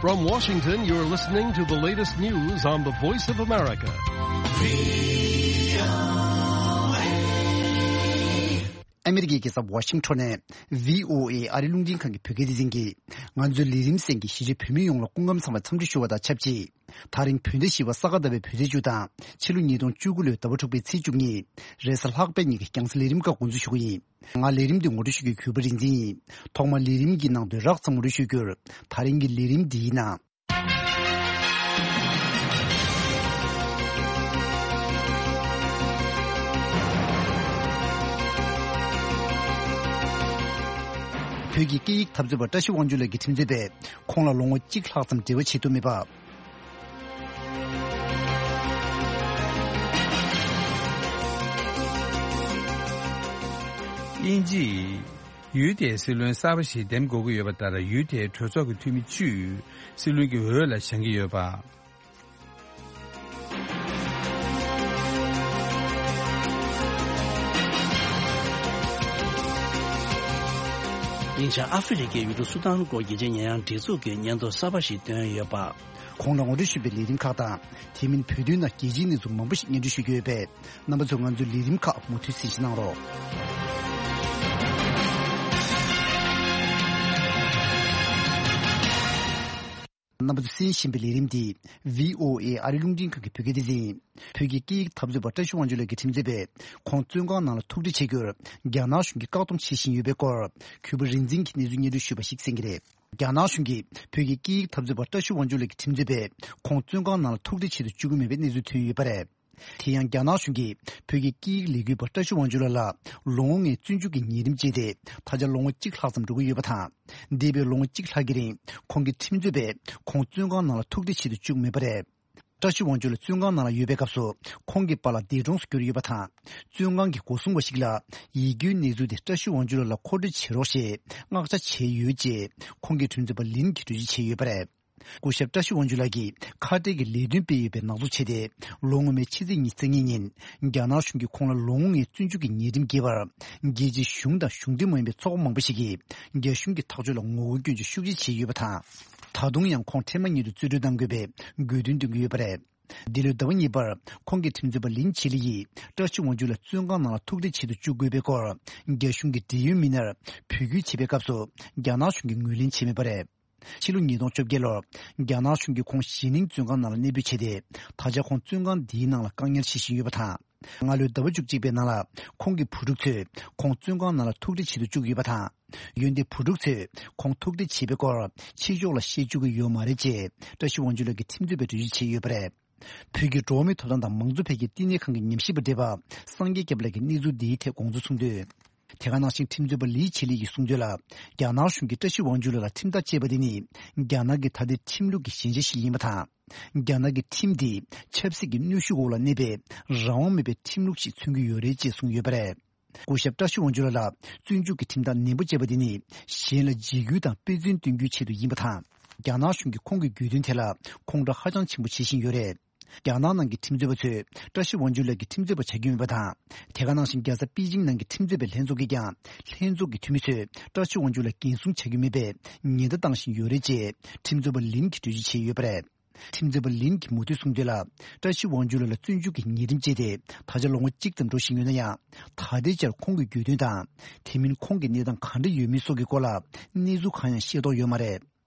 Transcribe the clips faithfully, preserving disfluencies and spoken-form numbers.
From Washington, you're listening to the latest news on the Voice of America. ཨ་མི་རི་ཀའི་རྒྱལ་ས་ཝ་ཤིང་ཊོན་ནས་བྷི་ཨོ་ཨེ་ཨ་རིའི་རླུང་འཕྲིན་ཁང་གི་བོད་སྐད་སྡེ་ཚན་གྱིས། ང་ཚོའི་ལས་རིམ་གསན་མཁན་གཞིས་བྱེས་བོད་མི་ཡོངས་ལ་སྐུ་ཁམས་བཟང་བའི་འཚམས་འདྲི་ཞུ་བ་དང་ཆབས་ཅིག་ད་རིང་བོད་ཟླ་བཞི་པ་ས་ག་ཟླ་བའི་བོད་ཚེས་བཅུ་དང་ཕྱི་ལོ་ཉིས་སྟོང་བཅུ་དགུ་ལོའི་ཟླ་བ་དྲུག་པའི་ཚེས་བཅུ་གཉིས། རེས་གཟའ་ལྷག་པའི་ཉིན་གྱི་རྒྱང་སྲིང་ལས་རིམ་ཁག་འགོ་འཛུགས་ཞུ་གི་ཡིན། ང་ལས་རིམ་འདི་ངོ་སྤྲོད་ཞུ་རྒྱུའི་གུས་པ་རིག་འཛིན་ཡིན། ཐོག་མར་ལས་རིམ་གྱི་ནང་དུ་རགས་ཙམ་ངོ་སྤྲོད་ཞུ་རྒྱུར། ད་རིང་གི་ལས་རིམ་འདིའི་ནང་། བོད་ཀྱི་སྐད་ཡིག་འཐབ་རྩོད་པ་བཀྲ་ཤིས་དབང་ཕྱུག་ལགས་ཀྱི་ཁྲིམས་རྩོད་པས་ཁོང་ལ་ལོ་ངོ་གཅིག་ལྷག་ཙམ་འབྲེལ་བ་བྱེད་ཐུབ་མེད་པ། དབྱིན་ཇི། ཡུལ་དེའི་སྲིད་བློན་གསར་པ་ཞིག་འདེམས་དགོས་ཀྱི་ཡོད་པ་ལྟར། ཡུལ་དེའི་གྲོས་ཚོགས་ཀྱི་འཐུས་མི་བཅུས་སྲིད་བློན་གྱི་འོས་ལ་བཞེངས་ཀྱི་ཡོད་པ། དབྱིན་ཇིའི་ཨ་ཧྥེ་རི་ཁའི་ཡུལ་གྲུ་སུ་དཱན་སྐོར་རྒྱལ་སྤྱིའི་ཉེས་ཡངས་སྒྲིག་འཛུགས་ཀྱིས་སྙན་ཐོ་གསར་པ་ཞིག་བཏོན་ཡོད་པ། གོང་ལ་ངོ་སྤྲོད་ཞུས་པའི་ལས་རིམ་ཁག་དང་། དེ་མིན་བོད་དོན་ནང་རྒྱལ་སྤྱིའི་གནས་ཚུལ་མང་པོ་ཞིག་སྙན་སྒྲོན་ཞུ་རྒྱུ་ཡོད་པས། རྣམ་པ་ཚོས་ང་ཚོའི་ལས་རིམ་ཁག་མུ་མཐུད་གསན་བཞེས་གནང་རོགས། རྣམ་པ་ཚོས་གསན་བཞིན་པའི་ལས་རིམ་འདི་བྷི་ཨོ་ཨེ་ཨ་རིའི་རླུང་འཕྲིན་ཁང་གི་བོད་སྐད་སྡེ་ཚན་ཡིན། བོད་ཀྱི་སྐད་ཡིག་འཐབ་རྩོད་པ་བཀྲ་ཤིས་དབང་ཕྱུག་ལགས་ཀྱི་ཁྲིམས་རྩོད་པས་ཁོང་བཙོན་ཁང་ནང་ལ་ཐུག་འཕྲད་བྱེད་རྒྱུར་རྒྱ་ནག་གཞུང་གིས་བཀག་སྡོམ་བྱེད་བཞིན་ཡོད་པའི་སྐོར། གུས་པ་རིག་འཛིན་གྱིས་གནས་ཚུལ་སྙན་སྒྲོན་ཞུས་པ་ཞིག་གསན་གྱི་རེད། རྒྱ་ནག་གཞུང་གིས་བོད་ཀྱི་སྐད་ཡིག་འཐབ་རྩོད་པ་བཀྲ་ཤིས་དབང་ཕྱུག་ལགས་ཀྱི་ཁྲིམས་རྩོད་པས་ཁོང་བཙོན་ཁང་ནང་ལ་ཐུག་འཕྲད་བྱེད་དུ་བཅུག་གི་མེད་པའི་གནས་ཚུལ་ཐོན་ཡོད་པ་རེད། དེ་ཡང་རྒྱ་ནག་གཞུང་གིས་བོད་ཀྱི་སྐད་ཡིག་ལས་འགུལ་བ་བཀྲ་ཤིས་དབང་ཕྱུག་ལགས་ལ་ལོ་ངོ་ལྔའི་བཙོན་འཇུག་གི་ཉེས་རིམ་བཅད་དེ་ད་ཆ་ལོ་ངོ་གཅིག་ལྷག་ཙམ་འགྲོ་གི་ཡོད་པ་དང་། འདས་པའི་ལོ་ངོ་གཅིག་ལྷག་གི་རིང་ཁོང་གི་ཁྲིམས་རྩོད་པས་ཁོང་བཙོན་ཁང་ནང་ལ་ཐུག་འཕྲད་བྱེད་དུ་བཅུག་མེད་པ་རེད། བཀྲ་ཤིས་དབང་ཕྱུག་ལགས་བཙོན་ཁང་ནང་ལ་ཡོད་པའི་སྐབས་སུ་ཁོང་གི་པཱ་ལགས་འདས་གྲོངས་སུ་གྱུར་ཡོད་པ་དང་། བཙོན་ཁང་གི་སྒོ་སྲུང་བ་ཞིག་ལ་ཡིད་སྐྱོའི་གནས་ཚུལ་དེ་བཀྲ་ཤིས་དབང་ཕྱུག་ལགས་ལ་མཁོ་སྤྲོད་བྱེད་རོགས་ཞེས་མངགས་བྱ་བྱས་ཡོད་ཅེས་ཁོང་གི་ཁྲིམས་རྩོད་པ་ལིན་གྱིས་འགྲེལ་བརྗོད་བྱས་ཡོད་པ་རེད། སྐུ་ཞབས་བཀྲ་ཤིས་དབང་ཕྱུག་ལགས་ཀྱིས་ཁ་བྲལ་གྱི་ལས་དོན་སྤེལ་ཡོད་པའི་ནག་འཛུགས་བྱས་ཏེ། ལོ་སྔོན་མའི་ཕྱི་ཚེས་ཉི་ཤུ་རྩ་གཉིས་ཉིན། རྒྱ་ནག་གཞུང་གིས་ཁོང་ལ་ལོ་ངོ་ལྔའི་བཙོན་འཇུག་གི་ཉེས་ཁྲིམས་འགེལ་བར། རྒྱལ་སྤྱིའི་གཞུང་དང་གཞུང་འབྲེལ་མ་ཡིན་པའི་ཚོགས་པ་མང་པོ་ཞིག་གིས། རྒྱ་གཞུང་གི་ཐག་གཅོད་ལ་ངོ་རྒོལ་སྐྱོན་བརྗོད་ཤུགས་ཆེ་བྱས་ཡོད་པ་དང་། ད་དུང་ཡང་ཁོང་འཕྲལ་མ་ཉིད་དུ་རྩིས་སྤྲོད་གཏང་དགོས་པའི་དགོས་འདུན་བཏོན་གྱི་ཡོད་པ་རེད། འདི་ལོའི་ཟླ་བ་གཉིས་པར། ཁོང་གི་ཁྲིམས་རྩོད་པ་ལིན་ཆི་ལི་ཡིས། བཀྲ་ཤིས་དབང་ཕྱུག་ལགས་བཙོན་ཁང་ནང་ལ་ཐུག་འཕྲད་བྱེད་དུ་བཅུག་དགོས་པའི་སྐོར། རྒྱ་གཞུང་གི་འབྲེལ་ཡོད་མི་སྣར་འབོད་སྐུལ་བྱེད་པའི་སྐབས་སུ། རྒྱ་ནག་གཞུང་གིས་ངོས་ལེན་བྱས་མེད་པ་རེད། ཕྱི་ལོ་ཉིས་སྟོང་བཅོ་བརྒྱད་ལོར། རྒྱ་ནག་གཞུང་གིས་ཁོང་ཞི་ནིང་བཙོན་ཁང་ནང་ལ་གནས་སྤོས་བྱས་ཏེ། ད་ཆ་ཁོང་བཙོན་ཁང་འདིའི་ནང་ལ་བཀག་ཉར་བྱེད་བཞིན་ཡོད་པ་དང་། སྔ་ལོའི་ཟླ་བ་བཅུ་གཅིག་པའི་ནང་ལ། ཁོང་གི་བུ་ཕྲུག་ཚོས་ཁོང་བཙོན་ཁང་ནང་ལ་ཐུག་འཕྲད་བྱེད་དུ་བཅུག་ཡོད་པ་དང་། འོན་ཏེ་བུ་ཕྲུག་ཚོས་ཁོང་ཐུག་འཕྲད་བྱས་པའི་སྐོར་ཕྱི་ཕྱོགས་ལ་བཤད་བཅུག་གི་ཡོད་མ་རེད་ཅེས། བཀྲ་ཤིས་དབང་ཕྱུག་ལགས་ཀྱི་ཁྲིམས་རྩོད་པས་འགྲེལ་བརྗོད་བྱས་ཡོད་པ་རེད། བོད་ཀྱི་འགྲོ་བ་མིའི་ཐོབ་ཐང་དང་མང་གཙོ་འཕེལ་རྒྱས་བསྟི་གནས་ཁང་གི་ཉམས་ཞིབ་པ་བགྲེས་པ་སངས་རྒྱས་སྐྱབས་ལགས་ཀྱིས་གནས་ཚུལ་འདིའི་ཐད་དགོངས་ཚུལ་གསུངས་དོན། དེ་ག་ནང་བཞིན་ཁྲིམས་རྩོད་པ་ལི་ཆི་ལི་ཡིས་གསུངས་དོན་ལ། རྒྱ་ནག་གཞུང་གིས་བཀྲ་ཤིས་དབང་ཕྱུག་ལགས་ལ་ཁྲིམས་ཐག་བཅད་པ་དེ་ནི། རྒྱ་ནག་གི་ད་ལྟའི་ཁྲིམས་ལུགས་ཀྱི་ཞན་ཆ་ཞིག་ཡིན་པ་དང་། རྒྱ་ནག་གི་ཁྲིམས་དེས་ཆབ་སྲིད་ཀྱི་གནོན་ཤུགས་འོག་ལ་གནས་པའི་རང་དབང་མེད་པའི་ཁྲིམས་ལུགས་ཤིག་མཚོན་གྱི་ཡོད་རེད་ཅེས་གསུངས་ཡོད་པ་རེད། སྐུ་ཞབས་བཀྲ་ཤིས་དབང་ཕྱུག་ལགས་ལ་བཙོན་འཇུག་གི་ཁྲིམས་ཐག་ནན་པོ་བཅད་པ་དེ་ནི་གཞན་ལ་འཇིགས་སྐུལ་དང་དཔེ་མཚོན་སྟོན་རྒྱུའི་ཆེད་དུ་ཡིན་པ་དང་། རྒྱ་ནག་གཞུང་གིས་ཁོང་གི་རྒྱུད་དོན་ཐད་ལ་ཁོང་ཁྲོ་ཧ་ཅང་ཆེན་པོ་བྱེད་བཞིན་ཡོད་རེད། རྒྱ་ནག་ནང་གི་ཁྲིམས་རྩོད་པ་ཚོས་བཀྲ་ཤིས་དབང་ཕྱུག་ལགས་ཀྱི་ཁྲིམས་རྩོད་པ་བྱ་རྒྱུ་མེད་པ་དང་། དེ་ག་ནང་བཞིན་རྒྱལ་ས་པེ་ཅིང་ནང་གི་ཁྲིམས་རྩོད་པའི་ལྷན་ཚོགས་ཀྱིས་ཀྱང་ལྷན་ཚོགས་ཀྱི་འཐུས་མི་ཚོས་བཀྲ་ཤིས་དབང་ཕྱུག་ལགས་འགན་སྲུང་བྱ་རྒྱུ་མེད་པའི་ཉེན་བརྡ་བཏང་བཞིན་ཡོད་རེད་ཅེས་ཁྲིམས་རྩོད་པ་ལིན་གྱིས་འགྲེལ་བརྗོད་བྱས་ཡོད་པ་རེད། ཁྲིམས་རྩོད་པ་ལིན་གྱིས་མུ་མཐུད་གསུངས་དོན་ལ། བཀྲ་ཤིས་དབང་ཕྱུག་ལགས་ལ་བཙོན་འཇུག་གི་ཉེས་ཁྲིམས་བཅད་དེ་ད་ཆ་ལོ་ངོ་གཅིག་ཙམ་འགྲོ་བཞིན་ཡོད་ན་ཡང་། ད་ལྟའི་ཆར་ཁོང་གི་རྒྱུད་དོན་དང་། དེ་མིན་ཁོང་གི་གནས་སྟངས་ག་འདྲ་ཡོད་མེད་སོགས་ཀྱི་སྐོར་ལ་གནས་ཚུལ་གང་ཡང་ཤེས་རྟོགས་ཡོད་མ་རེད།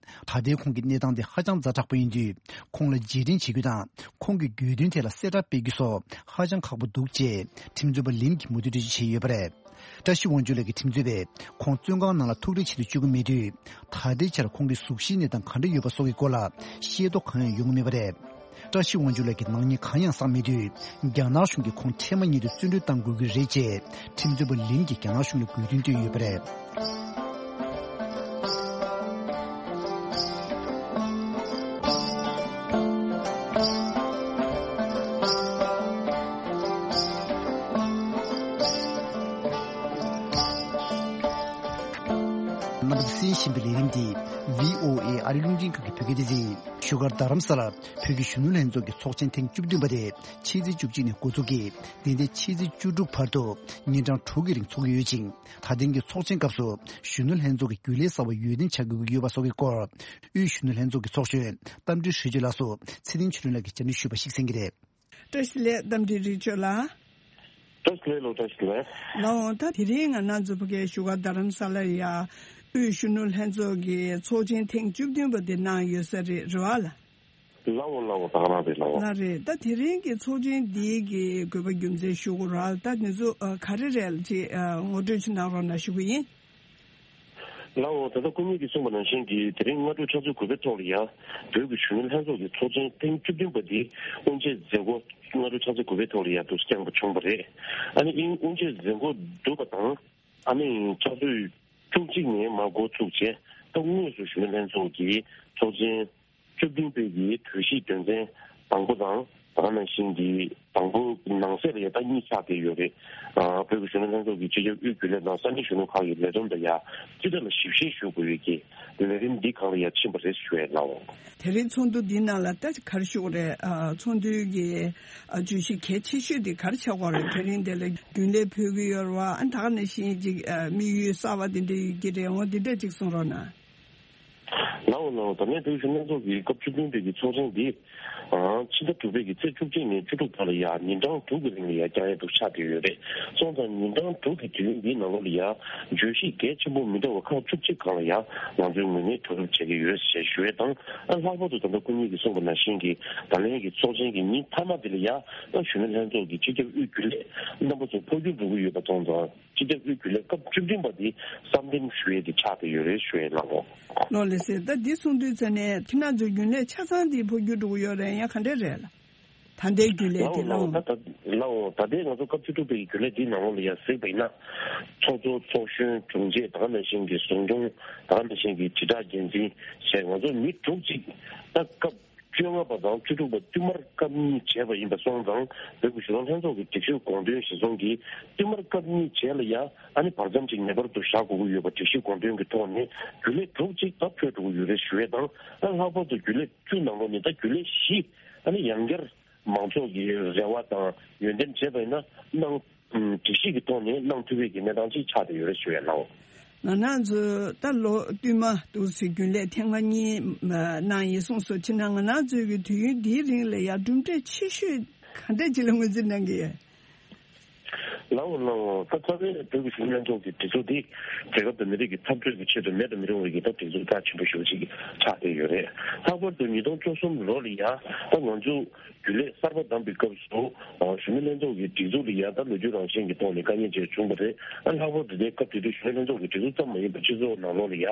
ད་ལྟའི་ཁོང་གི་གནས་སྟངས་དེ་ཧ་ཅང་ཛ་དྲག་པོ་ཡིན་དུས། ཁོང་ལ་རྗེས་དྲན་བྱེད་རྒྱུ་དང་། ཁོང་གི་རྒྱུད་དོན་ཐད་ལ་གསལ་བསྒྲགས་སྤེལ་རྒྱུ་སོགས་ཧ་ཅང་ཁག་པོ་འདུག་ཅེས་ཁྲིམས་རྩོད་པ་ལིན་གྱིས་མུ་མཐུད་འགྲེལ་བརྗོད་བྱས་ཡོད་པ་རེད། བཀྲ་ཤིས་དབང་ཕྱུག་ལགས་ཀྱི་ཁྲིམས་རྩོད་པས་ཁོང་བཙོན་ཁང་ནང་ལ་ཐུག་འཕྲད་བྱེད་དུ་བཅུག་གི་མེད་དུས། ད་ལྟའི་ཆར་ཁོང་གི་གཟུགས་གཞིའི་གནས་སྟངས་ག་འདྲ་ཡོད་པ་སོགས་ཀྱི་སྐོར་ལ་ཤེས་རྟོགས་གང་ཡང་ཡོང་གི་མེད་པ་རེད། བཀྲ་ཤིས་དབང་ཕྱུག་ལགས་ཀྱི་ནག་ཉེས་གང་ཡང་བསགས་མེད་དུས། རྒྱ་ནག་གཞུང་གིས་ཁོང་འཕྲལ་མ་ཉིད་དུ་བཙོན་གྲོལ་གཏང་དགོས་ཀྱི་རེད་ཅེས་ཁྲིམས་རྩོད་པ་ལིན་གྱིས་རྒྱ་ནག་གཞུང་ལ་དགོས་འདུན་བཏོན་ཡོད་པ་རེད། རྣམ་པ་གསན་བཞིན་པའི་ལས་རིམ་འདི་བྷི་ཨོ་ཨེ་ཨ་རི་རླུང་འཕྲིན་ཁང་གི་བོད་སྐད་སྡེ་ཚན་ཡིན། བཞུགས་སྒར་རྡ་རམ་ས་ལར་བོད་ཀྱི་གཞོན་ནུ་ལྷན་ཚོགས་ཀྱི་ཚོགས་ཆེན་ཐེངས་བཅུ་བདུན་པ་དེ་ཕྱི་ཚེས་བཅུ་གཅིག་ནས་འགོ་འཛུགས་ཀྱིས་འདི་ཟླའི་ཕྱི་ཚེས་བཅུ་དྲུག་བར་དུ་ཉིན་གྲངས་དྲུག་གི་རིང་འཚོགས་ཀྱི་ཡོད་ཅིང་། ད་ཐེངས་ཀྱི་ཚོགས་ཆེན་སྐབས་སུ་གཞོན་ནུ་ལྷན་ཚོགས་ཀྱི་རྒྱུན་ལས་གསར་བ་འོས་འདེམས་བྱ་དགོས་ཀྱི་ཡོད་པ་སོགས་ཀྱི་སྐོར། དབུས་གཞོན་ནུ་ལྷན་ཚོགས་ཀྱི་ཚོགས་གཞོན་རྟ་མགྲིན་ཧྲི་ཅི་ལགས་སུ་ཚེ་བརྟན་ཆོས་སྒྲོན་ལགས་ཀྱིས་བཅར་འདྲི་ཞུས་པ་ཞིག་གསན་གྱི་རེད། བཀྲ་ཤིས་བདེ་ལེགས། རྟ་མགྲིན་རི་ཆོས་ལགས། བཀྲ་ཤིས་བདེ་ལེགས་ལགས། བཀྲ་ཤིས་བདེ་ལེགས། ལགས་འོང་། ད་དེ་རིང་ང་རང་ཚོ་ཕ་གིའི་བཞུགས་སྒར་རྡ་རམ་ས་ལ་ཡ་དབུས་གཞོན་ནུ་ལྷན་ཚོགས་ཀྱི་ཚོགས་ཆེན་ཐེངས་བཅུ་བདུན་པ་དེ་གནང་ཡོད་ས་རེད། རེད་བ་ལགས། ལགས་འོང་། ལགས་འོང་། ད་ག་རང་རེད། ལགས་འོང་། ལགས་རེད། ད་དེ་རིང་གི་ཚོགས་ཆེན་འདིའི་གི་དགོས་པ་རྒྱུ་མཚན་ཞུ་དགོས་ར། ད་དེ་ཚོ་ཨ་ག་རེ་རེད་ཅེས་ཨ་ངོ་སྤྲོད་ཅིག་གནང་རོགས་གནང་ཞུ་གི་ཡིན། ལགས་འོང་། ད་ལྟ་སྐུ་ཉིད་ཀྱིས་གསུངས་པ་ནང་བཞིན་གྱི་དེ་རིང་སྔ་དྲོ་ཆུ་ཚོད་དགུ་པའི་ཐོག་ལ་ཡ་བོད་ཀྱི་གཞོན་ནུ་ལྷན་ཚོགས་ཀྱི་ཚོགས་ཆེན་ཐེངས་བཅུ་བདུན་པ་འདི་དབུ་འབྱེད་མཛད་སྒོ་སྔ་དྲོ་ཆུ་ཚོད་དགུ་པའི་ཐོག་ལ་ཡ་འདུག་སེ་བསྐྱངས་པ་བྱུང་བ་རེད། ཨ་ནི་ཨིན་དབུ་འབྱེད་མཛད་སྒོ་གྲུབ་པ་དང་ཨ་ནི་ཆུ་ཚོད་བཅུ་གཅིག་ནས་མར་འགོ་ཚུགས་བྱས། ད་དངོས་སུ་གཞོན་ནུ་ལྷན་ཚོགས་ཀྱི་ཚོགས་ཆེན་བཅུ་བདུན་པའི་གི་གྲོས་གཞིའི་དོན་ཚན་དང་པོ་དང་། ད་ག་ནང་བཞིན་གྱི་དང་པོ་ནང་གསེས་ལ་ཡ་ད་གཉིས་ཆགས་བསྡད་ཡོད་རེད། ཨ་བོད་ཀྱི་གཞོན་ནུ་ལྷན་ཚོགས་ཀྱི་སྤྱི་ཁྱབ་དབུས་རྒྱུན་ལས་དང་ས་གནས་གཞོན་ནུ་ཁག་གི་ལས་བསྡོམས་དང་ཡ་སྤྱི་བདེ་ལ་ཞིབ་བཤེར་ཞུ་དགོས་ཡོད་ཀྱི་ལས་རིམ་འདི་སྒང་ལ་ཡ་ཕྱིན་པ་རེད་ཞུ་ཡས་ལགས་འོང་། དེ་རིང་ཚོགས་འདུ་འདི་ནང་ལ་ད་ག་རེ་ཞུ་དགོས་རེད། ཨ་ཚོགས་འདུའི་གི་ཨ་བརྗོད་གཞི་གལ་ཆེ་ཤོས་དེ་ག་རེ་ཆགས་ཀྱི་ཡོད་རེད། དེ་རིང་དེ་ལ་རྒྱུན་ལས་ཕུད་ཀྱི་ཡོད་རེད་བ། ཨ་ད་ག་ནང་བཞིན་ཅིག་ཨ་དམིགས་ཡུལ་གསར་བ་དེ་འདྲ་ཡོད་ཀྱི་རེད། འོ་འདི་འདྲ་ཅིག་གསུང་རོགས་གནང་། ལགས་འོང་། ལགས་འོང་། ད་ལན་བོད་གཞོན་ལྷན་ཚོགས་ཀྱི་སྐབས་བཅུ་བདུན་པའི་གི་ཚོགས་ཆེན་འདི། ཨང་། ཕྱི་ཟླ་དྲུག་པའི་གི་ཚེས་བཅུ་གཅིག་ནས་བཅུ་དྲུག་བར་ལ་ཡ་ཉིན་གྲངས་དྲུག་གི་རིང་ལ་ཡ་བསྐྱང་ཡས་འདུག་ཆགས་བསྡད་ཡོད་རེད། སོང་ཙང་ཉིན་གྲངས་དྲུག་གི་དུས་ཡུན་འདིའི་ནང་ལོགས་ལ་ཡ་བརྗོད་གཞི་གལ་ཆེན་པོ་མི་འདྲ་བ་ཁག་བཅུ་གཅིག་སྒང་ལ་ཡ་ང་ཚོའི་ངོས་ནས་གྲོས་བསྡུར་བྱེད་ཀྱི་ཡོད་ཞེས་ཞུ་ཡས་དང་། ཨ་ལྷག་པར་དུ་ད་ལྟ་སྐུ་ཉིད་ཀྱིས་གསུངས་པ་ནང་བཞིན་གྱི་ད་ལན་གྱི་ཚོགས་ཆེན་གྱི་ཉིན་མཐའ་མ་འདི་ལ་ཡ་ད་གཞོན་ནུ་ལྷན་ཚོགས་ཀྱི་སྤྱི་ཁྱབ་དབུས་རྒྱུན་ལས་རྣམ་པ་ཚོ་འཕོ་འགྱུར་འགྲོ་གི་ཡོད་པ་མཐོང་ཙང་། སྤྱི་ཁྱབ་དབུས་རྒྱུན་ལས་སྐབས་བཅུ་བདུན་པ་འདི་གསར་འདེམས་ཞུ་ཡས་འདི་ཆགས་བསྡད་ཡོད་རེད་ཞུ་ཡས་ལགས་འོང་། ལགས་ལགས་སེ། ད་འདི་གསུང་དུས་ཙ་ནས་ཁྱེད་རང་ཚོའི་རྒྱུན་ལས་ཆ་ཚང་འདི་འཕོ་འགྱུར་འགྲོ་གི་ཡོད་རེད། ཡང་ག་འདྲས་རེད་ལགས། ད་ལྟའི་རྒྱུན་ལས་ལགས་འོང་། འདི་ལགས་ལགས་འོང་། ད་ལྟའི་ང་ཚོ་སྐབས་བཅུ་དྲུག་པའི་རྒྱུན་ལས་འདིའི་ནང་ལོགས་ལ་ཡ་གཟིགས་པ་ཡིན་ན། ཚོགས་གཙོ། ཚོགས་གཞོན། དྲུང་ཆེ། ད་ག་ནང་བཞིན་གྱི་ཟུང་དྲུང་། ད་ག་ནང་བཞིན་གྱི་དྲིལ་བསྒྲགས་འགན་འཛིན་ཞེས་ང་ཚོ་མི་དྲུག་ཅིག་ད་སྐབས་བཅོ་ལྔ་པ་དང་བཅུ་དྲུག་པ་བསྟུད་མར་སྐབས་གཉིས་བྱས་པ་ཡིན་པ་སོང་ཙང་། བོད་ཀྱི་གཞོན་ནུ་ལྷན་ཚོགས་ཀྱི་སྒྲིག་གཞིའི་དགོངས་དོན་གཞིར་བཟུང་གིས་བསྟུད་མར་སྐབས་གཉིས་བྱས་ལ་ཡ་ཨ་ནི་བར་མཚམས་ཅིག་ངེས་པར་དུ་བཞག་དགོས་ཀྱི་ཡོད་པ་སྒྲིག་གཞིའི་དགོངས་དོན་གྱི་ཐོག་ནས་རྒྱུན་ལས་དྲུག་ཅིག་ད་འཕོས་འགྲོ་གི་ཡོད་རེད་ཞུ་ཡས་དང་། ཨ་ལྷག་པར་དུ་རྒྱུན་ལས་བཅུ་ནང་ལོགས་ནས་ད་རྒྱུན་ལས་བཞི་ཨ་ནི་ཡང་བསྐྱར་མང་ཚོགས་ཀྱི་རེ་བ་དང་འོས་འདེམས་བྱས་པ་ཡིན་ན་གནང་། སྒྲིག་གཞི་གི་ཐོག་ནས་གནང་ཐུབ་པའི་གི་གནས་སྟངས་ཅིག་ཆགས་བསྡད་ཡོད་རེད་ཞུ་ཡས་ལགས་འོང་། ང་རང་ཚོ་ད་ལོ་བསྟུད་མ་འདུག་སེ་རྒྱུན་ལས་ཐེངས་མ་གཉིས་གནང་ཡིན་གསུངས་སོང་། ཕྱིན་ན་ང་རང་ཚོའི་གི་དུས་ཡུན་འདིའི་རིང་ལ་ཡ་གྲུབ་འབྲས་ཆེ་ཤོས་ག་འདྲས་ཅིག་ལ་ངོས་འཛིན་གནང་གི་ཡོད། ལགས་འོང་། ལགས་འོང་། ད་རྩ་བའི་བོད་ཀྱི་གཞོན་ནུ་ལྷན་ཚོགས་ཀྱི་སྒྲིག་འཛུགས་འདི་རྒྱལ་ཁབ་དང་མི་རིགས་ཀྱི་འཐབ་རྩོད་ཀྱི་ཆེད་དུ་མེད་དུ་མི་རུང་བའི་གི་ད་སྒྲིག་འཛུགས་རྒྱ་ཆེན་པོ་ཞེ་པོ་ཅིག་ཆགས་བསྡད་ཡོད་རེད། ལྷག་པར་དུ་ཉིས་སྟོང་བཅུ་གསུམ་ལོ་ལ་ཡ་ད་ང་ཚོ་རྒྱུན་ལས་གསར་པ་བདམས་པའི་སྐབས་སུ། ཨ་གཞོན་ནུ་ལྷན་ཚོགས་ཀྱི་སྒྲིག་འཛུགས་ལ་ཡ་ད་ལོ་རྒྱུས་རང་བཞིན་གྱི་ཐོག་ནས་དཀའ་ངལ་ཅིག་བྱུང་བ་རེད། ཨ་ལྷག་པར་དུ་དེའི་སྐབས་དེ་དུས་གཞོན་ནུ་ལྷན་ཚོགས་ཀྱི་སྒྲིག་འཛུགས་ཙམ་མ་ཡིན་པར་སྤྱི་ཚོགས་ནང་ལོགས་ལ་ཡ་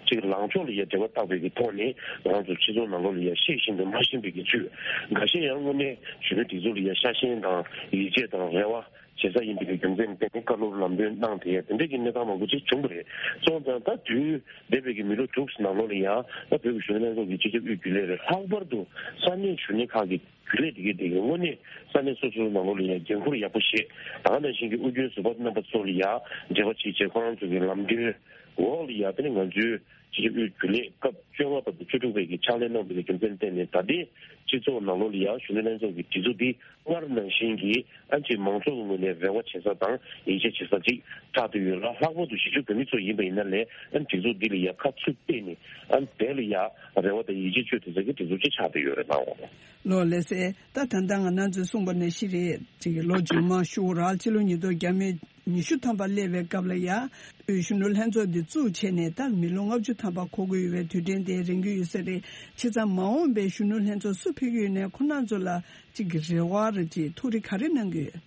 ཅིག་ལངས་ཕྱོགས་ལ་ཡ་འབྲེལ་བ་བཏགས་པའི་གི་ཐོག་ནས་ང་ཚོ་སྤྱི་ཚོགས་ནང་ལོགས་ལ་ཡ་ཤེས་བཞིན་དུ་མ་ཤེས་པའི་གི་ཚུལ། འགའ་ཤས་ཡང་དངོས་གནས་གཞོན་ནུ་སྒྲིག་འཛུགས་ལ་ཡ་ཤ་ཞེན་དང་ཡིད་ཆེས་དང་རེ་བ་བྱེད་ས་ཡིན་པའི་གི་རྒྱུ་མཚན་བརྟེན་ནས་བཀའ་སློབ་ལམ་སྟོན་གནང་དེ་དེ་འདྲའི་གི་གནས་སྟངས་མང་པོ་ཅིག་བྱུང་བ་རེད། སོང་ཙང་ད་དུས་འདས་པའི་གི་མི་ལོ་དྲུག་ནང་ལོགས་ལ་ཡ་ད་བོད་ཀྱི་གཞོན་ནུ་ལྷན་ཚོགས་ཀྱི་སྤྱི་ཁྱབ་དབུས་རྒྱུན་ལས་རེད། ལྷག་པར་དུ་ས་གནས་གཞོན་ནུ་ཁག་གི་རྒྱུན་ལས་དེ་གའི་དེ་གའི་དངོས་གནས་ས་གནས་སོ་སོའི་ནང་ལོགས་ལ་ཡང་འགན་འཁུར་ཡག་པོ་བཞེས། ད་ག་ནང་བཞིན་གྱི་ཨུ་རྒྱན་ཟུར་པ་རྣམ་པ་ཚོ་ལ་ཡང་འབྲེལ་བ་བྱེད་བྱེད་ཁོ་རང་ཚོ་གི་ལམ་སྟོན་འོག་ལ་ཡང་དེ་ནི་ང་ཚོའི་སྤྱི་ཁྱབ་དབུས་རྒྱུན་ལས་སྐབས་བཅོ་ལྔ་པ་དང་བཅུ་དྲུག་པའི་གི་ཕྱག་ལས་གནང་བའི་རྒྱུ་མཚན་བརྟེན་ནས་ད་ལྟའི་སྤྱི་ཚོགས་ནང་ལོགས་ལ་ཡང་གཞོན་ནུ་ལྷན་ཚོགས་ཀྱི་སྒྲིག་འཛུགས་འདི་སྔར་ནང་བཞིན་གྱི་ཨ་ཅེ་མང་ཚོགས་ཀྱི་ངོས་ནས་རེ་བ་བྱེད་ས་དང་ཡིད་ཆེས་བྱེད་ས་ཅིག་ཆགས་བསྡད་ཡོད་ལ། ལྷག་པར་དུ་གཞིས་བྱེས་བོད་མི་ཚོ་ཡིན་པ་ཡིན་ན་ལས་ཨ་སྒྲིག་འཛུགས་འདི་ལ་ཡང་ཁ་ཚུར་གཏད་ནས་ཨ་དེ་ལ་ཡང་རེ་བ་དང་ཡིད་ཆེས་བཅོལ་ཐུབ་ས་གི་སྒྲིག་འཛུགས་ཅིག་ཆགས་བསྡད་ཡོད་རེད་ལགས། ལགས་ལགས་སེ། ད་ད་ལྟ་ང་རང་ཚོས་གསུངས་པ་ནང་བཞིན་རེད། ཅིག་ལོ་རྗེས་མ་ཤོག་རག་ཕྱི་ལོ་ཉིས་སྟོང་ཉི་ཤུ་ཐམ་པ་སླེབས་པའི་སྐབས་ལ་ཡ་དབུས་གཞོན་ནུ་ལྷན་ཚོགས་འདི་བཙུགས་བྱས་ནས་ད་མི་ལོ་ལྔ་བཅུ་ཐམ་པ་འཁོར་གྱི་ཡོད་པའི་དུས་དྲན་དེ་རན་གྱི་ཡོད་ས་རེད། བྱས་ཙང་མ་འོངས་པའི་གཞོན་ནུ་ལྷན་ཚོགས་སུ་ཕེབས་ཀྱི་ཡོད་ནས་ཁོ་རང་ཚོ་ལ་ཅིག་གི་རེ་བ་རེད་ཅིག་ཐུགས་རེ་ག་རེ་གནང་གི་ཡོད།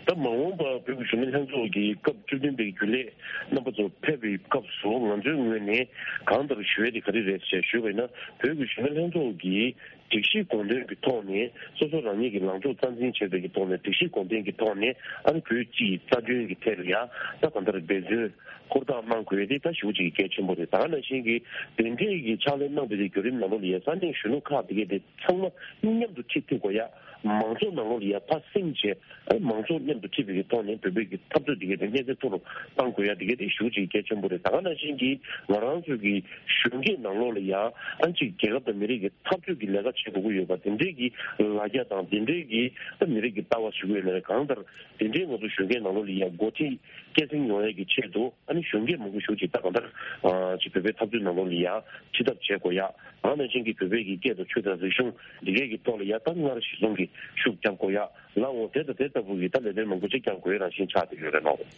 ད་མ་འོངས་པ་བོད་ཀྱི་གཞོན་ནུ་ལྷན་ཚོགས་ཀྱི་སྐབས་བཅུ་བདུན་པའི་རྒྱུན་ལས་རྣམ་པ་ཚོ་ཕེབས་པའི་སྐབས་སུ་ང་ཚོའི་ངོས་ནས་གང་ལྟར་ཞུ་ཡས་དེ་ག་རེ་རེད་ཅེས་ཞུས་པ་ཡིན་ན། བོད་ཀྱི་གཞོན་ནུ་ལྷན་ཚོགས་ཀྱི་སྒྲིག་གཞིའི་དགོངས་དོན་གྱི་ཐོག་ནས་སོ་སོ་རང་ཉིད་ཀྱི་ལངས་ཕྱོགས་རྩ་འཛིན་བྱས་པའི་གི་ཐོག་ནས་སྒྲིག་གཞིའི་དགོངས་དོན་གྱི་ཐོག་ནས་ཨ་ནི་བོད་སྤྱི་ཡི་རྩ་དོན་གྱི་ཐད་ལ་ཡང་ད་གང་ལྟར་འབད་བརྩོན་ཧུར་ཐག་གནང་དགོས་ཡས་དེ་ད་ཞེ་པོ་ཅིག་གལ་ཆེན་པོ་རེད། ད་ག་ནང་བཞིན་གྱི་དེ་འདྲའི་གི་ཕྱག་ལས་གནང་བའི་གི་བརྒྱུད་རིམ་ནང་ལོགས་ལ་ཡང་ས་གནས་གཞོན་ནུ་ཁག་དེ་གའི་དེ་ཚང་མ་མཉམ་དུ་ཁྲིད་ཐུབ་དགོས་ཡ། མང་ཚོགས་ནང་ལོགས་ལ་ཡ་ཕར་སེང་བྱས། ཨ་མང་ཚོགས་ མཉམ་དུ་ཁྲིད་པའི་ཐོག་ནས་བོད་པའི་གི་འཐབ་རྩོད་དེ་གའི་དེ་སྙན་ཚད་མཐོ་རུ་གཏང་དགོས་ཡ་དེ་གའི་དེ་ཞེ་པོ་ཅིག་གལ་ཆེན་པོ་རེད། ད་ག་ནང་བཞིན་གྱི་ང་རང་ཚོའི་གི་གཞོན་སྐྱེས་ནང་ལོགས་ལ་ཡ་ཨ་ཅིག་རྒྱལ་ཁབ་དང་མི་རིགས་ཀྱི་འཐབ་རྩོད་ཀྱི་ལས་ཀ་བྱེད་དགོས་ཀྱི་ཡོད་པ་དེ་འདྲའི་གི་ལ་རྒྱ་དང་དེ་འདྲའི་གི་ད་མི་རིགས་ཀྱི་ལྟ་བ་ཞུ་གི་ཡོད་ན་རེད། གང་ལྟར་དེ་འདྲའི་ང་ཚོ་གཞོན་སྐྱེས་ནང་ལོགས་ལ་ཡ་འགོ་ཁྲིད་སྐྱེད་སྲིང་ཡོང་ཡ་གི་ཆེད་དུ་ཨ་ནི་གཞོན་སྐྱེས་མང་པོ་ཞེ་པོ་ཅིག་ད་གང་ལྟར་ཨ་ཅིག་བོད་པའི་འཐབ་རྩོད་ནང་ལོགས་ལ་ཡ་ཁྲིད་ཐབས་བྱེད་དགོས་ཡ། ད་ག་ནང་བཞིན་གྱི་བོད་པའི་གི་སྐད་དང་ཆོས་དང་རིག་གཞུང་འདི་གའི་གི་ཐོག་ལ་ཡ་ད་སྔར་གཞི་བཟུང་གི་ཤུགས་རྒྱབ་དགོས་ཡ། ལའང་དེ་དང་དེ་ལྟ་བུ་གི་ད་ལས་དོན་མང་པོ་ཅིག་རྒྱབ་དགོས་རང་བཞིན་ཆགས་བསྡད་ཡོད་རེད་ལགས།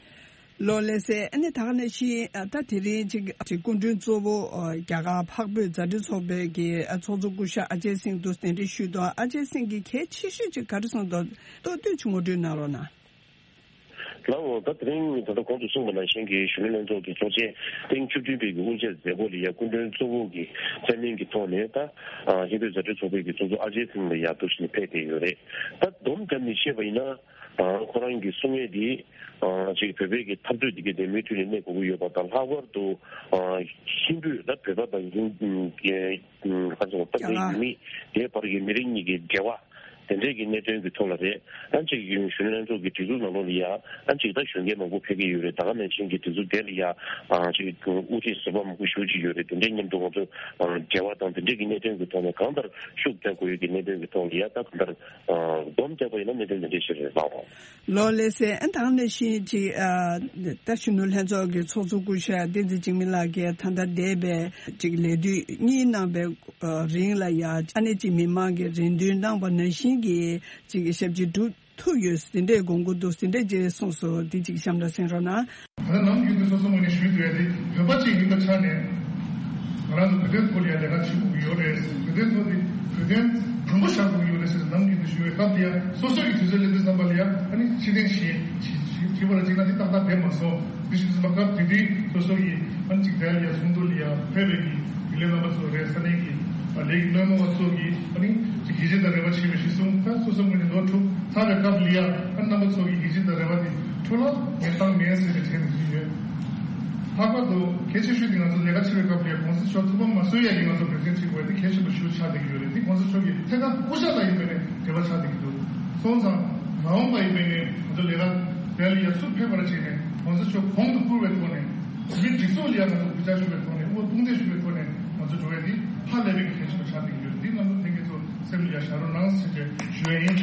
ལགས་ལགས་སེ། ཨ་ནི་ད་ག་ནང་བཞིན་ད་དེ་རིང་ཅིག་ཅིག་སྐུ་མགྲོན་གཙོ་བོ་རྒྱ་གར་འཕགས་བོད་མཛའ་འབྲེལ་ཚོགས་པའི་གི་ཚོགས་གཙོ་སྐུ་ཞབས་ཨ་ཇེ་སིང་དུ་གདན་འདྲེན་ཞུས་འདུག་ཨ་ཅེ་སིང་གིས་གལ་ཆེ་ཤོས་ཅིག་ག་རེ་གསུངས་འདུག་ཏོག་ཏོག་ཅིག་ངོ་སྤྲོད་གནང་རོགས་གནང་། ལགས་འོང་། ད་དེ་རིང་ད་ལྟ་གོང་དུ་གསུངས་པ་ནང་བཞིན་གྱི་གཞོན་ནུ་ལྷན་ཚོགས་ཀྱི་ཚོགས་ཆེན་ཐེངས་བཅུ་བདུན་པའི་གི་དབུ་འབྱེད་མཛད་སྒོ་ལ་ཡ་སྐུ་མགྲོན་གཙོ་བོ་གི་མཚན་སྙན་གྱི་ཐོག་ནས་ད་ཨ་ཧིན་བོད་མཛའ་འབྲེལ་ཚོགས་པའི་གི་ཚོགས་གཙོ་ཨ་ཇེ་སིང་ལ་ཡ་འདུག་སེ་ཕེབས་བསྡད་ཡོད་རེད། ད་སྡོམ་བརྒྱབ་ནས་བཤད་པ་ཡིན་ན་ཨ་ཁོ་རང་གི་གསུང་ཡས་འདི་ཨ་ཅིག་བོད་པའི་གི་འཐབ་རྩོད་འདི་གའི་དེ་མུ་མཐུད་ནས་གནས་དགོས་ཀྱི་ཡོད་པ་དང་། ལྷག་པར་དུ་ཨ་ཧིན་བོད་ད་བོད་པ་དང་ཧིན་ག་རེ་ཟེར་དགོས་རེད། ད་བོད་ཡུལ་མི་དེའི་བར་གྱི་མི་རིགས་གཉིས་ཀྱི་འབྲེལ་བ་དེ་འདྲའི་གི་གནད་དོན་གྱི་ཐོག་ལ་རེད། ཨ་ཅིག་གཞོན་ནུ་ལྷན་ཚོགས་ཀྱི་སྒྲིག་འཛུགས་ནང་ལོགས་ལ་ཡ་ཨ་ཅིག་ད་གཞོན་སྐྱེས་མང་པོ་ཕེབས་ཀྱི་ཡོད་རེད། ད་ག་ནང་བཞིན་གྱི་སྒྲིག་འཛུགས་དེ་ལ་ཡ་ཨ་ཅིག་དབུ་ཁྲིད་ཟུར་པ་མང་པོ་ཞེ་པོ་ཅིག་ཡོད་རེད། དེ་འདྲའི་མཉམ་དུ་ང་ཚོ་ཨ་འབྲེལ་བ་དང་དེ་འདྲའི་གི་གནད་དོན་གྱི་ཐོག་ནས་གང་ལྟར་ཤུགས་རྒྱག་དགོས་ཡོད་ཀྱི་གནད་དོན་གྱི་ཐོག་ལ་ཡ་ད་གང་ལྟར་ཨ་སྡོམ་བརྒྱབ་པ་ཡིན་ན་གནད་དོན་དེ་འདྲའི་ཞིག་རེད་ལགས་འོང་། ལགས་ལགས་སེ། ཨ་ད་ག་ནང་བཞིན་ཅིག་ཨ་ད་གཞོན་ནུ་ལྷན་ཚོགས་ཀྱི་ཚོགས་གཙོ་སྐུ་ཞབས་བསྟན་འཛིན་འཇིགས་མེད་ལགས་ཀྱིས་ད་ལྟ་འདས་པའི་ཅིག་ལས་དུས་གཉིས་གནང་བའི་རིང་ལ་ཡ་ཨ་ནི་ཅིག་མི་མང་གི་རེ་འདུན་གནང་བ་ནང་བཞིན་གྱི་ཅིག་ཞབས་ཕྱི་སྒྲུབ་ཐུབ་ཡོད་ཟིན་འདྲའི་དགོངས་མཁོ་འདུག་ཟིན་འདྲ་ཅིག་གསུངས་སོང་། འདི་ཅིག་གཤམ་ལ་གསན་རོགས་གནང་། ད་ནམ་རྒྱུན་དུ་སོ་སོ་ངོས་ནས་ཞུས་འདུག་ཡ་དེ་བོད་པ་ཅིག་ཡིན་པའི་ཆ་ནས་ང་རང་ཚོ་བོད་དོན་ཐོག་ལ་ཡ་ལས་ཀ་བྱེད་དགོས་ཀྱི་ཡོད་རེད། བོད་དོན་ཐོག་དེ་བོད་དོན་དང་པོ་བཞག་དགོས་ཀྱི་ཡོད་རེད་ཟེར་ནམ་རྒྱུན་དུ་ཞུ་བའི་སྐབས་དེ་ཡ་སོ་སོ་ཡི་དུས་ཚོད་སླེབས་དུས་ཙམ་པ་ལ་ཡ་ཨ་ནི་ཕྱིར་འཐེན་བྱེད་བྱེད་བྱེད་པ་ལ་བྱེད་ན་དེ་ཏག་ཏག་བསྡད་མ་སོང་། དེ་ཞུ་དུས་ཙམ་པ་སྐབས་དེ་དུས་སོ་སོ་ཡི་ཨ་ནི་ཅིག་དེ་ལ་ཡ་ཚོགས་འདུ་ལ་ཡ་ཕེབས་པའི་གི་དགེ་ལས་རྣམ་པ་ཚོ་རེད། ས་གནས་ཀྱི་ལས་ཀྱི་སྣེ་མོ་བ་ཚོ་གིས་ཨ་ནི་ཅིག་ཡིད་ཆེས་དང་རེ་བ་བྱེད་པའི་གཞི་བཟུང་། ད་སོ་སོ་ངོས་ནས་ལོ་དྲུག་ཚར་བའི་སྐབས་ལ་ཡ་ཨ་ནི་རྣམ་པ་ཚོ་གི་ཡིད་ཆེས་དང་རེ་བ་དེ་འཕྲོ་བརླག་ངས་བཏང་མེད་ཟེར་བའི་དྲན་གྱི་ཡོད། ལྷག་པར་དུ་གལ་ཆེ་ཤོས་དེ་ང་ཚོ་ལས་ཀ་བྱེད་པའི་སྐབས་ལ་ཡ་གོང་ས་མཆོག་ཐུགས་ཕམ་མ་བཟོ་ཡ་གི་ང་ཚོ་འབད་བརྩོན་བྱེད་དགོས་ཡ་དེ་གལ་ཆེན་པོ་ཞིག་ཆགས་བསྡད་ཀྱི་ཡོད་རེད། དེ་གོང་ས་མཆོག་གི་ཐད་ཀར་སྐུ་ཞབས་ལ་ཡིན་པའི་ནས་འབྲེལ་བ་ཆགས་བསྡད་ཀྱི་འདུག་སོང་ཙང་མ་འོངས་པ་ཡིན་པའི་ནས་ང་ཚོ་ལས་ཀ་དེ་ལ་ཡ་ཚུར་ཕེབས་པར་བྱས་ནས་གོང་ས་མཆོག་གོང་དུ་བཀུར་བའི་ཐོག་ནས་མི་སྒྲིག་འཛུགས་ལ་ཡ་ང་ཚོ་གུས་ཕྱག་ཞུ་བའི་ཐོག་ནས་དབུ་མ་དཔུང་འདེགས་ཞུ་བའི་ཐོག་ནས་ང་ཚོ་འགྲོ་བའི་འདི་ཧ་ལས་པའི་གལ་ཆེན་པོ་ཆགས་བསྡད་ཀྱི་ཡོད། འདི་རྣམ་པ་ལྷན་རྒྱས་ཚོ་སེམས་ལ་ཡ་བཞག་རོགས་གནང་ཟེར་བྱས་ཞུ་ཡ་ཡིན།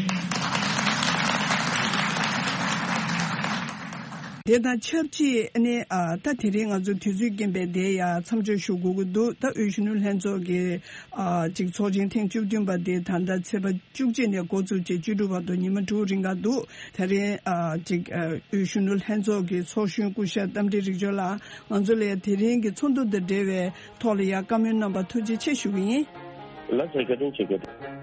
དེ་དང་ཆབས་ཅིག་ཨ་ནི་ཨ་ད་དེ་རིང་ང་ཚོ་དུས་ཚོད་རྐྱེན་པས་དེ་ཡ་མཚམས་འཇོག་ཞུ་དགོས་ཀྱི་འདུག་ད་དབུས་གཞོན་ནུ་ལྷན་ཚོགས་ཀྱི་ཨ་ཅིག་ཚོགས་ཆེན་ཐེངས་བཅུ་བདུན་པ་དེ་ད་ལྟ་ཚེས་པ་བཅུ་གཅིག་ནས་འགོ་བཙུགས་བྱས་བཅུ་དྲུག་བར་དུ་ཉི་མ་དྲུག་རིང་ག་འདུག་དེ་རིང་ཨ་ཅིག་ཨ་དབུས་གཞོན་ནུ་ལྷན་ཚོགས་ཀྱི་ཚོགས་གཞོན་སྐུ་ཞབས་རྟ་མགྲིན་རིག་འབྱོར་ལགས་ང་ཚོ་ལ་དེ་རིང་གི་ཚོགས་འདུ་དང་འབྲེལ་བའི་ཐོག་ལ་ཡ་བཀའ་མོལ་གནང་བར་ཐུགས་རྗེ་ཆེ་ཞུ་གི་ཡིན། ལགས་སོ། བཀའ་དྲིན་ཆེ། བཀའ་དྲིན།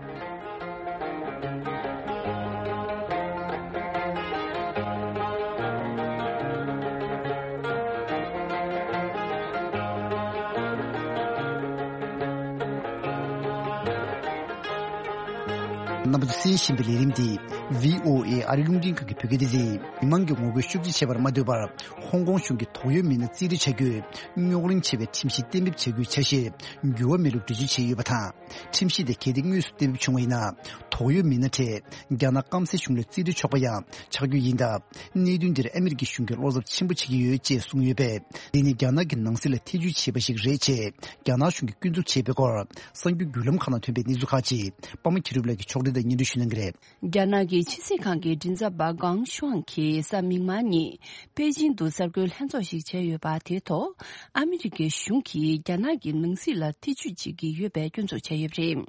རྣམ་པ་ཚོས་གསན་བཞིན་པའི་ལས་རིམ་འདི་བྷི་ཨོ་ཨེ་ཨ་རིའི་རླུང་འཕྲིན་ཁང་གི་བོད་སྐད་སྡེ་ཚན། མི་མང་གི་ངོ་རྒོལ་ཤུགས་ཆེ་བྱས་པར་མ་ལྟོས་པར། ཧོང་ཀོང་གཞུང་གིས་དོགས་ཡོད་མི་སྣ་རྩིས་སྤྲོད་བྱ་རྒྱུའི་རྙོག་གླེང་ཆེ་བའི་ཁྲིམས་གཞི་གཏན་འབེབས་བྱ་རྒྱུའི་འཆར་གཞིར་འགྱུར་བ་མེད་ལུགས་འགྲེལ་བརྗོད་བྱས་ཡོད་པ་དང་། ཁྲིམས་གཞི་དེ་གལ་ཏེ་དངོས་སུ་གཏན་འབེབས་བྱུང་བ་ཡིན་ན། དོགས་ཡོད་མི་སྣ་གྲས་རྒྱ་ནག་སྐམ་སའི་གཞུང་ལ་རྩིས་སྤྲོད་ཆོག་པ་ཡང་ཆགས་རྒྱུ་ཡིན་སྟབས། གནད་དོན་འདིར་ཨ་མི་རི་ཀའི་གཞུང་གིས་བློ་འཚབ་ཆེན་པོ་བྱེད་ཀྱི་ཡོད་ཅེས་གསུངས་ཡོད་པས། འདི་ནི་རྒྱ་ནག་གི་ནང་སྲིད་ལ་ཐེ་ཇུས་བྱས་པ་ཞིག་རེད་ཅེས་རྒྱ་ནག་གཞུང་གིས་སྐྱོན་འཛུགས་བྱས་པའི་སྐོར། གསར་འགྱུར་བརྒྱུད་ལམ་ཁག་ནང་ཐོན་པའི་གནས་ཚུལ་ཁག་ཅིག་པདྨ་གི་རུབ་ལགས་ཀྱིས་ཕྱོགས་སྒྲིག་དང་སྙན་སྒྲོན་ཞུ་གནང་གི་རེད། རྒྱ་ནག་གི་ཕྱི་སྲིད་ཁང་གི་མགྲིན་ཚབ་པ་ཀང་ཤུའང་གིས་གཟའ་མིག་དམར་ཉིན་པེ་ཅིང་དུ་གསར་འགོད་ལྷན་ཚོགས་ཤིག་བྱས་ཡོད་པ་དེའི་ཐོག་ཨ་མི་རི་ཀའི་གཞུང་གིས་རྒྱ་ནག་གི་ནང་སྲིད་ལ་ཐེ་ཇུས་བྱེད་ཀྱི་ཡོད་པའི་སྐྱོན་འཛུགས་བྱས་ཡོད་པ་རེད།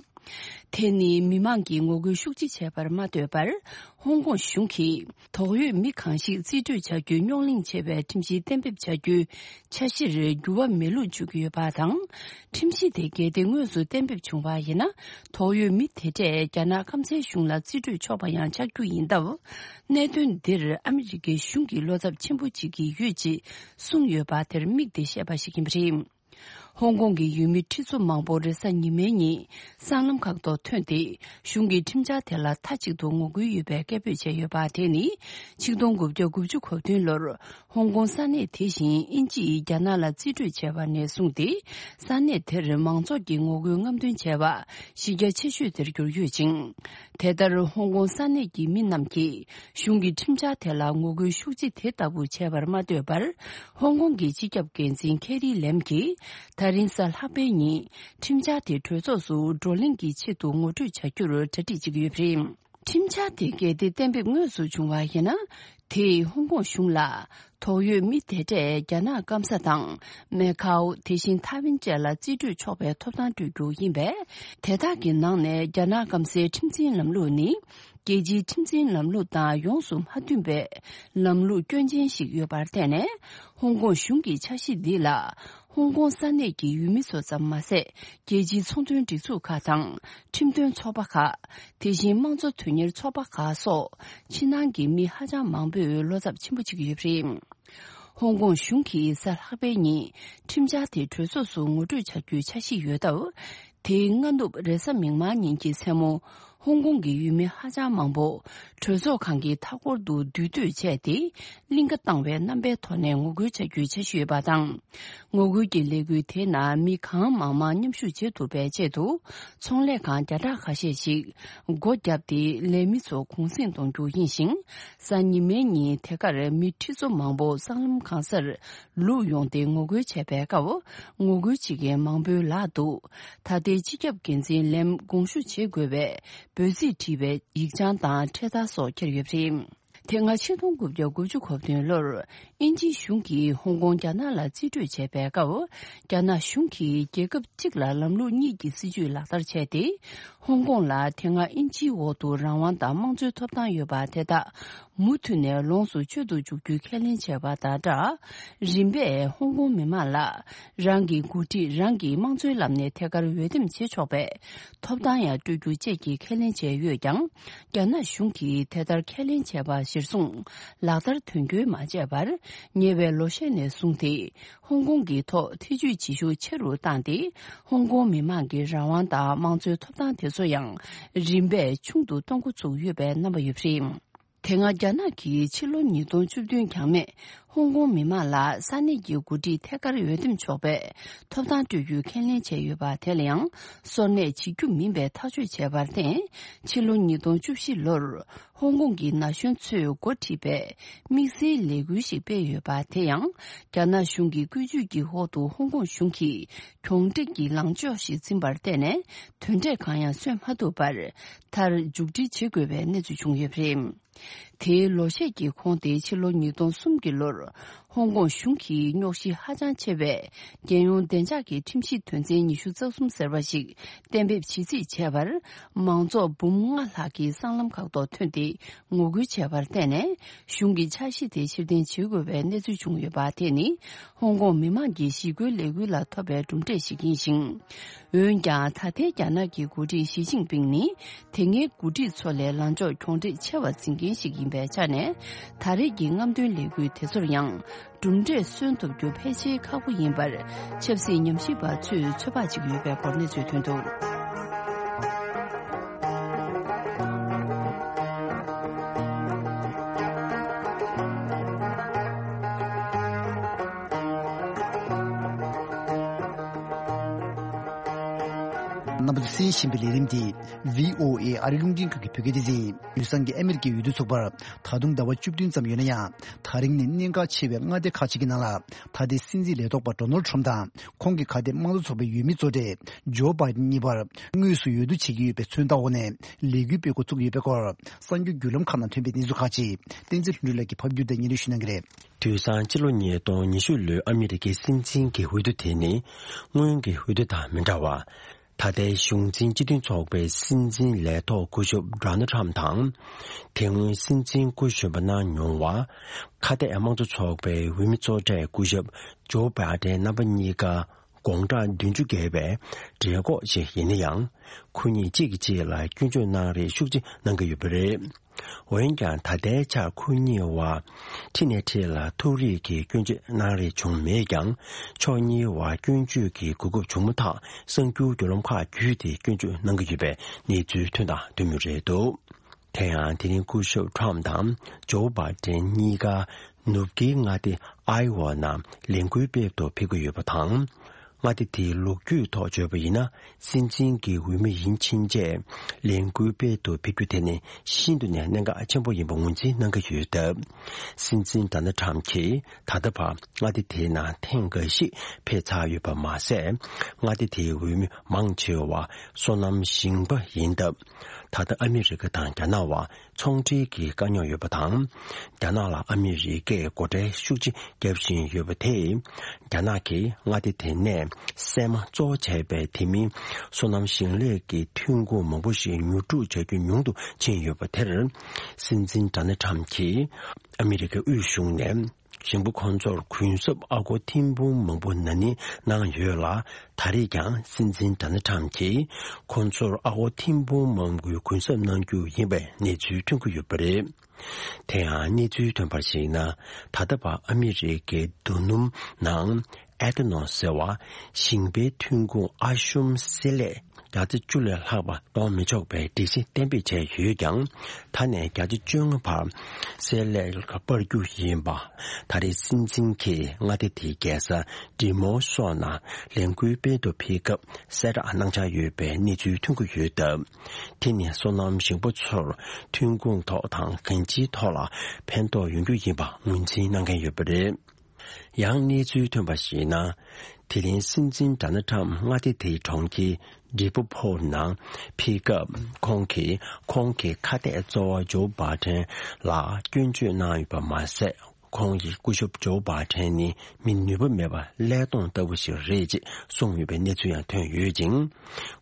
དེ་ནི་མི་མང་གིས་ངོ་རྒོལ་ཤུགས་ཆེ་བྱས་པར་མ་ལྟོས་པར། ཧོང་ཀོང་གཞུང་གིས་དོགས་ཡོད་མི་གང་ཞིག་རྩིས་སྤྲོད་བྱ་རྒྱུའི་རྙོག་གླེང་ཆེ་བའི་ཁྲིམས་གཞི་གཏན་འབེབས་བྱ་རྒྱུའི་འཆར་གཞིར་འགྱུར་བ་མེད་ལུགས་བརྗོད་ཀྱི་ཡོད་པ་དང་། ཁྲིམས་གཞི་དེ་གལ་ཏེ་དངོས་སུ་གཏན་འབེབས་བྱུང་བ་ཡིན་ན། དོགས་ཡོད་མི་དེ་གྲས་རྒྱ་ནག་སྐམ་སའི་གཞུང་ལ་རྩིས་སྤྲོད་ཆོག་པ་ཡང་ཆགས་རྒྱུ་ཡིན་སྟབས། གནད་དོན་འདིར་ཨ་མི་རི་ཀའི་གཞུང་གིས་བློ་འཚབ་ཆེན་པོ་བྱེད་ཀྱི་ཡོད་ཅེས་གསུངས་ཡོད་པ་དེར་དམིགས་ཏེ་བཤད་པ་ཞིག་ཡིན་པ་རེད། ཧོང་ཀོང་གི་ཡུལ་མི་ཁྲི་ཚོ་མང་པོ་རེས་གཟའ་ཉི་མའི་ཉིན་སྲང་ལམ་ཁག་ཏུ་ཐོན་ཏེ། གཞུང་གི་ཁྲིམས་འཆར་དེ་ལ་མཐའ་གཅིག་ཏུ་ངོ་རྒོལ་ཡོད་པའི་སྐད་འབོད་བྱས་ཡོད་པ། དེ་ནི་ཆིག་སྟོང་དགུ་བརྒྱ་དགུ་བཅུ་གོ་བདུན་ལོར་ཧོང་ཀོང་ས་གནས་དེ་བཞིན་དབྱིན་ཇིས་རྒྱ་ནག་ལ་རྩིས་སྤྲོད་བྱས་པ་ནས་བཟུང་སྟེ། ས་གནས་དེར་མང་ཚོགས་ཀྱིས་ངོ་རྒོལ་རྔམ་སྟོན་བྱས་པ་གཞི་རྒྱ་ཆེ་ཤོས་དེར་གྱུར་ཡོད་ཅིང་། དེ་ལྟར་ཧོང་ཀོང་ས་གནས་ཀྱི་མི་རྣམས་ཀྱིས་གཞུང་གི་ཁྲིམས་འཆར་དེ་ལ་ངོ་རྒོལ་ཤུགས་ཆེ་དེ་ལྟ་བུ་བྱས་པར་མ་ལྟོས་པར། ཧོང་ཀོང་གི་སྤྱི་ཁྱབ་འགན་འཛིན་ཁེ་རི་ལེམ་གྱིས་ད་རིང་གཟའ་ལྷག་པའི་ཉིན་ཁྲིམས་འཆར་དེ་གྲོས་ཚོགས་སུ་བགྲོ་གླེང་གི་ཆེད་དུ་ངོ་སྤྲོད་བྱ་རྒྱུར་གྲ་སྒྲིག་བྱེད་ཀྱི་ཡོད་པ་རེད། ཁྲིམས་འཆར་དེ་གལ་ཏེ་གཏན་འབེབས་དངོས་སུ་བྱུང་བ་ཡིན་ན། དེས་ཧོང་ཀོང་གཞུང་ལ་དོགས་ཡོད་མི་དེ་འདྲས་རྒྱ་ནག་སྐམ་ས་དང་མེ་ཁའོ། དེ་བཞིན་ཐའེ་ཝན་བཅས་ལ་རྩིས་སྤྲོད་ཆོག་པའི་ཐོབ་ཐང་སྤྲོད་རྒྱུ་ཡིན་པས། དེ་དག་གི་ནང་ནས་རྒྱ་ནག་སྐམ་སའི་ཁྲིམས་འཛིན་ལམ་ལུགས་ནི། རྒྱལ་སྤྱིའི་ཁྲིམས་འཛིན་ལམ་ལུགས་དང་ཡོངས་སུ་མ་མཐུན་པའི་ལམ་ལུགས་སྐྱོན་ཅན་ཞིག་ཡོད་པར་བརྟེན་ནས། ཧོང་ཀོང་གཞུང་གི་འཆར་གཞི་འདི་ལ་ཧོང་ཀོང་ས་གནས་ཀྱི་ཡུལ་མི་ཚོ་ཙམ་མ་ཟད། རྒྱལ་སྤྱིའི་ཚོང་དོན་སྒྲིག་འཛུགས་ཁག་དང་ཁྲིམས་དོན་ཚོགས་པ་ཁག་དེ་བཞིན་དམངས་གཙོ་དོན་གཉེར་ཚོགས་པ་ཁག་སོགས་ཕྱི་ནང་གི་མི་ཧ་ཅང་མང་པོས་བློ་འཚབ་ཆེན་པོ་བྱེད་ཀྱི་ཡོད་པ་རེད། ཧོང་ཀོང་གཞུང་གིས་གཟའ་ལྷག་པའི་ཉིན་ཁྲིམས་འཆར་དེ་གྲོས་ཚོགས་སུ་ངོ་སྤྲོད་བྱ་རྒྱུའི་འཆར་གཞི་ཡོད་སྟབས། དེའི་སྔ་ནུབ་རེས་གཟའ་མིག་དམར་ཉིན་གྱི་མཚན་མོ། ཧོང་ཀོང་གི་ཡུལ་མི་ཧ་ཅང་མང་པོ་གྲོས་ཚོགས་ཁང་གི་མཐའ་འཁོར་དུ་འདུས་སྡོད་བྱས་ཏེ། གླིང་ག་བཏང་བའི་རྣམ་པའི་ཐོག་ནས་ངོ་རྒོལ་བྱ་རྒྱུའི་འཆར་གཞི་ཡོད་པ་དང་། ངོ་རྒོལ་གྱི་ལས་འགུལ་དེ་ནང་མི་གང་མང་མང་མཉམ་ཞུགས་བྱེད་ཐུབ་པའི་ཆེད་དུ། ཚོང་ལས་ཁང་བརྒྱ་ཕྲག་ཁ་ཤས་ཤིག་སྒོ་བརྒྱབ་སྟེ། ལས་མི་ཚོ་གུང་གསེང་གཏོང་རྒྱུ་ཡིན་ཞིང་། གཟའ་ཉི་མའི་ཉིན་དེ་གར་མི་ཁྲི་ཚོ་མང་པོ་སྲང་ལམ་གང་སར་ལུག་ཡོང་སྟེ་ངོ་རྒོལ་བྱས་པའི་སྐབས། ངོ་རྒོལ་བྱེད་མཁན་མང་པོའི་ལག་ཏུ། ད་ལྟའི་སྤྱི་ཁྱབ་འགན་འཛིན་ལེམ་དགོངས་ཞུ་བྱེད་དགོས་པའི་འབོད་ཚིག་བྲིས་པའི་ཡིག་ཆ་དང་འཕྲེད་དར་སོགས་འཁྱེར་ཡོད་པ་རེད། དེ་སྔ་ཆིག་སྟོང་དགུ་བརྒྱ་དགུ་བཅུ་གོ་བདུན་ལོར་དབྱིན་ཇིའི་གཞུང་གིས་ཧོང་ཀོང་རྒྱ་ནག་ལ་རྩིས་སྤྲོད་བྱས་པའི་སྐབས། རྒྱ་ནག་གཞུང་གིས་རྒྱལ་ཁབ་གཅིག་ལ་ལམ་ལུགས་གཉིས་ཀྱི་སྲིད་ཇུས་ལག་བསྟར་བྱས་ཏེ། ཧོང་ཀོང་ལ་དེ་སྔ་དབྱིན་ཇིའི་འོག་ཏུ་རང་དབང་དང་དམངས་གཙོའི་ཐོབ་ཐང་ཡོད་པ་དེ་དག་མུ་མཐུད་ནས་ལོངས་སུ་སྤྱོད་དུ་འཇུག་རྒྱུའི་ཁས་ལེན་བྱས་པ་དང་སྦྲགས། རིམ་པས་ཧོང་ཀོང་མི་མང་ལ་རང་གི་འགོ་ཁྲིད་རང་གི་དམངས་གཙོའི་ལམ་ནས་ཐད་ཀར་འོས་འདེམས་བྱེད་ཆོག་པའི་ཐོབ་ཐང་ཡང་སྤྲོད་རྒྱུ་བཅས་ཀྱི་ཁས་ལེན་བྱས་ཡོད་ཀྱང་། རྒྱ་ནག་གཞུང་གིས་དེ་ལྟར་ཁས་ལེན་བྱས་པ་གཞིར་བཟུང་ལག་བསྟར་དོན་འཁྱོལ་མ་བྱས་པར། ཉེ་བའི་ལོ་ཤས་ནས་བཟུང་སྟེ། ཧོང་ཀོང་གི་ཐོག་ཐེ་ཇུས་བྱེད་ཤུགས་ཆེ་རུ་བཏང་སྟེ། ཧོང་ཀོང་མི་མང་གི་རང་དབང་དང་དམངས་གཙོའི་ཐོབ་ཐང་དེ་ཚོ་ཡང་རིམ་པས་ཆུང་དུ་གཏོང་འགོ་ཚུགས་ཡོད་པའི་རྣམ་པ་ཡོད་པ་རེད། དེ་སྔ་རྒྱ་ནག་གིས་ཕྱི་ལོ་ཉིས་སྟོང་བཅུ་བདུན་གྱང་མེས་ཧོང་ཀོང་མི་མང་ལ་ས་གནས་ཀྱི་འགོ་ཁྲིད་ཐད་ཀར་འོས་འདེམས་ཆོག་པའི་ཐོབ་ཐང་སྤྲོད་རྒྱུའི་ཁས་ལེན་བྱས་ཡོད་པ་དེ་ལ་ཡང་སོར་གནས་བྱེད་རྒྱུ་མིན་པའི་ཐག་གཅོད་བྱས་པར་བརྟེན། ཕྱི་ལོ་ཉིས་སྟོང་བཅུ་བཞི་ལོར་ཧོང་ཀོང་གི་ན་གཞོན་ཚོས་འགོ་ཁྲིད་པའི་དམིགས་བསལ་ལས་འགུལ་ཞིག་སྤེལ་ཡོད་པ་དེ་ཡང་རྒྱ་ནག་གཞུང་གི་བཀོད་ཇུས་ཀྱི་འོག་ཏུ་ཧོང་ཀོང་གཞུང་གིས་གྱོང་སྤྲད་ཀྱི་ལངས་ཕྱོགས་ཤིག་འཛིན་པར་བརྟེན་ནས་དོན་འབྲས་གང་ཡང་སོན་མ་ཐུབ་པར་མཐར་མཇུག་སྒྲིལ་བྱེད་དགོས་པའི་གནས་ཚུལ་བྱུང་ཡོད་པ་རེད། དེའི་ལོ་ཤས་ཀྱི་གོང་དེ་ཕྱི་ལོ་ཉིས་སྟོང་གསུམ་གྱི་ལོར་ཧོང་ཀོང་གཞུང་གིས་རྙོག་གཞི་ཧ་ཅང་ཆེ་བའི་རྒྱལ་ཡོངས་བདེ་འཇགས་ཀྱི་ཁྲིམས་གཞི་དོན་ཚན་ཉི་ཤུ་རྩ་གསུམ་ཟེར་བ་ཞིག་གཏན་འབེབས་བྱེད་རྩིས་བྱས་པར། མང་ཚོགས་འབུམ་ལྔ་ལྷག་གིས་སྲང་ལམ་ཁག་ཏུ་ཐོན་ཏེ་ངོ་རྒོལ་བྱས་པར་བརྟེན་ནས། གཞུང་གི་འཆར་གཞི་དེ་ཕྱིར་འཐེན་བྱེད་དགོས་པའི་གནས་ཚུལ་བྱུང་ཡོད་པ་དེ་ནི། ཧོང་ཀོང་མི་མང་གི་ཞི་རྒོལ་ལས་འགུལ་ལ་ཐོབ་པའི་གྲུབ་འབྲས་ཤིག་ཡིན་ཞིང་། འོན་ཀྱང་། ད་ལྟའི་རྒྱ་ནག་གི་འགོ་ཁྲིད་ཞི་ཅིན་ཕིང་ནི། དེ་སྔའི་འགོ་ཁྲིད་ཚོ་ལས་ལངས་ཕྱོགས་གྱོང་འཕྲད་ཆེ་བ་འཛིན་མཁན་ཞིག་ཡིན་པའི་ཆ་ནས། ད་རེས་ཀྱི་རྔམ་སྟོན་ལས་འགུལ་དེ་ཚོར་ཡང་། གྲུབ་འབྲས་སོན་ཐུབ་རྒྱུ་ཕལ་ཆེར་ཁག་པོ་ཡིན་པར། ཆབ་སྲིད་ཉམས་ཞིབ་པ་ཚོས་ཚོད་དཔག་བྱེད་ཀྱི་ཡོད་པའི་སྐོར་གནས་ཚུལ་ཐོན་འདུག་རྣམ་པ་ཚོས་གསན་བཞིན་པའི་ལས་རིམ་འདི་བྷི་ཨོ་ཨེ་ཨ་རི་རླུང་འཕྲིན་ཁང་གི་བོད་སྐད་སྡེ་ཚན་ཡིན། དུས་སང་གི་ཨ་མེ་རི་ཀའི་འོས་བསྡུ་ཚོགས་པར་ད་དུང་ཟླ་བ་བཅུ་བདུན་ཙམ་ཡོད་ན་ཡང་། ད་རིང་ནི་གནད་འགག་ཆེ་བའི་མངའ་སྡེ་ཁག་ཅིག་གི་ནང་ལ། ད་ལྟའི་སྲིད་འཛིན་ལས་ཐོག་པ་ཌོ་ནལ་ཊམ་དང་། ཁོང་གི་ཁ་གཏད་དམངས་གཙོ་ཚོགས་པའི་འོས་མི་གཙོ་གྲས་ཇོ་བྷའི་ཌེན་གཉིས་བར་དངོས་སུ་འོས་བསྡུ་བྱེད་ཀྱི་ཡོད་པའི་མཚོན་རྟགས་འོག་ནས་ལས་འགུལ་སྤེལ་འགོ་བཙུགས་ཡོད་པའི་སྐོར། གསར་འགྱུར་བརྒྱུད་ལམ་ཁག་ནང་ཐོན་པའི་གནས་ཚུལ་ཁག་ཅིག་བསྟན་འཛིན་ལྷུན་གྲུབ་ལགས་ཀྱིས་ཕབ་བསྒྱུར་དང་སྙན་སྒྲོན་ཞུ་གནང་གི་རེད། དུས་སང་ཕྱི་ལོ་ཉིས་སྟོང་ཉི་ཤུ་ལོའི་ཨ་མི་རི་ཀའི་སྲིད་འཛིན་གྱི་འོས་བསྡུ་དེ་ནི་སྔོན་གྱི་འོས་བསྡུ་དང་མི་འདྲ་བར། ད་ལྟའི་གཞུང་འཛིན་སྤྱི་མཐུན་ཚོགས་པའི་སྲིད་འཛིན་ལས་ཐོག་སྐུ་ཞབས་ཌོ་ནལ་ཊམ་དང་། དེ་སྔོན་སྲིད་འཛིན་སྐུ་གཞོན་པ་གནང་མྱོང་བ། ཁ་གཏད་དམངས་གཙོ་ཚོགས་པའི་འོས་མི་གཙོ་གྲས་སྐུ་ཞབས་ཇོ་བྷའི་ཌེན་རྣམ་པ་གཉིས་ཀ་ དགོང་གྲངས་བདུན་ཅུ་བརྒལ་བའི་གྲོད་ཁོག་ཅིག་ཡིན་ན་ཡང་། ཁོ་གཉིས་གཅིག་གིས་གཅིག་ལ་སྐྱོན་བརྗོད་གནང་རེས་ཤུགས་ཆེ་གནང་གི་ཡོད་པ་རེད། འོན་ཀྱང་ད་ལྟའི་ཆར་ཁོ་གཉིས་བར་ཁྲི་ནས་ཁྲི་ལ་ཐུག་རེས་ཀྱི་སྐྱོན་བརྗོད་གནང་རེས་བྱུང་མེད་ཀྱང་། ཕྱོགས་གཉིས་བར་སྐྱོན་བརྗོད་ཀྱི་གོ་སྐབས་བྱུང་མ་ཐག་གསར་འགྱུར་བརྒྱུད་ལམ་ཁག་བརྒྱུད་དེ་སྐྱོན་བརྗོད་གནང་གི་ཡོད་པའི་གནས་ཚུལ་ཐོན་དང་ཐོན་མུས་རེད་འདུག་དེ་ཡང་དེ་རིང་སྐུ་ཞབས་ཁྲོམ་དང་ཇོ་བྷ་ཏན་གཉིས་ཀ་ནུབ་ཀྱི་མངའ་སྡེ་ཨའི་ཝ་ནང་ལས་འགུལ་སྤེལ་དུ་ཕེབས་ཀྱི་ཡོད་པ་དང་། མངའ་སྡེ་དེའི་ལོ་རྒྱུས་ཐོག་བརྗོད་པ་ཡིན་ན། སྲིད་འཛིན་གྱི་འོས་མི་ཡིན་ཕྱིན་ཆད་ལས་འགུལ་སྤེལ་དུ་ཕེབས་རྒྱུ་དེ་ནི་ཤིན་ཏུ་ནས་གནད་འགག་ཆེན་པོ་ཡིན་པ་ངོས་འཛིན་གནང་གི་ཡོད་སྟབས། སྲིད་འཛིན་ཌོ་ནལ་ཁྲམ་གྱིས་ད་ལྟ་བར་མངའ་སྡེ་དེའི་ནང་ཐེངས་འགའ་ཞིག་ཕེབས་ཚར་ཡོད་པ་མ་ཟད། མངའ་སྡེ་དེའི་འོས་མི་མང་ཆེ་བ་སོ་ནམ་ཞིང་པ་ཡིན་སྟབས། ད་ལྟ་ཨ་མི་རི་ཀ་དང་རྒྱ་ནག་བར་ཚོང་འབྲེལ་གྱི་དཀའ་རྙོག་ཡོད་པ་དང་། རྒྱ་ནག་ལ་ཨ་མི་རི་ཀས་སྒོ་ཁྲལ་ཤུགས་ཆེ་བརྒྱབ་བཞིན་ཡོད་པ་དེས། རྒྱ་ནག་གིས་མངའ་སྡེ་དེ་ནས་སྲན་མ་གཙོ་བོ་བྱས་པའི་དེ་མིན་སོ་ནམ་ཞིང་ལས་ཀྱི་ཐོན་ཁུངས་མང་པོ་ཞིག་ཉོ་སྒྲུག་བྱ་རྒྱུ་ཉུང་དུ་ཕྱིན་ཡོད་པ་དེར། སྲིད་འཛིན་ཌོ་ནལ་ཁྲམ་གྱིས་ཨ་མི་རི་ཀའི་དབུས་གཞུང་ནས། ཞིང་པ་ཁོང་ཚོར་གུན་གསབ་ཨ་སྒོར་ཐེར་འབུམ་མང་པོ་ན་ནིང་གནང་ཡོད་ལ། ད་རེས་ཀྱང་སྲིད་འཛིན་ཌོ་ནལ་ཁྲམ་གྱིས་ཁོང་ཚོར་ཨ་སྒོར་ཐེར་འབུམ་མང་པོའི་གུན་གསབ་གནང་རྒྱུ་ཡིན་པའི་གནས་ཚུལ་ཐོན་གྱི་ཡོད་པ་རེད། དེ་ཡང་གནས་ཚུལ་ཐོན་པར་གཞིགས་ན། ད་ལྟ་བར་ཨ་མི་རི་ཀའི་རྡོ་སྣུམ་ནང་ཨེ་ཐ་ནོལ་ཟེར་བ་ཞིང་པའི་ཐོན་ཁུངས་ཨ་ཤུམ་བསྲེས་ལྷད་བརྒྱ་ཆ་བཅུ་ལས་ལྷག་པ་གཏོང་མི་ཆོག་པའི་སྒྲིག་གཞི་གཏན་འབེབས་བྱས་ཡོད་ཀྱང་། ད་ནས་བརྒྱ་ཆ་བཅོ་ལྔ་བར་བསྲེས་ལྷད་སྤར་རྒྱུ་ཡིན་པ། ད་རེས་སྲིད་འཛིན་གྱིས་མངའ་སྡེ་དེའི་རྒྱལ་ས་ཌི་མོ་སོགས་ནང་ལས་འགུལ་སྤེལ་དུ་ཕེབས་སྐབས་གསལ་བསྒྲགས་གནང་འཆར་ཡོད་པའི་གནས་ཚུལ་ཐོན་གྱི་ཡོད་སྟབས། དེ་ནི་སོ་ནམ་ཞིང་པ་ཚོར་ཐོན་ཁུངས་ཐོག་དང་གང་ཅིའི་ཐོག་ལ་ཕན་ཐོགས་ཡོང་རྒྱུ་ཡིན་པ་ངོས་འཛིན་གནང་མཁན་ཡོད་པ་རེད། ཡང་གནས་ཚུལ་ཐོན་པར་གཞིགས་ན། དེ་རིང་སྲིད་འཛིན་ཌོ་ནལ་ཁྲམ་མངའ་སྡེ་དེའི་གྲོང་ཁྱེར་ཌི་པོ་ཕོར་ནང་ཕེབས་སྐབས། ཁོང་གིས་ཁོང་གི་ཁ་གཏད་གཙོ་བོ་ཇོ་བྷ་ཏན་ལ་སྐྱོན་བརྗོད་གནང་ཡོད་པ་མ་ཟད། ཁོང་གིས་སྐུ་ཞབས་ཇོ་བྷ་ཏན་ནི་མི་ནུས་པ་མེད་པ་ཀླད་སྟོང་ལྟ་བུ་ཞིག་རེད་ཅེས་གསུངས་ཡོད་པའི་གནས་ཚུལ་ཡང་ཐོན་ཡོད་ཅིང་།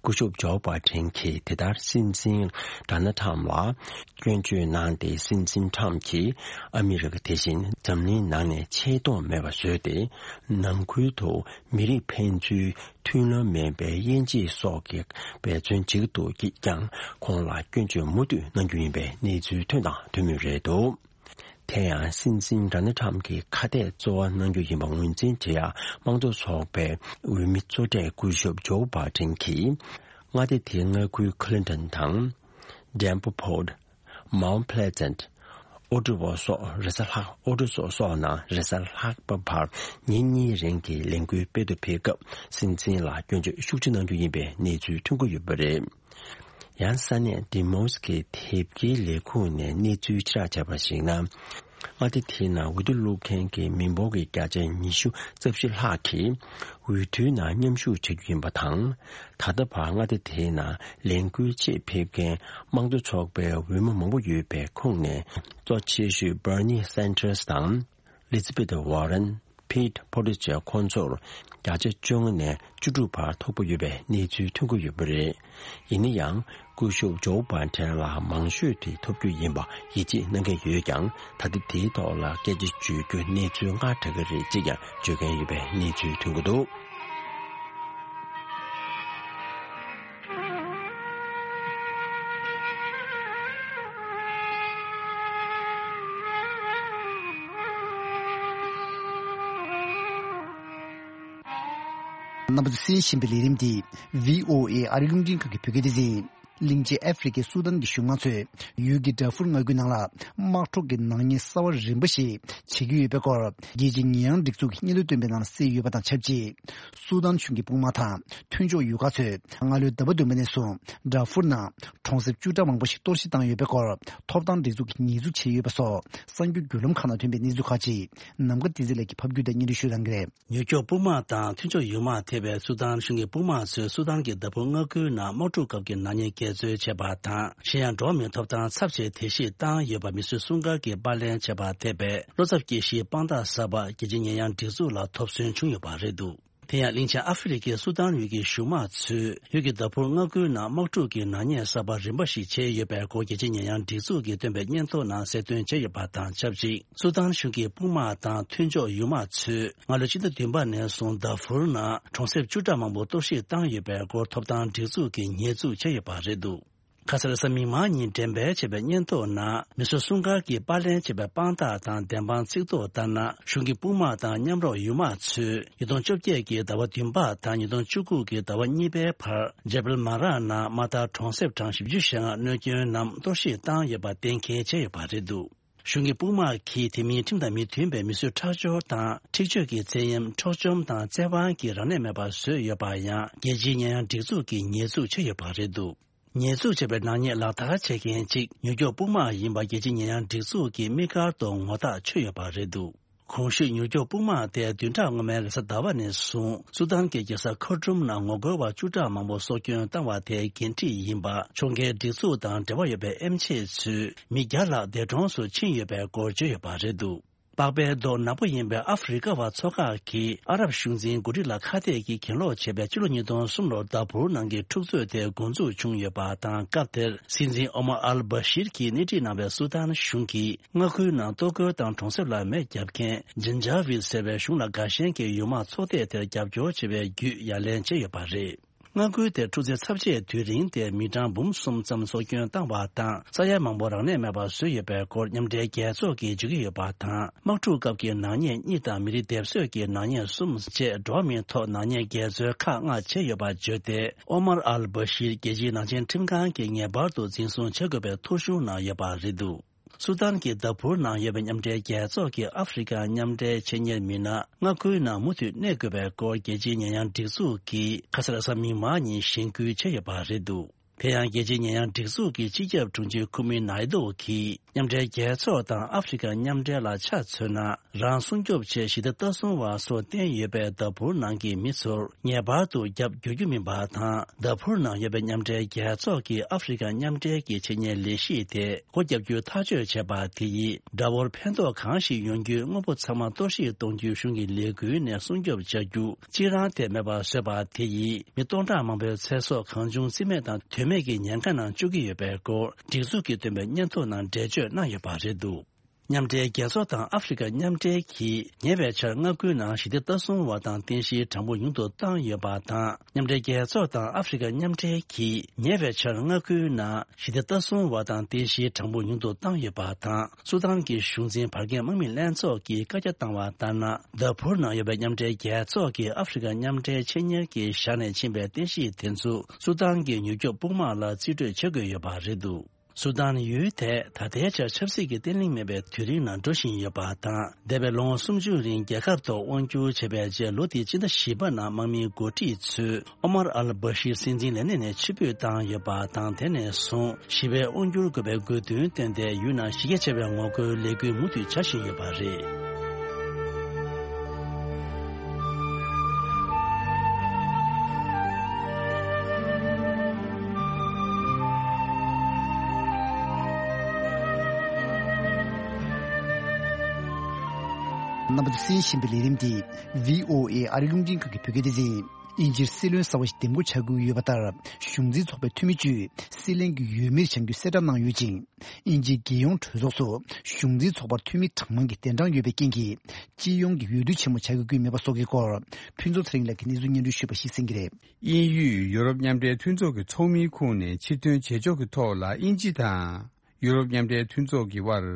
སྐུ་ཞབས་ཇོ་བྷ་ཏན་གྱིས་དེ་ལྟར་སྲིད་འཛིན་ཌོ་ནལ་ཁྲམ་ལ་སྐྱོན་བརྗོད་གནང་སྟེ། སྲིད་འཛིན་ཁྲམ་གྱིས་ཨ་མི་རི་ཀ་དེ་བཞིན་འཛམ་གླིང་ནང་ནས་ཆེས་མཐོང་མེད་པ་བཟོས་ཏེ། ནང་ཁུལ་དུ་མི་རིགས་ཕན་ཚུན་མཐུན་ལམ་མེད་པའི་དབྱེ་འབྱེད་སོགས་ཀྱི་འབད་བརྩོན་བྱེད་ཀྱི་འདུག་ཀྱིས་ཀྱང་ཁོང་ལ་སྐྱོན་བརྗོད་མུ་མཐུད་གནང་རྒྱུ་ཡིན་པའི་གནས་ཚུལ་ཐོན་དང་ཐོན་མུས་རེད་འདུག་དེ་ཡང་སྲིད་འཛིན་ཌོ་ནལ་ཁྲམ་གྱི་ཁ་གཏད་གཙོ་བོ་གནང་རྒྱུ་ཡིན་པ་ངོས་འཛིན་བྱེད་ཡ་དམངས་གཙོ་ཚོགས་པའི་འོས་མི་གཙོ་གྲས་སྐུ་ཞབས་ཇོ་བྷ་ཏན་གྱིས། མངའ་སྡེ་དེའི་མངའ་ཁུལ་ཁི་ལིན་ཏོན་དང་། ཌེམ་པོ་ཕོར། མའོན་པི་ལེ་ཛེན། ཨོ་ཀྲི་བོ་སོགས་རེས་གཟའ་ལྷག་ཨོ་ཀྲི་བོ་སོགས་ནང་རེས་གཟའ་ལྷག་པ་བར་ཉིན་གཉིས་རིང་གི་ལས་འགུལ་སྤེལ་དུ་ཕེབས་སྐབས་སྲིད་འཛིན་ལ་སྐྱོན་བརྗོད་ཤུགས་ཆེ་གནང་རྒྱུ་ཡིན་པའི་གནས་ཚུལ་ཐོན་གྱི་ཡོད་པ་རེད། ཡང་ས་གནས་ཏི་མོ་སི་ཀི་དེབ་སྐྱེལ་ལས་ཁུངས་ནས་གནས་ཚུལ་ཕྱིར་བསྒྲགས་བྱས་པར་གཞིགས་ན། མངའ་སྡེ་དེའི་ནང་འོས་བསྡུ་བླུག་མཁན་གྱི་མི་འབོར་གྱི་བརྒྱ་ཆ་ཉི་ཤུ་རྩ་བཞི་ལྷག་གིས་འོས་བསྡུའི་ནང་མཉམ་ཞུགས་བྱ་རྒྱུ་ཡིན་པ་དང་། ད་ལྟ་བར་མངའ་སྡེ་དེའི་ནང་ལས་འགུལ་ཆེད་ཕེབས་མཁན་དམངས་གཙོ་ཚོགས་པའི་འོས་མི་མང་པོ་ཡོད་པའི་ཁོངས་ནས། གཙོ་ཆེ་ཤོས་Bernie Sanders དང་། Elizabeth Warren། Pete Buttigieg ཁོང་ཚོར་བརྒྱ་ཆ་བཅོ་ལྔ་ནས་བཅུ་དྲུག་བར་ཐོབ་ཀྱི་ཡོད་པའི་གནས་ཚུལ་ཐོན་གྱི་ཡོད་པ་རེད། ཡིན་ན་ཡང་། སྐུ་ཞབས་ཇོ་བྷ་ཏན་ལ་མང་ཤོས་དེ་ཐོབ་རྒྱུ་ཡིན་པ་ཡིད་ཆེས་གནང་གི་ཡོད་ཀྱང་། ད་ལྟ་དེའི་ཐོག་ལ་སྐད་ཆ་བརྗོད་རྒྱུ་གནས་ཚུལ་སྔ་དྲགས་ཀྱི་རེད་ཅེས་ཀྱང་བརྗོད་མཁན་ཡོད་པའི་གནས་ཚུལ་ཐོན་གྱི་འདུག་རྣམ་པ་ཚོས་གསན་བཞིན་པའི་ལས་རིམ་འདི་བྷི་ཨོ་ཨེ་ཨ་རིའི་རླུང་འཕྲིན་ཁང་གི་བོད་སྐད་སྡེ་ཚན་ཡིན། གླིང་ཆེན་ཨ་ཧྥེ་རི་ཁའི་སུ་དཱན་གྱི་གཞུང་མང་ཚོས་ཡུལ་གྱི་ཌར་ཧྥུར་མངའ་ཁུལ་ནང་ལ་དམག་འཁྲུག་གི་ནག་ཉེས་གསར་བ་རིམ་པ་ཞིག་བྱེད་ཀྱི་ཡོད་པའི་སྐོར། རྒྱལ་སྤྱིའི་ཉེས་ཡངས་སྒྲིག་འཛུགས་ཀྱི་སྙན་ཐོ་བཏོན་པའི་ནང་གསལ་ཡོད་པ་དང་ཆབས་ཅིག་སུ་དཱན་གཞུང་གི་དཔུང་དམག་དང་མཐུན་ཕྱོགས་ཡུལ་ཁག་ཚོས་སྔ་ལོའི་ཟླ་བ་བདུན་པ་ནས་བཟུང་ཌར་ཧྥུར་ནང་གྲོང་གསེབ་བཅུ་ཕྲག་མང་པོ་ཞིག་གཏོར་བཤིག་བཏང་ཡོད་པའི་སྐོར། ཐོབ་ཐང་སྒྲིག་འཛུགས་ཀྱིས་ཉེས་འཛུགས་བྱས་ཡོད་པ་སོགས་གསར་འགྱུར་བརྒྱུད་ལམ་ཁག་ནང་ཐོན་པའི་གནས་ཚུལ་ཁག་ཅིག་ནམ་མཁའ་བསྟན་འཛིན་ལགས་ཀྱིས་ཕབ་བསྒྱུར་དང་སྙན་སྒྲོན་ཞུ་གནང་གི་རེད། ཡུལ་སྐྱོང་དཔུང་དམག་དང་མཐུན་ཕྱོགས་ཡུལ་དམག་ཐེ་བའི་སུ་དཱན་གཞུང་གི་དཔུང་དམག་ཚོས་སུ་དཱན་གྱི་ཌར་ཧྥུར་མངའ་ཁུལ་ནང་དམག་འཁྲུག་སྐབས་ཀྱི་ནག་ཉེས་འགལ་འཛོལ་བྱས་པ་དང་། གཞན་ཡང་འགྲོ་བ་མིའི་ཐོབ་ཐང་ཚབས་ཆེའི་དེད་གཞིས་བཏང་ཡོད་པ་མི་གསོད་སྲུང་སྐར་གྱིས་པར་ལེན་བྱས་པ་ཐེ་བའི་བློ་འཚབ་སྐྱེ་གཞིའི་དཔང་རྟགས་གསར་པ་རྒྱལ་སྤྱིའི་ཉེས་ཡངས་སྒྲིག་འཛུགས་ལ་ཐོབ་སོན་བྱུང་ཡོད་པ་རེད་འདུག་དེ་ཡང་གླིང་ཆེན་ཨ་ཧྥེ་རི་ཁའི་སུ་དཱན་ཡུལ་གྱི་གཞུང་དམངས་ཚོས་ཡུལ་གྱི་ཟླ་ཕོར་མངའ་ཁུལ་ནང་དམག་འཁྲུག་གི་ནག་ཉེས་གསར་པ་རིམ་པ་ཞིག་བྱས་ཡོད་པའི་སྐོར་རྒྱལ་སྤྱིའི་ཉེས་ཡངས་སྒྲིག་འཛུགས་ཀྱིས་བཏོན་པའི་སྙན་ཐོ་ནང་གསལ་སྟོན་བྱས་ཡོད་པ་དང་ཆབས་ཅིག་སུ་དཱན་གཞུང་གི་དཔུང་དམག་དང་མཐུན་ཕྱོགས་ཡུལ་དམག་ཚོས་སྔ་ལོའི་ཕྱི་ཟླ་བདུན་པ་ནས་བཟུང་ཟླ་ཕོར་ནང་གྲོང་གསེབ་བཅུ་ཕྲག་མང་པོ་གཏོར་བཤིག་བཏང་ཡོད་པའི་སྐོར་ཐོབ་ཐང་སྒྲིག་འཛུགས་ཀྱིས་ཉེས་འཛུགས་བྱས་ཡོད་པ་རེད་འདུག་ཁ་སང་རེས་གཟའ་མིག་དམར་ཉིན་འགྲེམས་སྤེལ་བྱས་པའི་སྙན་ཐོ་ནང་མི་སེར་སྲུང་སྐར་གྱིས་པར་ལེན་བྱས་པའི་དཔང་རྟགས་དང་བདེན་དཔང་ཚིག་ཐོ་ལྟར་ན། གཞུང་གི་དཔུང་དམག་དང་མཉམ་རོགས་ཡུལ་དམག་ཚོས་ཉིས་སྟོང་བཅོ་བརྒྱད་ཀྱི་ཟླ་བ་བདུན་པ་དང་ཉིས་སྟོང་བཅུ་དགུ་གི་ཟླ་བ་གཉིས་པའི་བར་ཇེ་བལ་མ་རག་ནང་དམག་དར་གྲོང་གསེབ་གྲངས་བཞི་བཅུ་ཞེ་ལྔ་གནོད་སྐྱོན་ནམ་གཏོར་བཤིག་བཏང་ཡོད་པ་གཏན་འཁེལ་བྱས་ཡོད་པ་རེད་འདུག་གཞུང་གི་དཔུང་དམག་གིས་དེ་མིན་ཁྲིམས་དང་མི་མཐུན་པའི་མི་གསོད་ཁྲག་སྦྱོར་དང་འཁྲིག་སྤྱོད་ཀྱི་བཙན་གཡེམ། འཕྲོག་བཅོམ་དང་བཙན་དབང་གིས་རང་ལས་མེད་པར་བཟོས་ཡོད་པ་ཡང་རྒྱལ་སྤྱིའི་ཉེས་ཡངས་སྒྲིག་འཛུགས་ཀྱིས་ཉེས་འཛུགས་བྱས་ཡོད་པ་རེད་འདུག་ཉེས་འཛུགས་བྱས་པའི་ནག་ཉེས་ལག་བསྟར་བྱེད་མཁན་གཅིག་མྱུར་སྐྱོབ་དཔུང་དམག་ཡིན་པ་རྒྱལ་སྤྱིའི་ཉེས་ཡངས་སྒྲིག་འཛུགས་ཀྱིས་དམིགས་བཀར་དུ་ངོ་རྟགས་ཆོད་ཡོད་པ་རེད་འདུག་གོང་ཞུས་མྱུར་སྐྱོབ་དཔུང་དམག་དེ་བདུན་ཕྲག་སྔོན་མའི་རེས་གཟའ་ཟླ་བ་ནས་བཟུང་སུ་དཱན་གྱི་རྒྱལ་ས་ཁར་ཊུམ་ནང་ངོ་རྒོལ་བ་བཅུ་ཕྲག་མང་པོ་སྲོག་སྐྱོན་བཏང་བ་དེའི་འགན་འཁྲི་ཡིན་པ། ཕྱོགས་འགལ་སྒྲིག་འཛུགས་དང་འབྲེལ་བ་ཡོད་པའི་ཨེམ་ཆི་ཚོས་མི་བརྒྱ་ལྷག་འདས་གྲོངས་སུ་ཕྱིན་ཡོད་པའི་སྐོར་བརྗོད་ཡོད་པ་རེད་འདུག་པགས་པའི་མདོག་ནག་པོ་ཡིན་པའི་ཨ་ཧྥེ་རི་ཀ་བ་ཚོ་ཁག་གིས་ཨ་རབ་གཞུང་འཛིན་འགོ་ཁྲིད་ལ་ཁ་གཏད་ཀྱིས་གྱེན་ལོག་བྱས་པའི་ཕྱི་ལོ་ཉིས་སྟོང་གསུམ་ལོར་དཱ་ཕུར་ནང་གི་འཁྲུག་རྩོད་དེ་འགོ་འཛུགས་བྱུང་ཡོད་པ་དང་། སྐབས་དེར་སྲིད་འཛིན་ཨོ་མར་ཨལ་བྷ་ཤིར་གྱིས་སྣེ་ཁྲིད་གནང་བའི་སུ་དཱན་གཞུང་གིས་མངའ་ཁུལ་ནང་གཏོར་རྒོལ་དང་གྲོང་གསེབ་ལ་མེ་བརྒྱབ་མཁན་ཇན་ཇཱ་ཝིད་ཟེར་བའི་གཞུང་ལ་དགའ་ཞེན་གྱི་ཡུལ་དམག་ཚོགས་སྡེ་དེར་རྒྱབ་སྐྱོར་བྱེད་པའི་བརྒྱུད་ཡ་ལན་བྱས་ཡོད་པ་རེད། མངའ་ཁུལ་དེར་འཁྲུག་རྩོད་ཚབས་ཆེའི་དུས་རིང་དེར་མི་གྲངས་འབུམ་གསུམ་ཙམ་སྲོག་སྐྱོན་བཏང་བ་དང་། ས་ཡ་མང་པོ་རང་ལས་མེད་པར་བཟོས་ཡོད་པའི་སྐོར་མཉམ་འབྲེལ་རྒྱལ་ཚོགས་ཀྱིས་བརྗོད་ཀྱི་ཡོད་པ་དང་། དམག་འཁྲུག་སྐབས་ཀྱི་ནག་ཉེས་གཉིས་དང་མི་རིགས་སྡེབ་གསོད་ཀྱི་ནག་ཉེས་གསུམ་བཅས་འགྲོ་བ་མིའི་ཐོག་ནག་ཉེས་འགལ་འཛོལ་ཁག་ལྔ་བྱས་ཡོད་པ་བརྗོད་དེ། ཨོ་མར་ཨལ་བྷ་ཤིར་རྒྱལ་སྤྱིའི་ནག་ཅན་ཁྲིམས་ཁང་གིས་ངེས་པར་དུ་འཛིན་བཟུང་བྱེད་དགོས་པའི་ཐོ་གཞུང་གནང་ཡོད་པ་རེད་འདུག་སུ་དཱན་གྱི་དཱ་ཕུར་ནང་ཡོད་པའི་མཉམ་འབྲེལ་རྒྱལ་ཚོགས་ཀྱི་ཨ་ཧྥེ་རི་ཀ་མཉམ་འབྲེལ་ཆེད་གཉེར་མི་སྣ་མངའ་ཁུལ་ནང་མུ་མཐུད་གནས་དགོས་པའི་སྐོར་རྒྱལ་སྤྱིའི་ཉེས་ཡངས་སྒྲིག་འཛུགས་ཀྱིས་ཁ་སང་རེས་གཟའ་མིག་དམར་ཉིན་གཞེན་སྐུལ་བྱས་ཡོད་པ་རེད་འདུག་དེ་ཡང་རྒྱལ་སྤྱིའི་ཉེས་ཡངས་སྒྲིག་འཛུགས་ཀྱི་སྤྱི་ཁྱབ་དྲུང་ཆེ་ཁུ་མི་ནཱི་ཏོ་གིས་མཉམ་འབྲེལ་རྒྱལ་ཚོགས་དང་ཨ་ཧྥེ་རི་ཀ་མཉམ་འབྲེལ་ལ་ཆ་མཚོན་ན། རང་སྲུང་སྐྱོབ་ཆེད་ཞི་བདེ་ལྟ་སྲུང་བ་སོགས་བསྟེན་ཡོད་པའི་དཱ་ཕུར་ནང་གི་མི་ཚོར་ངེས་པར་དུ་རྒྱབ་སྐྱོར་རྒྱུ་མིན་པ་དང་། དཱ་ཕུར་ནང་ཡོད་པའི་མཉམ་འབྲེལ་རྒྱལ་ཚོགས་ཀྱི་ཨ་ཧྥེ་རི་ཀ་མཉམ་འབྲེལ་གྱི་ཆེད་གཉེར་ལས་གཞི་དེ་སྒོ་བརྒྱབ་རྒྱུའི་ཐག་གཅོད་བྱས་པ་དེ་ཡིས་དགྲ་བོར་ཕན་ཐོགས་གང་ཞིག་ཡོང་རྒྱུའི་དངོས་པོ་ཚང་མ་གཏོར་བཤིག་གཏོང་རྒྱུའི་གཞུང་གི་ལས་འགུལ་ནས་སྲུང་སྐྱོབ་བྱ་རྒྱུ་གཅིག་རང་དེ་མེད་པར་བཟོས་པ་དེ་ཡིས་མི་སྟོང་ཕྲག་མང་པོའི་ཚེ་སྲོག་གང་བྱུང་རྩིས་མེད་དང་དོན་མེད་ཀྱི་ཉེན་ཁ་ནང་བཅུག་གི་ཡོད་པའི་སྐོར་སྒྲིག་འཛུགས་ཀྱིས་བཏོན་པའི་སྙན་ཐོ་ནང་འགྲེལ་བརྗོད་གནང་ཡོད་པ་རེད་འདུག་མཉམ་འབྲེལ་རྒྱལ་ཚོགས་དང་ཨ་ཧྥེ་རི་ཀ་མཉམ་འབྲེལ་གྱིས་ཉེ་བའི་ཆར་མངའ་ཁུལ་ནང་ཞི་བདེ་ལྟ་སྲུང་བ་དང་རྟེན་གཞིའི་གྲངས་འབོར་ཉུང་དུ་བཏང་ཡོད་པ་དང་། མཉམ་འབྲེལ་རྒྱལ་ཚོགས་དང་ཨ་ཧྥེ་རི་ཀ་མཉམ་འབྲེལ་གྱིས་ཉེ་བའི་ཆར་མངའ་ཁུལ་ནང་ཞི་བདེ་ལྟ་སྲུང་བ་དང་རྟེན་གཞིའི་གྲངས་འབོར་ཉུང་དུ་བཏང་ཡོད་པ་དང་། སུ་དཱན་གྱི་གཞུང་འཛིན་བར་བརྒལ་དམག་མི་ལྷན་ཚོགས་ཀྱིས་བཀའ་རྒྱ་བཏང་བ་ལྟར་ན། དཱ་ཕུར་ནང་ཡོད་པའི་མཉམ་འབྲེལ་རྒྱལ་ཚོགས་ཀྱི་ཨ་ཧྥེ་རི་ཀ་མཉམ་འབྲེལ་ཆེད་གཉེར་གྱིས་བཞག་ནས་ཕྱིན་པའི་རྟེན་གཞི་དེ་ཚོ་སུ་དཱན་གྱི་མྱུར་སྐྱོབ་དཔུང་དམག་ལ་རྩིས་སྤྲོད་བྱེད་དགོས་ཡོད་པ་རེད་འདུག་སུ་དཱན་ཡུལ་དེ་ད་ལྟའི་ཆར་ཆབ་སྲིད་ཀྱི་བརྟན་ལྷིང་མེད་པའི་དུས་རིམ་ནང་འགྲོ་བཞིན་ཡོད་པ་དང་། འདས་པའི་ལོ་ངོ་སུམ་ཅུ་རིང་རྒྱལ་ཁབ་ཐོག་དབང་བསྒྱུར་བྱས་པའི་རྗེས་ལོ་འདིའི་སྤྱི་ཟླ་བཞི་པ་ནང་དམག་མིའི་འགོ་ཁྲིད་ཚོས་ཨོ་མར་ཨལ་བྷ་ཤིར་སྲིད་འཛིན་ལས་གནས་ནས་ཕྱིར་འབུད་བཏང་ཡོད་པ་དང་། དེ་ནས་བཟུང་ཞི་བའི་དབང་བསྒྱུར་དགོས་པའི་དགོས་འདུན་བཏོན་ཏེ་ཡུལ་ནང་གཞི་རྒྱ་ཆེ་བའི་ངོ་རྒོལ་ལས་འགུལ་མུ་མཐུད་བྱ་བཞིན་ཡོད་པ་རེད། རྣམ་པ་ཚོས་གསན་བཞིན་པའི་ལས་རིམ་འདི་བྷི་ཨོ་ཨེ་ཨ་རིའི་རླུང་འཕྲིན་ཁང་གི་བོད་སྐད་སྡེ་ཚན་ཡིན། དབྱིན་ཇིར་སྲིད་བློན་གསར་པ་ཞིག་འདེམས་བསྐོ་བྱ་དགོས་ཡོད་པ་ལྟར། གཞུང་འཛིན་ཚོགས་པའི་འཐུས་མི་བཅུས་སྲིད་བློན་གྱི་འོས་མིར་བྱང་རྒྱུའི་གསལ་བསྒྲགས་གནང་ཡོད་ཅིང་། དབྱིན་ཇིའི་རྒྱལ་ཡོངས་གྲོས་ཚོགས་སུ་གཞུང་འཛིན་ཚོགས་པར་འཐུས་མི་གྲངས་མང་གི་གདན་གྲངས་ཡོད་པའི་རྐྱེན་གྱིས། སྤྱི་ཡོངས་ཀྱི་འོས་བསྡུ་ཆེན་མོ་བྱ་དགོས་ཀྱི་མེད་པ་སོགས་ཀྱི་སྐོར། ཕུན་ཚོགས་ཚེ་རིང་ལགས་ཀྱིས་གནས་ཚུལ་སྙན་སྒྲོན་ཞུས་པ་ཞིག་གསན་གྱི་རེད། དབྱིན་ཡུལ་ཡུ་རོབ་མཉམ་འབྲེལ་མཐུན་ཚོགས་ཀྱི་ཚོགས་མིའི་ཁོངས་ནས་ཕྱིར་ཐོན་བྱེད་ཕྱོགས་ཀྱི་ཐོག་ལ་དབྱིན་ཇི་དང་། ཡུ་རོབ་མཉམ་འབྲེལ་མཐུན་ཚོགས་ཀྱི་དབར་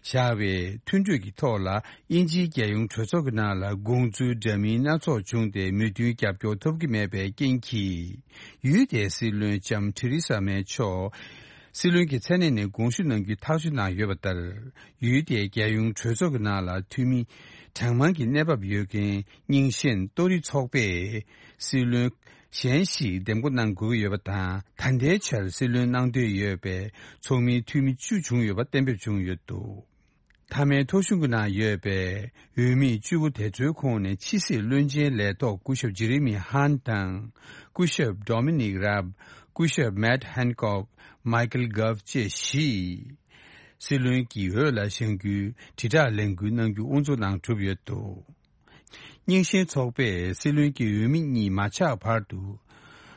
བཞག་པའི་མཐུན་གྲོས་ཀྱི་ཐོག་ལ། དབྱིན་ཇིའི་རྒྱལ་ཡོངས་གྲོས་ཚོགས་ཀྱི་ནང་ལ་དགོངས་ཚུལ་འདྲ་མིན་སྣ་ཚོགས་བྱུང་སྟེ། མོས་མཐུན་རྒྱབ་སྐྱོར་ཐོབ་ཀྱི་མེད་པའི་རྐྱེན་གྱིས། ཡུལ་དེའི་སྲིད་བློན་ལྕམ་ཐེ་རེ་ས་མེ་མཆོག་སྲིད་བློན་གྱི་མཚན་གནས་ནས་དགོངས་ཞུ་གནང་རྒྱུའི་ཐག་གཅོད་གནང་ཡོད་པ་ལྟར། ཡུལ་དེའི་རྒྱལ་ཡོངས་གྲོས་ཚོགས་ཀྱི་ནང་ལ་འཐུས་མི་གྲངས་མང་གི་གནས་བབ་ཡོད་མཁན་རྙིང་ཞེན་ལྟོ་རི་ཚོགས་པས་སྲིད་བློན་གཞན་ཞིག་འདེམས་བསྐོ་གནང་དགོས་ཀྱི་ཡོད་པ་དང་། ད་ལྟའི་ཆར་སྲིད་བློན་གནང་འདོད་ཡོད་པའི་ཚོགས་མིའི་འཐུས་མི་བཅུ་བྱུང་ཡོད་པ་གཏན་འབེབས་བྱུང་ཡོད་འདུག་མཐའ་མའི་ཐོ་གཞུང་གི་ནང་ཡོད་པའི་འོས་མི་བཅུ་པོ་དེ་ཚོའི་ཁོངས་ནས་ཕྱི་སྲིད་བློན་ཆེན་ལས་ཐོག་སྐུ་ཞབས་ཇེ་རེ་མི་ཧན་དང་། སྐུ་ཞབས་ཌོ་མི་ནིག་རབ། སྐུ་ཞབས་མེད་ཧན་ཀོག། མའི་ཀལ་གྷབ་བཅས་བཞི། སྲིད་བློན་གྱི་འོས་ལ་བཞེངས་རྒྱུའི་དྲིལ་བསྒྲགས་ལས་འགུལ་གནང་རྒྱུ་དབུ་འཛུགས་གནང་གྲུབ་ཡོད་འདུག་རྙིང་ཞེན་ཚོགས་པས་སྲིད་བློན་གྱི་འོས་མི་གཉིས་མ་ཆགས་བར་དུ།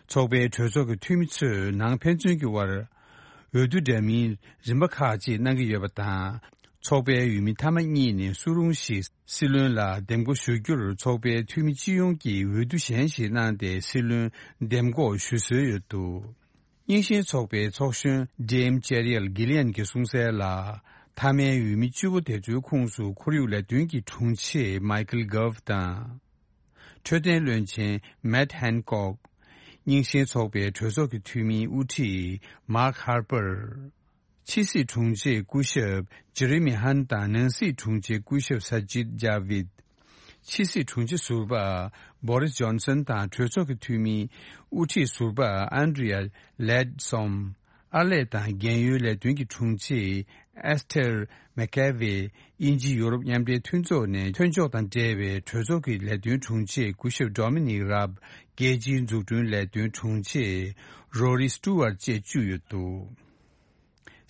ཚོགས་པའི་གྲོས་ཚོགས་ཀྱི་འཐུས་མི་ཚོས་ནང་ཕན་ཚུན་གྱི་དབར་འོས་བསྡུ་འདྲ་མིན་རིམ་པ་ཁག་ཅིག་གནང་གི་ཡོད་པ་དང་། ཚོགས་པའི་འོས་མི་མཐའ་མ་གཉིས་ནས་སུ་རུང་ཞིག་སྲིད་བློན་ལ་འདེམས་བསྐོ་ཞུ་རྒྱུར་ཚོགས་པའི་འཐུས་མི་སྤྱི་ཡོངས་ཀྱིས་འོས་བསྡུ་གཞན་ཞིག་གནང་སྟེ་སྲིད་བློན་འདེམས་བསྐོ་ཞུ་སྲོལ་ཡོད་འདུག་རྙིང་ཞེན་ཚོགས་པའི་ཚོགས་གཞོན་ཌེམ་ཅེ་རི་ཡལ་གྷི་ལི་ཡན་གྱིས་གསུངས་གསལ་ལ། མཐའ་མའི་འོས་མི་བཅུ་པོ་དེ་ཚོའི་ཁོངས་སུ་ཁོར་ཡུག་ལས་དོན་གྱི་དྲུང་ཆེ་མའི་ཁལ་གྷོབ་དང་། འཕྲོད་བསྟེན་བློན་ཆེན་མེཊ་ཧན་ཀོག་རྙིང་ཞེན་ཚོགས་པའི་གྲོས་ཚོགས་ཀྱི་འཐུས་མིའི་དབུ་ཁྲིད་མཱརྐ་ཧར་པར། ཕྱི་སྲིད་དྲུང་ཆེ་སྐུ་ཞབས་ཇེ་རེ་མི་ཧན་དང་ནང་སྲིད་དྲུང་ཆེ་སྐུ་ཞབས་ས་ཇིད་ཇཱ་བིད། ཕྱི་སྲིད་དྲུང་ཆེ་ཟུར་པ་བོ་རིས་ཇོན་སན་དང་གྲོས་ཚོགས་ཀྱི་འཐུས་མི་དབུ་ཁྲིད་ཟུར་པ་ཨན་ཌི་རི་ཡ་ལེད་སོམ། ཨར་ལས་དང་རྒན་ཡོལ་ལས་དོན་གྱི་དྲུང་ཆེ་ཨེ་སི་ཐེར་མེ་ཀེ་ཝེ། དབྱིན་ཇི་ཡོ་རོབ་མཉམ་འབྲེལ་མཐུན་ཚོགས་ནས་ཐོན་ཕྱོགས་དང་འབྲེལ་བའི་གྲོས་ཚོགས་ཀྱི་ལས་དོན་དྲུང་ཆེ་སྐུ་ཞབས་ཌོ་མི་ནིག་རབ། རྒྱལ་སྤྱིའི་འཛུགས་སྐྲུན་ལས་དོན་དྲུང་ཆེ་རོ་རི་སི་ཊུ་ཝར་བཅས་བཅུ་ཡོད་འདུག་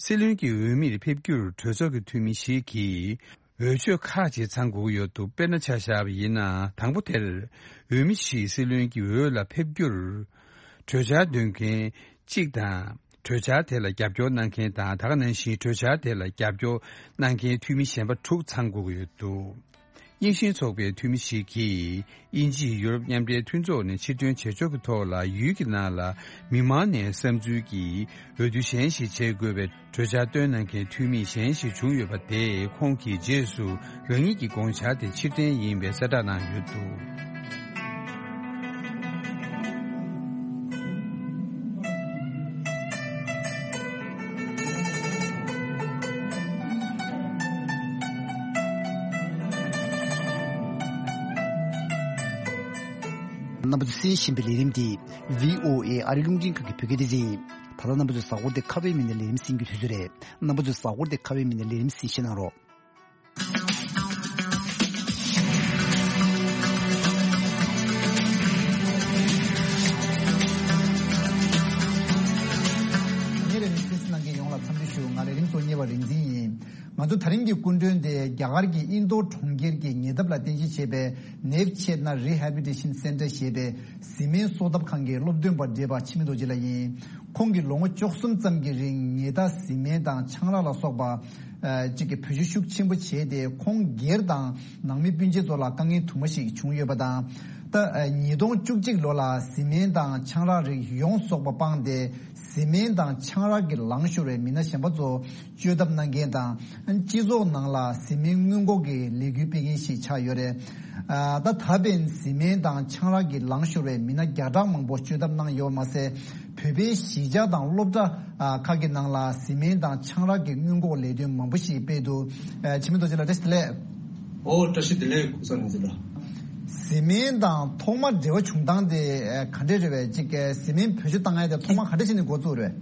སྲིད་བློན་གྱི་འོས་མིར་ཕེབས་རྒྱུར་གྲོས་ཚོགས་ཀྱི་འཐུས་མི་ཞིག་གིས་འོས་ཆོས་ཁག་ཅིག་ཚང་དགོས་ཀྱི་ཡོད་འདུག་དཔེར་ན་ཆ་བཞག་པ་ཡིན་ན། དང་པོ་དེར་འོས་མི་ཞིག་སྲིད་བློན་གྱི་འོས་ལ་ཕེབས་རྒྱུར། གྲོས་འཆར་འདོན་མཁན་གཅིག་དང་། གྲོས་འཆར་དེ་ལ་རྒྱབ་སྐྱོར་གནང་མཁན་དང་། ད་ག་ནང་བཞིན་གྲོས་འཆར་དེ་ལ་རྒྱབ་སྐྱོར་གནང་མཁན་འཐུས་མི་གཞན་པ་དྲུག་ཚང་དགོས་ཀྱི་ཡོད་འདུག་རྙིང་ཞེན་ཚོགས་པའི་འཐུས་མི་ཞིག་གིས། དབྱིན་ཇིས་ཡུ་རོབ་མཉམ་འབྲེལ་མཐུན་ཚོགས་ནས་ཕྱིར་ཐོན་བྱེད་ཕྱོགས་ཀྱི་ཐོག་ལ། ཡུལ་གྱི་ནང་ལ་མི་མང་ནས་བསམ་ཚུལ་གྱིས་འོས་བསྡུ་གཞན་ཞིག་བྱེད་དགོས་པའི་གྲོས་འཆར་བཏོན་གནང་མཁན་འཐུས་མི་གཞན་ཞིག་བྱུང་ཡོད་པ་དེས། ཁོང་གིས་རྗེས་སུ་རང་ཉིད་ཀྱི་དགོངས་འཆར་དེ་ཕྱིར་འཐེན་ཡིན་པའི་གསལ་བསྒྲགས་གནང་ཡོད་འདུག་རྣམ་པ་ཚོས་གསན་བཞིན་པའི་ལས་རིམ་འདི་བྷི་ཨོ་ཨེ་ཨ་རིའི་རླུང་འཕྲིན་ཁང་གི་བོད་སྐད་སྡེ་ཚན་ཡིན། ད་ལྟ་རྣམ་པ་ཚོས་གཟའ་འཁོར་འདི་ཁ་པའི་མི་སྣའི་ལས་རིམ་གསན་རྒྱུའི་དུས་ཚོད་རེད། རྣམ་པ་ཚོས་གཟའ་འཁོར་འདི་ཁ་པའི་མི་སྣའི་ལས་རིམ་གསན་བཞེས་གནང་རོགས། ཉེ་རེ་ནས་གསན་གཟིགས་གནང་མཁན་ཡོངས་ལ་འཚམས་འདྲི་ཞུ། ང་ལས་རིམ་གཙོ་བོ་གཉེར་བ་རིག་འཛིན་ཡིན། ང་ཚོ་ད་རིང་གི་སྐུ་མགྲོན་དེ་རྒྱ་གར་གྱི་ཨིན་རྡོར་གྲོང་ཁྱེར་གྱི་ཉེ་འདབས་ལ་རྟེན་གཞི་བྱས་པའི་Never Change Rehabilitation Center ཞེས་པའི་བཟི་སྨན་གསོ་ཐབས་ཁང་གི་སློབ་སྟོན་པ་བགྲེས་པ་འཆི་མེད་རྡོ་རྗེ་ལགས་ཡིན། ཁོང་གིས་ལོ་ངོ་བཅུ་གསུམ་ཙམ་གྱི་རིང་ཉེས་དག་བཟི་སྨན་དང་ཆང་རག་ལ་སོགས་པ་ཨ་གཅིག་གི་བེད་སྤྱོད་ཤུགས་ཆེན་པོ་བྱས་ཏེ། ཁོང་སྒེར་དང་ནང་མི་སྤུན་མཆེད་ཚོ་ལ་དཀའ་ངལ་དུ་མ་ཞིག་བྱུང་ཡོད་པ་དང་། ད་ཨ་ཉིས་སྟོང་བཅུ་གཅིག་ལོ་ལ་བཟི་སྨན་དང་ཆང་རག་རིགས་ཡོངས་རྫོགས་པ་སྤངས་ཏེ། བཟི་སྨན་དང་ཆང་རག་གི་ལངས་ཤོར་བའི་མི་སྣ་གཞན་པ་ཚོ་བཅོས་ཐབས་གནང་མཁན་དང་། སྤྱི་ཚོགས་ནང་ལ་བཟི་སྨན་སྔོན་འགོག་གི་ལས་འགུལ་སྤེལ་མཁན་ཞིག་ཆགས་ཡོད་རེད། ཨ་ད་ད་ཕན་བཟི་སྨན་དང་ཆང་རག་གི་ལངས་ཤོར་བའི་མི་སྣ་བརྒྱ་ཕྲག་མང་པོ་བཅོས་ཐབས་གནང་ཡོད་པ་མ་ཟད། བོད་པའི་གཞིས་ཆགས་དང་སློབ་གྲྭ་ཨ་ཁག་གི་ནང་ལ་བཟི་སྨན་དང་ཆང་རག་གི་སྔོན་འགོག་ལས་དོན་མང་པོ་ཞིག་སྤེལ་འདུག་ཨ་འཆི་མེད་རྡོ་རྗེ་ལགས་བཀྲ་ཤིས་བདེ་ལེགས། ཨོ་བཀྲ་ཤིས་བདེ་ལེགས་སྐུ་ཚེ་རིང་ལགས། བཟི་སྨན་དང་ཐོག་མར་འབྲེལ་བ་བྱུང་སྟངས་དེ་ཨ་ག་འདྲས་རེད་པས། ཅིག་ཨ་བཟི་སྨན་བེད་སྤྱོད་བཏང་ཡ་དེ་ཐོག་མར་ག་འདྲས་བྱས་ནས་འགོ་བཙུགས་རེད།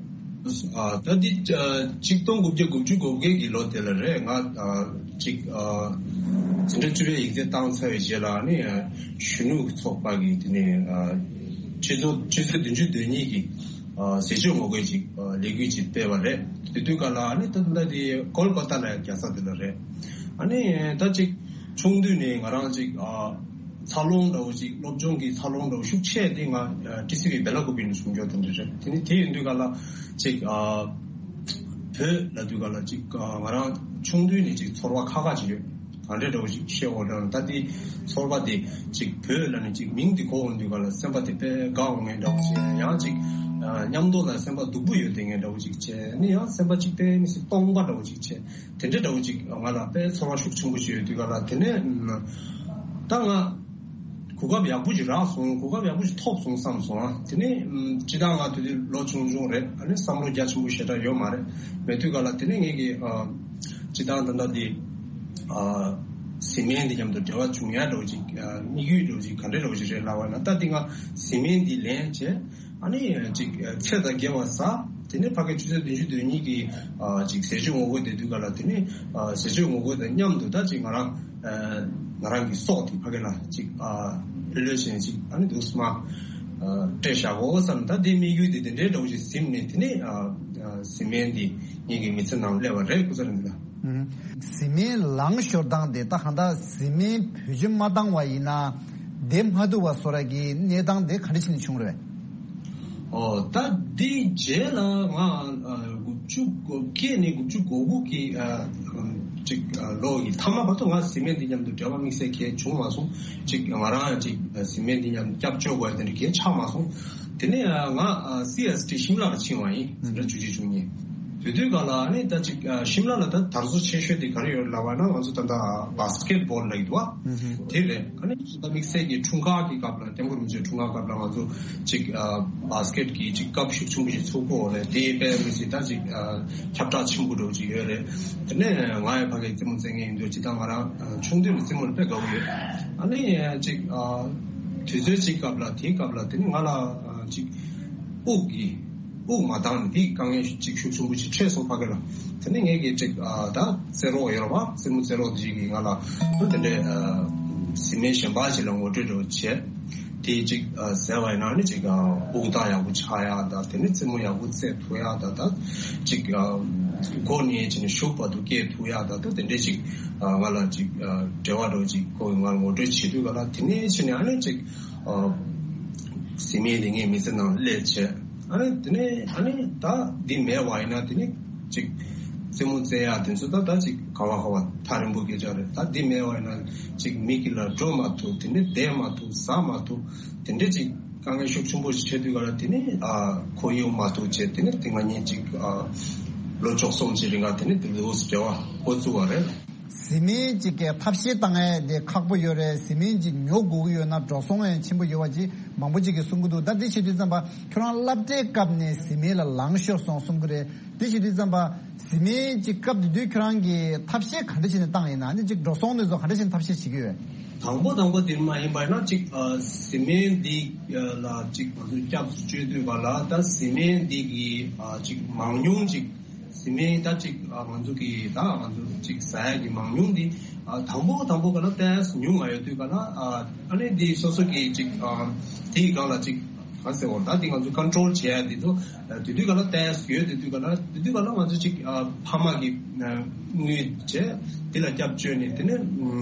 ཨ་ད་འདི་ཨ་གཅིག་སྟོང་དགུ་བརྒྱ་དགུ་བཅུ་གོ་བརྒྱད་ཀྱི་ལོ་དེ་ལ་རེད། ང་ཨ་ཅིག་ཨ་འཛིན་གྲྭ་བཅུ་པའི་ཡིག་ཚད་བཏང་ཚར་བའི་རྗེས་ལ་ནི་ཨ་གཞོན་ནུ་ཚོགས་པ་གི་དེ་ནས་ཨ་ཆུ་ཚོད་ཆུ་ཚོད་བདུན་ཅུ་དོན་གཉིས་ཀྱི་ཨ་ཟས་སྤྱོད་ངོ་རྒོལ་ཅིག་ཨ་ལས་འགུལ་ཅིག་སྤེལ་བ་རེད། དེ་དུས་སྐབས་ལ་ཨ་ནི་ད་ལྟ་དེ་ཀོལ་ཀ་ཏ་ལ་རྒྱག་ས་དེ་ལ་རེད། ཨ་ནི་ད་ཅིག་ཆུང་དུས་ནས་ང་རང་ཅིག་ཨ་འཚར་ལོངས་འདྲ་བོ་ཅིག་སློབ་སྦྱོང་གི་འཚར་ལོངས་འདྲ་བོ་ཤུགས་ཆེ་དེ་ང་ཨ་ཊི་སི་ཝི་སྦེ་ལ་ཀུ་པི་ནས་བྱུང་ཡོད་དེ་འདྲ་རེད། དེ་ནི་དེ་ཡིན་དུས་སྐབས་ལ་ཅིག་ཨ་བོད་ལ་དུས་སྐབས་ལ་ཅིག་ཨ་ང་རང་ཆུང་དུས་ནས་ཅིག་ཚོར་བ་ཁག་ཁག་ཅིག་ཡོད། ག་འདྲས་འདྲ་བོ་ཅིག་བཤད་འོ་འདྲ་ད་དེ་ཚོར་བ་དེ་ཅིག་བོད་ལ་ནི་ཅིག་མིང་དེ་གོ་འོང་དུས་སྐབས་ལ་སེམས་པ་དེ་དཔེ་དགའ་འོང་ངེས་འདྲ་བོ་ཅིག་ཡང་ཅིག་ཨ་མཉམ་དུ་ལ་སེམས་པ་སྡུག་པོ་ཡོད་དེ་ངེས་འདྲ་བོ་ཅིག་བྱས་ནི་ཡང་སེམས་པ་ཅིག་དཔེ་མི་སྲིད་སྟོང་པ་འདྲ་བོ་ཅིག་བྱས། དེ་འདྲ་འདྲ་བོ་ཅིག་ང་ལ་དཔེ་ཚོར་བ་ཤུགས་ཆེན་པོ་ཞིག་ཡོད་དུས་སྐབས་ལ་དེ་ནས་ད་ང་གོ་སྐབས་ཡག་པོ་ཅིག་རག་སོང་། གོ་སྐབས་ཡག་པོ་ཅིག་ཐོབ་སོང་བསམ་སོང་། དེ་ནས་ཅི་ད་ང་དེ་དུས་ལོ་ཆུང་ཆུང་རེད། ཨ་ནི་བསམ་བློ་རྒྱ་ཆེན་པོ་ཞེ་དྲག་ཡོད་མ་རེད། མེད་དུས་སྐབས་ལ་དེ་ནས་ངེད་ཀྱི་ཨ་ཅི་ད་ད་ད་དེ་ཨ་བཟི་སྨན་འདི་མཉམ་དུ་འབྲེལ་བ་བྱུང་ཡ་འདྲ་བོ་ཅིག་ཨ་དམིགས་ཡུལ་འདྲ་བོ་ཅིག་ག་འདྲ་འདྲ་བོ་ཅིག་རེད་ལབ་པ་ན། ད་དེ་ང་བཟི་སྨན་འདི་ལེན་བྱས། ཨ་ནི་ཅིག་ཚེ་དང་འགལ་བ་ཟ། དེ་ནས་ཕ་གི་ཆུ་ཚོད་བདུན་ཅུ་དོན་གཉིས་ཀྱི་ཨ་ཅིག་ཟས་སྤྱོད་ངོ་རྒོལ་དེ་དུས་སྐབས་ལ་དེ་ནས་ཨ་ཟས་སྤྱོད་ངོ་རྒོལ་དང་མཉམ་དུ་ད་ཅིག་ང་རང་ཨ་ང་རང་གི་སྲོག་དེ་ཕ་གི་ལ་ཅིག་ཨ་ལྷོད་ལྷོད་བྱས་ཅིག་ཨ་ནི་འདུག་སེ་མར་ཨ་སྤྲད་བཞག་གོ་བསམ། ད་དེ་དམིགས་ཡུལ་དེ་དེ་འདྲའི་འདྲ་བོ་ཞིག་ཟིན་ནས་དེ་ནས་ཨ་ཨ་བཟི་སྨན་འདི་ངེད་ཀྱི་མི་ཚེ་ནང་སླེབས་པ་རེད། སྐུ་ཚེ་རིང་ལགས། བཟི་སྨན་ལངས་ཤོར་སྟངས་དེ་ད་གང་ལྟར་བཟི་སྨན་བེད་སྤྱོད་མ་བཏང་བ་ཡིན་ན་བདེ་མ་ཐུབ་པ་བཟོ་འདྲ་གི་གནས་སྟངས་དེ་ག་འདྲ་བྱས་ནས་བྱུང་རེད། ཨོ་ད་འདི་རྗེས་ལ་ང་ཨ་དགུ་བཅུ་གོ་བརྒྱད་ནས་དགུ་བཅུ་གོ་དགུ་གི་ཨ་ཅིག་ཨ་ལོ་ཡི་མཐའ་མ་བར་དུ་ང་བཟི་སྨན་འདི་མཉམ་དུ་འབྲེལ་བ་དམིགས་བསལ་གང་བྱུང་མ་སོང་། ཅིག་ང་རང་ཅིག་བཟི་སྨན་འདི་མཉམ་སྐྱབས་བཅོལ་དགོས་དེ་འདྲ་གང་ཆགས་མ་སོང་། དེ་ནས་ང་སི་ཨེས་ཊི་ཤིམ་ལ་ལ་ཕྱིན་པ་ཡིན། ཟེར་ན་བཅུ་གཅིག་བཅུ་གཉིས། དེ་དུས་སྒང་ལ་ཨ་ནི་ད་ཅིག་ཤིམ་ལ་ལ་ད་དར་སོ་ཆེ་ཤོས་དེ་ག་རེ་ཡོད་ལབ་པ་ན་ང་ཚོ་ད་ལྟ་བྷ་སི་ཀེ་ཊི་བྷོལ་ལབ་ཀྱི་འདུག་བ། དེ་རེད། ཨ་ནི་ད་དམིགས་བསལ་གྱི་འཁྲུངས་སྐར་གྱི་སྐབས་ལ་སྐྱབས་མགོན་རིན་པོ་ཆེའི་འཁྲུངས་སྐར་སྐབས་ལ་ང་ཚོ་ཅིག་བྷ་སི་ཀེ་ཊི་གི་ཅིག་ཀབ་ཤུགས་ཆེན་པོ་ཞིག་ཚུགས་ཀྱི་ཡོད་རེད། དེ་དཔེ་མི་སྲིད་ད་ཅིག་ཁྱབ་བསྒྲགས་ཆེན་པོ་འདྲ་བོ་ཅིག་ཡོད་རེད། དེ་ནས་ང་ཡང་ཕ་གིར་རྩེད་མོ་རྩེ་མཁན་ཡིན་དུས་ཅིག་ད་ང་རང་ཆུང་དུས་ནས་རྩེད་མོ་ལ་དཔེ་དགའ་བོ་ཡོད། ཨ་ནི་ཅིག་དུས་ཚོད་ཅིག་སྐབས་ལ་དེའི་སྐབས་ལ་དེ་ནི་ང་ལ་ཅིག་དབུགས་ཀྱི་དབུགས་མ་འདང་ནས་དེའི་དཀའ་ངལ་ཅིག་ཤུགས་ཆེན་པོ་ཅིག་འཕྲད་སོང་ཕ་གི་ལ། དེ་ནས་ངས་ཀྱིས་ཅིག་ཨ་ད་རྩེད་རོགས་ཡོད་རེད་བ། རྩེད་མོ་རྩེད་རོགས་དེ་ཅིག་གིས་ང་ལ་དེ་འདྲའི་ཨ་བཟི་སྨན་གཞན་པ་ཅིག་ལ་ངོ་སྤྲོད་འདྲ་བོ་བྱས། དེ་ཅིག་ཨ་བཟས་པ་ཡིན་ན་ནི་ཅིག་ཨ་དབུགས་ཐག་ཡག་པོ་ཆགས་ཡག་དང་། དེ་ནས་རྩེད་མོ་ཡག་པོ་རྩེ་ཐུབ་ཡག་དང་། ད་ཅིག་ཨ་མགོ་ནས་བྱས་ནས་གཞུག་བར་དུ་སྐྱེལ་ཐུབ་ཡག་དང་། ད་དེ་འདྲའི་ཅིག་ཨ་ང་ལ་ཅིག་ཨ་འབྲེལ་བ་འདྲ་བོ་ཅིག་ཁོ་གིས་ང་ལ་ངོ་སྤྲོད་བྱེད་དུས་ག་ལ་དེ་ནས་བྱས་ནས་ཨ་ནི་ཅིག་ཨ་བཟི་སྨན་དེ་ངའི་མི་ཚེ་ནང་སླེབས་བྱས། ཨ་ནི་དེ་ནས་ཨ་ནི་ད་འདི་མེད་པ་ཡིན་ན་དེ་ནི་ཅིག་རྩེད་མོ་རྩེ་ཡག་དེ་ཚོ་ད་ད་ཅིག་ག་བ་ག་བ་ཐག་རིང་པོ་སྐད་ཆ་རེད། ད་འདི་མེད་པ་ཡིན་ན་ཅིག་མི་གི་ལ་འགྲོ་མ་ཐུབ། དེ་འདྲ་བསྡད་མ་ཐུབ། ཟ་མ་ཐུབ། དེ་འདྲ་ཅིག་དཀའ་ངལ་ཤུགས་ཆེན་པོ་ཞིག་འཕྲད་དུས་ག་ལ་དེ་ནི་ཨ་ཁོར་ཡུག་མ་ཐུབ་བྱས། དེ་ནི་དེ་ང་གཉིས་ཅིག་ཨ་ལོ་བཅུ་གསུམ་ཅིག་རིང་ག་དེ་ནི་དེ་ལོ་འབྲེལ་བ་འགོ་བཙུགས་པ་རེད། བཟི་སྨན་ཅིག་གི་ཐབས་ཤེས་བཏང་ཡས་དེ་ཁག་པོ་ཡོད་རེད། བཟི་སྨན་ཅིག་ཉོ་དགོས་ཀྱི་ཡོད་ན་འགྲོ་སོང་ཡང་ཆེན་པོ་ཡོད་པ་ཅིག་མང་པོ་ཅིག་གིས་གསུང་གི་འདུག་ད་དེ་བྱེད་དུས་ཙམ་པ་ཁྱོད་རང་སློབ་གྲྭའི་སྐབས་ནས་བཟི་སྨན་ལ་ལངས་ཤོར་སོང་གསུང་གི་རེད། དེ་བྱེད་དུས་ཙམ་པ་བཟི་སྨན་ཅིག་སྐབས་དེ་དུས་ཁྱོད་རང་གིས་ཐབས་ཤེས་ག་འདྲ་བྱས་ནས་བཏང་ཡིན་ན། ཨ་ནི་ཅིག་འགྲོ་སོང་དེ་ཚོ་ག་འདྲ་བྱས་ནས་ཐབས་ཤེས་བྱེད་ཀྱི་ཡོད། དང་པོ་དང་པོ་དེ་མ་ཡིན་པ་ཡིན་ན་ཅིག་ཨ་བཟི་སྨན་འདི་ལ་ཅིག་ང་ཚོས་སྐྱབས་སུ་བཅོལ་དུས་ག་ལ་ད་བཟི་སྨན་འདི་གི་ཨ་ཅིག་མང་ཉུང་ཅིག་བཟི་སྨན་ད་ཅིག་ཨ་ང་ཚོ་གི་ད་ང་ཚོ་ཅིག་ཟ་ཡ་གི་མང་ཉུང་འདི་ཨ་དང་པོ་དང་པོ་ག་ལ་ཏོག་ཙམ་ཉུང་ང་ཡོད་དུས་ག་ལ་ཨ་ཨ་ནི་འདི་སོ་སོ་གི་ཅིག་ཨ་དེའི་སྒང་ལ་ཅིག་ག་ཟེར་བ་ད་འདི་ང་ཚོ་ཀོན་ཊོལ་བྱེད་ཡ་འདི་ཚོ་དེ་དུས་ག་ལ་ཏོག་ཙམ་ཡོད། དེ་དུས་ག་ལ་དེ་དུས་ག་ལ་ང་ཚོ་ཅིག་ཨ་ཕ་མ་གི་དངུལ་བྱས། དེ་ལ་སྐྱབས་བཅོལ་ནས་དེ་ནས་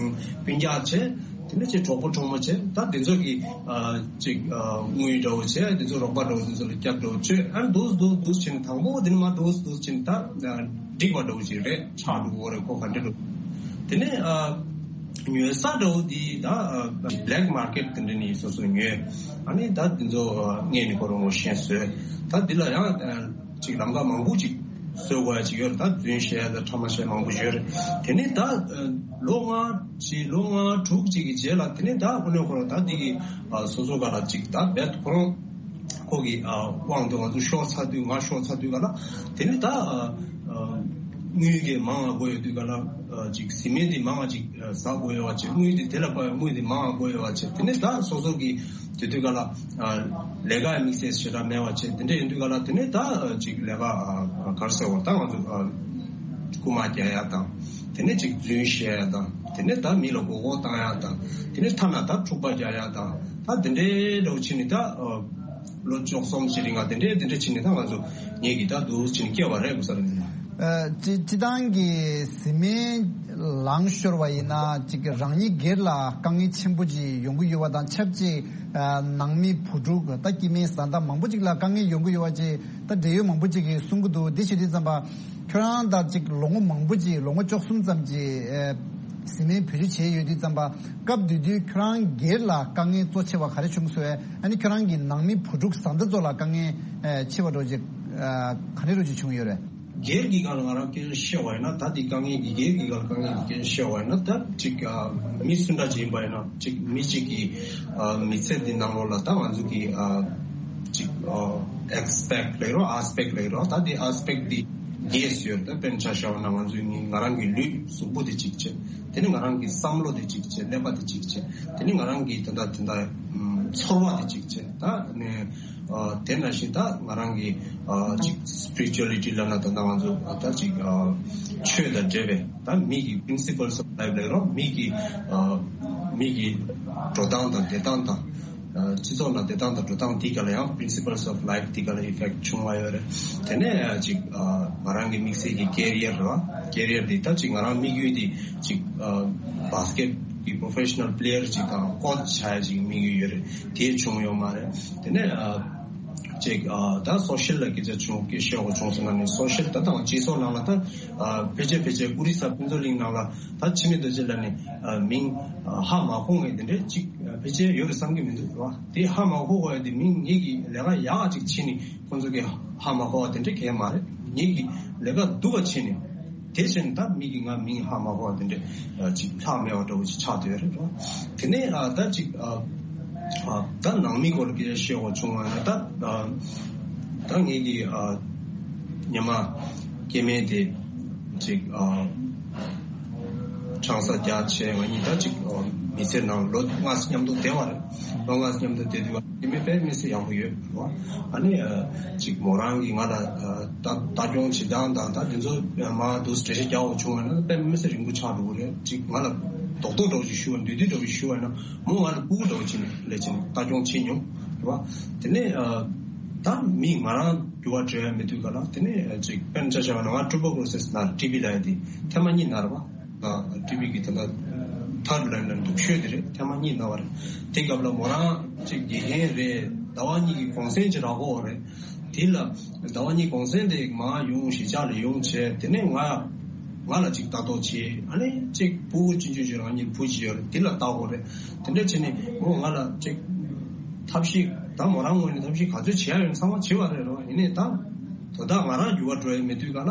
སྤུན་ཀྱག་བྱས། དེ་ནས་ཅིག་གྲོགས་པོ་གྲོགས་མོ་བྱས། ད་དེ་ཚོ་གི་ཨ་ཅིག་ཨ་དངུལ་འདྲ་བོ་བྱས། དེ་ཚོ་རོགས་པ་འདྲ་བོ་དེ་ཚོ་ལ་སྐྱབས་འདྲ་བོ་བཅོལ། ཨ་འདུག་འདུག་འདུག་བྱས་ནས་དང་པོ་དེ་ནས་མ་འདུག་འདུག་བྱས་ནས་ད་འགྲིག་པ་འདྲ་བོ་ཅིག་རེད། ཆགས་འགྲོ་གི་རེད། ཁོ་ག་འདྲ་འདྲ་བོ། དེ་ནས་ཨ་ཉོ་ས་འདྲ་བོ་དེ་ད་ཨ་བྷི་ལེག་མར་ཀེཊ་དེ་འདྲ་ནས་སོ་སོ་ཉོས། ཨ་ནི་ད་དེ་ཚོ་ཨ་སྔས་ནས་ཁོ་རང་ངོ་ཤེས་བཟོས། ད་འདི་ལ་ཡང་ཨ་ཅིག་ལམ་ཁ་མང་པོ་ཅིག་བཟོ་དགོས་ཡ་ཅིག་ཡོད་རེད། ད་རྫུན་བཤད་ཡ་དང་ཕྲ་མ་བཤད་མང་པོ་ཡོད་རེད། དེ་ནས་ད་ལོ་ལྔ་ཅིག་ལོ་ལྔ་དྲུག་ཅིག་གི་རྗེས་ལ་དེ་ནས་ད་དངོས་གནས་ཁོ་རང་ད་འདི་གི་སོ་སོ་ག་ལ་ཅིག་ད་རྦད་ཁོ་རང་ཁོ་གི་དབང་དུ་ང་ཚོ་ཤོར་ཚར་དུས་ང་ཤོར་ཚར་དུས་ག་ལ་དེ་ནས་ད་དངུལ་གི་མང་ང་དགོས་ཡོད་དུས་ག་ལ་ཅིག་བཟི་སྨན་དེ་མང་ང་ཅིག་ཟ་དགོས་ཡོད་པ་བྱས། དངུལ་དེ་དེ་ལ་དཔག་པའི་དངུལ་དེ་མང་ང་དགོས་ཡོད་པ་བྱས། དེ་ནས་ད་སོ་སོ་གི་དེ་དུས་ག་ལ་ལས་ཀ་དམིགས་བསལ་ཞེ་དྲག་མེད་པ་བྱས། དེ་འདྲ་ཡིན་དུས་ག་ལ་དེ་ནས་ད་ཅིག་ལས་ཀ་ག་རེ་ཟེར་བ་ད་ང་ཚོ་རྐུ་མ་རྒྱག་ཡ་དང་། དེ་ནས་ཅིག་རྫུན་བཤད་ཡ་དང་། དེ་ནས་ད་མི་ལ་མགོ་སྐོར་བཏང་ཡ་དང་། དེ་ནས་ཐ་ན་ད་འཁྲུག་པ་རྒྱག་ཡ་དང་། ད་དེ་འདྲའི་འདྲ་བོ་བྱས་ནས་ད་ལོ་བཅུ་གསུམ་ཅིག་རིང་ང་དེ་འདྲའི་དེ་འདྲ་བྱས་ནས་ད་ང་ཚོ་ངེད་ཀྱིས་ད་འདུག་བྱས་ནས་སྐྱེལ་བ་རེད། གོ་ས་རེད། ཨ་སྤྱི་སྤྱི་བཏང་གི་བཟི་སྨན་ལངས་ཤོར་བ་ཡིན་ན་ཅིག་རང་ཉིད་སྒེར་ལ་དཀའ་ངལ་ཆེན་པོ་ཅིག་ཡོང་གི་ཡོད་པ་དང་ཆབས་ཅིག་ཨ་ནང་མི་བུ་ཕྲུག་ད་སྐྱེ་དམན་བཟའ་ཟླ་མང་པོ་ཅིག་ལ་དཀའ་ངལ་ཡོང་གི་ཡོད་པ་ཅིག་ད་འབྲེལ་ཡོད་མང་པོ་ཅིག་གིས་གསུང་གི་འདུག་འདི་བྱེད་དུས་ཙམ་པ་ཁྱོད་རང་ད་ཅིག་ལོ་ངོ་མང་པོ་ཅིག་ལོ་ངོ་བཅུ་གསུམ་ཙམ་ཅིག་ཨ་བཟི་སྨན་བེད་སྤྱོད་བྱས་ཡོད་དུས་ཙམ་པ་སྐབས་དེ་དུས་ཁྱོད་རང་སྒེར་ལ་དཀའ་ངལ་གཙོ་ཆེ་བ་ག་རེ་བྱུང་སོང་། ཨ་ནི་ཁྱོད་རང་གི་ནང་མི་བུ་ཕྲུག་བཟའ་ཟླ་ཚོ་ལ་དཀའ་ངལ་ཨ་ཆེ་བ་འདྲ་ཅིག་ཨ་ག་འདྲ་འདྲ་ཅིག་བྱུང་ཡོད་རེད། སྒེར་གྱི་སྒང་ལ་ང་རང་སྐད་ཆ་བཤད་པ་ཡིན་ན། ད་འདི་དཀའ་ངལ་གྱི་སྒེར་གྱི་སྒང་ལ་དཀའ་ངལ་གྱི་སྐད་ཆ་བཤད་པ་ཡིན་ན། ད་ཅིག་ཨ་མི་སུ་འདྲ་ཅིག་ཡིན་པ་ཡིན་ན། ཅིག་མི་གཅིག་གི་ཨ་མི་ཚེ་འདི་ནང་ལོགས་ལ་ད་ང་ཚོ་གི་ཨ་ཅིག་ཨ་ཨེ་སི་པེག་ལབ་རོགས། ཨེ་སི་པེག་ལབ་རོགས། ད་འདི་ཨེ་སི་པེག་འདི་བརྒྱད་ཡོད། ད་དཔེར་ན་ཆ་བཞག་པ་ན་ང་ཚོའི་ནི་ང་རང་གི་ལུས་གཟུགས་པོ་དེ་གཅིག་བྱས། དེ་ནི་ང་རང་གི་བསམ་བློ་དེ་གཅིག་བྱས། ཀླད་པ་དེ་གཅིག་བྱས། དེ་ནི་ང་རང་གི་ད་ད་ད་ད་ཚོར་བ་དེ་གཅིག་བྱས། ད་ནི་ཨ་དེ་ནང་བཞིན་ད་ང་རང་གི་ཨ་ཅིག་སི་པི་རི་ཅུ་ཨ་ལི་ཊི་ལབ་ན་ད་ལྟ་ང་ཚོ་ད་ཅིག་ཨ་ཆོས་དང་འབྲེལ་བའི་ད་མི་གི་པི་རིན་སི་པལ་ཨོཕ་ལའིཕ་ལབ་རོགས། མི་གི་ཨ་མི་གི་འགྲོ་སྟངས་དང་བསྡད་སྟངས་དང་། སྤྱི་ཚོགས་ནང་བསྡད་སྟངས་དང་འགྲོ་སྟངས་འདི་ག་ལ་ཡང་principles of life འདི་ག་ལ་effect བྱུང་བ་ཡོད་རེད། དེ་ནས་ཅིག་ང་རང་གི་དམིགས་བསལ་གྱི་career རེད་བ། career འདི་ད་ཅིག་ང་རང་དམིགས་ཡུལ་འདི་ཅིག་basket གི་professional player ཅིག་དང་coach ཆགས་ཡ་ཅིག་དམིགས་ཡུལ་ཡོད་རེད། དེ་བྱུང་ཡོད་མ་རེད། དེ་ནས་ཅིག་ད་social ལ་སྐད་ཆ་བྱུང་སྐད་བཤད་དགོས་བྱུང་སོང་ན་ནི་social ད་དང་སྤྱི་ཚོགས་ནང་ལ་ད་ཕལ་ཆེར་ཕལ་ཆེར་ཨོ་རི་ས་ཕུན་ཚོགས་གླིང་ནང་ལ་ད་འཆི་མེད་རྡོ་རྗེ་ལ་ནི་མིང་ཧ་མ་གོ་མཁན་དེ་འདྲའི་ཅིག་ཕལ་ཆེར་ཡོད་རེད་བསམ་གྱི་མི་འདུག་རེད་བ། དེ་ཧ་མ་གོ་བ་དེ་མིང་ངེད་ཀྱི་ལས་ཀ་ཡག་ཅིག་བྱས་ནས་ཁོང་ཚོ་གི་ཧ་མ་གོ་བ་དེ་འདྲ་གང་ཡང་མ་རེད། ངེད་ཀྱི་ལས་ཀ་སྡུག་པ་བྱས་ནས་དེ་བྱས་ནས་ད་མི་གི་ང་མིང་ཧ་མ་གོ་བ་དེ་འདྲ་ཅིག་ལྷག་མེད་པ་འདྲ་བོ་ཅིག་ཆགས་བསྡད་ཡོད་རེད་བ། དེ་ནས་ད་ཅིག་ད་ནང་མི་སྐོར་ལ་སྐད་ཆ་བཤད་དགོས་བྱུང་བ་ན་ད་ད་ངེད་ཀྱི་ཉི་མ་སྐྱེ་དམན་དེ་ཅིག་ཨ་ཆང་ས་རྒྱག་བྱས་ང་གཉིས་ད་ཅིག་ཨ་མི་ཚེ་ནང་ལོ་ལྔ་ཙམ་མཉམ་དུ་བསྡད་པ་རེད། ལོ་ལྔ་ཙམ་མཉམ་དུ་བསྡད་དུས་སྐྱེ་དམན་དཔེ་མི་སྲིད་ཡག་པོ་ཡོད་རེད་བ། ཨ་ནི་ཨ་ཅིག་མོ་རང་གིས་ང་ལ་ཨ་ལྟ་ལྟ་སྐྱོང་བྱེད་སྟངས་དང་ད་དེ་ཚོ་མར་འདུག་འགྲེལ་བཤད་རྒྱག་དགོས་བྱུང་བ་ན་དཔེ་མི་སྲིད་རིང་པོ་ཆགས་འགྲོ་གི་རེད། ཅིག་ང་ལ་རྡོག་རྡོག་འདྲ་བོ་ཞིག་ཞུ་བ་འདུས་འདུས་འདྲ་བོ་ཞིག་ཞུ་བ་ན་མོ་ང་ལ་ཕྲུ་གུ་འདྲ་བོ་ཅིག་ནས་ལས་བྱེད་ལྟ་སྐྱོང་བྱེད་མྱོང་རེད་བ། དེ་ནས་ཨ་ད་མི་ང་རང་འགྱུར་བ་འགྲོ་ཡ་མེད་དུས་ག་ལ་དེ་ནས་ཅིག་དཔེར་ན་ཆ་བཞག་པ་ན་ང་tuberculosis ན་ཊི་བི་ལབ་ཡ་དེ་ཐེངས་མ་གཉིས་ན་རེད་བ། ཊི་བི་གི་ད་ལྟ་third line ལ་སྡུག་ཤོས་དེ་རེད། ཐེངས་མ་གཉིས་ན་བ་རེད། དེ་སྐབས་ལ་མོ་རང་ཅིག་དགེ་རྒན་རེད། ཟླ་བ་གཉིས་ཀྱི་གུང་སེང་ཅིག་རག་གི་ཡོད་རེད། དེ་ལ་ཟླ་བ་གཉིས་གུང་སེང་དེ་མར་ཡོང་གཞིས་ཆགས་ལ་ཡོང་བྱས་དེ་ནས་ང་ང་ལ་ཅིག་ལྟ་རྟོག་བྱེད། ཨ་ནི་ཅིག་ཕྲུ་གུ་ཆུང་ཆུང་ཅིག་རང་ཉིད་བུ་ཅིག་ཡོད་རེད། དེ་ལ་ལྟ་དགོས་རེད། དེ་འདྲ་བྱས་ནས་མོ་ང་ལ་ཅིག་ཐབས་ཤེས་ད་མོ་རང་ངོས་ནས་ཐབས་ཤེས་ག་ཚོད་བྱེད་ཡ་ཡོད་ཚང་མ་བྱེད་པ་རེད་རོ། ཡིན་ནའི་ད་དོ་བདག་ང་རང་འགྱུར་བ་འགྲོ་ཡ་མེད་དུས་ག་ལ་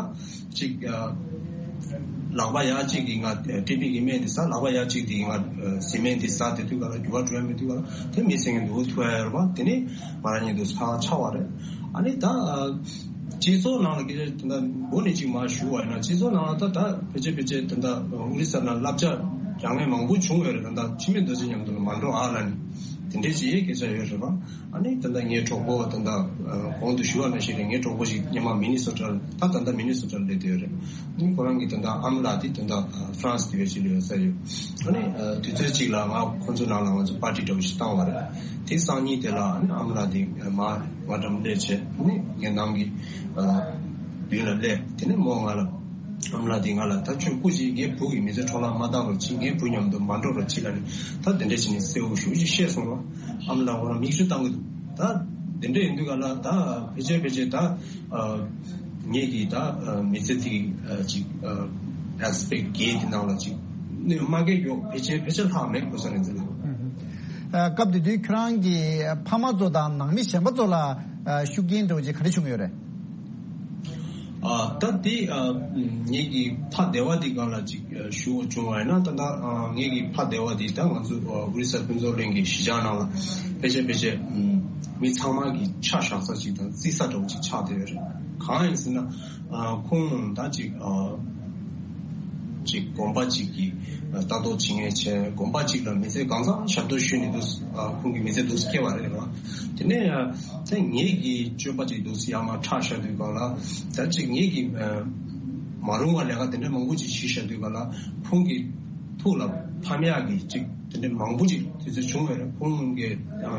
ཅིག་ལག་པ་ཡག་ཅིག་གིས་ང་ཊི་བི་གི་སྨན་དེ་ཟ། ལག་པ་ཡག་ཅིག་དེ་གིས་ང་བཟི་སྨན་དེ་ཟ། དེ་དུས་ག་ལ་འགྱུར་བ་འགྲོ་ཡ་མེད་དུས་ག་ལ་དེ་མི་སེང་གེ་འདུག་ཐུ་ཡ་ཡོད་རེད་པ། དེ་ནི་ང་རང་ཉིད་དུ་ཚ་ཆགས་པ་རེད། ཨ་ནི་ད་སྤྱི་ཚོགས་ནང་ལ་སྐད་ཆ་དེ་འདྲ་མགོ་ནས་ཅིག་མར་ཞུ་བ་ཡིན་ན་སྤྱི་ཚོགས་ནང་ལ་ད་ད་ཕལ་ཆེར་ཕལ་ཆེར་དེ་འདྲ་ཨོ་རི་ས་ལ་བསླབ་བྱ་རྒྱག་མཁན་མང་པོ་བྱུང་ཡོད་རེད། ད་ད་འཆི་མེད་རྡོ་རྗེ་མཉམ་དུ་ལ་མ་འགྲོ་ཨ་ལ་ནི་དེ་འདྲའི་ཅིག་སྐད་ཆ་ཡོད་རེད་པ། ཨ་ནི་ད་ལྟ་ངའི་གྲོགས་པོ་ད་ལྟ་གོང་དུ་ཞུ་བ་ནང་བཞིན་རེད། ངའི་གྲོགས་པོ་ཞིག་སྔོན་མ་མི་ནི་སོ་ཊ་ལ་ད་ད་ལྟ་མི་ནི་སོ་ཊ་ལ་སླེབས་བསྡད་ཡོད་རེད། ཨ་ནི་ཁོ་རང་གི་ད་ལྟ་ཨ་མ་ལགས་དེ་ད་ལྟ་ཧྥ་རན་སི་དེ་བས་ཅིག་ལ་ཡོད་ས་ཡོད། ཨ་ནི་དུས་ཚོད་ཅིག་ལ་ང་ཁོ་ཚོའི་ནང་ལ་ང་ཚོ་པར་ཊི་འདྲ་བོ་ཞིག་བཏང་བ་རེད། དེ་སང་ཉིན་དེ་ལ་ཨ་ནི་ཨ་མ་ལགས་དེ་མར་ང་འགྲམ་སླེབས་བྱས་ཨ་ནི་ངའི་ནང་གི་མདུན་ལ་སླེབས། དེ་ནས་མོ་ང་ལ་ཨ་མ་ལགས་དེ་ང་ལ་ད་ཁྱོད་སྐུ་མཁྱེན། ངའི་བུ་གི་མི་ཚེ་འཕྲོ་བརླག་མ་བཏང་རོགས་གྱིས། ངའི་བུ་མཉམ་དུ་མ་འགྲོ་རོགས་གྱིས་ལབ་ནས་ད་དེ་འདྲ་བྱས་ནས་གསལ་བོ་ཞེ་པོ་ཅིག་བཤད་སོང་རོགས། ཨ་མ་ལགས་ཁོ་རང་མིག་ཆུ་བཏང་གི་འདུག་ད་དེ་འདྲ་ཡིན་དུས་ག་ལ་ད་ཕལ་ཆེར་ཕལ་ཆེར་ད་ངེད་ཀྱི་ད་མི་ཚེ་དེ་ཅིག་ཨེ་སི་པེག་ཊི་བརྒྱད་དེ་ནང་ལ་ཅིག་གནོད་མ་སྐྱེལ་རྒྱུ་ཕལ་ཆེར་ཕལ་ཆེར་ལྷག་མེད་གོ་ས་རེད་འཛིན་ལ། ཨ། སྐབས་དེ་དུས་ཁྱོད་རང་གི་ཕ་མ་ཚོ་དང་ནང་མི་གཞན་པ་ཚོ་ལ་ཨ་ཤུགས་རྐྱེན་འདྲ་བོ་ཅིག་ག་རེ་བྱུང་ཡོད་རེད། ཨ། ད་དེ་ཨ་ངེད་ཀྱི་ཕ་སྡེ་བ་དེ་སྒང་ལ་ཅིག་ཨ་ཞུ་བ་བྱུང་བ་ཡིན་ན་ད་ལྟ་ཨ་ངེད་ཀྱི་ཕ་སྡེ་བ་དེ་ད་ང་ཚོ་ཨ་ཨོ་རི་ས་ཕུན་ཚོགས་གླིང་གི་གཞིས་ཆགས་ནང་ལ་ཕལ་ཆེར་ཕལ་ཆེར་ཨ་མི་ཚང་མ་གི་ཆ་བཞག་ས་ཅིག་དང་བརྩི་ས་འདྲ་བོ་ཅིག་ཆགས་བསྡད་ཡོད་རེད། གང་ཡིན་ཟེར་ན། ཨ་ཁོང་ད་ཅིག་ཨ་ཅིག་དགོན་པ་ཅིག་གི་ལྟ་རྟོག་བྱེད་མཁན་བྱས། དགོན་པ་ཅིག་ལ་མི་ཚེ་གང་ཚང་ཞབས་ཏོག་ཞུས་ནས་འདུག་ཨ་ཁོང་གི་མི་ཚེ་འདུག་སྐྱེལ་བ་རེད་ར། དེ་ནས་ཨ་ད་ངེད་ཀྱི་སྤྱོད་པ་ཅིག་འདུག་ཡར་མར་ཁྲག་བཞག་དུས་སྒང་ལ་ད་ཅིག་ངེད་ཀྱི་ཨ་མ་རུང་བ་ལས་ཀ་དེ་འདྲ་མང་པོ་ཅིག་བྱས་བཞག་དུས་སྒང་ལ་ཁོང་གི་ཐུགས་ལ་ཕམ་ཡག་གི་ཅིག་དེ་འདྲ་མང་པོ་ཅིག་དུས་ཚོད་བྱུང་བས་རེད། ཁོང་གིས་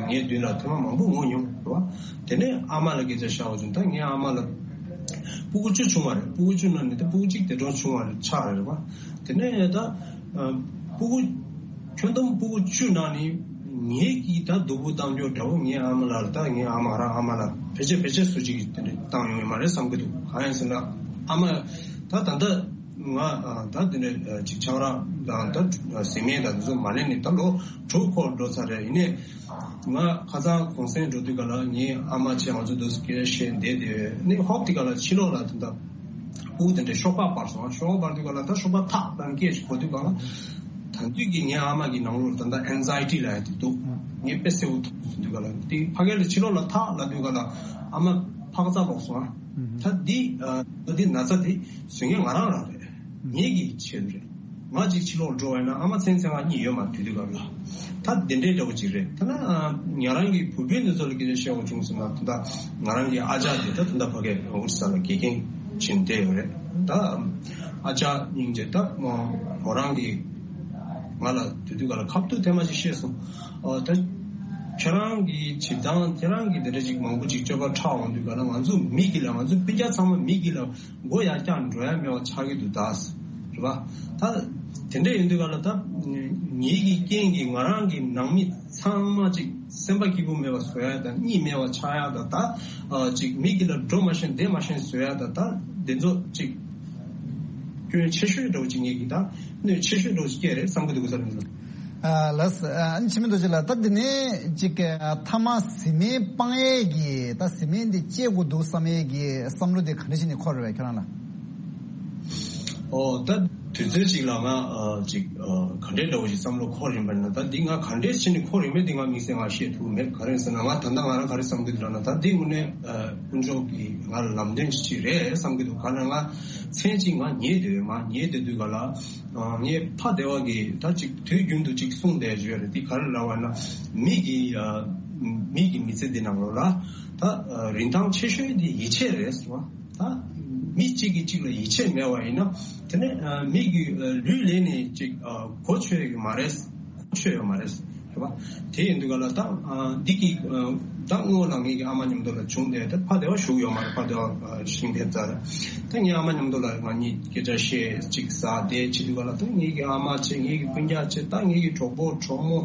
ངའི་མདུན་ལ་ཐེངས་མ་མང་པོ་ངུ་མྱོང་རེད་བ། དེ་ནས་ཨ་མ་ལ་སྐད་ཆ་བཤད་པ་བྱུང་། ད་ངའི་ཨ་མ་ལ་སྤུ་གུ་བཅུ་བྱུང་བ་རེད། སྤུ་གུ་བཅུ་ནང་ནས་ད་སྤུ་གུ་གཅིག་དེ་འདྲ་བྱུང་བ་རེད་ཆགས་རེད་བ། དེ་ནས་ད་ཨ་སྤུ་གུ་ཁྱོན་བསྡོམས་སྤུ་གུ་བཅུ་ནང་ནས་ངེད་ཀྱིས་ད་སྡུག་པོ་བཏང་རྒྱུ་འདྲ་བོ་ངའི་ཨ་མ་ལ་ད་ངའི་ཨ་མ་རང་ཨ་མ་ལ་ཕལ་ཆེར་ཕལ་ཆེར་སུ་གཅིག་གིས་དེ་འདྲ་བཏང་ཡོང་ཡོད་མ་རེད་བསམ་གྱི་འདུག་གང་ཡིན་ཟེར་ན་ཨ་མ་ད་ད་ལྟ། ང་ཨ་ད་དེ་འདྲ་ཅིག་ཆང་རག་དང་ད་བཟི་སྨན་དང་དེ་ཚོ་མ་ལེན་ནས་ད་ལོ་དྲུག་འཁོར་འགྲོ་ཚར་རེད། ཡིན་ནའི་ང་ཁ་སང་གུང་སེང་འགྲོ་དུས་ག་ལ་ངའི་ཨ་མ་བྱས་ང་ཚོ་འདུག་སེ་སྐད་བཤད་བསྡད་དེ་ནི་ཧོབ་དེ་ག་ལ་ཕྱི་ལོགས་ལ་ད་ལྟ་སྤུ་གུ་དེ་འདྲ་ཤོག་སྦག་སྤར་སོང་། ཤོག་སྦག་སྤར་དུས་ག་ལ་ད་ཤོག་སྦག་ཐག་ལ་སྐད་ཅིག་གོ་དུས་ག་ལ་ད་དུས་ཀྱི་ངའི་ཨ་མ་གི་ནང་ལོགས་ད་ལྟ་ཨེན་ཛའི་ཊི་ལབ་ཡ་དེ་འདུག་ངས་དཔེ་གསལ་པོ་ཐུག་དུས་ག་ལ་དེ་ཕ་གི་ལ་ཕྱི་ལོགས་ལ་ཐག་ལབ་དུས་ག་ལ་ཨ་མ་ཕག་ཚ་ལོག་སོང་ཨ། ད་འདི་ཨ་ད་འདི་ན་ཚ་དེ་བཟོ་མཁན་ང་རང་རང་རེད། ངེད་ཀྱི་ཆེད་དུ་རེད། ང་གཅིག་ཕྱི་ལོགས་འགྲོ་བས་ན་ཨ་མ་མཚན་མཚན་ང་གཉིས་ཡོད་མ་དུས་དུས་སྐབས་ལ། ད་དེ་འདྲའི་འདྲ་བོ་ཅིག་རེད། ད་ན་ང་རང་གི་བུ་སྤུན་འདི་ཚོ་ལ་སྐད་ཆ་བཤད་དགོས་བྱུང་སོང་ན་ད་ལྟ་ང་རང་གི་ཨ་ཅག་དེ་ད་ད་ལྟ་ཕ་གིར་ཨོ་རི་ས་ལ་དགེ་རྒན་བྱེད་བསྡད་ཡོད་རེད། ད་ཨ་ཅག་སྙིང་རྗེ་ད་མོ་རང་གི་ང་ལ་དུས་དུས་སྐབས་ལ་ཁ་ཐུག་ཐེངས་མ་ཅིག་བཤད་སོང་། ཨོ་ད་ ཁྱེད་རང་གི་བྱེད་སྟངས། ཁྱེད་རང་གི་དེ་འདྲ་ཅིག་མང་པོ་ཅིག་སྤྱོད་པ་ཁྲག་འོང་དུས་ག་ལ། ང་ཚོ་མི་གི་ལ། ང་ཚོ་སྤུན་ཀྱག་ཚང་མ་མི་གི་ལ་མགོ་ཡར་བཀྱག་འགྲོ་ཡ་མེད་པ་ཆགས་ཀྱི་འདུག་ད། རེད་པ། ད་དེ་འདྲ་ཡིན་དུས་ག་ལ། ད་ངེད་ཀྱི་རྐྱེན་གྱིས་ང་རང་གི་ནང་མི་ཚང་མ་ཅིག་སེམས་པ་སྐྱིད་པོ་མེད་པ་བཟོ་ཡ་དང་། གཉིད་མེད་པ་ཆགས་ཡ་དང་། ད་ཅིག་མི་གི་ལ་འགྲོ་མ་ཤེས་བསྡད་མ་ཤེས་བཟོ་ཡ་དང་། ད་དེ་ཚོ་ཅིག་སྐྱོན་ཆེ་ཤོས་འདྲ་བོ་ཅིག་ངེད་ཀྱི། ད་གནོད་ཆེ་ཤོས་འདྲ་བོ་ཅིག་སྐྱེས་རེད་བསམ་གྱི་འདུག་ག་ས་རེད། ཨ་ལགས། ཨ་ནི་འཆི་མེད་རྡོ་རྗེ་ལགས། ད་འདི་ནས་ཅིག་ཨ་མཐའ་མ་བཟི་སྨན་སྤང་ཡས་ཀྱི། ད་བཟི་སྨན་འདི་བཅད་དགོས་འདུག་བསམ་ཡས་ཀྱི་བསམ་བློ་དེ་ག་འདྲ་ཞིག་ནས་འཁོར་བས་ཁྱོད་རང་ལ། ཨོ། ད་དུས་ཚོད་ཅིག་ལ་ང་ཨ་ཅིག་ཨ་ག་འདྲས་འདྲ་བོ་ཞིག་བསམ་བློ་འཁོར་ཡིན་པ་ན། ད་འདི་ང་ག་འདྲས་ཞིག་ནས་འཁོར་ཡོད་མེད་འདི་ང་དམིགས་བསལ་ང་བཤད་ཐུབ་མེད། ག་རེ་ཟེར་ན། ང་ད་ལྟ་ང་རང་ག་རེ་བསམ་གྱི་འདུག་ལབ་ན། ད་འདི་དངོས་གནས་ཨ་དཀོན་མཆོག་གིས་ང་ལ་ལམ་སྟོན་ཅིག་རེད་བསམ་གྱི་འདུག་ག་ལ། ང་མཚན་ཅིག་ང་ཉལ་བསྡད་ཡོད། མ་ཉལ་བསྡད་དུས་ག་ལ། ཨ་ངའི་ཕ་བདེ་བ་གིས་ད་ཅིག་དུས་རྒྱུན་དུ་ཅིག་གསུངས་བསྡད་ཡོད་རེད། དེ་ག་རེ་ལབ་པ་ན། མི་གི་ཨ་མི་གི་མི་ཚེ་འདི་ནང་ལོགས་ལ་ད་ཨ་རིན་ཐང་ཆེ་ཤོས་དེ་ཡིད་ཆེས་རེད་ཟེར་བ། ད་མི་གཅིག་གིས་གཅིག་ལ་ཡིད་ཆེས་མེད་པ་ཡིན་ན། དེ་ནས་ཨ་མི་གི་ཨ་ལུས་ལེན་ནས་ཅིག་ཨ་གོ་ཆོད་ཡོད་མ་རེད། གོ་ཆོད་ཡོད་མ་རེད། རེད་པ། དེ་ཡིན་དུས་ག་ལ། ད་ཨ་འདི་གི་ཨ་ད་སྔོན་ལ་ངེད་ཀྱི་ཨ་མ་མཉམ་དུ་ལ་བྱུང་སྟེ། ད་ཕ་བདེ་བ་བཞུགས་ཡོད་མ་རེད། ཕ་བདེ་བ་ཨ་ཤིང་ཕེབས་ཚར། ད་ངའི་ཨ་མ་མཉམ་དུ་ལ་ང་གཉིས་སྐད་ཆ་བཤད་ཅིག་ཟ་དེ་བྱེད་དུས་ག་ལ། ད་ངེད་ཀྱི་ཨ་མ་བྱས། ངེད་ཀྱི་སྤུན་ཀྱག་བྱས། ད་ངེད་ཀྱི་གྲོགས་པོ་གྲོགས་མོ།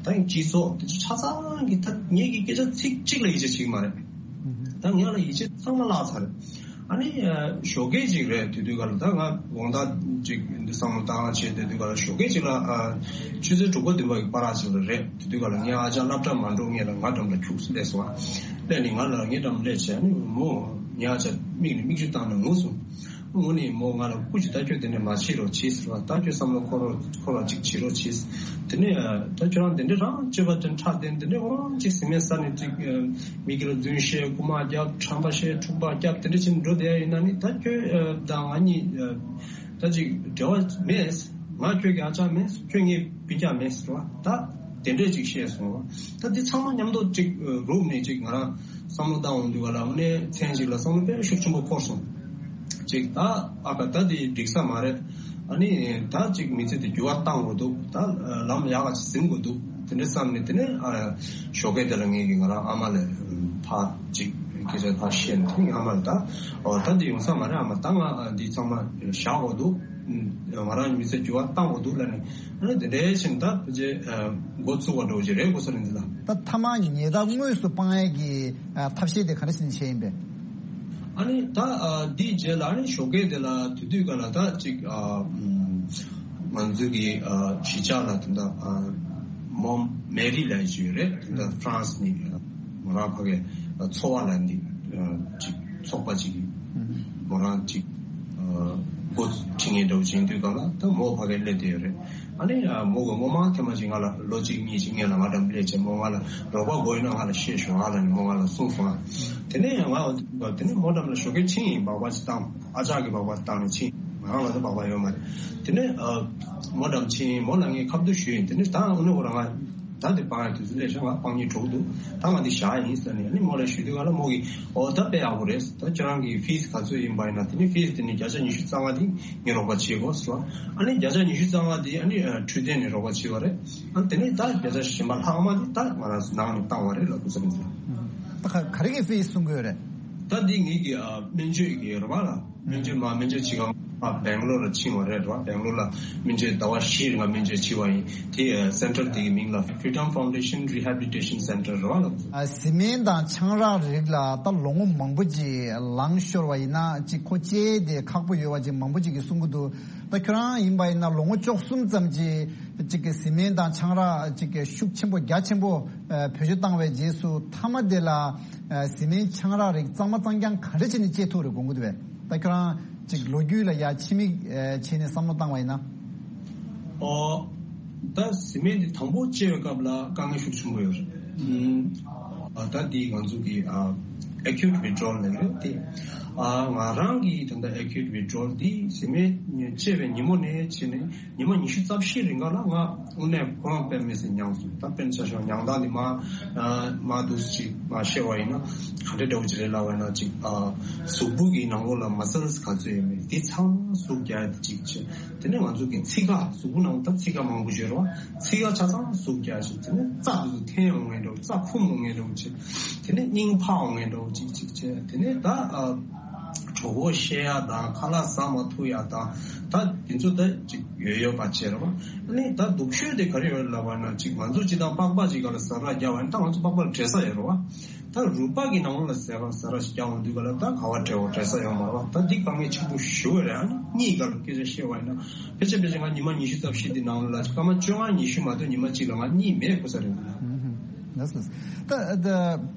ད་ངའི་སྤྱི་ཚོགས་དེ་ཚོ་ཆ་ཚང་གིས་ད་ངེད་ཀྱི་སྐད་ཆ་ཚིག་གཅིག་ལ་ཡིད་ཆེས་བྱེད་ཀྱི་མ་རེད། ད་ངེད་ལ་ཡིད་ཆེས་ཚང་མ་བརླག་ཚར། ཨ་ནི་ཨ་ཞོགས་ཀས་ཅིག་རེད། དེ་དུས་ག་ལ་ད་ང་དགོང་དག་ཅིག་འདི་བསམ་བློ་བཏང་བྱས། དེ་དུས་ག་ལ་ཞོགས་ཀས་ཅིག་ལ་ཨ་ཆུ་ཚོད་དྲུག་པ་བདུན་པ་གི་བར་ཅིག་ལ་རེད། དེ་དུས་ག་ལ་ངའི་ཨ་ཅག་སློབ་གྲྭ་མ་འགྲོ་སྔོན་ལ་ང་འགྲམ་ལ་ཁྱུག་ཙམ་སླེབས་སོང་། ཨ་སླེབས་ནས་ང་ལ་ངའི་འགྲམ་སླེབས་བྱས། ཨ་ནི་མོ། ངའི་ཨ་ཅག་མིག་ནས་མིག་ཆུ་བཏང་ནས་ངུ་སོང་། ངུ་ནས་མོ་ང་ལ་སྐུ་མཁྱེན། ད་ཁྱོད་དེ་འདྲ་མ་བྱེད་རོགས་བྱེད་ཟེར་བ། ད་ཁྱོད་བསམ་བློ་འཁོར་རོགས། འཁོར་བ་ཅིག་བྱེད་རོགས་བྱེད། དེ་ནས་ཨ་ད་ཁྱོད་རང་དེ་འདྲ་རང་སྤྱོད་པ་དེ་འཁྲབ་སྟེ། དེ་འདྲ་ཁོ་རང་ཅིག་བཟི་སྨན་ཟ་ནས་ཅིག་ཨ་མི་གི་ལ་རྫུན་བཤད། རྐུ་མ་རྒྱབ། ཁྲམ་པ་བཤད། འཁྲུག་པ་རྒྱབ། དེ་འདྲ་བྱས་ནས་འགྲོ་བསྡད་ཡ་ཡིན་ན་ནི། ད་ཁྱོད་ཨ་དང་ང་གཉིས་ཨ་ད་ཅིག་འབྲེལ་བ་མེད། ང་ཁྱོད་ཀྱི་ཨ་ཅག་མེད། ཁྱོད་ངའི་སྤུན་ཀྱག་མེད་ཟེར་བ། ད་དེ་འདྲས་ཅིག་བཤད་སོང་བ། ད་འདི་ཚང་མ་མཉམ་དུ་ཅིག་ཨ་རུབ་ནས་ཅིག་ང་རང་བསམ་བློ་བཏང་འོང་དུས་ག་ལ། དངོས་གནས་མཚན་ཅིག་ལ་བསམ་བློ་དཔེ་ཤུགས་ཆེན་པོ་འཁོར་སོང་། ཅིག་ད་ཨ་ཁ་ད་འདི་འགྲིག་ས་མ་རེད། ཨ་ནི་ད་ཅིག་མི་ཚེ་འདི་འགྱུར་བ་བཏང་དགོས་འདུག་ད་ལམ་ཡག་ག་ཅིག་ཟིན་དགོས་འདུག་དེ་འདྲ་བསམ་ནས། དེ་ནས་ཨ་ཞོགས་ཀས་དེ་ལ་ངེད་ཀྱིས་ང་རང་ཨ་མ་ལ་ཕར་ཅིག་སྐད་ཆ་ཕར་བཤད་ནས། དེ་ངའི་ཨ་མ་ལ། ད་ཨོ་ད་འདི་ཡོང་ས་མ་རེད་ཨ་མ། ད་ང་འདི་ཚང་མ་བཞག་དགོས་འདུག་ང་རང་མི་ཚེ་འགྱུར་བ་བཏང་དགོས་འདུག་ལབ་ནས། ཨ་ནི་དེ་འདྲའི་ཕྱིན་ད་ཕལ་ཆེར་འགོ་ཚུགས་པ་འདྲ་བོ་ཞིག་རེད་གོ་ས་རེད་འདི་ལ། ད་མཐའ་མ་ཉལ་ཐ་དངོས་སུ་སྤང་ཡས་ཀྱི་ཨ་ཐབས་ཤེས་དེ་ག་འདྲ་ཞིག་བྱས་ཡིན་པས། ཨ་ནི་ད་ཨ་འདིའི་རྗེས་ལ། ཨ་ནི་ཞོགས་ཀས་དེ་ལ་དེ་དུས་ག་ལ་ད་ཅིག་ཨ་ང་ཚོ་གི་ཨ་གཞིས་ཆགས་ལ་དེ་འདྲ་ཨ་མོ་མེ་རི་ལབ་ཅིག་ཡོད་རེད། དེ་འདྲ་ཧྥ་རན་སི་ནས་མོ་རང་ཕ་གི་ཚོ་བ་ལ་འདི་ཅིག་ཚོགས་པ་ཅིག་མོ་རང་ཅིག་འགོ་ཁྲིད་མཁན་འདྲ་བོ་ཅིག་ཡིན་དུས་ག་ལ། ད་མོ་ཕ་གིར་སླེབས་བསྡད་ཡོད་རེད། ཨ་ནི་མོ་གི་མོ་མང་ཐེངས་མ་ཅིག་ང་ལ་ལོ་གཅིག་གཉིས་ཅིག་སྔོན་ལ་ང་འགྲམ་སླེབས་བྱས། མོ་ང་ལ་རོགས་པ་དགོས་ཡོད་ན་ང་ལ་བཤད་ཤོག་ཨ་ལབ་ནས་མོ་ང་ལ་གསུངས་སོང་ཨ། དེ་ནས་ང་དེ་ནས་མོ་འགྲམ་ལ་ཞོགས་ཀས་ཕྱིན་ཡིན། སྦག་སྦག་ཅིག་བཏང་། ཨ་ཅག་གིས་སྦག་སྦག་བཏང་ནས་ཕྱིན། ང་རང་ལ་ད་སྦག་སྦག་ཡོད་མ་རེད། དེ་ནས་ཨ་མོ་འགྲམ་ཕྱིན། མོ་ལ་ངས་ཁ་བསྡུར་ཞུས་ཡིན། དེ་ནས་ད་ཨ་ནི་ཁོ་རང་ང་ད་དེ་སྤང་ཡ་དུས་ཚོད་སླེབས་ཤག་ང་སྤང་སྙིང་བྲོ་གི་འདུག་ད་ང་འདི་བཞག་ཡིན་ཟེར་ནས། ཨ་ནི་མོ་ལ་ཞུས་དུས་ག་ལ་མོ་གིས་ཨོ་ད་དཔེ་ཡག་པོ་རེད། ད་ཁྱེད་རང་གི་ཕིས་ག་ཚོད་ཡིན་པ་ཡིན་ན། དེ་ནི་ཕིས་དེ་ནི་བརྒྱ་ཆ་ཉི་ཤུ་རྩ་ལྔ་དེ་ངས་རོགས་པ་བྱེད་དགོས་ཟེར་བ། ཨ་ནི་བརྒྱ་ཆ་ཉི་ཤུ་རྩ་ལྔ་དེ་ཨ་ནི་ཨ་འཕྲོད་བསྟེན་ནས་རོགས་པ་བྱེད་པ་རེད། ཨ་ནི་དེ་ནས་ད་བརྒྱ་ཆ་གཞན་པ་ལྷག་མ་དེ་ད་ང་རང་ཚོ་ནང་ནས་བཏང་བ་རེད་ལབ་དགོས་ས་རེད་འདུག་ད་ག་ག་རེ་གི་ཕིས་གསུང་གི་ཡོད་རེད། ད་འདི་ངེད་ཀྱི་ཨ་སྨན་བཅོས་ཀྱི་རེད་བ་ལ། སྨན་བཅོས་མ་སྨན་བཅོས་བྱེད་སྒང་ཨ་སྦེང་ལོར་ལ་ཕྱིན་པ་རེད་བ། སྦེང་ལོར་ལ་སྨན་བཅོས་ཟླ་བ་བཞི་རིང་ལ་སྨན་བཅོས་བྱས་པ་ཡིན། དེ་ཨ་སེན་ཊར་དེ་གི་མིང་ལ་Freedom Foundation Rehabilitation Center རེད་བ་ལ། ཨ་བཟི་སྨན་དང་ཆང་རག་རིགས་ལ་ད་ལོ་ངོ་མང་པོ་ཅིག་ལངས་ཤོར་བ་ཡིན་ན་ཅིག་ཁོ་བཅད་དེ་ཁག་པོ་ཡོད་པ་ཅིག་མང་པོ་ཅིག་གིས་གསུང་གི་འདུག་ད་ཁྱོད་རང་ཡིན་པ་ཡིན་ན་ལོ་ངོ་བཅུ་གསུམ་ཙམ་ཅིག་ཅིག་གི་བཟི་སྨན་དང་ཆང་རག་ཅིག་གི་ཤུགས་ཆེན་པོ་རྒྱ་ཆེན་པོ་ཨ་བེད་སྤྱོད་བཏང་བའི་རྗེས་སུ་མཐའ་མ་དེ་ལ་ཨ་བཟི་སྨན་ཆང་རག་རིགས་གཙང་མ་གཙང་རྐྱང་ག་འདྲ་བྱས་ནས་བཅད་ཐུབ་རེད་དགོངས་ཀྱི་འདུག་བས། ད་ཁྱོད་རང་ཅིག་ལོ་རྒྱུས་ལ་ཡ་ཕྱི་མིག་ཨ་བྱས་ནས་བསམ་བློ་བཏང་བ་ཡིན་ན། ཨོ། ད་བཟི་སྨན་འདི་དང་པོ་བཅད་པའི་སྐབས་ལ་དཀའ་ངལ་ཤུགས་ཆེན་པོ་ཡོད་རེད། ཨུམ། ཨ་ད་འདི་ང་ཚོ་གི་ཨ་acute withdrawal ལབ་རེད་དེ། ཨ་ང་རང་གི་ད་ལྟ་acute withdrawal འདི་བཟི་སྨན་བཅད་པའི་ཉིན་མོ་ནས་བྱས་ནས་ཉི་མ་ཉི་ཤུ་རྩ་བཞི་རིང་ག་ལ་ང་ དངོས་གནས་ཁོ་རང་དཔེ་མི་སྲིད་མྱངས་སོང་། ད་དཔེར་ན་ཆ་བཞག་མྱང་དང་ནི་མ་མ་འདུག་ཅིག་མ་བཤད་པ་ཡིན་ན་ག་འདྲ་འདྲ་བོ་ཅིག་རེད་ལབ་པ་ཡིན་ན། ཅིག་གཟུགས་པོ་གི་ནང་ལོགས་ལ་མ་སལ་ག་ཚོད་ཡོད་མེད་དེ་ཚང་མ་ཟུག་རྒྱག་ཡ་དེ་གཅིག་བྱས། དེ་ནས་ང་ཚོ་གི་ཚིགས་ཁ། གཟུགས་པོ་ནང་ད་ཚིགས་ཁ་མང་པོ་ཡོད་རེད་བ། ཚིགས་ཁ་ཆ་ཚང་ཟུག་རྒྱག་བྱས། དེ་ནས་རྩ་དེ་ཚོ་འཐེན་ཡོང་ངེས་འདྲ་བོ། རྩ་འཁུམ་ཡོང་ངེས་འདྲ་བོ་བྱས། དེ་ནས་སྙིང་འཕར་ཡོང་ངེས་འདྲ་བོ་གཅིག་གཅིག་བྱས། དེ་ནས་ད་ཨ་གྲོད་ཁོག་བཤལ་ཡ་དང་ཁ་ལག་ཟ་མ་ཐུབ་ཡ་དང་། ད་དེ་ཚོ་ད་ཅིག་ཡོད་ཡོད་པ་བྱས་རེད་བ། ཨ་ནི་ད་སྡུག་ཤོས་དེ་ག་རེ་ཡོད་ལབ་པ་ན། ཅིག་ང་ཚོ་སྤྱིར་བཏང་པགས་པ་ཅིག་ག་ལ་ཟ་ར་རྒྱག་པ་ཡིན། ད་ང་ཚོ་པགས་པ་ལ་འབྲས་ས་ཡོད་རེད་བ། ད་རུས་པ་གི་ནང་ལོགས་ལ་ཟ་ར་ཟ་ར་ཞིག་རྒྱག་འོང་དུས་ག་ལ་ད་ག་བ་འབྲས་བ་འབྲས་ས་ཡོད་མ་རེད་བ། ད་འདི་དཀའ་ངལ་ཆེན་པོ་ཞེ་པོ་རེད། ཨ་ནི་གཉིད་ག་ལ་སྐད་ཆ་བཤད་པ་ཡིན་ན། ཕལ་ཆེར་ཕལ་ཆེར་ང་ཉི་མ་ཉི་ཤུ་རྩ་བཞི་འདི་ནང་ལ་སྐར་མ་བཅོ་ལྔ་ཉི་ཤུ་མ་གཏོགས་ཉི་མ་གཅིག་ལ་ང་གཉིད་མེད་དགོས་ས་རེད། ལགས་སོ། ད་ད་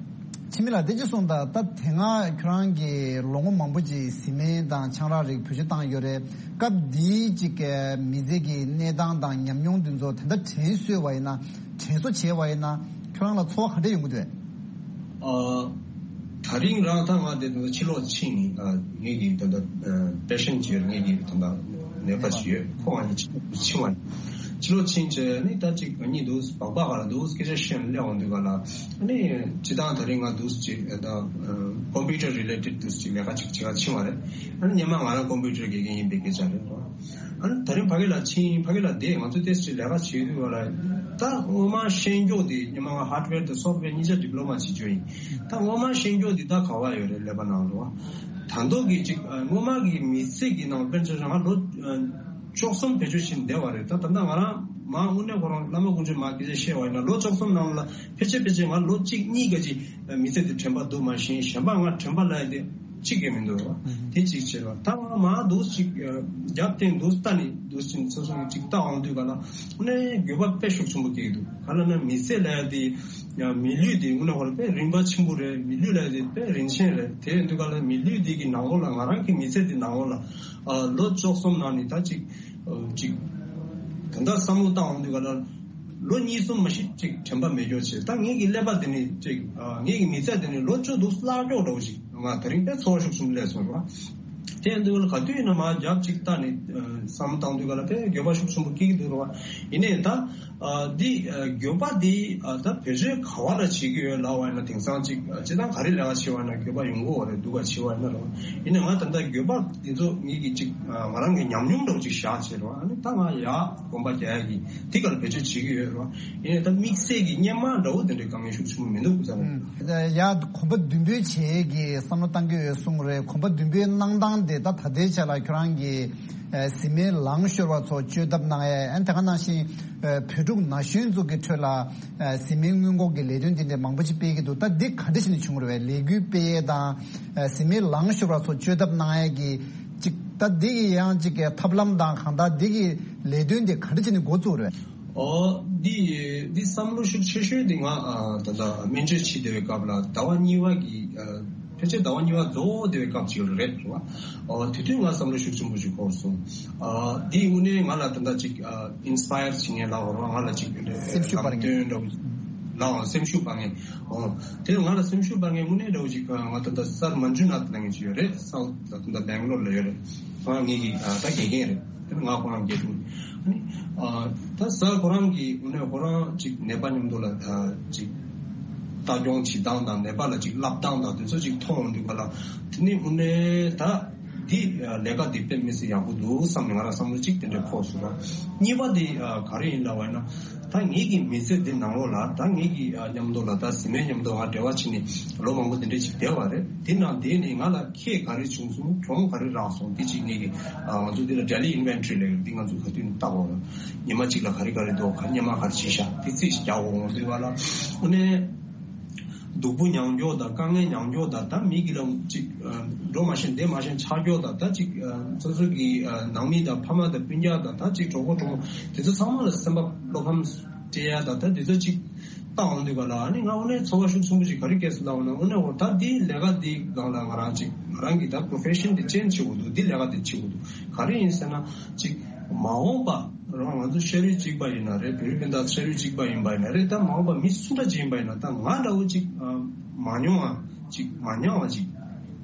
འཆི་མེད་ལགས་དེ་ཅི་གསུངས། ད་ད་དེ་སྔ་ཁྱོད་རང་གིས་ལོ་ངོ་མང་པོ་ཅིག་བཟི་སྨན་དང་ཆང་རག་རིགས་བེད་སྤྱོད་བཏང་ཡོད་རེད། སྐབས་དེའི་ཅིག་མི་ཚེ་གི་གནས་སྟངས་དང་ཉམས་མྱོང་དེ་ཚོ་ད་ལྟ་དྲན་གསོས་པ་ཡིན་ན། དྲན་གསོ་བྱས་པ་ཡིན་ན་ཁྱོད་རང་ལ་ཚོར་བ་ག་འདྲ་ཡོང་གི་འདུག། ཨ། ད་རིང་རང་ད་ང་དེ་ད་ཕྱི་ལོགས་ཕྱིན་ཡིན། ཨ། ངེད་ཀྱི་ད་ད་ཨ་པེ་ཤན་ཅིག་ཡོད། ངེད་ཀྱི་ད་ད་ནད་པ་ཅིག་ཡོད། ཁོ་ང་གཉིས་ཕྱི་ཕྱི་བ་ཡིན། ཕྱི་ལོགས་ཕྱིན་བྱས་ནི་ད་ཅིག་ང་གཉིས་འདུག་སྦག་སྦག་ག་ལ་འདུག་སྐད་ཆ་བཤད་ནས་སླེབས་འོང་དུས་ག་ལ། ཨ་ནི་སྤྱིར་བཏང་ད་རིང་ང་འདུག་ཅིག་ད་ཨ་ཀོམ་པིའུ་ཊར་རི་ལེ་ཊེཌ་འདུག་ཅིག་ལས་ཀ་ཅིག་བྱེད་ག་ཕྱིན་པ་རེད། ཨ་ནི་སྔོན་མ་ང་རང་ཀོམ་པིའུ་ཊར་དགེ་རྒན་ཡིན་པའི་སྐད་ཆ་རེད། ཨ་ནི་ད་རིང་ཕ་གི་ལ་ཕྱིན། ཕ་གི་ལ་བསྡད། ང་ཚོ་ཏོག་ཙམ་ལས་ཀ་བྱེད་དུས་བ་ལ། ད་སྔོན་མ་ཤེས་རྒྱུ་དེ་སྔོན་མ་ང་ཧར་ཌི་ཝེར་དང་སོཕ་ཊི་ཝེར་གཉིས་ཆ་ཌི་པི་ལོ་མ་བྱེད་རྒྱུ་ཡིན། ད་སྔོན་མ་ཤེས་རྒྱུ་དེ་ད་ག་བ་ཡོད་རེད། ཀླད་པ་ནང་ལོགས། ད་མདོ་གི་ཅིག་སྔོན་མ་གི་མི་ཚེ་གི་ནང་དཔེར་ན་ཆ་བཞག་ང་ལོ་བཅུ་གསུམ་བེད་སྤྱོད་བྱས་བསྡད་པ་རེད། ད་ད་ལྟ་ང་རང་མ་དངོས་གནས་ཁོ་རང་བླ་མ་དཀོན་མཆོག་མ་སྐད་ཆ་བཤད་པ་ཡིན་ན། ལོ་བཅུ་གསུམ་ནང་ལ་ཕལ་ཆེར་ཕལ་ཆེར་ང་ལོ་གཅིག་གཉིས་ག་ཅིག་མི་ཚེ་དེ་དྲན་པ་འདུག་མ་གཞི་གཞན་པ་ང་དྲན་པ་ལ་དེ་གཅིག་ཀྱང་མི་འདུག་ར། དེ་གཅིག་བྱས་པ། ད་ང་མ་འདུག་ཅིག་རྒྱབ་རྟེན་འདུག་ལྟ་ནས་འདུག་ཅིང་ཚོ་སོང་ཅིག་ལྟ་འོང་དུས་ག་ལ། ནས་འགྱོད་པ་དཔེ་ཤུགས་ཆེན་པོ་སྐྱེ་གི་འདུག་ག་ལ་ན་མི་ཚེ་ལ་དེ་མི་ལུས་དེ་དངོས་གནས་ཁོ་རང་དཔེ་རིན་པ་ཆེན་པོ་རེད། མི་ལུས་ལ་དེ་དཔེ་རིན་ཆེན་རེད། དེ་འདུག་ག་ལ་མི་ལུས་དེ་གི་ནང་ལོགས་ལ། ང་རང་གི་མི་ཚེ་དེ་ནང་ལོགས་ལ་ལོ་བཅུ་གསུམ་ནང་ནས་ད་ཅིག་ཅིག་ད་ལྟ་བསམ་བློ་བཏང་འོང་དུས་ག་ལ། ལོ་གཉིས་གསུམ་མ་གཞི་ཅིག་དྲན་པ་མེད་རྒྱུ་བྱས། ད་ངེད་ཀྱི་ཀླད་པ་དེ་ནི་ཅིག་ཨ་ངེད་ཀྱི་མི་ཚེ་དེ་ནི་ལོ་བཅུ་འདུག་བརླག་འགྲོ་འདྲ་བོ་ཞིག་ང་དེ་རིང་དཔེ་ཚོར་བ་ཤུགས་ཆེན་པོ་སླེབས་སོང་ར། དེ་ཡིན་དུས་ལ་ག་དུས་ཡིན་ན་མ་རྒྱབ་ཅིག་ལྟ་ནས་ཨ་བསམ་བཏང་དུས་ག་ལ་དཔེ་འགྱོད་པ་ཤུགས་ཆེན་པོ་སྐྱེ་གི་འདུག་ར། ཡིན་ནའི་ད་ཨ་འདི་ཨ་འགྱོད་པ་འདི་ཨ་ད་བེད་སྤྱོད་ག་བ་ལ་བྱེད་ཀྱི་ཡོད་ལབ་པ་ཡིན་ན། དེང་སང་ཅིག་ཨ་སྤྱིར་བཏང་ག་རེ་ལས་ཀ་བྱེད་པ་ཡིན་ན་འགྱོད་པ་ཡོང་གི་ཡོད་རེད། སྡུག་ག་བྱེད་པ་ཡིན་ན་ར། ཡིན་ནའི་ང་ད་ལྟ་འགྱོད་པ་འདི་ཚོ་ངེད་ཀྱི་ཅིག་ཨ་ང་རང་གི་ཉམས་མྱོང་འདྲ་བོ་ཅིག་བཞག་བྱས་ར། ཨ་ནི་ད་ང་ཡག་གོམ་པ་རྒྱག་ཡ་གི་དེ་ག་ལ་བེད་སྤྱོད་བྱེད་ཀྱི་ཡོད་རེད་བ། ཡིན་ནའི་ད་དམིགས་བསལ་གྱི་སྔོན་མ་འདྲ་བོ་དེ་འདྲའི་དཀའ་ངལ་ཤུགས་ཆེན་པོ་མི་འདུག་ཁུ་ཚ་ལ། ཡ་གོམ་པ་མདུན་སྤོས་བྱེད་ཀྱི་བསམ་བློ་བཏང་གི་ཡོད་གསུངས་རེད། གོམ་པ་མདུན་སྤོས་གནང་སྟངས་དེ་ད་ད་ལྟའི་ཆ་ལ་ཁྱོད་རང་གི་ཨ་བཟི་སྨན་ལངས་ཤོར་བ་ཚོ་བཅོས་ཐབས་གནང་ཡ། ཨ་ནི་དེ་ག་ནང་བཞིན་ཨ་བོད་ཕྲུག་ན་གཞོན་ཚོ་གི་ཁྲོད་ལ་ཨ་བཟི་སྨན་སྔོན་འགོག་གི་ལས་དོན་དེ་འདྲ་མང་པོ་ཅིག་སྤེལ་གྱི་འདུག་ད་འདི་ག་འདྲ་བྱས་ནས་བྱུང་རེད་བས། ལས་འགུལ་སྤེལ་ཡས་དང་ཨ་བཟི་སྨན་ལངས་ཤོར་བ་ཚོ་བཅོས་ཐབས་གནང་ཡས་ཀྱི་ཅིག་ད་འདི་གི་ཡང་ཅིག་གི་ཐབས་ལམ་དང་གང་ལྟར་འདི་གི་ལས་དོན་དེ་ག་འདྲ་བྱས་ནས་འགོ་བཙུགས་རེད། ཨོ། འདི་འདི་བསམ་བློ་ཤུགས་ཆེ་ཤོས་འདི་ང་ཨ་ད་ལྟ་སྨན་བཅོས་བྱེད་བསྡད་པའི་སྐབས་ལ་ཟླ་བ་གཉིས་པ་གི་ཨ་ཕལ་ཆེར་ཟླ་བ་གཉིས་པ་རྫོགས་བསྡད་པའི་སྐབས་ཅིག་རེད་རེད་བ། ཨོ་དེ་དུས་ང་བསམ་བློ་ཤུགས་ཆེན་པོ་ཞིག་འཁོར་སོང་། ཨ་འདི་དངོས་གནས་ང་ལ་ད་ལྟ་ཅིག་ཨ་ཨིན་སི་པ་ཡར་བྱེད་མཁན་ལབ་དགོས་རེད་བ། ང་ལ་ཅིག་སེམས་ཤུགས་སྤར་མཁན་ལམ་སྟོན་འདྲ་བོ་ལའང་སེམས་ཤུགས་སྤར་མཁན། ཨོ་དེ་ང་ལ་སེམས་ཤུགས་སྤར་མཁན་དངོས་གནས་འདྲ་བོ་ཅིག་ང་ད་ལྟ་སར་མན་ཇུ་ནཱཐ་ལབ་མཁན་ཅིག་ཡོད་རེད། སའུཐ་ད་ལྟ་སྦེང་ལོར་ལ་ཡོད་རེད། ང་ངེད་ཀྱི་ཨ་ད་དགེ་རྒན་རེད། དེ་ནི་ང་ཁོ་རང་དགེ་ཕྲུག་ཨ་ནི་ཨ་ད་སར་ཁོ་རང་གིས་དངོས་གནས་ཁོ་རང་ཅིག་ནད་པ་མཉམ་དུ་ལ་ཨ་ཅིག་ལྟ་སྐྱོང་བྱེད་སྟངས་དང་ནད་པ་ལ་ཅིག་བསླབ་སྟངས་དང་དེ་ཚོ་ཅིག་མཐོང་འོང་དུས་ག་ལ། དེ་ནི་དངོས་གནས་ད་འདི་ཨ་ལས་ཀ་འདི་དཔེ་མི་སྲིད་ཡག་པོ་འདུག་བསམ་ནས་ང་རང་བསམ་བློ་ཅིག་དེ་འདྲ་འཁོར་སོང་ར། གཉིས་པ་འདི་ཨ་ག་རེ་ཡིན་ལབ་པ་ཡིན་ན། ད་ངེད་ཀྱི་མི་ཚེ་འདི་ནང་ལོགས་ལ་ད་ངེད་ཀྱི་ཨ་མཉམ་དུ་ལ་ད་བཟི་སྨན་མཉམ་དུ་ང་འབྲེལ་བ་བྱས་ནས་ལོ་མང་པོ་འདི་འདྲ་ཅིག་བསྡད་པ་རེད། དེ་ནང་བསྡད་ནས་ང་ལ་ཁེ་ག་རེ་བྱུང་སོང་། གྱོང་ག་རེ་རག་སོང་། དེ་ཅིག་ངེད་ཀྱི་ཨ་ང་ཚོ་འདི་ལ་ཌེ་ལི་ཨིན་ཝེན་ཊ་རི་ལབ་ཡོད། འདི་ང་ཚོ་ག་དུས་ནས་ལྟ་དགོས་རེད། ཉི་མ་གཅིག་ལ་ག་རེ་ག་རེ་འདུག་ག་སྔོན་མ་ག་རེ་བྱས་ཤག་དེ་རྩིས་ཤིག་རྒྱག་དགོས། ང་ཚོའི་བར་ལ་དངོས་གནས་སྡུག་པོ་མྱངས་རྒྱུ་དང་དཀའ་ངལ་མྱངས་རྒྱུ་དང་། ད་མི་གི་ལ་ཅིག་ཨ་འགྲོ་མ་ཤེས་བསྡད་མ་ཤེས་ཆགས་རྒྱུ་དང་། ད་ཅིག་ཨ་སོ་སོ་གི་ཨ་ནང་མི་དང་ཕ་མ་དང་སྤུན་ཀྱག་དང་། ད་ཅིག་གྲོགས་པོ་གྲོགས་མོ་དེ་ཚོ་ཚང་མ་ལ་སེམས་པ་བློ་ཕམ་སྤྲད་ཡ་དང་། ད་དེ་ཚོ་ཅིག་ལྟ་འོང་དུས་ག་ལ་ཨ་ནི་ང་དངོས་གནས་ཚོར་བ་ཤུགས་ཆེན་པོ་ཅིག་ག་རེ་སྐྱེས་སོང་ལབ་པ་ན། དངོས་གནས་འོ་ད་འདི་ལས་ཀ་འདི་སྒང་ལ་ང་རང་ཅིག་ང་རང་གི་ད་པོ་རོ་ཕེ་ཤན་འདི་ཅེན་ཇི་བྱེད་དགོས་འདུག་འདི་ལས་ཀ་འདི་བྱེད་དགོས་འདུག་ག་རེ་ཡིན་ཟེར་ན་ཅིག་མ་འོངས་པ་རང་ང་ཚོ་ཤ་རུས་གཅིག་པ་ཡིན་ན་རེད། བོད་རིགས་སྤུན་ཟླ་ཤ་རུས་གཅིག་པ་ཡིན་པ་ཡིན་ན་རེད། ད་མ་འོངས་པ་མི་སུ་འདྲ་ཅིག་ཡིན་པ་ཡིན་ན་ད་ང་འདྲ་བོ་ཅིག་མ་མྱོང་བ་ཅིག་མ་མྱོང་བ་ཅིག་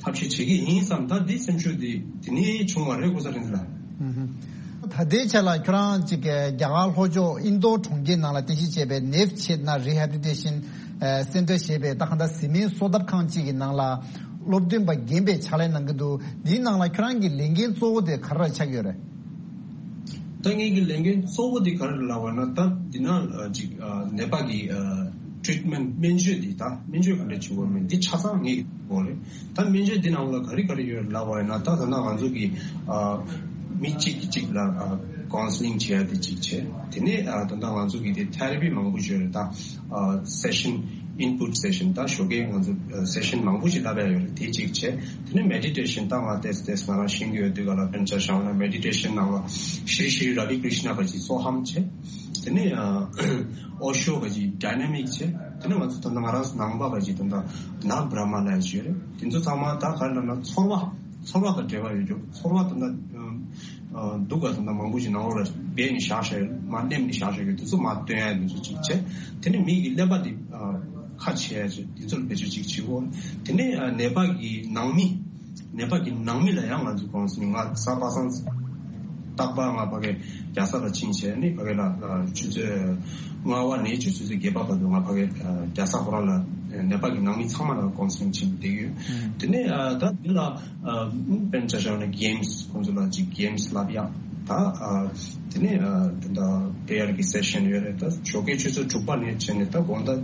ཐབས་ཤེས་བྱེད་ཀྱི་ཡིན་བསམ། ད་འདི་སེམས་ཤུགས་འདི་དེ་ནས་བྱུང་བ་རེད། ཀུ་ས་རིན་ལ། ཨུ་ཧུ། ད་ལྟའི་ཆ་ལ་ཁྱོད་རང་ཅིག་གི་རྒྱ་གར་ལྷོ་ཕྱོགས་ཨིན་རྡོར་གྲོང་ཁྱེར་ནང་ལ་རྟེན་གཞི་བྱས་པའི་ནེབ་ཆེད་ན་རི་ཧེ་བྷི་ལི་ཊེ་ཤན་སེན་ཊར་ཞེས་པའི་ད་གང་ལྟར་བཟི་སྨན་གསོ་ཐབས་ཁང་གཅིག་གི་ནང་ལ་སློབ་སྟོན་པ་རྒན་པའི་ཕྱག་ལས་གནང་གི་འདུག་འདིའི་ནང་ལ་ཁྱོད་རང་གི་ལས་འགན་གཙོ་བོ་དེ་ག་རེ་ཆགས་ཡོད་རེད། ད་ངེད་ཀྱི་ལས་འགན་གཙོ་བོ་དེ་ག་རེ་ལབ་པ་ན། ད་འདི་ན་ཅིག་ནད་པ་གི་ཊི་རི་ཊི་མེན་ཊི་སྨན་བཅོས་འདི་ད་སྨན་བཅོས་ག་འདྲ་བྱེད་དགོས་མིན་འདི་ཆ་ཚང་ངེད་ཀྱི་ཐོག་རེད། ད་སྨན་བཅོས་འདི་ནང་ལ་ག་རེ་ག་རེ་ཡོད་ལབ་པ་ཡིན་ན། ད་ད་ལྟ་ང་ཚོ་གི་མི་གཅིག་གིས་གཅིག་ལ་ཀའུན་སི་ལིང་བྱེད་ཡ་དེ་གཅིག་བྱས། དེ་ནས་ད་ལྟ་ང་ཚོ་གི་དེ་ཐེ་ར་པི་མང་པོ་ཡོད་རེད། ད་སེ་ཤན་ཨིན་པུཊ་སེ་ཤན་ད་ཞོགས་ཀས་ང་ཚོ་སེ་ཤན་མང་པོ་ཞིག་བསླབ་ཡ་ཡོད་རེད། དེ་གཅིག་བྱས། དེ་ནས་མེ་ཌི་ཊེ་ཤན་ད་ང་ཏེས་ཏེས་ང་རང་ཤེས་ཀྱི་ཡོད་དུས་ག་ལ་དཔེར་ན་ཆ་བཞག་ན་མེ་ཌི་ཊེ་ཤན་ནང་ལ་ཤྲི་ཤྲི་ར་བི་ཀྲི་ཤ་ན་ག་ཅིག་སོ་ཧམ་བྱས། དེ་ནས་ཨོ་ཤོ་ག་ཅིག་ཌའི་ན་མིག་བྱས། དེ་ནས་ང་ཚོ་ད་ལྟ་ང་རང་ཚོ་ནང་པ་ག་ཅིག་ད་ལྟ་ན་བྲ་མ་ལ་ཡ་ཅིག་ཡོད་རེད། དེ་ཚོ་ཚང་མ་ད་ག་ལ་ན་ཚོར་བ་ཚོར་བ་དང་འབྲེལ་བ་ཡོད་རྒྱུ། ཚོར་བ་ད་ལྟ་སྡུག་ག་ད་ལྟ་མང་པོ་ཞིག་ནང་ལོགས་ལ་སྦས་ནས་བཞག་བཞག་ཡོད། མ་སླེབས་ནས་བཞག་བཞག་ཡོད། དེ་ཚོ་མ་སྟོན་ཡ་དེ་ཚོ་ཅིག་བྱས། དེ་ནས་མི་གི་ཀླད་པ་དེ་ཁ་ཕྱེ་ཡ་ཅིག་དེ་ཚོ་ལ་བེད་སྤྱོད་ཅིག་བྱེད་དགོས། དེ་ནས་ནད་པ་གི་ནང་མི་ནད་པ་གི་ནང་མི་ལ་ཡང་ང་ཚོ་ཀའུན་སི་ལིང་ང་གཟའ་པ་སངས་རྟག་པར་ང་ཕ་གི་རྒྱལ་ས་ལ་ཕྱིན་བྱས་ནས་ཕ་གི་ལ་ཆུ་ཚོད་ལྔ་པ་ནས་ཆུ་ཚོད་བརྒྱད་པ་བར་དུ་ང་ཕ་གི་རྒྱལ་ས་ཁོ་རང་ལ་ནད་པ་གི་ནང་མི་ཚང་མ་ལ་ཀའུན་སི་ལིང་བྱེད་བསྡད་ཡོད། དེ་ནས་ད་དེ་ལ་དཔེར་ན་ཆ་བཞག་ན་གེམ་སི་ཁོང་ཚོ་ལ་ཅིག་གེམ་སི་བསླབ་ཡག་ད་དེ་ནས་ད་པྲེ་ཡར་གི་སེ་ཤན་ཡོད་རེད། ད་ཞོགས་ཀའི་ཆུ་ཚོད་དྲུག་པ་ནས་བྱས་ནས་ད་དགོང་དག་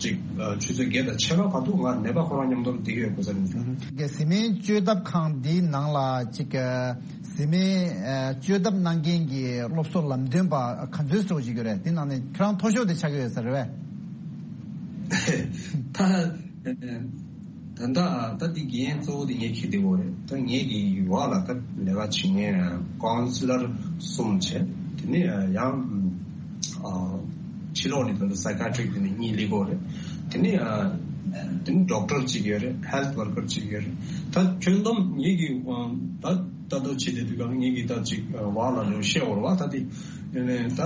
ཅིག་ཆུ་ཚོད་བརྒྱད་དང་ཕྱེད་ཀ་བར་དུ་ང་ནད་པ་ཁོ་རང་མཉམ་དུ་བསྡད་ཀྱི་ཡོད་དགོས་ས་རེད། ད་གི་བཟི་སྨན་བཅོས་ཐབས་ཁང་འདིའི་ནང་ལ་ཅིག་བཟི་སྨན་བཅོས་ཐབས་གནང་མཁན་གྱི་སློབ་གསོ་ལམ་སྟོན་པ་ག་ཚོད་ཙམ་ཞིག་ཡོད་རེད། དེ་ནང་ནས་ཁྱེད་རང་མཐོ་ཤོས་དེ་ཆགས་ཀྱི་ཡོད་ས་རེད་པས། ད་ད་ད་ད་འདི་འགན་གཙོ་བོ་དེ་ངས་འཁྱེར་བསྡད་ཡོད་རེད། ད་ངས་ཀྱི་ཡུལ་བ་ལ་ད་ལས་ཀ་བྱེད་མཁན་ཀའུན་སི་ལར་གསུམ་བྱས། དེ་ནས་ཡང་ཕྱི་ལོགས་ནས་ད་ལྟ་སའི་ཀ་ཡ་ཊི་རིག་དེ་ནས་གཉིས་སླེབས་ཡོད་རེད། དེ་ནས་དེ་ནས་ཌོག་ཊར་གཅིག་ཡོད་རེད། ཧེལ་ཐི་ཝར་ཀར་གཅིག་ཡོད་རེད། ད་ཁྱོན་བསྡོམས་ངས་ཀྱི་ད་ལྟ་བྱེད་བསྡད་དུས་ག་ངས་ཀྱི་ད་ཅིག་བ་ལ་ལོ་བཤད་འོར་བ་ད་དེ་ཡོད་ནས་ད་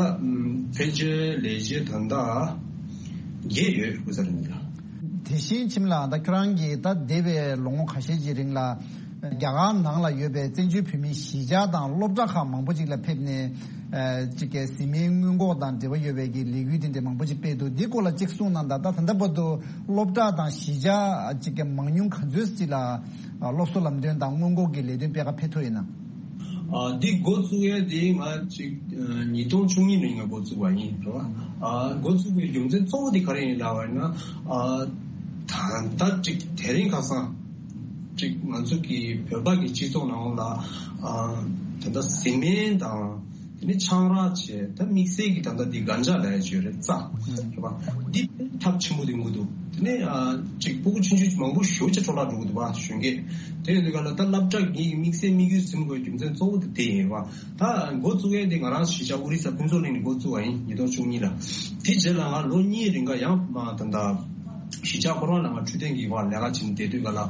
ཕལ་ཆེར་ལས་བྱེད་ད་ལྟ་བརྒྱད་ཡོད་དགོས་ས་རེད་འདུག་ལ། དེ་བཞིན་ཁྱིམ་ལ་ད་ཁྱོད་རང་གིས་ད་འདས་པའི་ལོ་ངོ་ཁ་ཤས་ཀྱི་རིང་ལ་རྒྱ་གར་ནང་ལ་ཡོད་པའི་བཙན་བྱོལ་བོད་མིའི་གཞིས་ཆགས་དང་སློབ་གྲྭ་ཁག་མང་པོ་ཅིག་ལ་ཕེབས་ནས་ཅིག་གི་བཟི་སྨན་སྔོན་འགོག་དང་འབྲེལ་བ་ཡོད་པའི་གི་ལས་འགུལ་དེ་འདྲ་མང་པོ་ཅིག་སྤེལ་འདུག་འདི་སྐོར་ལ་ཅིག་གསུངས་གནང་དང་། ད་ད་ལྟ་བར་དུ་སློབ་གྲྭ་དང་གཞིས་ཆགས་ཅིག་གི་མང་ཉུང་ག་ཚོད་ཅིག་ལ་སློབ་གསོ་ལམ་སྟོན་དང་སྔོན་འགོག་གི་ལས་དོན་སྤེལ་ཁ་ཕེབས་ཐུབ་ཡོད་ན། ཨ་འདི་འགོ་བཙུགས་ཡས་དེ་ང་ཅིག་ཉིས་སྟོང་བཅུ་གཉིས་ནས་ང་འགོ་བཙུགས་པ་ཡིན་རེད་བ། ཨ་འགོ་བཙུགས་པའི་རྒྱུ་མཚན་གཙོ་བོ་དེ་ག་རེ་ཡིན་ལབ་པ་ཡིན་ན། ཨ་ད་ལྟ་ཅིག་དེ་རིང་ཁ་སང་ཅིག་ང་ཚོ་གི་བོད་པ་གི་སྤྱི་ཚོགས་ནང་ལ་ཨ་ད་ལྟ་བཟི་སྨན་དང་དེ་ནས་ཆང་རག་བྱས། ད་དམིགས་བསལ་གྱི་ད་ལྟ་འདི་གན་ཇ་ལབ་ཡ་ཅིག་ཡོད་རེད། རྩ་རེད་བ། འདི་ཐབས་ཆེན་པོ་དེ་ཡོང་གི་འདུག་དེ་ནས་ཨ་ཅིག་སྤུ་གུ་ཆུང་ཆུང་མང་པོ་ཞེ་པོ་ཅིག་འཕྲོ་བརླག་འགྲོ་གི་འདུག་བ། གཞོན་སྐྱེས་དེ་ཡོད་དུས་ག་ལ་ད་སློབ་གྲྭ་གི་དམིགས་བསལ་དམིགས་ཡུལ་འཛིན་དགོས་རྒྱུ་མཚན་གཙོ་བོ་དེ་དེ་ཡིན་བ། ད་འགོ་བཙུགས་ཡས་དེ་ང་རང་གཞིས་ཆགས་ཨོ་རི་ས་ཕུན་ཚོགས་གླིང་ནས་འགོ་བཙུགས་པ་ཡིན། ཉིས་སྟོང་བཅུ་གཉིས་ལ། དེ་རྗེས་ལ་ང་ལོ་གཉིས་རིང་ག་ཡང་མ་ད་ད་གཞིས་ཆགས་ཁོ་རང་ལ་ང་འཕྲོད་བསྟེན་གྱི་བར་ལས་ཀ་བྱེད་བསྡད་དུས་ག་ལ་ཨ་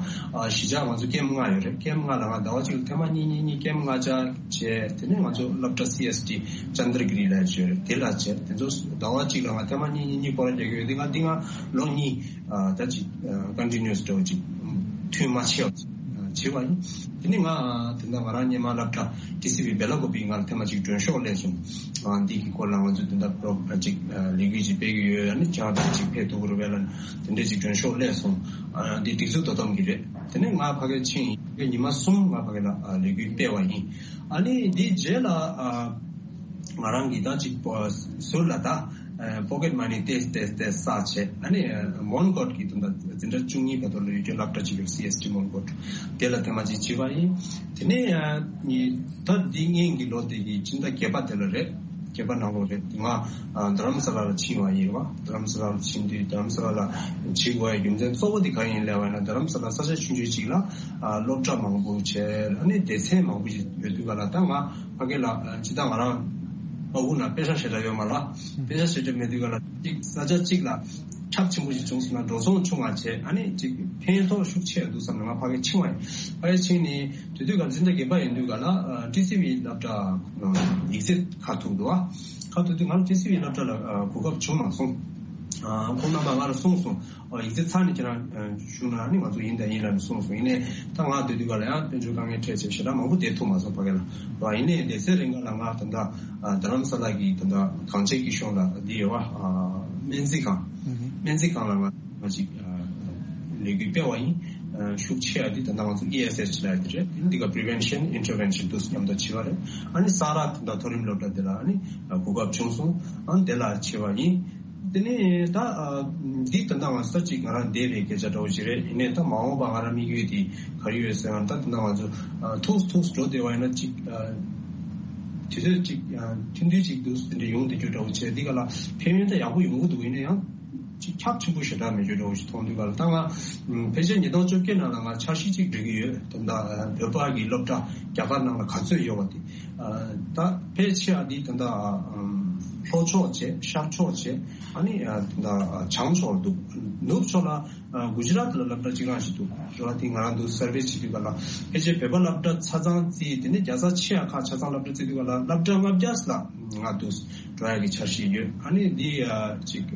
གཞིས་ཆགས་ང་ཚོ་ཀེམ་ལྔ་ཡོད་རེད། ཀེམ་ལྔ་ལ་ང་ཟླ་བ་གཅིག་ལ་ཐེངས་མ་གཉིས་གཉིས་གཉིས་ཀེམ་ལྔ་ཆ་བྱས། དེ་ནས་ང་ཚོ་སློབ་གྲྭ་སི་ཨེས་ཊི་ཅན་དྲ་གི་རི་ལ་ཡོད་རེད། དེ་ལ་བྱས། དེ་ཚོ་ཟླ་བ་གཅིག་ལ་ང་ཐེངས་མ་གཉིས་གཉིས་གཉིས་སྐོར་ར་རྒྱག་གི་ཡོད། དེ་ང་འདི་ང་ལོ་གཉིས་ཨ་ད་ཅིག་ཀོན་ཊི་ནུ་ཨས་འདྲ་བོ་ཅིག་མཐུད་མ་ཆད་བྱས་པ་ཡིན། དེ་ནས་ང་དེ་འདྲ་ང་རང་སྔོན་མ་སློབ་གྲྭ་ཊི་སི་ཝི་སྦེ་ལ་ཀོ་པི་ང་ལ་ཐེངས་མ་གཅིག་མགྲོན་ཤོག་སླེབས་སོང་། ཨ་འདི་གི་སྐོར་ལ་ང་ཚོ་དེ་འདྲ་པོ་རོ་ཅིག་ལས་འགུལ་ཅིག་སྤེལ་གི་ཡོད། ཡང་ནི་ཅང་ཅིག་ཕེབས་ཐུབ་ཀྱི་རེད་པས་ལབ་དེ་འདྲ་ཅིག་མགྲོན་ཤོག་སླེབས་སོང་། ཨ་འདི་སྒྲིག་འཛུགས་དོ་དམ་གྱི་རེད། དེ་ནས་ང་ཕ་གིར་ཕྱིན་ཡིན། ཉི་མ་གསུམ་ང་ཕ་གི་ལ་ཨ་ལས་འགུལ་སྤེལ་བ་ཡིན། ཨ་ནི་འདི་རྗེས་ལ་ཨ་ང་རང་གིས་ད་ཅིག་པོ་ཟུར་ལ་ད་ཨ་པོ་ཀེཊ་མ་ནི་ཏོག་ཙམ་ཏོག་ཙམ་ཏོག་ཙམ་བསགས་བྱས། ཨ་ནི་མོན་གྷོ་གི་དུ་ད་འཛིན་གྲྭ་བཅུ་གཉིས་བར་དུ་ལ་ཡོད་རྒྱུ་སློབ་གྲྭ་ཅིག་ཡོད། སི་ཨེས་ཊི་མོན་གྷོ། དེ་ལ་ཐེངས་མ་གཅིག་བྱས་པ་ཡིན། དེ་ནས་ཨ་ནི་ད་འདི་སྔོན་གྱི་ལོ་དེ་གི་སྤྱི་ཟླ་བརྒྱད་པ་དེ་ལ་རེད། བརྒྱད་པ་ནང་ལོགས་རེད། ང་ཨ་རྡ་རམ་ས་ལ་ལ་ཕྱིན་པ་ཡིན་རེད་བ། རྡ་རམ་ས་ལ་ལ་ཕྱིན་དུས་རྡ་རམ་ས་ལ་ལ་བྱེད་དགོས་ཡ་རྒྱུ་མཚན་གཙོ་བོ་དེ་གང་ཡིན་ལབ་པ་ཡིན་ན། རྡ་རམ་ས་ལ་ས་ཆ་ཆུང་ཆུང་ཅིག་ལ་ཨ་སློབ་གྲྭ་མང་པོ་བྱས། ཨ་ནི་སྡེ་ཚན་མང་པོ་ཞིག་ཡོད་དུས་ག་ལ་ད་ང་ཕ་གི་ལ་ཨ་ཅི་ད་ང་རང་ཨ་ཁུ་ན་པེ་ཤ་ཞེ་དྲག་ཡོད་མ་ལ། པེ་ཤ་ཞེ་དྲག་མེད་དུས་ག་ལ་ཅིག་ས་ཆ་གཅིག་ལ་ཁྱབ་ཆེན་པོ་ཞིག་བྱུང་སོང་ན་འགྲོ་སོང་ཆུང་བ་བྱས། ཨ་ནི་ཅིག་ཕན་ཐོགས་ཤུགས་ཆེ་འདུག་བསམ་ནས་ང་ཕ་གི་ཕྱིན་པ་ཡིན། ཕ་གི་ཕྱིན་ནས་དེ་དུས་ག་ལ་འཛིན་གྲྭ་བརྒྱད་པ་ཡིན་དུས་ག་ལ་ཨ་ཊི་སི་ཝི་སློབ་གྲྭ་ཡིག་ཚད་ཁ་ཐུག་འདུག་བ། ཁ་ཐུག་དུས་ང་ཊི་སི་ཝི་སློབ་གྲྭ་ལ་ཨ་གོ་སྐབས་བྱུང་མ་སོང་། ཁོང་རྣམ་པ་ང་ལ་གསུངས་སོང་། ཡིག་ཚད་ཚར་ནས་ཁྱེད་རང་ཞུ་ན་ནི་ང་ཚོ་ཡིན་དང་ཡིན་ལབ་ནས་གསུངས་སོང་། ཡིན་ནའི་ད་ང་སྡོད་དུས་ག་ལ་ཡང་དཔལ་འབྱོར་དཀའ་ངལ་འཕྲད་བྱས་ཞེ་དྲག་མང་པོ་བསྡད་ཐུབ་མ་སོང་ཕ་གི་ལ། ཡིན་ནའི་སྡོད་སའི་རིང་ག་ལ་ང་ད་ལྟ་རྡ་རམ་ས་ལ་གི་ད་ལྟ་གངས་ཅན་སྐྱིད་གཤོངས་ལ་འདི་ཡོད་བ། སྨན་རྩིས་ཁང་། སྨན་རྩིས་ཁང་ལ་ང་ང་ཅིག་ལས་འགུལ་སྤེལ་བ་ཡིན། ཤུགས་ཆེ་བ་འདི་ད་ལྟ་ང་ཚོ་ཨི་ཨེས་ཨེཆ་ལབ་ཡ་དེ་རེད། འདི་ག་prevention intervention དུ་མཉམ་དུ་བྱེད་པ་རེད། ཨ་ནི་ས་རཱ་ད་ལྟ་མཐོ་རིམ་སློབ་གྲྭ་དེ་ལ་ཨ་ནི་གོ་སྐབས་བྱུང་སོང་། ཨ་ནི་དེ་ལ་བྱེད་པ་ཡིན། དེ་ནས་ད་འདི་ད་ལྟ་ང་ཚོ་ཅིག་ང་རང་འདས་པའི་སྐད་ཆ་འདྲ་བོ་ཞིག་རེད། ཡིན་ནའི་ད་མ་འོངས་པ་ང་རང་དམིགས་ཡུལ་དེ་ག་རེ་ཡོད་ཟེར་ན། ད་ད་ལྟ་ང་ཚོ་ཐུགས་ཐུགས་འགྲོ་བདེ་བ་ཡིན་ན་ཅིག་དུས་ཚོད་ཅིག་ཐུང་ཐུང་ཅིག་འདུག་དེ་འདྲ་ཡོང་བསྡད་རྒྱུ་འདྲ་བོ་བྱས། འདི་ག་ལ་ཕན་ཡོན་ད་ཡག་པོ་ཡོང་གི་འདུག་ཡིན་ན་ཡང་ཅིག་ཁྱབ་ཆེན་པོ་ཞེ་དྲག་མེད་རྒྱུ་འདྲ་བོ་ཞིག་མཐོང་དུས་ག་ལ། ད་ང་ཕལ་ཆེར་ཉིས་སྟོང་བཅོ་བརྒྱད་ནང་ལ་ང་འཆར་གཞི་ཅིག་སྒྲིག་གི་ཡོད། ད་ལྟ་བོད་པ་གི་སློབ་གྲྭ་རྒྱ་གར་ནང་ལ་ག་ཚོད་ཡོད་པ་དེ། ད་ཕལ་ཆེ་བ་འདི་ད་ལྟ་ལྷོ་ཕྱོགས་བྱས། ཤར་ཕྱོགས་བྱས། ཨ་ནི་ད་ལྟ་བྱང་ཕྱོགས་འདུག་ནུབ་ཕྱོགས་ལ་གུ་ཇི་རཱཏ་ལ་སློབ་གྲྭ་གཅིག་རང་ཞིག་འདུག་རེད་བ། དེ་ང་རང་འདུག་སར་ཝེ་བྱེད་དུས་ག་ལ་ཕལ་ཆེར་བོད་པ་སློབ་གྲྭ་ཆ་ཚང་བརྩིས། དེ་ནས་རྒྱལ་ས་ཆེ་ཡ་ཁག་ཆ་ཚང་སློབ་གྲྭ་བརྩི་དུས་ག་ལ་སློབ་གྲྭ་ལྔ་བརྒྱ་ལ་ང་འདུག་འགྲོ་ཡ་གི་འཆར་གཞི་ཡོད། ཨ་ནི་འདི་ཅིག་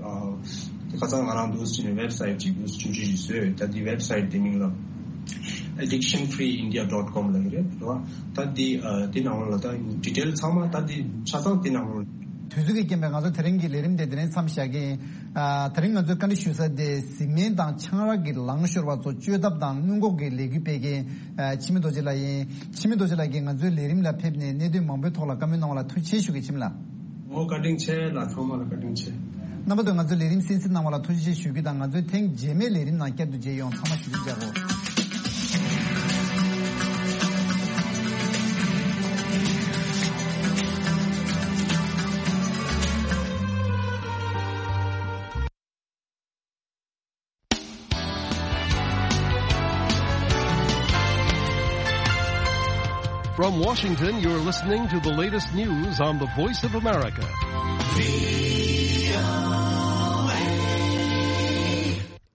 ཁ་སང་ང་རང་འདུག་ཅིག་ནས་ཝེབ་སའིཊ་ཅིག་འདུག་ཆུང་ཆུང་ཞིག་བཟོས། ད་འདི་ཝེབ་སའིཊ་དེ་མིང་ལ་addiction free india dot com ལབ་ཀྱི་རེད། རེད་བ། ད་འདི་འདི་ནང་ལོགས་ལ་ད་ཌི་ཊེལ་ཚང་མ་ད་འདི་ཆ་ཚང་འདི་ནང་ལོགས། དུས་ཚོད་ཀྱི་རྐྱེན་པས་ང་ཚོ་དེ་རིང་གི་ལས་རིམ་དེ་དེ་རིང་མཚམས་བཞག་གི་ཡིན། ཨ། དེ་རིང་ང་ཚོས་བཀའ་འདྲི་ཞུ་ས་དེ་གཟིགས་མིན་དང་ཆང་རག་གི་ལངས་ཤོར་བ་ཚོ་བཅོས་ཐབས་དང་སྔོན་འགོག་གི་ལས་འགུལ་སྤེལ་མཁན་ཨ། འཆི་མེད་རྡོ་རྗེ་ལགས་ཡིན། འཆི་མེད་རྡོ་རྗེ་ལགས་ཀྱིས་ང་ཚོའི་ལས་རིམ་ལ་ཕེབས་ནས་གནད་དོན་མང་པོའི་ཐོག་ལ་བཀའ་མོལ་གནང་བ་ལ་ཐུགས་རྗེ་ཆེ་ཞུ་གི། འཆི་མེད་ལགས། འོ་བཀའ་དྲིན་ཆེ་ལགས། ཚང་མ་ལ་བཀའ་དྲིན་ཆེ། རྣམ་པ་ཚོས་ང་ཚོའི་ལས་རིམ་གསན་གཟིགས་གནང་བ་ལ་ཐུགས་རྗེ་ཆེ་ཞུ་རྒྱུ་དང་། ང་ཚོའི་ཐེངས་རྗེས་མའི་ལས་རིམ་ནང་བསྐྱར་དུ་མཇལ་ཡོང་། ཚང་མ་བཞུགས་གདན་འཇགས་སྒོ། From Washington, you're listening to the latest news on the Voice of America.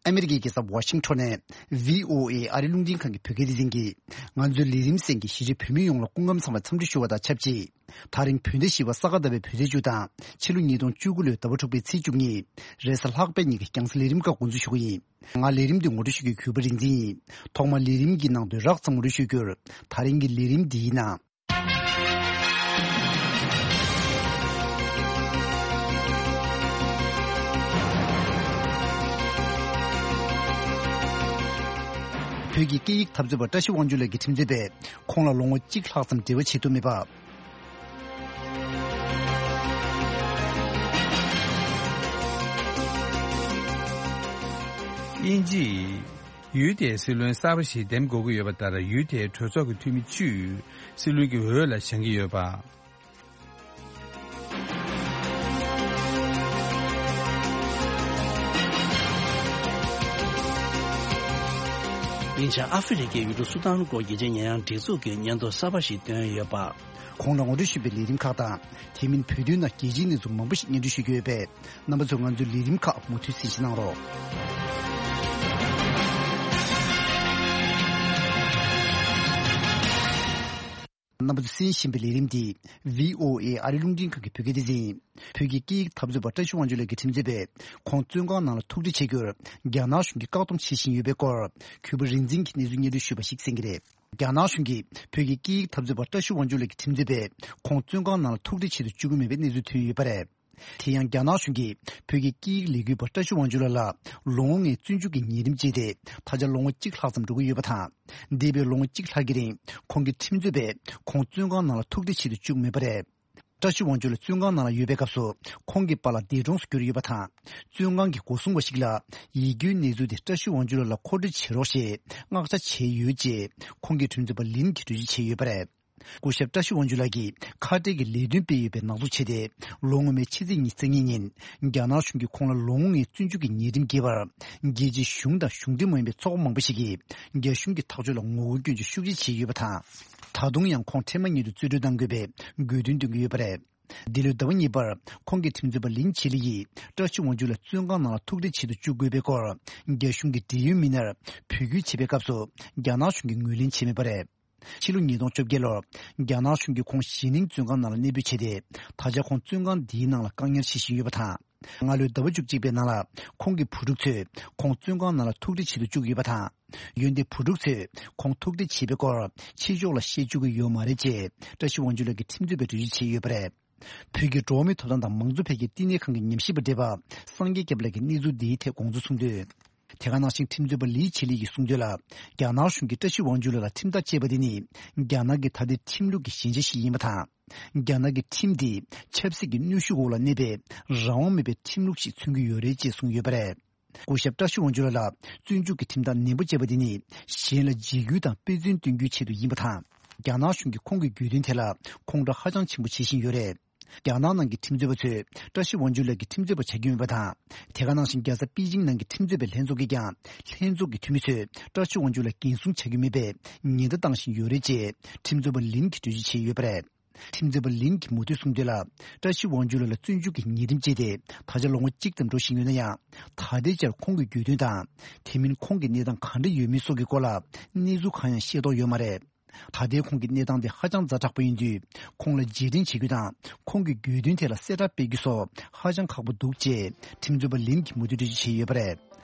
ཨ་མི་རི་ཀའི་རྒྱལ་ས་ཝ་ཤིང་ཊོན་ནས་བྷི་ཨོ་ཨེ་ཨ་རི་རླུང་འཕྲིན་ཁང་གི་བོད་སྐད་སྡེ་ཚན་གྱིས་ང་ཚོའི་ལས་རིམ་གསན་མཁན་གཞིས་བྱེས་བོད་མི་ཡོངས་ལ་སྐུ་ཁམས་བཟང་བའི་འཚམས་འདྲི་ཞུ་བ་དང་ཆབས་ཅིག་ད་རིང་བོད་ཟླ་བཞི་པ་ས་ག་ཟླ་བའི་བོད་ཚེས་བཅུ་དང་ཕྱི་ལོ་ཉིས་སྟོང་བཅུ་དགུ་ལོའི་ཟླ་བ་དྲུག་པའི་ཚེས་བཅུ་གཉིས། རེས་གཟའ་ལྷག་པའི་ཉིན་གྱི་རྒྱང་སྲིང་ལས་རིམ་ཁག་འགོ་འཛུགས་ཞུ་གི་ཡིན། ང་ལས་རིམ་འདི་ངོ་སྤྲོད་ཞུ་རྒྱུའི་གུས་པ་རིག་འཛིན་ཡིན། ཐོག་མར་ལས་རིམ་གྱི་ནང་དོན་རགས་ཙམ་ངོ་སྤྲོད་ཞུ་རྒྱུར། ད་རིང་གི་ལས་རིམ་འདིའི་ནང་། བོད་ཀྱི་སྐད་ཡིག་འཐབ་རྩོད་པ་བཀྲ་ཤིས་དབང་ཕྱུག་ལགས་ཀྱི་ཁྲིམས་རྩོད་པས་ཁོང་ལ་ལོ་ངོ་གཅིག་ལྷག་ཙམ་འབྲེལ་བ་བྱེད་ཐུབ་མེད་པ། དབྱིན་ཇིས་ཡུལ་དེའི་སྲིད་བློན་གསར་པ་ཞིག་འདེམས་དགོས་ཀྱི་ཡོད་པ་ལྟར། ཡུལ་དེའི་གྲོས་ཚོགས་ཀྱི་འཐུས་མི་བཅུས་སྲིད་བློན་གྱི་འོས་ལ་བཞེངས་ཀྱི་ཡོད་པ། ཉེ་ཆར་ཨ་ཧྥེ་རི་ཁའི་ཡུལ་གྲུ་སུ་དཱན་སྐོར་རྒྱལ་སྤྱིའི་ཉེས་ཡངས་སྒྲིག་འཛུགས་ཀྱིས་སྙན་ཐོ་གསར་པ་ཞིག་བཏོན་ཡོད་པ། གོང་ལ་ངོ་སྤྲོད་ཞུས་པའི་ལས་རིམ་ཁག་དང་། དེ་མིན་བོད་དོན་ནང་རྒྱལ་སྤྱིའི་གནས་ཚུལ་མང་པོ་ཞིག་སྙན་སྒྲོན་ཞུ་རྒྱུ་ཡོད་པས། རྣམ་པ་ཚོས་ང་ཚོའི་ལས་རིམ་ཁག་མུ་མཐུད་གསན་བཞེས་གནང་རོགས། རྣམ་པ་ཚོས་གསན་བཞིན་པའི་ལས་རིམ་འདི་བྷི་ཨོ་ཨེ་ཨ་རི་རླུང་འཕྲིན་ཁང་གི་བོད་སྐད་སྡེ་ཚན་ཡིན། བོད་ཀྱི་སྐད་ཡིག་འཐབ་རྩོད་པ་བཀྲ་ཤིས་དབང་ཕྱུག་ལགས་ཀྱི་ཁྲིམས་རྩོད་པས་ཁོང་བཙོན་ཁང་ནང་ལ་ཐུག་འཕྲད་བྱེད་རྒྱུར་རྒྱ་ནག་གཞུང་གིས་བཀག་སྡོམ་བྱེད་བཞིན་ཡོད་པའི་སྐོར། གུས་པ་རིག་འཛིན་གྱིས་གནས་ཚུལ་སྙན་སྒྲོན་ཞུས་པ་ཞིག་གསན་གྱི་རེད། རྒྱ་ནག་གཞུང་གིས་བོད་ཀྱི་སྐད་ཡིག་འཐབ་རྩོད་པ་བཀྲ་ཤིས་དབང་ཕྱུག་ལགས་ཀྱི་ཁྲིམས་རྩོད་པས་ཁོང་བཙོན་ཁང་ནང་ལ་ཐུག་འཕྲད་བྱེད་དུ་བཅུག་གི་མེད་པའི་གནས་ཚུལ་ཐོན་ཡོད་པ་རེད། དེ་ཡང་རྒྱ་ནག་གཞུང་གིས་བོད་ཀྱི་སྐད་ཡིག་ལས་འགུལ་བ་བཀྲ་ཤིས་དབང་ཕྱུག་ལགས་ལ་ལོ་ངོ་ལྔའི་བཙོན་འཇུག་གི་ཉེས་རིམ་བཅད་དེ་ད་ཆ་ལོ་ངོ་གཅིག་ལྷག་ཙམ་འགྲོ་གི་ཡོད་པ་དང་། འདས་པའི་ལོ་ངོ་གཅིག་ལྷག་གི་རིང་ཁོང་གི་ཁྲིམས་རྩོད་པས་ཁོང་བཙོན་ཁང་ནང་ལ་ཐུག་འཕྲད་བྱེད་དུ་བཅུག་མེད་པ་རེད། བཀྲ་ཤིས་དབང་ཕྱུག་ལགས་བཙོན་ཁང་ནང་ལ་ཡོད་པའི་སྐབས་སུ་ཁོང་གི་པཱ་ལགས་འདས་གྲོངས་སུ་གྱུར་ཡོད་པ་དང་། བཙོན་ཁང་གི་སྒོ་སྲུང་བ་ཞིག་ལ་ཡིད་སྐྱོའི་གནས་ཚུལ་དེ་བཀྲ་ཤིས་དབང་ཕྱུག་ལགས་ལ་མཁོ་སྤྲོད་བྱེད་རོགས་ཞེས་མངགས་ཆ་བྱས་ཡོད་ཅེས་ཁོང་གི་ཁྲིམས་རྩོད་པ་ལིན་གྱིས་འགྲེལ་བརྗོད་བྱས་ཡོད་པ་རེད། སྐུ་ཞབས་བཀྲ་ཤིས་དབང་ཕྱུག་ལགས་ཀྱིས་ཁ་བྲལ་གྱི་ལས་དོན་སྤེལ་ཡོད་པའི་ནག་འཛུགས་བྱས་ཏེ། ལོ་སྔོན་མའི་ཕྱི་ཚེས་ཉི་ཤུ་རྩ་གཉིས་ཉིན་རྒྱ་ནག་གཞུང་གིས་ཁོང་ལ་ལོ་ངོ་ལྔའི་བཙོན་འཇུག་གི་ཉེས་རིམ་འགེལ་བར། རྒྱལ་སྤྱིའི་གཞུང་དང་གཞུང་འབྲེལ་མ་ཡིན་པའི་ཚོགས་པ་མང་པོ་ཞིག་གིས་རྒྱ་གཞུང་གི་ཐག་གཅོད་ལ་ངོ་རྒོལ་སྐྱོན་བརྗོད་ཤུགས་ཆེ་བྱས་ཡོད་པ་དང་། ད་དུང་ཡང་ཁོང་འཕྲལ་མ་ཉིད་དུ་རྩིས་སྤྲོད་གཏང་དགོས་པའི་དགོས་འདུན་འདོན་གྱི་ཡོད་པ་རེད། འདི་ལོའི་ཟླ་བ་གཉིས་པར་ཁོང་གི་ཁྲིམས་རྩོད་པ་ལིན་ཆི་ལི་ཡིས་བཀྲ་ཤིས་དབང་ཕྱུག་ལགས་བཙོན་ཁང་ནང་ལ་ཐུག་འཕྲད་བྱེད་དུ་བཅུག་དགོས་པའི་སྐོར། རྒྱ་གཞུང་གི་འབྲེལ་ཡོད་མི་སྣར་བོད་སྐྱོད་བྱེད་པའི་སྐབས་སུ། རྒྱ་ནག་གཞུང་གིས་ངོས་ལེན་བྱས་མེད་པ་རེད། ཕྱི་ལོ་ཉིས་སྟོང་བཅོ་བརྒྱད་ལོར། རྒྱ་ནག་གཞུང་གིས་ཁོང་ཞི་ནིང་བཙོན་ཁང་ནང་ལ་གནས་སྤོས་བྱས་ཏེ། ད་ཆ་ཁོང་བཙོན་ཁང་འདིའི་ནང་ལ་བཀག་ཉར་བྱེད་བཞིན་ཡོད་པ་དང་། སྔ་ལོའི་ཟླ་བ་བཅུ་གཅིག་པའི་ནང་ལ་ཁོང་གི་བུ་ཕྲུག་ཚོས་ཁོང་བཙོན་ཁང་ནང་ལ་ཐུག་འཕྲད་བྱེད་དུ་བཅུག་ཡོད་པ་དང་། འོན་ཏེ་བུ་ཕྲུག་ཚོས་ཁོང་ཐུག་འཕྲད་བྱས་པའི་སྐོར་ཕྱི་ཕྱོགས་ལ་བཤད་བཅུག་གི་ཡོད་མ་རེད་ཅེས་བཀྲ་ཤིས་དབང་ཕྱུག་ལགས་ཀྱི་ཁྲིམས་རྩོད་པས་འགྲེལ་བརྗོད་བྱས་ཡོད་པ་རེད། བོད་ཀྱི་འགྲོ་བ་མིའི་ཐོབ་ཐང་དང་མང་གཙོ་འཕེལ་རྒྱས་བསྟི་གནས་ཁང་གི་ཉམས་ཞིབ་པ་བགྲེས་པ་སངས་རྒྱས་སྐྱབས་ལགས་ཀྱིས་གནས་ཚུལ་འདིའི་ཐད་དགོངས་ཚུལ་གསུངས་དོན། དེ་ག་ནང་བཞིན་ཁྲིམས་རྩོད་པ་ལི་ཆི་ལི་ཡིས་གསུངས་དོན་ལ། རྒྱ་ནག་གཞུང་གིས་བཀྲ་ཤིས་དབང་ཕྱུག་ལགས་ལ་ཁྲིམས་ཐག་བཅད་པ་དེ་ནི་རྒྱ་ནག་གི་ད་ལྟའི་ཁྲིམས་ལུགས་ཀྱི་ཞན་ཆ་ཞིག་ཡིན་པ་དང་། རྒྱ་ནག་གི་ཁྲིམས་དེ་ཆབ་སྲིད་ཀྱི་གནོན་ཤུགས་འོག་ལ་གནས་པའི་རང་དབང་མེད་པའི་ཁྲིམས་ལུགས་ཤིག་མཚོན་གྱི་ཡོད་རེད་ཅེས་གསུངས་ཡོད་པ་རེད། སྐུ་ཞབས་བཀྲ་ཤིས་དབང་ཕྱུག་ལགས་ལ་བཙོན་འཇུག་གི་ཁྲིམས་ཐག་ནན་པོ་བཅད་པ་དེ་ནི་གཞན་ལ་འཇིགས་སྐུལ་དང་དཔེ་མཚོན་སྟོན་རྒྱུའི་ཆེད་དུ་ཡིན་པ་དང་། རྒྱ་ནག་གཞུང་གིས་ཁོང་གི་དགོས་འདུན་ཐད་ལ་ཁོང་ཁྲོ་ཧ་ཅང་ཆེན་པོ་བྱེད་བཞིན་ཡོད་རེད། རྒྱ་ནག་ནང་གི་ཁྲིམས་རྩོད་པ་ཚོས་བཀྲ་ཤིས་དབང་ཕྱུག་ལགས་ཀྱི་ཁྲིམས་རྩོད་པ་བྱ་རྒྱུ་མེད་པ་དང་། དེ་ག་ནང་བཞིན་རྒྱལ་ས་པེ་ཅིང་ནང་གི་ཁྲིམས་རྩོད་པའི་ལྷན་ཚོགས་ཀྱིས་ཀྱང་ལྷན་ཚོགས་ཀྱི་འཐུས་མི་ཚོས་བཀྲ་ཤིས་དབང་ཕྱུག་ལགས་འགན་སྲུང་བྱ་རྒྱུ་མེད་པའི་ཉེན་བརྡ་བཏང་བཞིན་ཡོད་རེད་ཅེས་ཁྲིམས་རྩོད་པ་ལིན་གྱིས་འགྲེལ་བརྗོད་བྱས་ཡོད་པ་རེད། ཁྲིམས་རྩོད་པ་ལིན་གྱིས་མུ་མཐུད་གསུངས་དོན་ལ། བཀྲ་ཤིས་དབང་ཕྱུག་ལགས་ལ་བཙོན་འཇུག་གི་ཉེས་ཁྲིམས་བཅས་ཏེ་ད་ཆ་ལོ་ངོ་གཅིག་ཙམ་འགྲོ་བཞིན་ཡོད་ན་ཡང་། ད་ལྟའི་ཆར་ཁོང་གི་རྒྱུད་དོན་དང་། དེ་མིན་ཁོང་གི་གནས་སྟངས་ག་འདྲ་ཡོད་མེད་སོགས་ཀྱི་སྐོར་ལ་གནས་ཚུལ་གང་ཡང་ཤེས་རྟོགས་ཡོད་མ་རེད། ད་ལྟའི་ཁོང་གི་གནས་སྟངས་དེ་ཧ་ཅང་ཛ་དྲག་པོ་ཡིན་དུས། ཁོང་ལ་རྗེས་དྲན་བྱེད་རྒྱུ་དང་། ཁོང་གི་རྒྱུད་དོན་ཐད་ལ་གསལ་བསྒྲགས་སྤེལ་རྒྱུ་སོགས་ཧ་ཅང་ཁག་པོ་འདུག་ཅེས་ཁྲིམས་རྩོད་པ་ལིན་གྱིས་མུ་མཐུད་འགྲེལ་བརྗོད་བྱས་ཡོད་པ་རེད།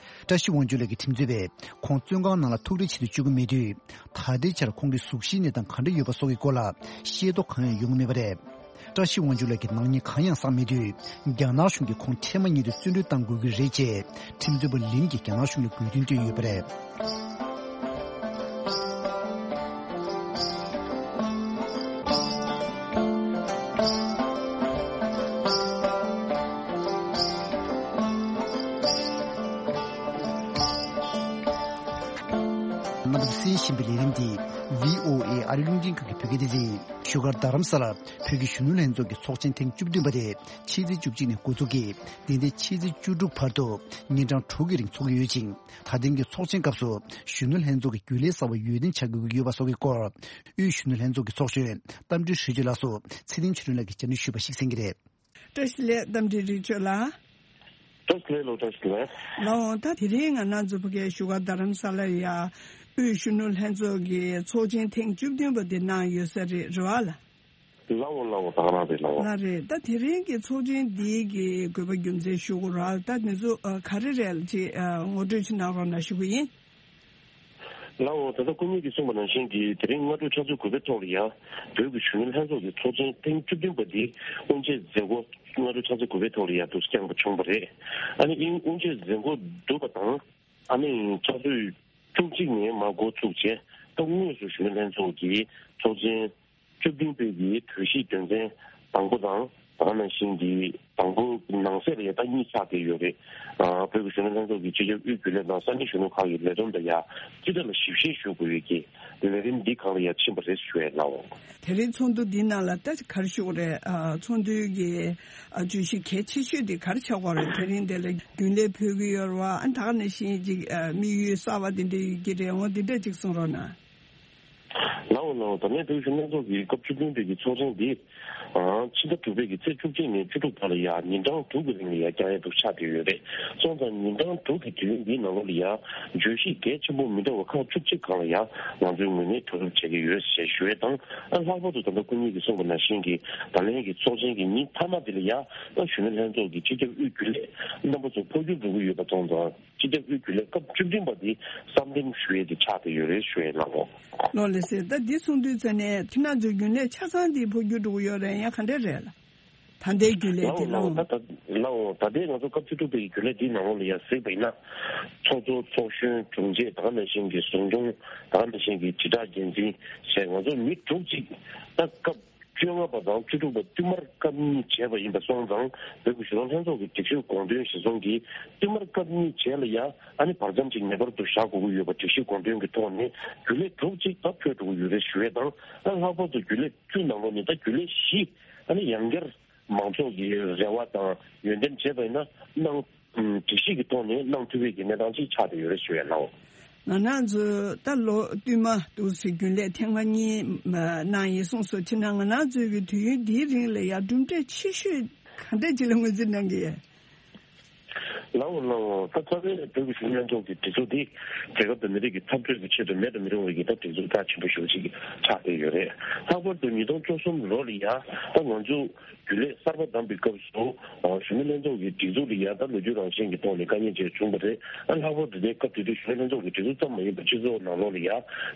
བཀྲ་ཤིས་དབང་ཕྱུག་ལགས་ཀྱི་ཁྲིམས་རྩོད་པས་ཁོང་བཙོན་ཁང་ནང་ལ་ཐུག་འཕྲད་བྱེད་དུ་བཅུག་གི་མེད་དུས། ད་ལྟའི་ཆར་ཁོང་གི་གཟུགས་གཞིའི་གནས་སྟངས་ག་འདྲ་ཡོད་པ་སོགས་ཀྱི་སྐོར་ལ་ཤེས་རྟོགས་གང་ཡང་ཡོང་གི་མེད་པ་རེད། བཀྲ་ཤིས་དབང་ཕྱུག་ལགས་ཀྱི་ནག་ཉེས་གང་ཡང་བསགས་མེད་དུས། རྒྱ་ནག་གཞུང་གིས་ཁོང་འཕྲལ་མ་ཉིད་དུ་བཙོན་གྲོལ་གཏང་དགོས་ཀྱི་རེད་ཅེས་ཁྲིམས་རྩོད་པ་ལིན་གྱིས་རྒྱ་ནག་གཞུང་ལ་དགོས་འདུན་བཏོན་ཡོད་པ་རེད། རྣམ་པ་ཚོས་གསན་བཞིན་པའི་ལས་རིམ་འདི་བྷི་ཨོ་ཨེ་ཨ་རི་རླུང་འཕྲིན་ཁང་གི་བོད་སྐད་སྡེ་ཚན་ཡིན། བཞུགས་སྒར་རྡ་རམ་ས་ལར་བོད་ཀྱི་གཞོན་ནུ་ལྷན་ཚོགས་ཀྱི་ཚོགས་ཆེན་ཐེངས་བཅུ་བདུན་པ་དེ་ཕྱི་ཚེས་བཅུ་གཅིག་ནས་འགོ་འཛུགས་ཀྱིས་འདི་ཟླའི་ཕྱི་ཚེས་བཅུ་དྲུག་བར་དུ་ཉིན་གྲངས་དྲུག་གི་རིང་འཚོགས་ཀྱི་ཡོད་ཅིང་། ད་ཐེངས་ཀྱི་ཚོགས་ཆེན་སྐབས་སུ་གཞོན་ནུ་ལྷན་ཚོགས་ཀྱི་རྒྱུན་ལས་གསར་པ་འོས་འདེམས་བྱ་དགོས་ཀྱི་ཡོད་པ་སོགས་ཀྱི་སྐོར། དབུས་གཞོན་ནུ་ལྷན་ཚོགས་ཀྱི་ཚོགས་གཞོན་རྟ་མགྲིན་རི་ཆོས་ལགས་སུ་ཚེ་བརྟན་ཆོས་སྒྲོན་ལགས་ཀྱིས་བཅར་འདྲི་ཞུས་པ་ཞིག་གསན་གྱི་རེད། བཀྲ་ཤིས་བདེ་ལེགས། རྟ་མགྲིན་རི་ཆོས་ལགས། བཀྲ་ཤིས་བདེ་ལེགས་ལགས། བཀྲ་ཤིས་བདེ་ལེགས། ལགས་འོང་། ད་དེ་རིང་ང་རང་ཚོ་ཕ་གིའི་བཞུགས་སྒར་རྡ་རམ་ས་ལར་ཡ་དབུས་གཞོན་ནུ་ལྷན་ཚོགས་ཀྱི་ཚོགས་ཆེན་ཐེངས་བཅུ་བདུན་པ་དེ་གནང་ཡོད་ས་རེད། རེད་བ་ལགས། ལགས་འོང་། ལགས་འོང་། ད་ག་རང་རེད། ལགས་འོང་། ལགས་རེད། ད་དེ་རིང་གི་ཚོགས་ཆེན་འདིའི་གི་དགོས་པ་རྒྱུ་མཚན་ཞུ་དགོས་ར། ད་འདི་ཚོ་ཨ་ག་རེ་རེད་ཅེས་ཨ་ངོ་སྤྲོད་ཅིག་གནང་རོགས་གནང་ཞུ་གི་ཡིན། ལགས་འོང་། ད་ལྟ་སྐུ་ཉིད་ཀྱིས་གསུངས་པ་ནང་བཞིན་གྱི་དེ་རིང་སྔ་དྲོ་ཆུ་ཚོད་དགུ་པའི་ཐོག་ལ་ཡ་བོད་ཀྱི་གཞོན་ནུ་ལྷན་ཚོགས་ཀྱི་ཚོགས་ཆེན་ཐེངས་བཅུ་བདུན་པ་འདི་དབུ་འབྱེད་མཛད་སྒོ་སྔ་དྲོ་ཆུ་ཚོད་དགུ་པའི་ཐོག་ལ་ཡ་འདུག་བསྐྱངས་པ་བྱུང་བ་རེད། ཨ་ནི་ཨིན་དབུ་འབྱེད་མཛད་སྒོ་གྲུབ་པ་དང་། ཨ་ནི་ཆུ་ཚོད་བཅུ་གཅིག་ནས་མར་འགོ་ཚུགས་བྱས། ད་དངོས་སུ་གཞོན་ནུ་ལྷན་ཚོགས་ཀྱི་ཚོགས་ཆེན་བཅུ་བདུན་པའི་གི་གྲོས་གཞིའི་དོན་ཚན་དང་པོ་དང་། ད་ག་ནང་བཞིན་གྱི་དང་པོ་ནང་གསེས་ལ་ཡ་ད་གཉིས་ཆགས་བསྡད་ཡོད་རེད། ཨ་བོད་ཀྱི་གཞོན་ནུ་ལྷན་ཚོགས་ཀྱི་སྤྱི་ཁྱབ་དབུས་རྒྱུན་ལས་དང་ས་གནས་གཞོན་ནུ་ཁག་གི་ལས་བསྡོམས་དང་ཡ་སྤྱི་བཏང་ལ་ཞིབ་བཤེར་ཞུ་དགོས་ཡོད་ཀྱི་ལས་རིམ་འདི་སྒང་ལ་ཡ་ཕྱིན་པ་རེད་ཞུ་ཡས། ལགས་འོང་། དེ་རིང་ཚོགས་འདུ་འདི་ནང་ལ་ད་ག་རེ་ཞུ་དགོས་རེད། ཨ་ཚོགས་འདུའི་གི་ཨ་བརྗོད་གཞི་གལ་ཆེ་ཤོས་དེ་ག་རེ་ཆགས་ཀྱི་ཡོད་རེད། དེ་རིང་འདི་ལ་རྒྱུན་ལས་ཕུད་ཀྱི་ཡོད་རེད་བ། ཨ་ད་ག་ནང་བཞིན་ཅིག་ཨ་དམིགས་ཡུལ་གསར་པ་དེ་འདྲ་ཡོད་ཀྱི་རེད། འོ་འདི་འདྲ་ཅིག་གསུང་རོགས་གནང་། ལགས་འོང་། ལགས་འོང་། ད་ལན་བོད་གཞོན་ལྷན་ཚོགས་ཀྱི་སྐབས་བཅུ་བདུན་པའི་གི་ཚོགས་ཆེན་འདི། ཨང་། ཕྱི་ཟླ་དྲུག་པའི་གི་ཚེས་བཅུ་གཅིག་ནས་བཅུ་དྲུག་བར་ལ་ཡ་ཉིན་གྲངས་དྲུག་གི་རིང་ལ་ཡ་བསྐྱང་ཡས་འདུག་ཆགས་བསྡད་ཡོད་རེད། སོང་ཙང་ཉིན་གྲངས་དྲུག་གི་དུས་ཡུན་འདིའི་ནང་ལོགས་ལ་ཡ་བརྗོད་གཞི་གལ་ཆེན་པོ་མི་འདྲ་བ་ཁག་བཅུ་གཅིག་སྒང་ལ་ཡ་ང་ཚོའི་ངོས་ནས་གྲོས་བསྡུར་བྱེད་ཀྱི་ཡོད་ཞེས་ཞུ་ཡས་དང་། ཨ་ལྷག་པར་དུ་ད་ལྟ་སྐུ་ཉིད་ཀྱིས་གསུངས་པ་ནང་བཞིན་གྱི་ད་ལན་གྱི་ཚོགས་ཆེན་གྱི་ཉིན་མཐའ་མ་འདི་ལ་ཡ་ཨ་གཞོན་ནུ་ལྷན་ཚོགས་ཀྱི་སྤྱི་ཁྱབ་དབུས་རྒྱུན་ལས་རྣམ་པ་ཚོ་འཕོ་འགྱུར་འགྲོ་གི་ཡོད་པ་སོང་ཙང་། སྤྱི་ཁྱབ་དབུས་རྒྱུན་ལས་སྐབས་བཅུ་བདུན་པ་འདི་གསར་འདེམས་ཞུ་ཡས་དེ་ཆགས་བསྡད་ཡོད་རེད་ཞུ་ཡས། ལགས་འོང་། ལགས་ལགས་སེ། ད་འདི་གསུང་དུས་ཙ་ནས་ཁྱེད་རང་ཚོའི་རྒྱུན་ལས་ཆ་ཚང་འདི་འཕོ་འགྱུར་འགྲོ་གི་ཡོད་རེད། ཡང་ག་འདྲས་རེད་ལགས། ད་ལྟའི་རྒྱུན་ལས་འདི། ལགས་འོང་། ལགས་འོང་། ད་ལྟ་ལགས་འོང་། ད་ལྟའི་ང་ཚོ་སྐབས་བཅུ་དྲུག་པའི་རྒྱུན་ལས་འདིའི་ནང་ལོགས་ལ་ཡ་གཟིགས་པ་ཡིན་ན། ཚོགས་གཙོ། ཚོགས་གཞོན། དྲུང་ཆེ། ད་ག་ནང་བཞིན་གྱི་ཟུང་སྐྱོང་། ད་ག་ནང་བཞིན་གྱི་དྲིལ་བསྒྲགས་འགན་འཛིན་བྱས། ང་ཚོ་མི་དྲུག་ཅིག་ད་སྐབས་བཅོ་ལྔ་པ་དང་བཅུ་དྲུག་པ་བསྟུད་མར་སྐབས་གཉིས་བྱས་པ་ཡིན་པ་སོང་ཙང་། བོད་ཀྱི་གཞོན་ནུ་ལྷན་ཚོགས་ཀྱི་སྒྲིག་གཞིར་དགོངས་དོན་གཞིར་བཟུང་གིས་བསྟུད་མར་སྐབས་གཉིས་བྱས་ལ་ཡ་ཨ་ནི་བར་མཚམས་ཅིག་ངེས་པར་དུ་བཞག་དགོས་ཀྱི་ཡོད་པ་སྒྲིག་གཞི་དགོངས་དོན་གྱི་ཐོག་ནས་རྒྱུན་ལས་དྲུག་ཅིག་ད་འཕོས་འགྲོ་གི་ཡོད་རེད་ཞུ་ཡས་དང་། ཨ་ལྷག་པར་དུ་རྒྱུན་ལས་བཅུ་ནང་ལོགས་ནས་ད་རྒྱུན་ལས་བཞི་ཨ་ནི་ཡང་བསྐྱར་མང་ཚོགས་ཀྱི་རེ་བ་དང་འོས་འདེམས་བྱས་པ་ཡིན་ན་གནང་། སྒྲིག་གཞི་གི་ཐོག་ནས་གནང་ཐུབ་པའི་གི་གནས་སྟངས་ཅིག་ཆགས་བསྡད་ཡོད་རེད་ཞུ་ཡས། ལགས་འོང་། ང་རང་ཚོ་ད་ལོ་བསྟུད་མར་འདུག་སེ་རྒྱུན་ལས་ཐེངས་མ་གཉིས་གནང་ཡིན་གསུངས་སོང་། དེ་ན་ང་རང་ཚོའི་གི་དུས་ཡུན་འདིའི་རིང་ལ་ཡ་གྲུབ་འབྲས་ཆེ་ཤོས་ག་འདྲས་ཅིག་ལ་ངོས་འཛིན་གནང་གི་ཡོད། ལའོ་ལའོ། ད་རྩ་བའི་བོད་ཀྱི་གཞོན་ནུ་ལྷན་ཚོགས་ཀྱི་སྒྲིག་འཛུགས་འདི་རྒྱལ་ཁབ་དང་མི་རིགས་ཀྱི་འཐབ་རྩོད་ཀྱི་ཆེད་དུ་མེད་དུ་མི་རུང་བའི་གི་ད་སྒྲིག་འཛུགས་རྒྱ་ཆེན་པོ་ཞེ་པོ་ཅིག་ཆགས་བསྡད་ཡོད་རེད། ལྷག་པར་དུ་ཉིས་སྟོང་བཅུ་གསུམ་ལོ་ལ་ཡ་ད་ང་ཚོ་རྒྱུན་ལས་གསར་པ་བདམས་པའི་སྐབས་སུ་གཞོན་ནུ་ལྷན་ཚོགས་ཀྱི་སྒྲིག་འཛུགས་ལ་ཡ་ད་ལོ་རྒྱུས་རང་བཞིན་གྱི་ཐོག་ནས་དཀའ་ངལ་ཅིག་བྱུང་བ་རེད། ཨ་ལྷག་པར་དུ་དེ་སྐབས་དེ་དུས་གཞོན་ནུ་ལྷན་ཚོགས་ཀྱི་སྒྲིག་འཛུགས་ཙམ་མ་ཡིན་པར་སྤྱི་ཚོགས་ནང་ལོགས་ལ་ཡ་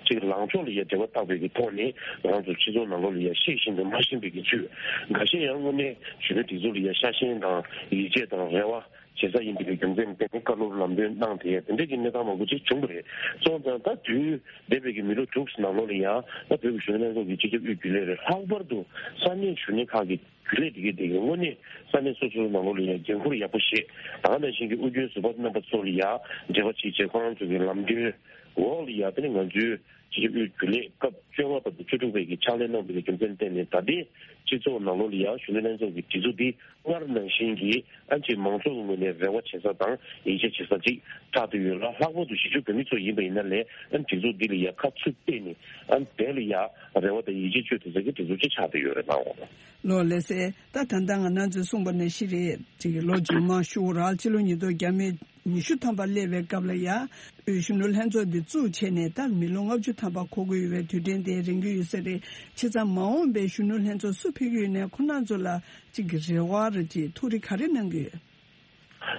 ཅིག་ལངས་ཕྱོགས་ལ་ཡ་འབྲེལ་བ་བཏགས་པའི་གི་ཐོག་ནས་ང་རང་ཚོ་སྤྱི་ཚོགས་ནང་ལོགས་ལ་ཡ་ཤེས་བཞིན་དང་མ་ཤེས་པའི་གི་ཚུལ། འགའ་ཤས་ཡང་དངོས་གནས་གཞོན་ནུ་སྒྲིག་འཛུགས་ལ་ཡ་ཤ་ཞེན་དང་ཡིད་ཆེས་དང་རེ་བ་བྱེད་ས་ཡིན་པའི་རྒྱུ་མཚན་བརྟེན་ནས་བཀའ་སློབ་ལམ་སྟོན་གནང་དེ་དེ་འདྲ་གི་གནས་སྟངས་མང་པོ་ཅིག་བྱུང་བ་རེད། སོང་ཙང་ད་དུས་འདས་པའི་གི་མི་ལོ་དྲུག་ནང་ལོགས་ལ་ཡང་ད་བོད་ཀྱི་གཞོན་ནུ་ལྷན་ཚོགས་ཀྱི་སྤྱི་ཁྱབ་དབུས་རྒྱུན་ལས་རེད། ལྷག་པར་དུ་ས་གནས་གཞོན་ནུ་ཁག་གི་རྒྱུན་ལས་དེ་གའི་དེ་གའི་དངོས་གནས་ས་གནས་སོ་སོའི་ནང་ལོགས་ལ་ཡང་འགན་འཁུར་ཡག་པོ་བཞེས། ད་ག་ནང་བཞིན་གྱི་ཨུ་རྒྱན་ཟུར་པ་རྣམ་པ་ཚོ་ལ་ཡང་འབྲེལ་བ་བྱེད་བྱེད་ཁོ་རང་ཚོ་གི་ལམ་སྟོན་འོག་ལ་ཡང་དེ་ནི་ང་ཚོའི་སྤྱི་ཁྱབ་དབུས་རྒྱུན་ལས་སྐབས་བཅོ་ལྔ་བར་དུ་བཅུ་དྲུག་པའི་གི་ཕྱག་ལས་གནང་བའི་རྒྱུ་མཚན་བརྟེན་ནས་ད་ལྟའི་སྤྱི་ཚོགས་ནང་ལོགས་ལ་ཡང་གཞོན་ནུ་ལྷན་ཚོགས་ཀྱི་སྒྲིག་འཛུགས་འདི་སྔར་ནང་བཞིན་གྱི་ཨ་ཅེ་མང་ཚོགས་ཀྱི་ངོས་ནས་རེ་བ་བྱེད་ས་དང་ཡིད་ཆེས་བྱེད་ས་ཅིག་ཆགས་བསྡད་ཡོད་ལ། ལྷག་པར་དུ་གཞིས་བྱེས་བོད་མི་ཚོ་ཡིན་པ་ཡིན་ན་ལས་ཨ་སྒྲིག་འཛུགས་འདི་ལ་ཡང་ཁ་ཚུར་གཏད་ནས་ཨ་དེ་ལ་ཡང་རེ་བ་དང་ཡིད་ཆེས་བཅོལ་ཐུབ་ས་ཀྱི་སྒྲིག་འཛུགས་ཅིག་ཆགས་བསྡད་ཡོད་རེད་ལགས། ལོ་ལགས་སེ། ད་ད་ལྟ་ང་རང་ཚོས་གསུངས་པ་ནང་བཞིན་རེད། ཅིག་ལོ་རྗེས་མ་ཤུ་རག་ཕྱི་ལོ་ཉིས་སྟོང་བརྒྱ་མེད་ཉི་ཤུ་ཐམ་པ་སླེབས་པའི་སྐབས་ལ་ཡ། དབུས་གཞོན་ནུ་ལྷན་ཚོགས་འདི་བཙུགས་བྱས་ནས་ད་མི་ལོ་ལྔ་བཅུ་ཐམ་པ་འཁོར་གྱི་ཡོད་པའི་དུས་དྲན་དེ་རན་གྱི་ཡོད་ས་རེད། བྱས་ཙང་མ་འོངས་པའི་གཞོན་ནུ་ལྷན་ཚོགས་སུ་ཕེབས་ཀྱི་ཡོད་ནའི་ཁོ་རང་ཚོ་ལ་ཅིག་གི་རེ་བ་རེད་ཅིག་ཐུགས་རེ་ག་རེ་གནང་གི་ཡོད།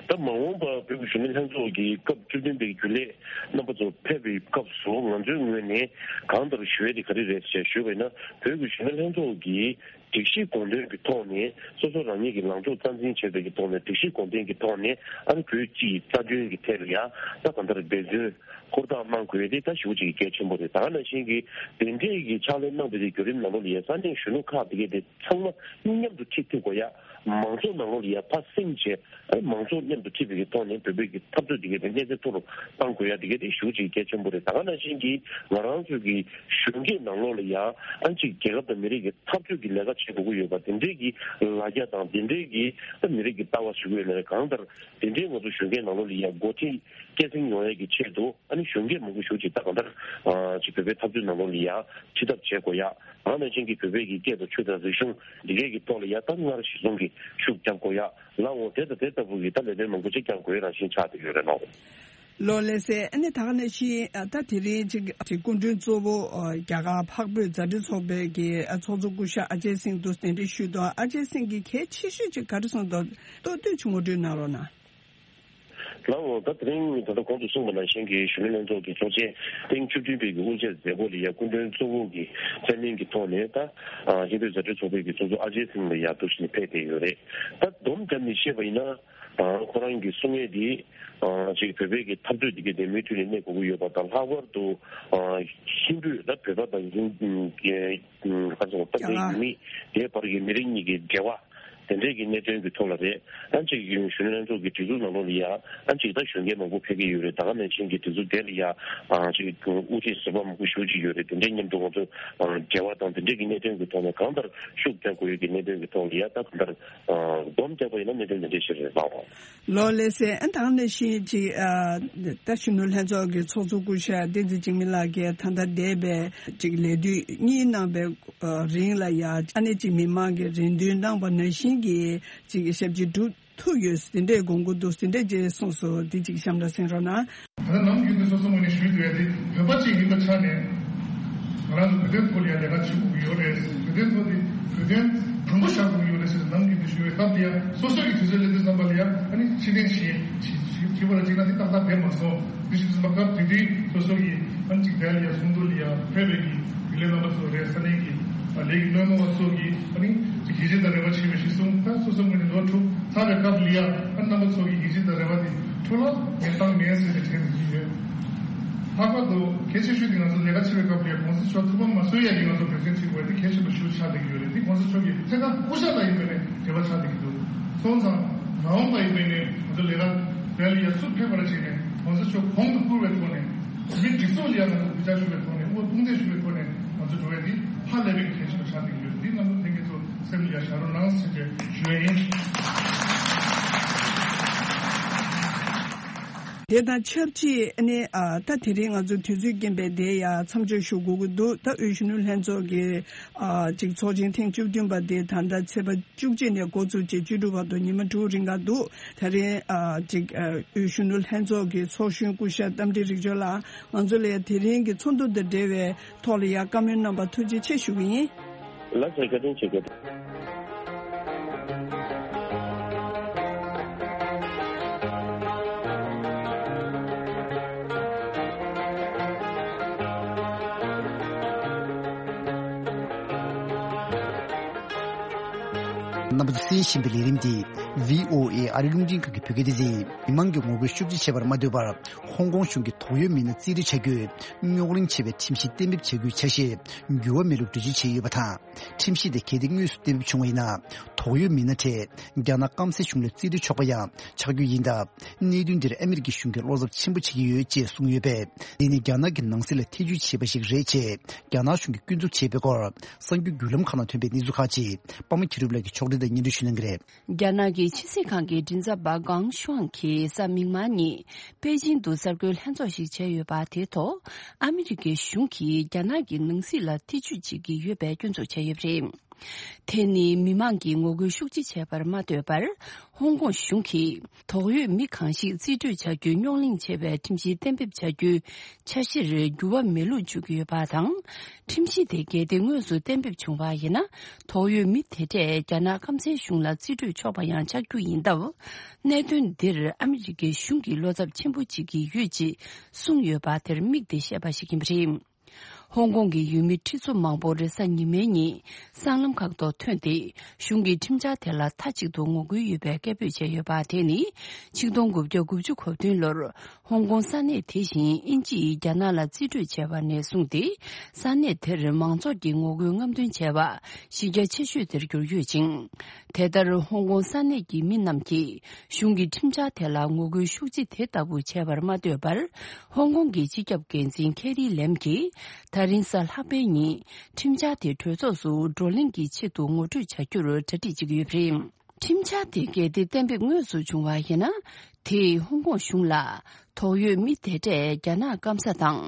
ད་མ་འོངས་པར་བོད་ཀྱི་གཞོན་ནུ་ལྷན་ཚོགས་ཀྱི་སྐབས་བཅུ་བདུན་པའི་རྒྱུན་ལས་རྣམ་པ་ཚོ་ཕེབས་པའི་སྐབས་སུ་ང་ཚོའི་ངོས་ནས་གང་ལྟར་ཞུ་ཡས་དེ་ག་རེ་རེད་ཅེས་ཞུས་པ་ཡིན་ན། བོད་ཀྱི་གཞོན་ནུ་ལྷན་ཚོགས་ཀྱི་སྒྲིག་གཞི་དགོངས་དོན་གྱི་ཐོག་ནས་སོ་སོ་རང་ཉིད་ཀྱི་ལངས་ཕྱོགས་རྩ་འཛིན་བྱེད་པའི་གི་ཐོག་ནས་སྒྲིག་གཞི་དགོངས་དོན་གྱི་ཐོག་ནས་ཨ་ནི་བོད་སྤྱིའི་རྩ་དོན་གྱི་ཐད་ལ་ཡང་ད་གང་ལྟར་འབད་བརྩོན་ཧུར་ཐག་གནང་དགོས་ཡས་དེ་ད་ཞེ་པོ་ཅིག་གལ་ཆེན་པོ་རེད། ད་ག་ནང་བཞིན་གྱི་དེ་འདྲའི་གི་ཕྱག་ལས་གནང་བའི་གི་བརྒྱུད་རིམ་ནང་ལོགས་ལ་ཡང་ས་གནས་གཞོན་ནུ་ཁག་དེ་གས་དེ་ཚང་མ་མཉམ་དུ་ཁྲིད་ཐུབ་དགོས་ཡ། མང་ཚོགས་ནང་ལོགས་ལ་ཡ་ཕར་སེང་བྱས། ཨ་མང་ཚོགས་མཉམ་དུ་ཁྲིད་པའི་གི་ཐོག་ནས་བོད་པའི་གི་འཐབ་རྩོད་དེ་གའི་དེ་གནས་ཚད་མཐོ་རུ་གཏང་དགོས་ཡ་དེ་གའི་དེ་ཞེ་པོ་ཅིག་གལ་ཆེན་པོ་རེད། ད་ག་ནང་བཞིན་གྱི་ང་རང་ཚོའི་གི་གཞོན་སྐྱེས་ནང་ལོགས་ལ་ཡ་ཨ་ཅིག་རྒྱལ་ཁབ་དང་མི་རིགས་ཀྱི་འཐབ་རྩོད་ཀྱི་ལས་ཀ་བྱེད་དགོས་ཀྱི་ཡོད་པ་དེ་འདྲའི་གི་ལ་རྒྱ་དང་དེ་འདྲའི་གི་ཨ་མི་རིགས་ཀྱི་ལྟ་བ་ཞུ་གི་ཡོད་ན་རེད། གང་ལྟར་དེ་འདྲའི་ང་ཚོ་གཞོན་སྐྱེས་ནང་ལོགས་ལ་ཡ་འགོ་ཁྲིད་སྐྱེད་སྲིང་ཡོང་ཡ་གི་ཆེད་དུ་ཨ་ནི་གཞོན་སྐྱེས་མང་པོ་ཞེ་པོ་ཅིག་ད་གང་ལྟར་ཨ་ཅིག་བོད་པའི་འཐབ་རྩོད་ནང་ལོགས་ལ་ཡ་ཁྲིད་ཐབས་བྱེད་དགོས་ཡ། ད་ག་ནང་བཞིན་གྱི་བོད་པའི་གི་སྐད་དང་ཆོས་དང་རིག་གཞུང་འདི་གའི་གི་ཐོག་ལ་ཡ་ད་སྔར་གཞི་བཟུང་གི་ཤུགས་རྒྱབ་དགོས་ཡ། ལའོ་དེ་དང་དེ་ལྟ་བུ་གི་ད་ལས་དོན་མང་པོ་ཅིག་རྒྱབ་དགོས་རང་བཞིན་ཆགས་བསྡད་ཡོད་རེད་ལའོ། ལོ་ལགས་སེ། ཨ་ནི་ད་ག་ནང་བཞིན་ད་དེ་རིང་ཅིག་ཅིག་སྐུ་མགྲོན་གཙོ་བོ་རྒྱ་གར་འཕགས་བོད་མཛའ་འབྲེལ་ཚོགས་པའི་གི་ཚོགས་གཙོ་སྐུ་ཞབས་ཨ་ཇེ་སིང་འདུག་གདན་འདྲེན་ཞུས་འདུག་ཨ་ཅེ་སིང་གིས་གལ་ཆེ་ཤོས་ཅིག་ག་རེ་གསུངས་འདུག་ཏོག་ཏོག་ཅིག་ངོ་སྤྲོད་གནང་རོགས་གནང་། ལའོ། ད་དེ་རིང་ད་ལྟ་གོང་དུ་གསུངས་པ་ནང་བཞིན་གྱི་གཞོན་ནུ་ལྷན་ཚོགས་ཀྱི་ཚོགས་ཆེན་ཐེངས་བཅུ་བདུན་པའི་གི་དབུ་འབྱེད་མཛད་སྒོ་ལ་ཡ་སྐུ་མགྲོན་གཙོ་བོ་གི་མཚན་གནས་ཀྱི་ཐོག་ནས་ད་ཨ་ཧིན་བོད་མཛའ་འབྲེལ་ཚོགས་པའི་གི་ཚོགས་གཙོ་ཨ་ཇེ་སིང་ལ་ཡ་འདུག་བཞིན་ཕེབས་བསྡད་ཡོད་རེད། ད་སྡོམ་བརྒྱབ་ནས་བཤད་པ་ཡིན་ན་ཨ་ཁོ་རང་གི་གསུང་ཡས་འདི་ཨ་ཅིག་བོད་པའི་གི་འཐབ་རྩོད་འདི་གའི་དེ་མུ་མཐུད་ནས་གནས་དགོས་ཀྱི་ཡོད་པ་དང་། ལྷག་པར་དུ་ཨ་ཧིན་བོད་ད་བོད་པ་དང་ཧིན་ག་ཚོད་ད་ལྟའི་ཡུལ་མི་དེའི་བར་གྱི་མི་རིགས་གཉིས་ཀྱི་འབྲེལ་བ། དེ་འདྲས་ཀྱི་གནད་དོན་གྱི་ཐོག་ལ་རེད། ཨ་ཅིག་གཞོན་ནུ་ལྷན་ཚོགས་ཀྱི་སྒྲིག་འཛུགས་ནང་ལོགས་ལ་ཡ་ཨ་ཅིག་ད་གཞོན་སྐྱེས་མང་པོ་ཕེབས་ཀྱི་ཡོད་རེད། ད་ག་ནང་བཞིན་གྱི་སྒྲིག་འཛུགས་དེ་ལ་ཡ་ཨ་ཅིག་དབུ་ཁྲིད་ཟུར་པ་མང་པོ་ཞེ་པོ་ཅིག་ཡོད་རེད། དེ་འདྲས་མཉམ་དུ་ང་ཚོ་འབྲེལ་བ་དང་དེ་འདྲས་ཀྱི་གནད་དོན་གྱི་ཐོག་ནས་གང་ལྟར་ཤུགས་རྒྱག་དགོས་ཡོད་ཀྱི་གནད་དོན་གྱི་ཐོག་ལ་ཡ་ད་གང་ལྟར་སྡོམ་རྒྱག་པ་ཡིན་ན་གནད་དོན་དེ་འདྲས་ཞིག་རེད་ལགས། ལོ་ལགས་སེ། ཨ་ད་ག་ནང་བཞིན་ཅིག་ཨ་ད་གཞོན་ནུ་ལྷན་ཚོགས་ཀྱི་ཚོགས་གཙོ་སྐུ་ཞབས་བསྟན་འཛིན་འཇིགས་མེད་ལགས་ཀྱིས་ད་ལྟ་འདས་པའི་ཅིག་ལས་དུས་གཉིས་གནང་བའི་རིང་ལ་ཡ་ཨ་ནི་ཅིག་མི་མང་གི་རེ་འདུན་གནང་བ་ནང་བཞིན་གྱི་ཅིག་ཞབས་ཕྱི་སྒྲུབ་ཐུབ་ཡོད་དེ་འདྲའི་དགོངས་མཁོ་འདུག་དེ་འདྲས་ཅིག་གསུངས་སོང་། དེ་ཅིག་གཤམ་ལ་གསན་རོགས་གནང་། ད་ནམ་རྒྱུན་དུ་སོ་སོ་ངོས་ནས་ཞུས་འདུག་ཡ་དེ་བོད་པ་ཅིག་ཡིན་པའི་ཆ་ནས་ང་རང་ཚོ་བོད་དོན་ཐོག་ལ་ཡ་ལས་ཀ་བྱེད་དགོས་ཀྱི་ཡོད་རེད། བོད་དོན་ཐོག་དེ་བོད་དོན་དང་པོ་བཞག་དགོས་ཀྱི་ཡོད་རེད་ཟེར་ནམ་རྒྱུན་དུ་ཞུ་བའི་སྐབས་དེ་ཡ་སོ་སོ་ཡི་དུས་ཚོད་སླེབས་དུས་ཙམ་པ་ལ་ཡ་ཨ་ནི་ཕྱིར་འཐེན་བྱེད་བྱེད་བྱེད་པ་ལ་གཅིག་ན་དེ་ཏག་ཏག་བསྡད་མ་སོང་། དེ་བཞིན་དུ་སྐབས་དེ་དུས་སོ་སོ་ཡི་ཨ་ནི་གཅིག་དལ་ཡ་གསུང་དུ་ལ་ཡ་ཕེབས་པའི་གི་དགེ་ལས་རྣམ་པ་ཚོ་རེད། ས་གནས་ཀྱི་ལས་ཀྱི་སྣེ་མོ་བ་ཚོ་གི་ཨ་ནི་ཅིག་ཡིད་ཆེས་དང་རེ་བ་ཆེ་བའི་གཞི་བཟུང་། ད་སོ་སོ་ངོས་ནས་ལོ་དྲུག་ཚར་བའི་སྐབས་ལ་ཡ་ཨ་རྣམ་པ་ཚོ་གི་ཡིད་ཆེས་དང་རེ་བ་དེ་འཕྲོ་བརླག་ངས་བཏང་མེད་ཟེར་ནས་དྲན་ཡིན་ཡོད། ལྷག་པར་དུ་གལ་ཆེ་ཤོས་དེ་ང་ཚོ་ལས་ཀ་བྱེད་པའི་སྐབས་ལ་ཡ་གོང་ས་མཆོག་ཐུགས་ཕམ་མ་བཟོ་ཡ་གི་ང་ཚོ་འབད་བརྩོན་བྱེད་དགོས་དེ་གལ་ཆེན་པོ་ཞིག་ཆགས་བསྡད་ཀྱི་ཡོད་རེད། དེ་གོང་ས་མཆོག་གི་ཐད་ཀར་སྐུ་ཞབས་ལ་ཡིན་པའི་ནས་འབྲེལ་བ་ཆགས་བསྡད་ཀྱི་འདུག་སོང་ཙང་མ་འོངས་པ་ཡིན་པའི་ནས་ང་ཚོ་ལས་ཀ་དེ་ལ་ཡ་སུ་ཕེབས་པར་བྱས་ནས་གོང་ས་མཆོག་གོང་དུ་བཀུར་བའི་ཐོག་ནས་མི་སྒྲིག་འཛུགས་ལ་ཡ་ང་ཚོ་གུས་ཕྱག་ཞུ་བའི་ཐོག་ནས་དབུ་དཔུང་འདེགས་ཞུ་བའི་ཐོག་ནས་ང་ཚོ་འགྲོ་བའི་འདི་ཧ་ལས་པའི་གལ་ཆེན་པོ་ཆགས་བསྡད་ཀྱི་ཡོད། འདི་རྣམ་པ་ལྷན་རྒྱས་ཚོ་སེམས་ལ་ཡ་བཞག་རོགས་གནང་ཟེར་བའི་ཞུ་ཡ་ཡིན། དེ་དང་ཆབས་ཅིག་ཨ་ནི་ཨ་ད་དེ་རིང་ང་ཚོ་དུས་ཚོད་རྐྱེན་པས་དེ་ཡ་མཚམས་འཇོག་ཞུ་དགོས་ཀྱི་འདུག་ད་དབུས་གཞོན་ནུ་ལྷན་ཚོགས་ཀྱི་ཨ་ཅིག་ཚོགས་ཆེན་ཐེངས་བཅུ་བདུན་པ་དེ་ད་ལྟ་ཚེས་པ་བཅུ་གཅིག་ནས་འགོ་བཙུགས་བྱས་བཅུ་དྲུག་བར་དུ་ཉི་མ་དྲུག་རིང་ག་འདུག་དེ་རིང་ཨ་ཅིག་ཨ་དབུས་གཞོན་ནུ་ལྷན་ཚོགས་ཀྱི་ཚོགས་གཞོན་སྐུ་ཞབས་རྟ་མགྲིན་རིག་འབྱོར་ལགས། ང་ཚོ་ལ་ཡ་དེ་རིང་གི་ཚོགས་འདུ་དང་འབྲེལ་བའི་ཐོག་ལ་ཡ་བཀའ་མོལ་གནང་བར་ཐུགས་རྗེ་ཆེ་ཞུ་གི་ཡིན། ལགས་སོ། བཀའ་དྲིན་ཆེ། བཀའ་དྲིན། རྣམ་པ་ཚོས་གསན་བཞིན་པའི་ལས་རིམ་འདི་བྷི་ཨོ་ཨེ་ཨ་རིའི་རླུང་འཕྲིན་ཁང་གི་བོད་སྐད་སྡེ་ཚན། མི་མང་གི་ངོ་རྒོལ་ཤུགས་ཆེ་བྱས་པར་མ་ལྟོས་པར། ཧོང་ཀོང་གཞུང་གིས་དོགས་ཡོད་མི་སྣ་རྩིས་སྤྲོད་བྱ་རྒྱུའི་རྙོག་གླེང་ཆེ་བའི་ཁྲིམས་གཞི་གཏན་འབེབས་བྱ་རྒྱུའི་ཆ་ཤས་འགྱུར་བ་མེད་ལུགས་གྲོས་ཆོད་བྱས་ཡོད་པ་དང་། ཁྲིམས་གཞི་དེ་གལ་ཏེ་དངོས་སུ་གཏན་འབེབས་བྱུང་བ་ཡིན་ན། དོགས་ཡོད་མི་སྣ་གྲས་རྒྱ་ནག་སྐམ་སའི་གཞུང་ལ་རྩིས་སྤྲོད་ཆོག་པ་ཡང་ཆགས་རྒྱུ་ཡིན་སྟབས། གནད་དོན་འདིར་ཨ་མི་རི་ཀའི་གཞུང་གིས་བློ་འཚབ་ཆེན་པོ་བྱེད་ཀྱི་ཡོད་ཅེས་གསུངས་ཡོད་པས། འདི་ནི་རྒྱ་ནག་གི་ནང་སྲིད་ལ་ཐེ་ཇུས་བྱས་པ་ཞིག་རེད་ཅེས་རྒྱ་ནག་གཞུང་གིས་སྐྱོན་འཛུགས་བྱས་པའི་སྐོར། གསར་འགྱུར་བརྒྱུད་ལམ་ཁག་ནང་ཐོན་པའི་གནས་ཚུལ་ཁག་ཅིག་པདྨ་མཁྱེན་རབ་ལགས་ཀྱིས་ཕྱོགས་སྒྲིག་དང་སྙན་སྒྲོན་ཞུ་གནང་གི་རེད། རྒྱ་ནག་གི་ཕྱི་སྲིད་ཁང་གི་མགྲིན་ཚབ་པ་ཀང་ཤུའང་གིས་གཟའ་མིག་དམར་ཉིན་པེ་ཅིང་དུ་གསར་འགོད་ལྷན་ཚོགས་ཤིག་བྱས་ཡོད་པ། དེའི་ཐོག་ཨ་མི་རི་ཀའི་གཞུང་གིས་རྒྱ་ནག་གི་ནང་སྲིད་ལ་ཐེ་ཇུས་བྱེད་ཀྱི་ཡོད་པའི་སྐྱོན་འཛུགས་བྱས་ཡོད་པ་རེད། དེ་ནི་མི་མང་གིས་ངོ་རྒོལ་ཤུགས་ཆེ་བྱས་པར་མ་ལྟོས་པར། ཧོང་ཀོང་གཞུང་གིས་དོགས་ཡོད་མི་གང་ཞིག་རྩིས་སྤྲོད་བྱ་རྒྱུའི་རྙོག་གླེང་ཆེ་བའི་ཁྲིམས་གཞི་གཏན་འབེབས་བྱ་རྒྱུའི་འཆར་གཞིར་འགྱུར་བ་མེད་ལུགས་བརྗོད་ཀྱི་ཡོད་པ་དང་། ཁྲིམས་གཞི་དེ་གལ་ཏེ་དངོས་སུ་གཏན་འབེབས་བྱུང་བ་ཡིན་ན། དོགས་ཡོད་མི་དེ་གྲས་རྒྱ་ནག་སྐམ་སའི་གཞུང་ལ་རྩིས་སྤྲོད་ཆོག་པ་ཡང་ཆགས་རྒྱུ་ཡིན་སྟབས། གནད་དོན་འདིར་ཨ་མི་རི་ཀའི་གཞུང་གིས་བློ་འཚབ་ཆེན་པོ་བྱེད་ཀྱི་ཡོད་ཅེས་གསུངས་ཡོད་པ་དེར་དམིགས་ཏེ་བཤད་པ་ཞིག་ཡིན་པ་རེད། ཧོང་ཀོང་གི་ཡུལ་མི་ཁྲི་ཚོ་མང་པོ་རེས་གཟའ་ཉི་མའི་ཉིན་སྲང་ལམ་ཁག་ཏུ་ཐོན་ཏེ། གཞུང་གི་ཁྲིམས་འཆར་དེ་ལ་མཐའ་གཅིག་ཏུ་ངོ་རྒོལ་ཡོད་པའི་སྐད་འབོད་བྱས་ཡོད་པ། དེ་ནི་ཆིག་སྟོང་དགུ་བརྒྱ་དགུ་བཅུ་གོ་བདུན་ལོར་ཧོང་ཀོང་ས་གནས་དེ་བཞིན་དབྱིན་ཇིས་རྒྱ་ནག་ལ་རྩིས་སྤྲོད་བྱས་པ་ནས་བཟུང་སྟེ། ས་གནས་དེར་མང་ཚོགས་ཀྱི་ངོ་རྒོལ་རྔམ་སྟོན་བྱས་པ་གཞི་རྒྱ་ཆེ་ཤོས་དེར་གྱུར་ཡོད་ཅིང་། དེ་ལྟར་ཧོང་ཀོང་ས་གནས་ཀྱི་མི་རྣམས་ཀྱིས་གཞུང་གི་ཁྲིམས་འཆར་དེ་ལ་ངོ་རྒོལ་ཤུགས་ཆེ་དེ་ལྟ་བུ་བྱས་པར་མ་ལྟོས་པར། ཧོང་ཀོང་གི་སྤྱི་ཁྱབ་འགན་འཛིན་ཁེ་རི་ལེམ་གྱིས་ད་རིང་གཟའ་ལྷག་པའི་ཉིན་ཁྲིམས་འཆར་དེ་གྲོས་ཚོགས་སུ་བགྲོ་གླེང་གི་ཆེད་དུ་ངོ་སྤྲོད་བྱ་རྒྱུར་གྲ་སྒྲིག་བྱེད་ཀྱི་ཡོད་པ་རེད། ཁྲིམས་འཆར་དེ་གལ་ཏེ་གཏན་འབེབས་དངོས་སུ་བྱུང་བ་ཡིན་ན། དེས་ཧོང་ཀོང་གཞུང་ལ་དོགས་ཡོད་མི་དེ་གྲས་རྒྱ་ནག་སྐམ་ས་དང་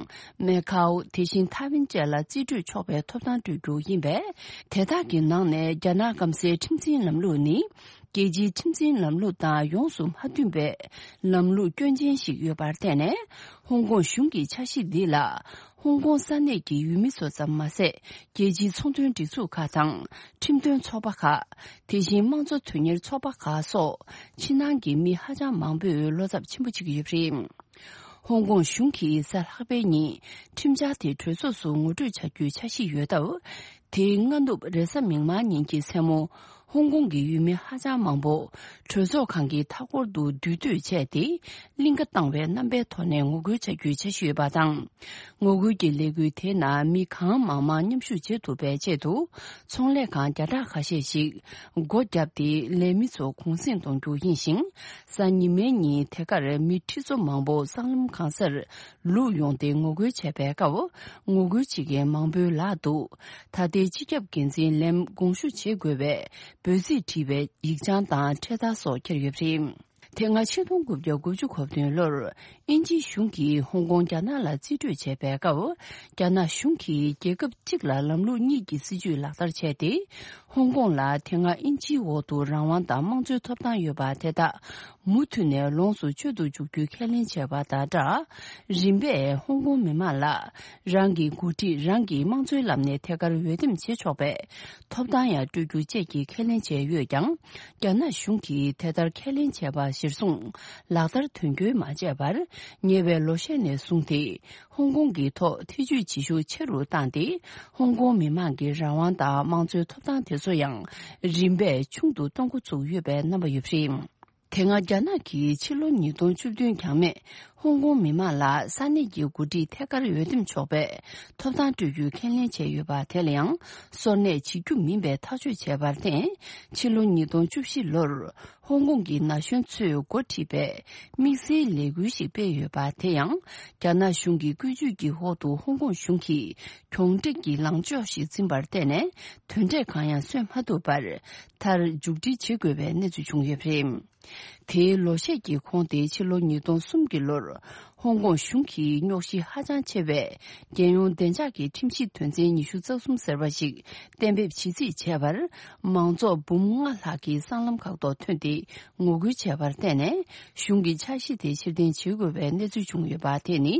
མེ་ཁའོ། དེ་བཞིན་ཐའེ་ཝན་བཅས་ལ་རྩིས་སྤྲོད་ཆོག་པའི་ཐོབ་ཐང་སྤྲོད་རྒྱུ་ཡིན་པས། དེ་དག་གི་ནང་ནས་རྒྱ་ནག་སྐམ་སའི་ཁྲིམས་འཛིན་ལམ་ལུགས་ནི། རྒྱལ་སྤྱིའི་ཁྲིམས་འཛིན་ལམ་ལུགས་དང་ཡོངས་སུ་མ་མཐུན་པའི་ལམ་ལུགས་སྐྱོན་ཅན་ཞིག་ཡོད་པར་བརྟེན་ནས། ཧོང་ཀོང་གཞུང་གི་འཆར་གཞི་འདི་ལ་ཧོང་ཀོང་ས་གནས་ཀྱི་ཡུལ་མི་ཚོ་ཙམ་མ་ཟད། རྒྱལ་སྤྱིའི་ཚོང་དོན་སྒྲིག་འཛུགས་ཁག་དང་ཁྲིམས་དོན་ཚོགས་པ་ཁག་དེ་བཞིན་དམངས་གཙོ་དོན་གཉེར་ཚོགས་པ་ཁག་སོགས་ཕྱི་ནང་གི་མི་ཧ་ཅང་མང་པོས་བློ་འཚབ་ཆེན་པོ་བྱེད་ཀྱི་ཡོད་པ་རེད། ཧོང་ཀོང་གཞུང་གིས་གཟའ་ལྷག་པའི་ཉིན་ཁྲིམས་འཆར་དེ་གྲོས་ཚོགས་སུ་ངོ་སྤྲོད་བྱ་རྒྱུའི་འཆར་གཞི་ཡོད་སྟབས། དེའི་སྔ་ནུབ་རེས་གཟའ་མིག་དམར་ཉིན་གྱི་མཚན་མོ། ཧོང་ཀོང་གི་ཡུལ་མི་ཧ་ཅང་མང་པོ་གྲོས་ཚོགས་ཁང་གི་མཐའ་འཁོར་དུ་འདུས་སྡོད་བྱས་ཏེ། གླིང་ག་བཏང་བའི་རྣམ་པའི་ཐོག་ནས་ངོ་རྒོལ་བྱ་རྒྱུའི་འཆར་གཞི་ཡོད་པ་དང་། ངོ་རྒོལ་གྱི་ལས་འགུལ་དེའི་ནང་མི་གང་མང་མང་མཉམ་ཞུགས་བྱེད་ཐུབ་པའི་ཆེད་དུ། ཚོང་ལས་ཁང་བརྒྱ་ཕྲག་ཁ་ཤས་ཤིག་སྒོ་བརྒྱབ་སྟེ། ལས་མི་ཚོ་གུང་གསེང་གཏོང་རྒྱུ་ཡིན་ཞིང་། གཟའ་ཉི་མའི་ཉིན་དེ་གར་མི་ཁྲི་ཚོ་མང་པོ་སྲང་ལམ་གང་སར་ལུག་ཡོང་སྟེ་ངོ་རྒོལ་བྱས་པའི་སྐབས། ངོ་རྒོལ་བྱེད་མཁན་མང་པོའི་ལག་ཏུ། ད་ལྟའི་སྤྱི་ཁྱབ་འགན་འཛིན་ལེམ་དགོངས་ཞུ་བྱེད་དགོས་པའི་འབོད་ཚིག་བྲིས་པའི་ཡིག་ཆང་དང་འཕྲེད་དར་སོགས་འཁྱེར་ཡོད་པ་རེད། དེ་སྔ་ཆིག་སྟོང་དགུ་བརྒྱ་དགུ་བཅུ་གོ་བདུན་ལོར་དབྱིན་ཇིའི་གཞུང་གིས་ཧོང་ཀོང་རྒྱ་ནག་ལ་རྩིས་སྤྲོད་བྱས་པའི་སྐབས། རྒྱ་ནག་གཞུང་གིས་རྒྱལ་ཁབ་གཅིག་ལ་ལམ་ལུགས་གཉིས་ཀྱི་སྲིད་ཇུས་ལག་བསྟར་བྱས་ཏེ། ཧོང་ཀོང་ལ་དེ་སྔ་དབྱིན་ཇིའི་འོག་ཏུ་རང་དབང་དང་དམངས་གཙོའི་ཐོབ་ཐང་ཡོད་པ་དེ་དག་མུ་མཐུད་ནས་ལོངས་སུ་སྤྱོད་དུ་འཇུག་རྒྱུའི་ཁས་ལེན་བྱས་པ་དང་སྦྲགས། རིམ་པས་ཧོང་ཀོང་མི་མང་ལ་རང་གི་འགོ་ཁྲིད་རང་གི་དམངས་གཙོའི་ལམ་ནས་ཐད་ཀར་འོས་འདེམས་བྱེད་ཆོག་པའི་ཐོབ་ཐང་ཡང་སྤྲོད་རྒྱུ་བཅས་ཀྱི་ཁས་ལེན་བྱས་ཡོད་ཀྱང་། རྒྱ་ནག་གཞུང་གིས་དེ་ལྟར་ཁས་ལེན་བྱས་པ་གཞིར་བཟུང་ལག་བསྟར་དོན་འཁྱོལ་མ་བྱས་པར། ཉེ་བའི་ལོ་ཤས་ནས་བཟུང་སྟེ། ཧོང་ཀོང་གི་ཐོག་ཐེ་ཇུས་བྱེད་ཤུགས་ཆེ་རུ་བཏང་སྟེ། ཧོང་ཀོང་མི་མང་གི་རང་དབང་དང་དམངས་གཙོའི་ཐོབ་ཐང་དེ་ཚོ་ཡང་རིམ་པས་ཆུང་དུ་གཏོང་འགོ་ཚུགས་ཡོད་པའི་རྣམ་པ་ཡོད་པ་རེད། དེ་སྔ་རྒྱ་ནག་གིས་ཕྱི་ལོ་ཉིས་སྟོང་བཅུ་བདུན་རྒྱང་མེད་ཧོང་ཀོང་མི་མང་ལ་ས་གནས་ཀྱི་འགོ་ཁྲིད་ཐད་ཀར་འོས་འདེམས་ཆོག་པའི་ཐོབ་ཐང་སྤྲོད་རྒྱུའི་ཁས་ལེན་བྱས་ཡོད་པ་དེ་ལ་ཡང་སོར་གནས་བྱེད་རྒྱུ་མིན་པའི་ཐག་གཅོད་བྱས་པར་བརྟེན། ཕྱི་ལོ་ཉིས་སྟོང་བཅུ་བཞི་ལོར་ཧོང་ཀོང་གི་ན་གཞོན་ཚོས་འགོ་ཁྲིད་པའི་དམིགས་བསལ་ལས་འགུལ་ཞིག་སྤེལ་ཡོད་པ་དེ་ཡང་། རྒྱ་ནག་གཞུང་གི་བཀོད་ཇུས་ཀྱི་འོག་ཏུ་ཧོང་ཀོང་གཞུང་གིས་གྱོང་སྤྲད་ཀྱི་ལངས་ཕྱོགས་ཤིག་འཛིན་པར་བརྟེན་ནས། དོན་འབྲས་གང་ཡང་སོན་མ་ཐུབ་པར། མཐར་མཇུག་སྒྲིལ་བྱེད་དགོས་པའི་གནས་ཚུལ་བྱུང་ཡོད་པ་རེད། དེའི་ལོ་ཤས་ཀྱི་གོང་སྟེ་ཕྱི་ལོ་ཉིས་སྟོང་གསུམ་གྱི་ལོར། ཧོང་ཀོང་གཞུང་གིས་རྙོག་གཞི་ཧ་ཅང་ཆེ་བའི་རྒྱལ་ཡོངས་བདེ་འཇགས་ཀྱི་ཁྲིམས་གཞི་དོན་ཚན་ཉི་ཤུ་རྩ་གསུམ་ཟེར་བ་ཞིག་གཏན་འབེབས་བྱེད་རྩིས་བྱས་པར། མང་ཚོགས་འབུམ་ལྔ་ལྷག་གིས་སྲང་ལམ་ཁག་ཐོག་ཐོན་ཏེ་ངོ་རྒོལ་བྱས་པར་བརྟེན་ནས། གཞུང་གིས་འཆར་གཞི་དེ་ཕྱིར་འཐེན་བྱེད་དགོས་པའི་གནས་ཚུལ་བྱུང་ཡོད་པ། དེ་ནི་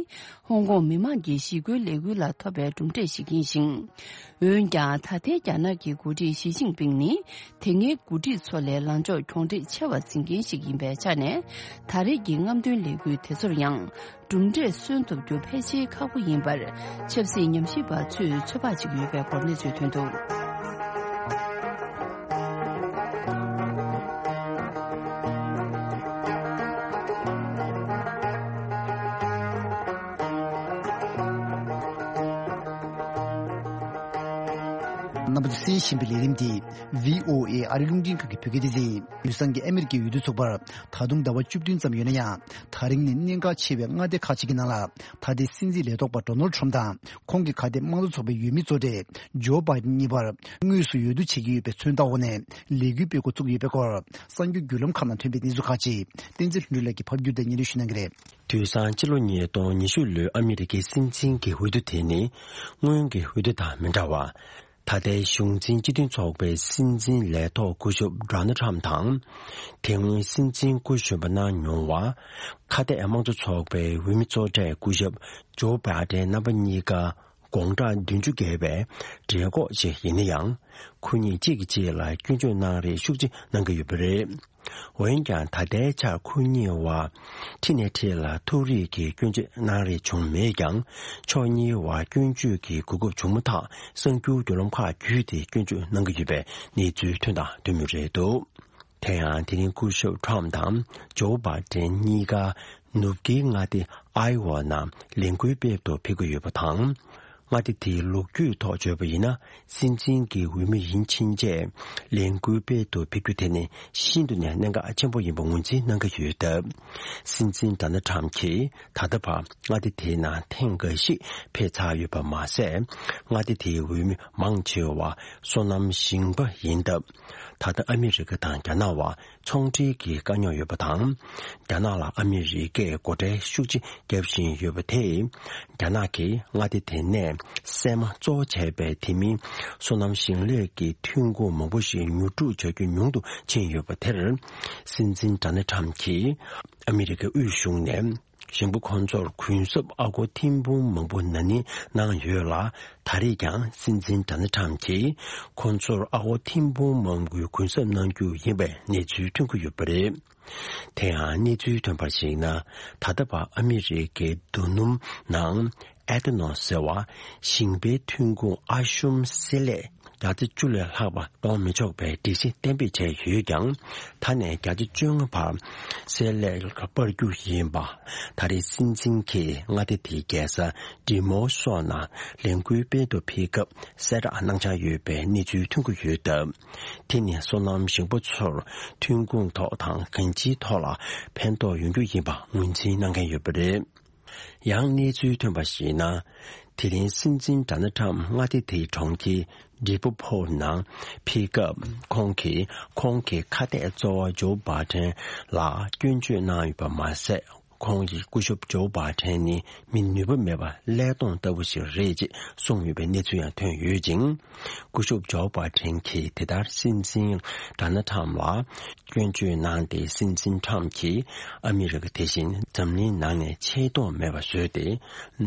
ཧོང་ཀོང་མི་མང་གི་ཞི་རྒོལ་ལས་འགུལ་ལ་ཐོབ་པའི་གྲུབ་འབྲས་ཤིག་ཡིན་ཞིང་། འོན་ཀྱང་། ད་ལྟའི་རྒྱ་ནག་གི་འགོ་ཁྲིད་ཞི་ཅིན་ཕིང་ནི། དེ་སྔའི་འགོ་ཁྲིད་ཚོ་ལས་ལངས་ཕྱོགས་གྱོང་འདྲེས་ཆེ་བ་འཛིན་མཁན་ཞིག་ཡིན་པའི་ཆ་ནས། ད་རེས་ཀྱི་རྔམ་སྟོན་ལས་འགུལ་དེ་ཚོར་ཡང་། གྲུབ་འབྲས་སོན་ཐུབ་རྒྱུ་ཕལ་ཆེར་ཁག་པོ་ཡིན་པར། ཆབ་སྲིད་ཉམས་ཞིབ་པ་ཚོས་ཚོད་དཔག་བྱེད་ཀྱི་ཡོད་པའི་སྐོར་གནས་ཚུལ་ཐོན་འདུག། རྣམ་པ་ཚོས་གསན་བཞིན་པའི་ལས་རིམ་འདི་བྷི་ཨོ་ཨེ་ཨ་རིའི་རླུང་འཕྲིན་ཁང་གི་བོད་སྐད་སྡེ་ཚན་ཡིན། དུས་སང་གི་ཨ་མི་རི་ཀའི་འོས་བསྡུ་ཚོགས་པར་ད་དུང་ཟླ་བ་བཅུ་བདུན་ཙམ་ཡོད་ན་ཡང་། ད་རིང་ནི་གནད་འགག་ཆེ་བའི་མངའ་སྡེ་ཁག་ཅིག་གི་ནང་ལ། ད་ལྟའི་སྲིད་འཛིན་ལས་ཐོག་པ་ཌོ་ནལ་ཊམ་དང་། ཁོང་གི་ཁ་གཏད་དམངས་གཙོ་ཚོགས་པའི་འོས་མི་གཙོ་གྲས་ཇོ་བྷའི་ཌེན་གཉིས་བར་དངོས་སུ་འོས་བསྡུ་བྱེད་ཀྱི་ཡོད་པའི་མཚོན་རྟགས་འོག་ནས་ལས་འགུལ་སྤེལ་འགོ་བཙུགས་ཡོད་པའི་སྐོར། གསར་འགྱུར་བརྒྱུད་ལམ་ཁག་ནང་ཐོན་པའི་གནས་ཚུལ་ཁག་ཅིག་བསྟན་འཛིན་ལྷུན་གྲུབ་ལགས་ཀྱིས་ཕབ་བསྒྱུར་དང་སྙན་སྒྲོན་ཞུ་གནང་གི་རེད། དུས་སང་ཕྱི་ལོ་ཉིས་སྟོང་ཉི་ཤུ་ལོའི་ཨ་མི་རི་ཀའི་སྲིད་འཛིན་གྱི་འོས་བསྡུ་དེ་ནི། སྔོན་གྱི་འོས་བསྡུ་དང་མི་འདྲ་བར། ད་ལྟའི་གཞུང་འཛིན་སྤྱི་མཐུན་ཚོགས་པའི་སྲིད་འཛིན་ལས་ཐོག་སྐུ་ཞབས་ཌོ་ནལ་ཊམ་དང་། དེ་སྔོན་སྲིད་འཛིན་སྐུ་གཞོན་པ་གནང་མྱོང་བ། ཁ་གཏད་དམངས་གཙོ་ཚོགས་པའི་འོས་མི་གཙོ་གྲས་སྐུ་ཞབས་ཇོ་བྷའི་ཌེན་རྣམ་པ་གཉིས་ཀ་དགོང་དག་བདུན་ཅུ་བརྒལ་བའི་གྲོད་ཁོག་ཅིག་ཡིན་ན་ཡང་། ཁོ་གཉིས་གཅིག་གིས་གཅིག་ལ་སྐྱོན་བརྗོད་གནང་རེས་ཤུགས་ཆེ་གནང་གི་ཡོད་པ་རེད། འོན་ཀྱང་། ད་ལྟའི་ཆར་ཁོ་གཉིས་བར་འཁྲིས་ནས་འཁྲིས་ལ་ཐུག་རེས་ཀྱི་སྐྱོན་བརྗོད་གནང་རེས་བྱུང་མེད་ཀྱང་། ཕྱོགས་གཉིས་བར་སྐྱོན་བརྗོད་ཀྱི་གོ་སྐབས་བྱུང་མ་ཐག་གསར་འགྱུར་བརྒྱུད་ལམ་ཁག་བརྒྱུད་དེ་སྐྱོན་བརྗོད་གནང་གི་ཡོད་པའི་གནས་ཚུལ་ཐོན་དང་ཐོན་མུས་རེད་འདུག། དེ་ཡང་། དེ་རིང་སྐུ་ཞབས་ཊམ་དང་ཇོ་བྷའི་ཌེན་གཉིས་ཀ་ནུབ་ཀྱི་མངའ་སྡེ་ཨའི་ཝ་ནང་ལས་འགུལ་སྤེལ་དུ་ཕེབས་ཀྱི་ཡོད་པ་དང་། མངའ་སྡེ་དེའི་ལོ་རྒྱུས་ཐོག་བརྗོད་པ་ཡིན་ན། སྲིད་འཛིན་གྱི་འོས་མི་ཡིན་ཕྱིན་ཆད་ལས་འགུལ་སྤེལ་དུ་ཕེབས་རྒྱུ་དེ་ནི་ཤིན་ཏུ་ནས་གནད་འགག་ཆེན་པོ་ཡིན་པ་ངོས་འཛིན་གནང་གི་ཡོད་སྟབས། སྲིད་འཛིན་ཌོ་ནལ་ཊམ་གྱིས་ད་ལྟ་བར་མངའ་སྡེ་དེའི་ནང་ཐེངས་འགའ་ཞིག་ཕེབས་ཚར་ཡོད་པ་མ་ཟད། མངའ་སྡེ་དེའི་འོས་མི་མང་ཆེ་བ་སོ་ནམ་ཞིང་པ་ཡིན་སྟབས། ད་ལྟ་ཨ་མི་རི་ཀ་དང་རྒྱ་ནག་བར་ཚོང་འབྲེལ་གྱི་དཀའ་རྙོག་ཡོད་པ་དང་། རྒྱ་ནག་ལ་ཨ་མི་རི་ཀས་སྒོ་ཁྲལ་ཤུགས་ཆེ་བརྒྱབ་བཞིན་ཡོད་པ་དེས། རྒྱ་ནག་གིས་མངའ་སྡེ་དེ་ནས་སྲན་མ་གཙོ་བོ་བྱས་པའི་དེ་མིན་སོ་ནམ་ཞིང་ལས་ཀྱི་ཐོན་ཁུངས་མང་པོ་ཞིག་ཉོ་སྒྲུག་བྱ་རྒྱུ་ཉུང་དུ་ཕྱིན་ཡོད་པ་དེར། སྲིད་འཛིན་ཌོ་ནལ་ཊམ་གྱིས་ཨ་མི་རི་ཀའི་དབུས་གཞུང་ནས། ཞིང་པ་ཁོང་ཚོར་གུན་གསབ་ཨ་སྒོར་ཐེར་འབུམ་མང་པོ་ན་ནིང་གནང་ཡོད་ལ། ད་རེས་ཀྱང་སྲིད་འཛིན་ཌོ་ནལ་ཊམ་གྱིས་ཁོང་ཚོར་ཨ་སྒོར་ཐེར་འབུམ་མང་པོའི་གུན་གསབ་གནང་རྒྱུ་ཡིན་པའི་གནས་ཚུལ་ཐོན་གྱི་ཡོད་པ་རེད། དེ་ཡང་གནས་ཚུལ་ཐོན་པར་གཞིགས་ན། ད་ལྟ་བར་ཨ་མི་རི་ཀའི་རྡོ་སྣུམ་ནང་ཨེ་ཐ་ནོལ་ཟེར་བ། ཞིང་པའི་ཐོན་ཁུངས་ཨ་ཤུམ་བསྲེ་ལྷད་བརྒྱ་ཆ་བཅུ་ལས་ལྷག་པ་གཏོང་མི་ཆོག་པའི་སྒྲིག་གཞི་གཏན་འབེབས་བྱས་ཡོད་ཀྱང་། ད་ནས་བརྒྱ་ཆ་བཅོ་ལྔ་བར་བསྲེ་ལྷད་སྤར་རྒྱུ་ཡིན་པ། ད་རེས་སྲིད་འཛིན་གྱིས་མངའ་སྡེ་དེའི་རྒྱལ་ས་ཌི་མོ་སོགས་ནང་ལས་འགུལ་སྤེལ་དུ་ཕེབས་སྐབས་གསལ་བསྒྲགས་གནང་འཆར་ཡོད་པའི་གནས་ཚུལ་ཐོན་གྱི་ཡོད་སྟབས། དེ་ནི་སོ་ནམ་ཞིང་པ་ཚོར་ཐོན་ཁུངས་ཐོག་དང་གང་ཅིའི་ཐོག་ལ་ཕན་ཐོགས་ཡོང་རྒྱུ་ཡིན་པ་ངོས་འཛིན་གནང་མཁན་ཡོད་པ་རེད། ཡང་གནས་ཚུལ་ཐོན་པར་གཞིགས་ན། དེ་རིང་སྲིད་འཛིན་ཌོ་ནལ་ཊམ་མངའ་སྡེ་དེའི་གྲོང་ཁྱེར་ཌི་པོ་ཕོར་ནང་ཕེབས་སྐབས། ཁོང་གིས་ཁོང་གི་ཁ་གཏད་གཙོ་བོ་ཇོ་བྷའི་ཌེན་ལ་སྐྱོན་བརྗོད་གནང་ཡོད་པ་མ་ཟད། ཁོང་གིས་སྐུ་ཞབས་ཇོ་བྷའི་ཌེན་ནི་མི་ནུས་པ་མེད་པ་ཀླད་སྟོང་ལྟ་བུ་ཞིག་རེད་ཅེས་གསུངས་ཡོད་པའི་གནས་ཚུལ་ཡང་ཐོན་ཡོད་ཅིང་། སྐུ་ཞབས་ཇོ་བྷའི་ཌེན་གྱིས་དེ་ལྟར་སྲིད་འཛིན་ཌོ་ནལ་ཊམ་ལ་སྐྱོན་བརྗོད་གནང་སྟེ། སྲིད་འཛིན་ཊམ་གྱིས་ཨ་མི་རི་ཀ་དེ་བཞིན་འཛམ་གླིང་ནང་ནས་ཆེ་མཐོང་མེད་པ་བཟོས་ཏེ།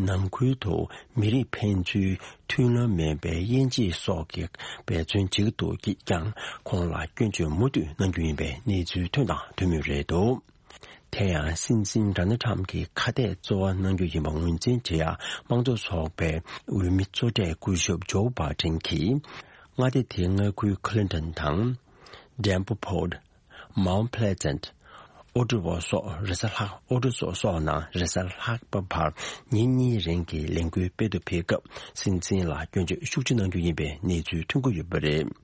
ནང་ཁུལ་དུ་མི་རིགས་ཕན་ཚུན་མཐུན་ལམ་མེད་པའི་དབྱེ་འབྱེད་སོགས་ཀྱི་འབད་བརྩོན་བྱེད་ཀྱི་འདུག་ཅེས་ཀྱང་ཁོང་ལ་སྐྱོན་བརྗོད་མུ་མཐུད་གནང་རྒྱུ་ཡིན་པའི་གནས་ཚུལ་ཐོན་དང་ཐོན་མུས་རེད་འདུག། དེ་ཡང་སྲིད་འཛིན་ཌོ་ནལ་ཊམ་གྱི་ཁ་གཏད་གཙོ་བོ་གནང་རྒྱུ་ཡིན་པ་ངོས་འཛིན་བྱེད་ཡ་དམངས་གཙོ་ཚོགས་པའི་འོས་མི་གཙོ་གྲས་སྐུ་ཞབས་ཇོ་བྷའི་ཌེན་གྱིས། མངའ་སྡེ་དེའི་མངའ་ཁུལ་ཁི་ལིན་ཊོན་དང་། ཌེམ་པོ་ཕོར་ཌི། མའོན་ཕི་ལེ་ཛེན། ཨོ་ཀྲི་བོ་སོགས་རེས་གཟའ་ལྷག་ཨོ་ཀྲི་བོ་སོགས་ནང་རེས་གཟའ་ལྷག་པ་བར་ཉིན་གཉིས་རིང་གི་ལས་འགུལ་སྤེལ་དུ་ཕེབས་སྐབས། སྲིད་འཛིན་ལ་སྐྱོན་བརྗོད་ཤུགས་ཆེ་གནང་རྒྱུ་ཡིན་པའི་གནས་ཚུལ་ཐོན་གྱི་ཡོད་པ་རེད།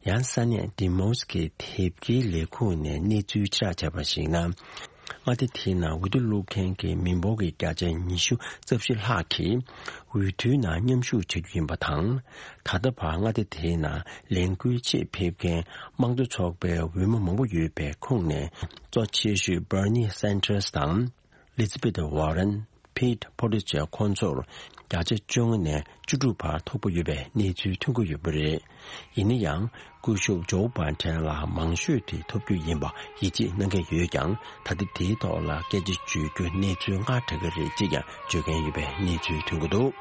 ཡང་ས་གནས་ཌི་མོ་སི་ཀི་དེབ་སྐྱེལ་ལས་ཁུངས་ནས་གནས་ཚུལ་ཕྱིར་བསྒྲགས་བྱས་པར་གཞིགས་ན། མངའ་སྡེ་དེའི་ནང་འོས་བསྡུ་བླུག་མཁན་གྱི་མི་འབོར་གྱི་བརྒྱ་ཆ་ཉི་ཤུ་རྩ་བཞི་ལྷག་གིས་འོས་བསྡུའི་ནང་མཉམ་ཞུགས་བྱ་རྒྱུ་ཡིན་པ་དང་། ད་ལྟ་བར་མངའ་སྡེ་དེའི་ནང་ལས་འགུལ་ཆེད་ཕེབས་མཁན་དམངས་གཙོ་ཚོགས་པའི་འོས་མི་མང་པོ་ཡོད་པའི་ཁོངས་ནས། གཙོ་ཆེ་ཤོས་Bernie Sanders དང་། Elizabeth Warren། Pete Buttigieg ཁོང་ཚོར་བརྒྱ་ཆ་བཅོ་ལྔ་ནས་བཅུ་དྲུག་བར་ཐོབ་ཀྱི་ཡོད་པའི་གནས་ཚུལ་ཐོན་གྱི་ཡོད་པ་རེད། ཡིན་ན་ཡང་། སྐུ་ཞབས་Joe Biden ལ་མང་ཤོས་དེ་ཐོབ་རྒྱུ་ཡིན་པ་ཡིད་ཆེས་གནང་གི་ཡོད་ཀྱང་། ད་ལྟ་དེའི་ཐོག་ལ་སྐད་ཆ་བརྗོད་རྒྱུ་གནས་ཚུལ་སྔ་དྲགས་ཀྱི་རེད་ཅེས་ཀྱང་བརྗོད་མཁན་ཡོད་པའི་གནས་ཚུལ་ཐོན་གྱི་འདུག།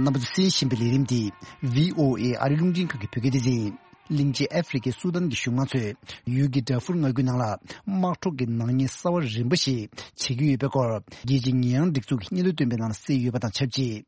རྣམ་པ་ཚོས་གསན་བཞིན་པའི་ལས་རིམ་འདི་V O A ཨ་རི་རླུང་འཕྲིན་ཁང་གི་བོད་སྐད་སྡེ་ཚན་ཡིན། གླིང་ཆེན་ཨ་ཧྥེ་རི་ཁའི་སུ་དཱན་གྱི་གཞུང་དམངས་ཚོས་ཡུལ་གྱི་ཌར་ཧྥུར་མངའ་ཁུལ་ནང་ལ་དམག་འཁྲུག་གི་ནག་ཉེས་གསར་བ་རིམ་པ་ཞིག་བྱེད་ཀྱི་ཡོད་པའི་སྐོར། རྒྱལ་སྤྱིའི་ཉེས་ཡངས་སྒྲིག་འཛུགས་ཀྱི་སྙན་ཐོ་བཏོན་པའི་ནང་ལ་གསལ་ཡོད་པ་དང་ཆབས་ཅིག།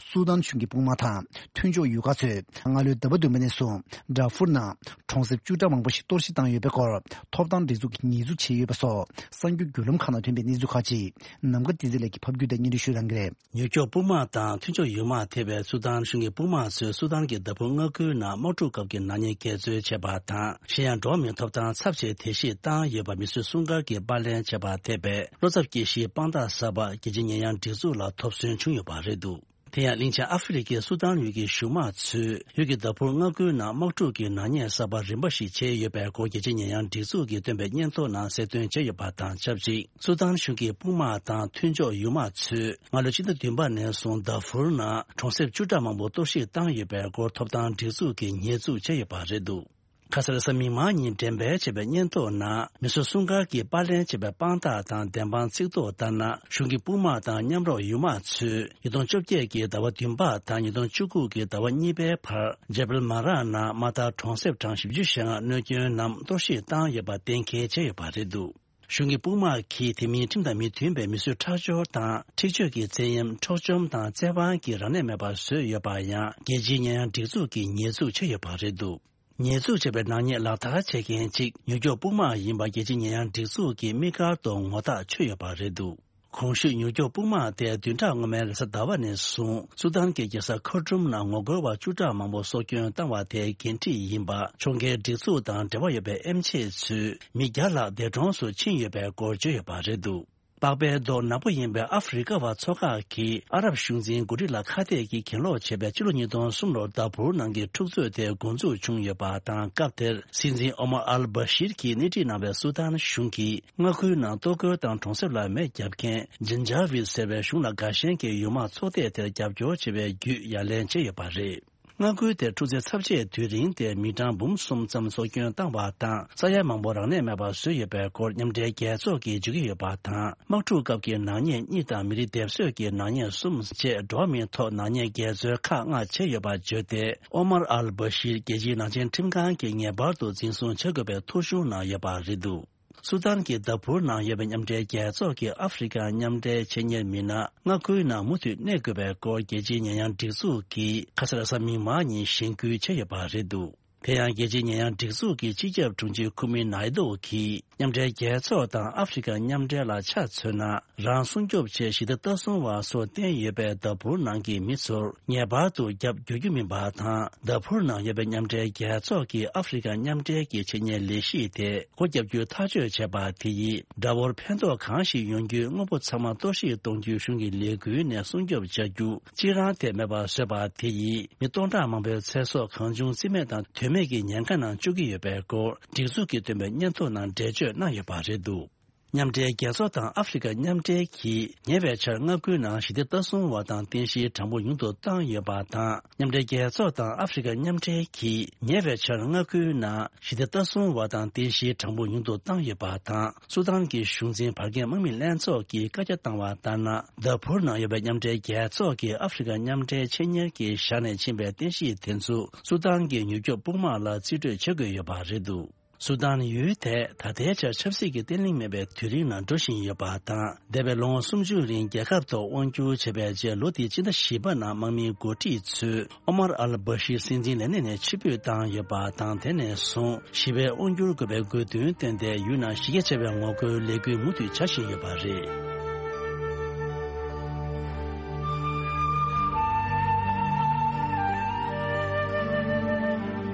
སུ་དཱན་གཞུང་གི་དཔུང་དམག་དང་མཐུན་ཕྱོགས་ཡུལ་ཁག་ཚོས་སྔ་ལོའི་ཟླ་བ་བདུན་པ་ནས་བཟུང་ཌར་ཧྥུར་ནང་གྲོང་གསེབ་བཅུ་ཕྲག་མང་པོ་ཞིག་གཏོར་བཤིག་བཏང་ཡོད་པའི་སྐོར། ཐོབ་ཐང་སྒྲིག་འཛུགས་ཀྱིས་ཉེས་འཛུགས་བྱས་ཡོད་པ་སོགས་གསར་འགྱུར་བརྒྱུད་ལམ་ཁག་ནང་ཐོན་པའི་གནས་ཚུལ་ཁག་ཅིག། ནམ་མཁའ་བསྟན་འཛིན་ལགས་ཀྱིས་ཕབ་སྒྱུར་དང་སྙན་སྒྲོན་ཞུ་གནང་གི་རེད། ནིའུ་ཡོག་དཔུང་དམག་དང་མཐུན་ཕྱོགས་ཡུལ་དམག་ཐེ་བའི་སུ་དཱན་གཞུང་གི་དཔུང་དམག་ཚོས་སུ་དཱན་གྱི་ཌར་ཧྥུར་མངའ་ཁུལ་ནང་དམག་འཁྲུག་སྐབས་ཀྱི་ནག་ཉེས་འགལ་འཛོལ་བྱས་པ་དང་། གཞན་ཡང་འགྲོ་བ་མིའི་ཐོབ་ཐང་ཚབས་ཆེ་བརྡལ་བཤིག་བཏང་ཡོད་པ་མི་སེར་སྲུང་སྐར་གྱིས་པར་ལེན་བྱས་པ་ཐེ་བའི་བློ་འཚབ་སྐྱེ་གཞིའི་དཔང་རྟགས་གསར་པ་རྒྱལ་སྤྱིའི་ཉེས་ཡངས་སྒྲིག་འཛུགས་ལ་ཐོབ་སོན་བྱུང་ཡོད་པ་རེད་འདུག། དེ་ཡང་གླིང་ཆེན་ཨ་ཧྥེ་རི་ཁའི་སུ་དཱན་ཡུལ་གྱི་གཞུང་དམངས་ཚོས་ཡུལ་གྱི་ཌར་ཧྥུར་མངའ་ཁུལ་ནང་དམག་འཁྲུག་གི་ནག་ཉེས་གསར་པ་རིམ་པ་ཞིག་བྱས་ཡོད་པའི་སྐོར་རྒྱལ་སྤྱིའི་ཉེས་ཡངས་སྒྲིག་འཛུགས་ཀྱིས་བཏོན་པའི་སྙན་ཐོ་ནང་གསལ་སྟོན་བྱས་ཡོད་པ་དང་ཆབས་ཅིག། སུ་དཱན་གཞུང་གི་དཔུང་དམག་དང་མཐུན་ཕྱོགས་ཡུལ་དམག་ཚོས་སྔ་ལོའི་ཕྱི་ཟླ་བདུན་པ་ནས་བཟུང་ཌར་ཧྥུར་ནང་གྲོང་གསེབ་བཅུ་ཕྲག་མང་པོ་གཏོར་བཤིག་བཏང་ཡོད་པའི་སྐོར་ཐོབ་ཐང་སྒྲིག་འཛུགས་ཀྱིས་ཉེས་འཛུགས་བྱས་ཡོད་པ་རེད་འདུག། ཁ་སང་རེས་གཟའ་མིག་དམར་ཉིན་འགྲེམས་སྤེལ་བྱས་པའི་སྙན་ཐོ་ནང་མི་སེར་སྲུང་སྐར་གྱིས་པར་ལེན་བྱས་པའི་དཔང་རྟགས་དང་བདེན་དཔང་ཚིག་ཐོ་ལྟར་ན། གཞུང་གི་དཔུང་དམག་དང་མཉམ་རོགས་ཡུལ་དམག་ཚོས་ཉིས་སྟོང་བཅོ་བརྒྱད་ཀྱི་ཟླ་བ་བདུན་པ་དང་ཉིས་སྟོང་བཅུ་དགུ་གི་ཟླ་བ་གཉིས་པའི་བར་ཇེ་བལ་མ་རག་ནང་མ་མཐའ་གྲོང་གསེབ་གྲངས་བཞི་བཅུ་ཞེ་ལྔ་གནོད་སྐྱོན་ནམ་གཏོར་བཤིག་བཏང་ཡོད་པ་གཏན་འཁེལ་བྱས་ཡོད་པ་རེད་འདུག། གཞུང་གི་དཔུང་དམག་གིས་དེ་མིན་ཁྲིམས་དང་མི་མཐུན་པའི་མི་གསོད་ཁྲག་སྦྱོར་དང་འཁྲིག་སྤྱོད་ཀྱི་བཙན་གཡེམ། འཕྲོག་བཅོམ་དང་བཙན་དབང་གིས་རང་ལས་མེད་པར་བཟོས་ཡོད་པ་ཡང་རྒྱལ་སྤྱིའི་ཉེས་ཡངས་སྒྲིག་འཛུགས་ཀྱིས་ཉེས་འཛུགས་བྱས་ཡོད་པ་རེད་འདུག། ཉེས་འཛུགས་བྱས་པའི་ནག་ཉེས་ལག་བསྟར་བྱེད་མཁན་གཅིག་ནིའུ་ཡོག་དཔུང་དམག་ཡིན་པ་རྒྱལ་སྤྱིའི་ཉེས་ཡངས་སྒྲིག་འཛུགས་ཀྱིས་དམིགས་བཀར་དུ་ངོ་རྟགས་ཆོད་ཡོད་པ་རེད་འདུག། གོང་ཞུས་ནིའུ་ཡོག་དཔུང་དམག་དེ་བདུན་ཕྲག་སྔོན་མའི་རེས་གཟའ་ཟླ་བ་ནས་བཟུང་སུ་དཱན་གྱི་རྒྱལ་ས་ཁར་ཊུམ་ནང་ངོ་རྒོལ་བ་བཅུ་ཕྲག་མང་པོ་སྲོག་སྐྱོན་བཏང་བ་དེའི་འགན་འཁྲི་ཡིན་པ་ཕྱོགས་འགལ་སྒྲིག་འཛུགས་དང་འབྲེལ་བ་ཡོད་པའི་ཨེམ་ཆི་ཚོས་མི་བརྒྱ་ལྷག་འདས་གྲོངས་སུ་ཕྱིན་ཡོད་པའི་སྐོར་བརྗོད་ཡོད་པ་རེད་འདུག། པགས་པའི་མདོག་ནག་པོ་ཡིན་པའི་ཨ་ཧྥེ་རི་ཀ་བ་ཚོ་ཁག་གིས་ཨ་རབ་གཞུང་འཛིན་འགོ་ཁྲིད་ལ་ཁ་གཏད་ཀྱིས་གྱེན་ལོག་བྱས་པའི་ཕྱི་ལོ་ཉིས་སྟོང་གསུམ་ལོར་དཱ་ཕུར་ནང་གི་འཁྲུག་རྩོད་དེ་འགོ་འཛུགས་བྱུང་ཡོད་པ་དང་། སྐབས་དེར་སྲིད་འཛིན་ཨོ་མར་ཨལ་བྷ་ཤིར་གྱིས་སྣེ་ཁྲིད་གནང་བའི་སུ་དཱན་གཞུང་གིས་མངའ་ཁུལ་ནང་གཏོར་རྒོལ་དང་གྲོང་གསེབ་ལ་མེ་བརྒྱབ་མཁན་ཇིན་ཇཱ་ཝིད་ཟེར་བའི་གཞུང་ལ་དགའ་ཞེན་གྱི་ཡུལ་དམག་ཚོགས་སྡེ་དེར་རྒྱབ་སྐྱོར་བྱེད་པའི་བརྒྱུད་ཡ་ལན་བྱས་ཡོད་པ་རེད། མངའ་ཁུལ་དེར་འཁྲུག་རྩོད་ཚབས་ཆེའི་དུས་རིང་དེར་མི་གྲངས་འབུམ་གསུམ་ཙམ་སྲོག་སྐྱོན་བཏང་བ་དང་། ས་ཡ་མང་པོ་རང་ལས་མེད་པར་བཟོས་ཡོད་པའི་སྐོར་མཉམ་འབྲེལ་རྒྱལ་ཚོགས་ཀྱིས་བརྗོད་ཀྱི་ཡོད་པ་དང་། དམག་འཁྲུག་སྐབས་ཀྱི་ནག་ཉེས་གཉིས་དང་མི་རིགས་སྡེབ་གསོད་ཀྱི་ནག་ཉེས་གསུམ་བཅས་འགྲོ་བ་མིའི་ཐོག་ནག་ཉེས་འགལ་འཛོལ་ཁག་ལྔ་བྱས་ཡོད་པ་བརྗོད་དེ། ཨོ་མར་ཨལ་བྷ་ཤིར་རྒྱལ་སྤྱིའི་ནག་ཅན་ཁྲིམས་ཁང་གིས་ངེས་པར་དུ་འཛིན་བཟུང་བྱ་དགོས་པའི་ཐོ་གཞུང་གནང་ཡོད་པ་རེད་འདུག། སུ་དཱན་གྱི་དཱ་ཕུར་ནང་ཡོད་པའི་མཉམ་འབྲེལ་རྒྱལ་ཚོགས་ཀྱི་ཨ་ཧྥེ་རི་ཀ་མཉམ་འབྲེལ་ཆེད་གཉེར་མི་སྣ་མངའ་ཁུལ་ནང་མུ་མཐུད་གནས་དགོས་པའི་སྐོར་རྒྱལ་སྤྱིའི་ཉེས་ཡངས་སྒྲིག་འཛུགས་ཀྱིས་ཁ་སང་རེས་གཟའ་མིག་དམར་ཉིན་གཞེན་སྐུལ་བྱས་ཡོད་པ་རེད་འདུག། དེ་ཡང་རྒྱལ་སྤྱིའི་ཉེས་ཡངས་སྒྲིག་འཛུགས་ཀྱི་སྤྱི་ཁྱབ་དྲུང་ཆེ་ཁུ་མི་ནཱི་ཏོ་གིས་མཉམ་འབྲེལ་རྒྱལ་ཚོགས་དང་ཨ་ཧྥེ་རི་ཀ་མཉམ་འབྲེལ་ལ་ཆ་མཚོན་ན། རང་སྲུང་སྐྱོབ་ཆེད་ཞི་བདེ་ལྟ་སྲུང་བ་སོགས་བསྟེན་ཡོད་པའི་དཱ་ཕུར་ནང་གི་མི་ཚོར་ངེས་པར་དུ་རྒྱབ་སྐྱོར་རྒྱུ་མིན་པ་དང་། དཱ་ཕུར་ནང་ཡོད་པའི་མཉམ་འབྲེལ་རྒྱལ་ཚོགས་ཀྱི་ཨ་ཧྥེ་རི་ཀ་མཉམ་འབྲེལ་གྱི་ཆེད་གཉེར་ལས་གཞི་དེ་སྒོ་བརྒྱབ་རྒྱུ་ཐག་གཅོད་བྱས་པ་དེ་ཡིས་དགྲ་བོར་ཕན་ཐོགས་གང་ཞིག་ཡོང་རྒྱུའི་དངོས་པོ་ཚང་མ་གཏོར་བཤིག་གཏོང་རྒྱུའི་གཞུང་གི་ལས་འགུལ་ནས་སྲུང་སྐྱོབ་བྱ་རྒྱུ་གཅིག་རང་དེ་མེད་པར་བཟོས་པ་དེ་ཡིས་མི་སྟོང་ཕྲག་མང་པོའི་ཚེ་སྲོག་གང་བྱུང་རྩིས་མེད་དང་དོན་མེད་ཀྱི་ཉེན་ཁ་ནང་བཅུག་གི་ཡོད་པའི་སྐོར་སྒྲིག་འཛུགས་ཀྱིས་བཏོན་པའི་སྙན་ཐོ་ནང་འགྲེལ་བརྗོད་གནང་ཡོད་པ་རེད་འདུག། མཉམ་འབྲེལ་རྒྱལ་ཚོགས་དང་ཨ་ཧྥེ་རི་ཀ་མཉམ་འབྲེལ་གྱིས་ཉེ་བའི་ཆར་མངའ་ཁུལ་ནང་ཞི་བདེ་ལྟ་སྲུང་བ་དང་རྟེན་གཞིའི་གྲངས་འབོར་ཉུང་དུ་བཏང་ཡོད་པ་དང་། མཉམ་འབྲེལ་རྒྱལ་ཚོགས་དང་ཨ་ཧྥེ་རི་ཀ་མཉམ་འབྲེལ་གྱིས་ཉེ་བའི་ཆར་མངའ་ཁུལ་ནང་ཞི་བདེ་ལྟ་སྲུང་བ་དང་རྟེན་གཞིའི་གྲངས་འབོར་ཉུང་དུ་བཏང་ཡོད་པ་དང་། སུ་དཱན་གྱི་གཞུང་འཛིན་བར་བརྒལ་དམག་མི་ལྷན་ཚོགས་ཀྱིས་བཀའ་རྒྱ་བཏང་བ་ལྟར་ན། དཱ་ཕུར་ནང་ཡོད་པའི་མཉམ་འབྲེལ་རྒྱལ་ཚོགས་ཀྱིས་ཨ་ཧྥེ་རི་ཀ་མཉམ་འབྲེལ་ཆེད་གཉེར་གྱིས་བཞག་ནས་ཕྱིན་པའི་རྟེན་གཞི་དེ་ཚོ་སུ་དཱན་གྱི་ནིའུ་ཡོག་དཔུང་དམག་ལ་རྩིས་སྤྲོད་བྱེད་དགོས་ཡོད་པ་རེད་འདུག། སུ་དཱན་ཡུལ་དེ་ད་ལྟའི་ཆར་ཆབ་སྲིད་ཀྱི་བརྟན་ལྷིང་མེད་པའི་དུས་རིམ་ནང་འགྲོ་བཞིན་ཡོད་པ་དང་། འདས་པའི་ལོ་ངོ་སུམ་ཅུ་རིང་རྒྱལ་ཁབ་ཐོག་དབང་བསྒྱུར་བྱས་པའི་རྗེས། ལོ་འདིའི་ཕྱི་ཟླ་བཞི་པ་ནང་དམག་མིའི་འགོ་ཁྲིད་ཚོས་ཨོ་མར་ཨལ་བྷ་ཤིར་སྲིད་འཛིན་ལས་གནས་ནས་ཕྱིར་འབུད་བཏང་ཡོད་པ་དང་། དེ་ནས་བཟུང་ཞི་བའི་དབང་བསྒྱུར་དགོས་པའི་དགོས་འདུན་བཏོན་ཏེ། ཡུལ་ནང་གཞི་རྒྱ་ཆེ་བའི་ངོ་རྒོལ་ལས་འགུལ་མུ་མཐུད་བྱ་བཞིན་ཡོད་པ་རེད།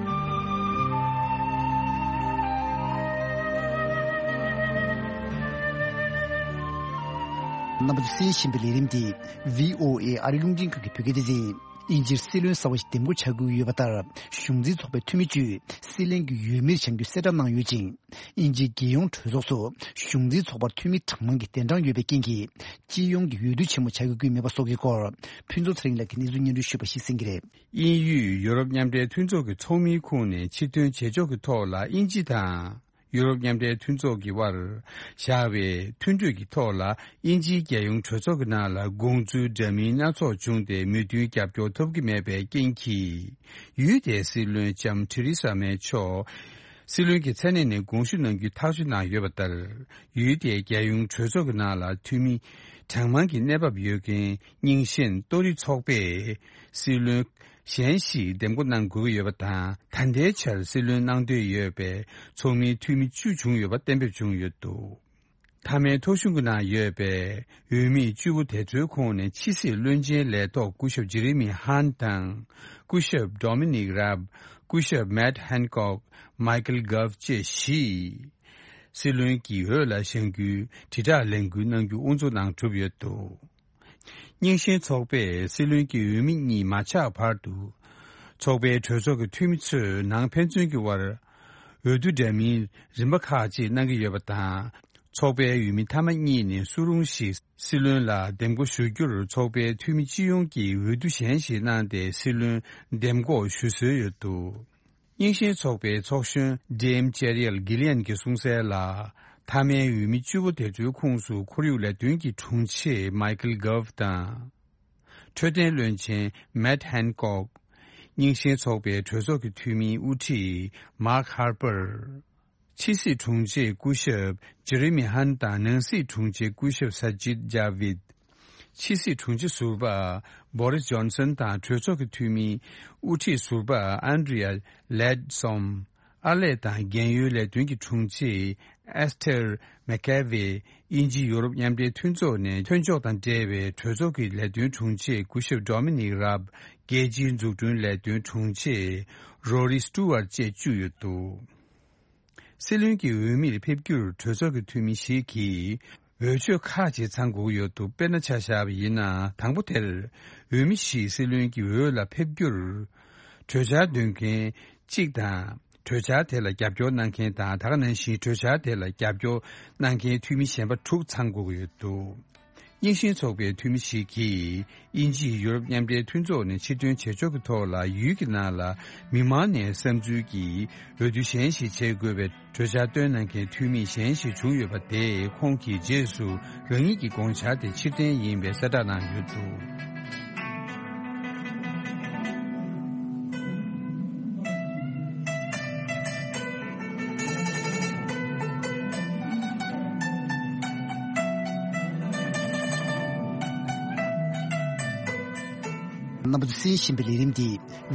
རྣམ་པ་ཚོས་གསན་བཞིན་པའི་ལས་རིམ་འདི་བྷི་ཨོ་ཨེ་ཨ་རིའི་རླུང་འཕྲིན་ཁང་གི་བོད་སྐད་སྡེ་ཚན་ཡིན། དབྱིན་ཇིར་སྲིད་བློན་གསར་བ་ཞིག་འདེམས་བསྐོ་བྱ་དགོས་ཀྱི་ཡོད་པ་ལྟར། གཞུང་འཛིན་ཚོགས་པའི་འཐུས་མི་བཅུས་སྲིད་བློན་གྱི་འོས་མིར་བྱ་རྒྱུའི་གསལ་བསྒྲགས་གནང་ཡོད་ཅིང་། དབྱིན་ཇིའི་རྒྱལ་ཡོངས་གྲོས་ཚོགས་སུ་གཞུང་འཛིན་ཚོགས་པར་འཐུས་མི་གྲངས་མང་གི་གདན་གྲངས་ཡོད་པའི་རྐྱེན་གྱིས། སྤྱི་ཡོངས་ཀྱི་འོས་བསྡུ་ཆེན་མོ་བྱ་དགོས་ཀྱི་མེད་པ་སོགས་ཀྱི་སྐོར། ཕུན་ཚོགས་ཚེ་རིང་ལགས་ཀྱིས་གནས་ཚུལ་སྙན་སྒྲོན་ཞུས་པ་ཞིག་གསན་གྱི་རེད། དབྱིན་ཡུལ་ཡུ་རོབ་མཉམ་འབྲེལ་མཐུན་ཚོགས་ཀྱི་ཚོགས་མིའི་ཁོངས་ནས་ཕྱིར་ཐོན་བྱེད་ཕྱོགས་ཀྱི་ཐོག་ལ་དབྱིན་ཇི་དང་། ཡུ་རོབ་མཉམ་འབྲེལ་མཐུན་ཚོགས་ཀྱི་དབར་བཞག་པའི་མཐུན་གྲོས་ཀྱི་ཐོག་ལ། དབྱིན་ཇིའི་རྒྱལ་ཡོངས་གྲོས་ཚོགས་ཀྱི་ནང་ལ་དགོངས་ཚུལ་འདྲ་མིན་སྣ་ཚོགས་བྱུང་སྟེ། མོས་མཐུན་རྒྱབ་སྐྱོར་ཐོབ་ཀྱི་མེད་པའི་རྐྱེན་གྱིས། ཡུལ་དེའི་སྲིད་བློན་ལྕམ་ཐེ་རི་ས་མེ་མཆོག་སྲིད་བློན་གྱི་མཚན་གནས་ནས་དགོངས་ཞུ་གནང་རྒྱུའི་ཐག་གཅོད་གནང་ཡོད་པ་ལྟར། ཡུལ་དེའི་རྒྱལ་ཡོངས་གྲོས་ཚོགས་ཀྱི་ནང་ལ་འཐུས་མི་གྲངས་མང་གི་གནས་བབ་ཡོད་མཁན་རྙིང་ཞེན་ལྟོ་རི་ཚོགས་པས་སྲིད་བློན་གཞན་ཞིག་འདེམས་བསྐོ་གནང་དགོས་ཀྱི་ཡོད་པ་དང་། ད་ལྟའི་ཆར་སྲིད་བློན་གནང་འདོད་ཡོད་པའི་ཚོགས་མིའི་འཐུས་མི་བཅུ་བྱུང་ཡོད་པ་གཏན་འབེབས་བྱུང་ཡོད་འདུག་མཐའ་མའི་ཐོ་གཞུང་གི་ནང་ཡོད་པའི་འོས་མི་བཅུ་པོ་དེ་ཚོའི་ཁོངས་ནས་ཕྱི་སྲིད་བློན་ཆེན་ལས་ཐོག་སྐུ་ཞབས་ཇེ་རེ་མི་ཧན་དང་། སྐུ་ཞབས་ཌོ་མི་ནིག་རབ། སྐུ་ཞབས་མེད་ཧན་ཀོག་མའི་ཀལ་གྷབ་བཅས་བཞི། སྲིད་བློན་གྱི་འོས་ལ་བཞེངས་རྒྱུའི་དྲིལ་བསྒྲགས་ལས་འགུལ་གནང་རྒྱུ་དབུ་འཛུགས་གནང་གྲུབ་ཡོད་འདུག་རྙིང་ཞེན་ཚོགས་པས་སྲིད་བློན་གྱི་འོས་མི་གཉིས་མ་ཆགས་བར་དུ། ཚོགས་པའི་གྲོས་ཚོགས་ཀྱི་འཐུས་མི་ཚོས་ནང་ཕན་ཚུན་གྱི་དབར་འོས་བསྡུ་འདྲ་མིན་རིམ་པ་ཁག་ཅིག་གནང་གི་ཡོད་པ་དང་། ཚོགས་པའི་འོས་མི་མཐའ་མ་གཉིས་ནས་སུ་རུང་ཞིག་སྲིད་བློན་ལ་འདེམས་བསྐོ་ཞུ་རྒྱུར། ཚོགས་པའི་འཐུས་མི་སྤྱི་ཡོངས་ཀྱིས་འོས་བསྡུ་གཞན་ཞིག་གནང་སྟེ། སྲིད་བློན་འདེམས་བསྐོ་ཞུ་སྲོལ་ཡོད་འདུག་རྙིང་ཞེན་ཚོགས་པའི་ཚོགས་གཞོན་ཌེམ་ཅེ་རི་ཨལ་གྷི་ལི་ཡན་གྱིས་གསུངས་གསལ་ལ། མཐའ་མའི་འོས་མི་བཅུ་པོ་དེ་ཚོའི་ཁོངས་སུ་ཁོར་ཡུག་ལས་དོན་གྱི་དྲུང་ཆེ་མའི་ཀལ་གྷབ་དང་། འཕྲོད་བསྟེན་བློན་ཆེན་མེད་ཧན་ཀོག་རྙིང་ཞེན་ཚོགས་པའི་གྲོས་ཚོགས་ཀྱི་འཐུས་མིའི་དབུ་ཁྲིད་མཱག་ཧར་པར། ཕྱི་སྲིད་དྲུང་ཆེ་སྐུ་ཞབས་ཇེ་རེ་མི་ཧན་དང་། ནང་སྲིད་དྲུང་ཆེ་སྐུ་ཞབས་ས་ཇིད་ཇཱ་བིད། ཕྱི་སྲིད་དྲུང་ཆེ་ཟུར་པ་བོ་རིས་ཇོན་སན་དང་། གྲོས་ཚོགས་ཀྱི་འཐུས་མིའི་དབུ་ཁྲིད་ཟུར་པ་ཨན་ཌི་རི་ཡ་ལེད་སོམ། ཨར་ལས་དང་རྒན་ཡོལ་ལས་དོན་གྱི་དྲུང་ཆེ་ཨེས་ཐེར་མེ་ཀེ་ཝེ། དབྱིན་ཇི་ཡུ་རོབ་མཉམ་འབྲེལ་མཐུན་ཚོགས་ནས་ཐོན་ཕྱོགས་དང་འབྲེལ་བའི་གྲོས་ཚོགས་ཀྱི་ལས་དོན་དྲུང་ཆེ་སྐུ་ཞབས་ཌོ་མི་ནིག་རབ། རྒྱལ་སྤྱིའི་འཛུགས་སྐྲུན་ལས་དོན་དྲུང་ཆེ་རོ་རི་སི་ཊུ་ཝར་བཅས་བཅུ་ཡོད་འདུག་སྲིད་བློན་གྱི་འོས་མིར་ཕེབས་རྒྱུར་གྲོས་ཚོགས་ཀྱི་འཐུས་མི་ཞིག་གིས་འོས་ཆོས་ཁག་ཅིག་ཚང་དགོས་ཀྱི་ཡོད་འདུག་དཔེར་ན་ཆ་བཞག་པ་ཡིན་ན། དང་པོ་དེར་འོས་མི་བཞིས་སྲིད་བློན་གྱི་འོས་ལ་ཕེབས་རྒྱུར། གྲོས་འཆར་འདོན་མཁན་གཅིག་དང་། གྲོས་འཆར་དེ་ལ་རྒྱབ་སྐྱོར་གནང་མཁན་དང་། ད་ག་ནང་བཞིན་གྲོས་འཆར་དེ་ལ་རྒྱབ་སྐྱོར་གནང་མཁན་འཐུས་མི་གཞན་པ་དྲུག་ཚང་དགོས་ཀྱི་ཡོད་འདུག་རྙིང་ཞེན་ཚོགས་པའི་འཐུས་མི་ཞིག་གིས། དབྱིན་ཇིས་ཡུ་རོབ་མཉམ་འབྲེལ་མཐུན་ཚོགས་ནས་ཕྱིར་ཐོན་བྱེད་ཕྱོགས་ཀྱི་ཐོག་ལ། ཡུལ་གྱི་ནང་ལ་མི་མང་ནས་བསམ་ཚུལ་གྱིས་འོས་བསྡུ་གཞན་ཞིག་བྱེད་དགོས་པའི་གྲོས་འཆར་བཏོན་གནང་མཁན་འཐུས་མི་གཞན་ཞིག་བྱུང་ཡོད་པ་དེས། ཁོང་གིས་རྗེས་སུ་རང་ཉིད་ཀྱི་དགོངས་འཆར་དེ་ཕྱིར་འཐེན་ཡིན་པའི་གསལ་བསྒྲགས་གནང་ཡོད་འདུག་རྣམ་པ་ཚོས་གསན་བཞིན་པའི་ལས་རིམ་འདི་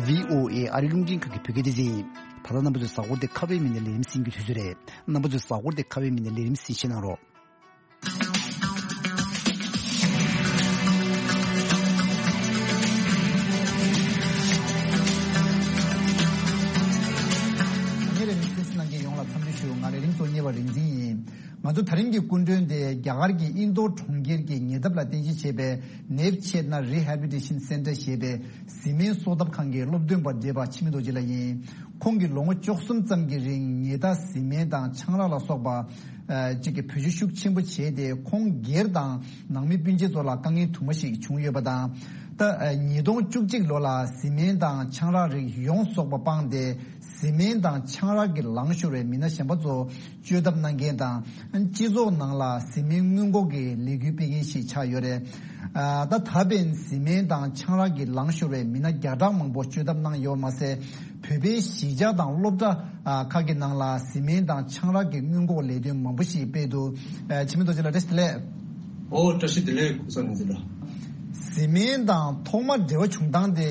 བྷི་ཨོ་ཨེ་ཨ་རིའི་རླུང་འཕྲིན་ཁང་གི་བོད་སྐད་སྡེ་ཚན་ཡིན། ད་ལྟ་རྣམ་པ་ཚོས་གཟའ་འཁོར་འདི་ཁ་པའི་མི་སྣའི་ལས་རིམ་གསན་རྒྱུའི་དུས་ཚོད་རེད། རྣམ་པ་ཚོས་གཟའ་འཁོར་འདི་ཁ་པའི་མི་སྣའི་ལས་རིམ་གསན་བཞེས་གནང་རོགས། ཉེ་རེ་རིང་གསན་གཟིགས་གནང་མཁན་ཡོངས་ལ་འཚམས་འདྲི་ཞུ། ང་རེ་རིང་གཙོ་གཉེར་བ་རིག་འཛིན་ཡིན། ང་ཚོ་ད་རིང་གི་སྐུ་མགྲོན་དེ་རྒྱ་གར་གྱི་ཨིན་རྡོར་གྲོང་ཁྱེར་གྱི་ཉེ་འདབས་ལ་རྟེན་གཞི་བྱས་པའི་Nev Chetna Rehabilitation Center ཞེས་པའི་བཟི་སྨན་གསོ་ཐབ་ཁང་གི་སློབ་སྟོན་པ་བགྲེས་པ་འཆི་མེད་རྡོ་རྗེ་ལགས་ཡིན། ཁོང་གིས་ལོ་ངོ་བཅུ་གསུམ་ཙམ་གྱི་རིང་ཉེས་རྡུང་བཟི་སྨན་དང་ཆང་རག་ལ་སོགས་པ་ཨ་ཅིག་གི་བེད་སྤྱོད་ཤུགས་ཆེན་པོ་བྱས་ཏེ། ཁོང་སྒེར་དང་ནང་མི་སྤུན་མཆེད་ཚོ་ལ་དཀའ་ངལ་དུ་མ་ཞིག་བྱུང་ཡོད་པ་དང་། ད་ཨ་ཉིས་སྟོང་བཅུ་གཅིག་ལོ་ལ་བཟི་སྨན་དང་ཆང་རག་རིགས་ཡོངས་རྫོགས་པ་སྤངས་ཏེ། བཟི་སྨན་དང་ཆང་རག་གི་ལངས་ཤོར་བའི་མི་སྣ་གཞན་པ་ཚོ་བཅོས་ཐབས་གནང་མཁན་དང་། སྤྱི་ཚོགས་ནང་ལ་བཟི་སྨན་སྔོན་འགོག་གི་ལས་འགུལ་སྤེལ་མཁན་ཞིག་ཆགས་ཡོད་རེད། ཨ་ད་ད་ཕན་བཟི་སྨན་དང་ཆང་རག་གི་ལངས་ཤོར་བའི་མི་སྣ་བརྒྱ་ཕྲག་མང་པོ་བཅོས་ཐབས་གནང་ཡོད་མ་ཟད། བོད་པའི་གཞིས་ཆགས་དང་སློབ་གྲྭ་ ཨ། ཁག་གི་ནང་ལ་བཟི་སྨན་དང་ཆང་རག་གི་སྔོན་འགོག་ལས་དོན་མང་པོ་ཞིག་སྤེལ་འདུག་ཨ། འཆི་མེད་རྡོ་རྗེ་ལགས་བཀྲ་ཤིས་བདེ་ལེགས། ཨོ། བཀྲ་ཤིས་བདེ་ལེགས། ཀུན་བཟང་ནོར་འཛིན་ལགས། བཟི་སྨན་དང་ཐོག་མར་འབྲེལ་བ་བྱུང་སྟངས་དེ་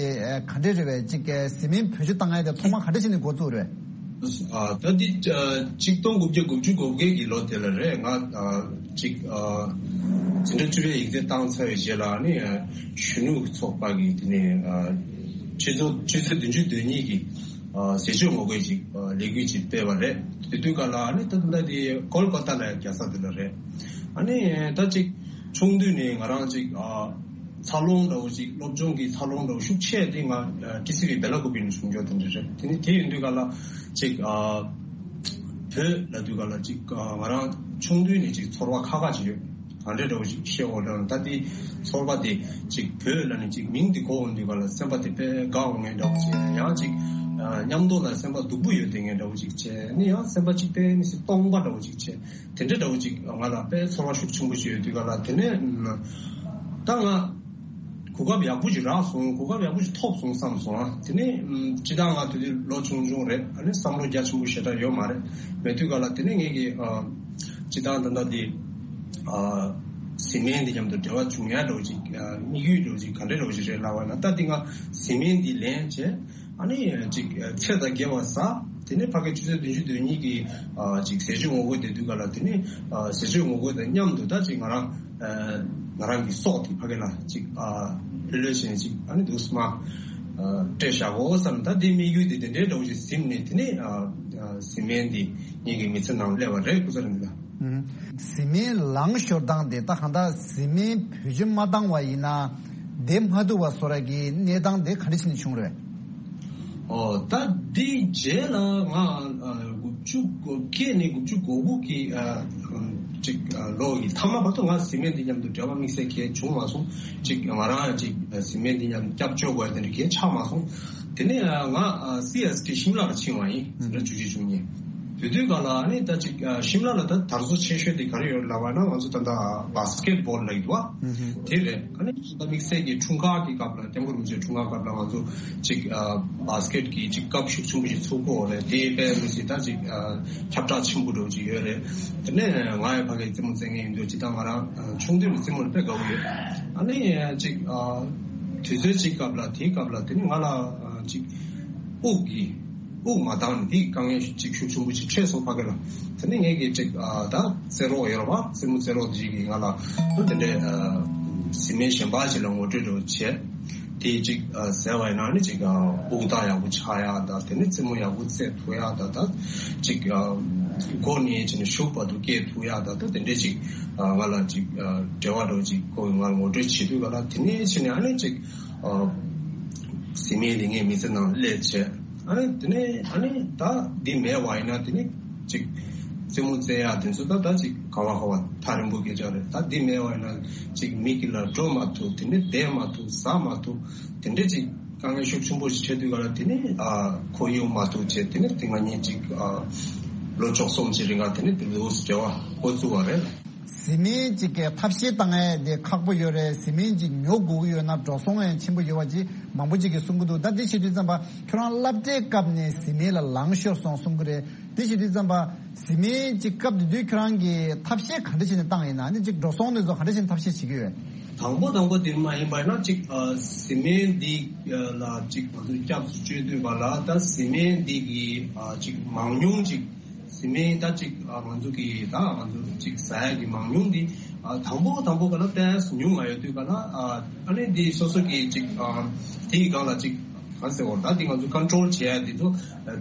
ག་འདྲས་རེད་པས། ཅིག་བཟི་སྨན་བེད་སྤྱོད་བཏང་ཡ་དེ་ཐོག་མར་ག་འདྲས་བྱས་ནས་འགོ་བཙུགས་རེད། ཨ། ད་འདི་ཨ། ཆིག་སྟོང་དགུ་བརྒྱ་དགུ་བཅུ་གོ་བརྒྱད་ཀྱི་ལོ་དེ་ལ་རེད། ང་ཨ། ཅིག་ཨ། འཛིན་གྲྭ་བཅུ་པའི་ཡིག་ཚད་བཏང་ཚར་བའི་རྗེས་ལ་ནི་ཨ། གཞོན་ནུ་ཚོགས་པ་གི་དེ་ནས་ཨ། ཆུ་ཚོད་ཆུ་ཚོད་བདུན་ཅུ་དོན་གཉིས་ཀྱི་ཨ། ཟས་སྤྱོད་ངོ་རྒོལ་ཅིག་ཨ། ལས་འགུལ་ཅིག་སྤེལ་བ་རེད། དེ་དུས་སྐབས་ལ་ཨ་ནི་ད་ལྟ་དེ་ཀོལ་ཀ་ཏ་ལ་རྒྱག་ས་དེ་ལ་རེད། ཨ་ནི་ད་ཅིག་ཆུང་དུས་ནས་ང་རང་ཅིག་ཨ། འཚར་ལོངས་འདྲ་བོ་ཅིག་སློབ་སྦྱོང་གི་འཚར་ལོངས་འདྲ་བོ་ཤུགས་ཆེ་དེ་ང་ཨ། ཏི་སི་ཝི་སྦེ་ལ་ཀུ་པེ་ནས་བྱུང་འགྱོ་དེ་འདྲ་རེད། དེ་ནི་དེ་ཡིན་དུས་སྐབས་ལ་ཅིག་ཨ། བོད་ལ་དུས་སྐབས་ལ་ཅིག་ཨ། ང་རང་ཆུང་དུས་ནས་ཅིག་ཚོར་བ་ཁག་ཁག་ཅིག་ཡོད། གང་འདྲ་འདྲ་བོ་ཞིག་བཤད་འོ་འདྲ། ད་དེ་ཚོར་བ་དེ་ཅིག་བོད་ལ་ནི་ཅིག་མིང་དེ་གོ་འོང་དུས་སྐབས་ལ་སེམས་པ་དེ་དཔེ་དགའ་འོང་ངེས་འདྲ་བོ་ཅིག། ཡང་ཅིག་ཨ། མཉམ་དུ་ལ་སེམས་པ་སྡུག་པོ་ཡོད་དེ་ངེས་འདྲ་བོ་ཅིག་བྱས། ནི་ཡང་སེམས་པ་ཅིག་དཔེ་མི་སྲིད་སྟོང་པ་འདྲ་བོ་ཅིག་བྱས། དེ་འདྲ་འདྲ་བོ་ཅིག་ང་ལ་དཔེ་ཚོར་བ་ཤུགས་ཆེན་པོ་ཞིག་ཡོད་དུས་སྐབས་ལ། དེ་ནས་ད་ང་གོ་སྐབས་ཡག་པོ་ཞིག་རག་སོང་། གོ་སྐབས་ཡག་པོ་ཞིག་ཐོབ་སོང་བསམ་སོང་། ཨ། དེ་ནས་ཨམ། སྤྱིར་བཏང་ང་དེ་དུས་ལོ་ཆུང་ཆུང་རེད། ཨ་ནི་བསམ་བློ་རྒྱ་ཆེན་པོ་ཞེ་དྲག་ཡོད་མ་རེད། མེད་དུས་སྐབས་ལ་དེ་ནས་ངེད་ཀྱི་ཨ། སྤྱིར་བཏང་ད་ལྟ་དེ་ཨ། བཟི་སྨན་དེ་མཉམ་དུ་འབྲེལ་བ་བྱུང་ཡ་འདྲ་བོ་ཅིག་ཨ། དམིགས་ཡུལ་འདྲ་བོ་ཅིག་ག་འདྲ་འདྲ་བོ་ཞིག་རེད་ལབ་པ་ན། ད་དེ་ང་བཟི་སྨན་འདི་ལེན་བྱས། ཨ་ནི་ཅིག་ཚེ་དང་འགལ་བ་ཟ། དེ་ནས་ཕ་གི་ཆུ་ཚོད་བདུན་ཅུ་དོན་གཉིས་ཀྱི་ཨ། ཅིག་ཟས་སྤྱོད་ངོ་རྒོལ་དེ་དུས་སྐབས་ལ། དེ་ནས་ཨ། ཟས་སྤྱོད་ངོ་རྒོལ་དང་མཉམ་དུ་ད་ཅིག་ང་རང་ཨ། ང་རང་གི་སྲོག་དེ་ཕ་གི་ལ་ཅིག་ཨ། ལྷོད་ལྷོད་བྱས་ཅིག་ཨ་ནི་འདུག་སེ་མར་ཨ། སྤྲད་བཞག་གོ་བསམ། ད་དེ་དམིགས་ཡུལ་དེ་དེ་འདྲའི་འདྲ་བོ་ཞིག་ཟིན་ནས། དེ་ནས་ཨ། ཨ། བཟི་སྨན་དེ་ངེད་ཀྱི་མི་ཚེ་ནང་སླེབས་པ་རེད། ཀུན་བཟང་ནོར་འཛིན་ལགས། ཨུམ། བཟི་སྨན་ལངས་ཤོར་སྟངས་དེ། ད་གང་ལྟར་བཟི་སྨན་བེད་སྤྱོད་མ་བཏང་བ་ཡིན་ན་བསྡད་མ་ཐུབ་པ་བཟོ་འདྲ་གི་གནས་སྟངས་དེ་ག་འདྲ་བྱས་ནས་བྱུང་རེད། ཨོ། ད་འདི་རྗེས་ལ་ང་ཨ། དགུ་བཅུ་གོ་བརྒྱད་ནས་དགུ་བཅུ་གོ་དགུ་གི་ཨ། ཅིག་ཨ། ལོ་ཡི་མཐའ་མ་བར་དུ་ང་བཟི་སྨན་འདི་མཉམ་དུ་འབྲེལ་བ་དམིགས་བསལ་གང་ཡང་བྱུང་མ་སོང་། ཅིག་ང་རང་ཅིག་བཟི་སྨན་འདི་མཉམ་སྐྱབས་བཅོལ་དགོས་དེ་འདྲ་གང་ཡང་ཆགས་མ་སོང་། དེ་ནས་ཨ། ང་ཨ། སི་ཨེས་ཊི་ཤིམ་ལ་ལ་ཕྱིན་པ་ཡིན། ཟེར་ན་བཅུ་གཅིག་བཅུ་གཉིས། དེ་དུས་སྐབས་ལ་ཨ་ནི་ད་ཅིག་ཨ། ཤིམ་ལ་ལ་ད་དར་སོ་ཆེ་ཤོས་དེ་ག་རེ་ཡོད་ལབ་པ་ན། ང་ཚོ་ད་ལྟ་བྷ་སི་ཀེ་ཊི་བྷོལ་ལབ་ཀྱི་འདུག་བ། ཨུ་ཧུ། དེ་རེད། ཨ་ནི་ད་དམིགས་བསལ་གྱི་འཁྲུངས་སྐར་གྱི་སྐབས་ལ། སྐྱབས་མགོན་རིན་པོ་ཆེའི་འཁྲུངས་སྐར་སྐབས་ལ་ང་ཚོ་ཅིག་ཨ། བྷ་སི་ཀེ་ཊི་གི་ཅིག་ཀབ་ཤུགས་ཆེན་པོ་ཞིག་ཚུགས་ཀྱི་ཡོད་རེད། དེ་དཔེ་མི་སྲིད་ད་ཅིག་ཨ། ཁྱབ་བསྒྲགས་ཆེན་པོ་འདྲ་བོ་ཅིག་ཡོད་རེད། དེ་ནས་ང་ཡང་ཕ་གིར་རྩེད་མོ་རྩེ་མཁན་ཡིན་དུས། སྤྱིར་བཏང་ང་རང་ཨ། ཆུང་དུས་ནས་རྩེད་མོ་ལ་དཔེ་དགའ་པོ་ཡོད། ཨ་ནི་ཅིག་ཨ། དུས་ཚོད་ཅིག་སྐབས་ལ། དེའི་སྐབས་ལ་དེ་ནི་ང་ལ་ཨ། ཅིག་དབུགས་ཀྱི་དབུགས་མ་འདང་ནས་དེའི་དཀའ་ངལ་ཅིག་ཤུགས་ཆེན་པོ་ཅིག་འཕྲད་སོང་ཕ་གི་ལ། དེ་ནས་ངེད་ཀྱིས་ཅིག་ཨ། ད་རྩེད་རོགས་ཡོད་རེད་བ། རྩེད་མོ་རྩེད་རོགས་དེ་ཅིག་གིས་ང་ལ་དེ་འདྲའི་ཨ། བཟི་སྨན་གཞན་པ་ཅིག་ལ་ངོ་སྤྲོད་འདྲ་བོ་བྱས། དེ་ཅིག་ཨ། བཟས་པ་ཡིན་ན་ནི་ཅིག་ཨ། དབུགས་ཐག་ཡག་པོ་ཆགས་ཡག་དང་། དེ་ནས་རྩེད་མོ་ཡག་པོ་རྩེ་ཐུབ་ཡག་དང་། ད་ཅིག་ཨ། མགོ་ནས་བྱས་ནས་གཞུག་བར་དུ་སྐྱེལ་ཐུབ་ཡག་དང་། ད་དེ་འདྲའི་ཅིག་ཨ། ང་ལ་ཅིག་ཨ། འབྲེལ་བ་འདྲ་བོ་ཅིག་ཁོ་གིས་ང་ལ་ངོ་སྤྲོད་བྱེད་དུས་སྐབས་ལ། དེ་ནས་བྱས་ནས་ཨ་ནི་ཅིག་ཨ། བཟི་སྨན་དེ་ངའི་མི་ཚེ་ནང་སླེབས་བྱས། ཨ་ནི་དེ་ནས་ཨ་ནི་ད་འདི་མེད་པ་ཡིན་ན་དེ་ནས་ཅིག་རྩེད་མོ་རྩེ་ཡག་དེ་ཚོ་ད་ད་ཅིག་ག་བ་ག་བ་ཐག་རིང་པོ་སྐད་ཆ་རེད། ད་འདི་མེད་པ་ཡིན་ན་ཅིག་མི་དཀྱིལ་ལ་འགྲོ་མ་ཐུབ། དེ་ནས་བསྡད་མ་ཐུབ། ཟ་མ་ཐུབ། དེ་འདྲ་ཅིག་དཀའ་ངལ་ཤུགས་ཆེན་པོ་ཞིག་འཕྲད་དུས་སྐབས་ལ། དེ་ནས་ཨ། ཁོར་ཡུག་མ་ཐུབ་བྱས། དེ་ནས་དེ་ང་གཉིས་ཅིག་ཨ། ལོ་བཅུ་གསུམ་ཅིག་རིང་ག་དེ་ནས་དེ་འདྲ་འབྲེལ་བ་འགོ་བཙུགས་པ་རེད། བཟི་སྨན་ཅིག་གི་ཐབས་ཤེས་བཏང་ཡས་དེ་ཁག་པོ་ཡོད་རེད། བཟི་སྨན་ཅིག་ཉོ་དགོས་ཀྱི་ཡོད་ན་འགྲོ་སོང་ཡང་ཆེན་པོ་ཡོད་པ་ཅིག་མང་པོ་ཅིག་གིས་གསུང་གི་འདུག་ད་དེ་བྱེད་དུས་ཙམ་པ་ཁྱོད་རང་སློབ་གྲྭའི་སྐབས་ནས་བཟི་སྨན་ལ་ལངས་ཤོར་སོང་གསུང་གི་རེད། དེ་བྱེད་དུས་ཙམ་པ་བཟི་སྨན་ཅིག་སྐབས་དེ་དུས་ཁྱོད་རང་གིས་ཐབས་ཤེས་ག་འདྲ་བྱས་ནས་བཏང་ཡིན་ན། ཨ་ནི་ཅིག་འགྲོ་སོང་དེ་ཚོ་ག་འདྲ་བྱས་ནས་ཐབས་ཤེས་བྱེད་ཀྱི་ཡོད། དང་པོ་དང་པོ་དེ་མ་ཡིན་པ་ཡིན་ན་ཅིག་ཨ། བཟི་སྨན་འདི་ལ་ཅིག་ང་ཚོས་སྐྱབས་སུ་བཅོལ་དུས་སྐབས་ལ། ད་བཟི་སྨན་འདི་གི་ཨ། ཅིག་མང་ཉུང་ཅིག་བཟི་སྨན་ད་ཅིག་ཨ། ང་ཚོ་གི་ད་ང་ཚོ་ཅིག་ཟ་ཡག་གི་མང་ཉུང་འདི་ཨ། དང་པོ་དང་པོ་ག་ལ་ཏོག་ཙམ་ཉུང་ང་ཡོད་དུས་ག་ལ། ཨ། ཨ་ནི་འདི་སོ་སོ་གི་ཅིག་ཨ། དེའི་སྒང་ལ་ཅིག་གང་ཟེར་བ། ད་འདི་ང་ཚོ་ཀོན་ཊོལ་བྱེད་ཡག་འདི་ཚོ་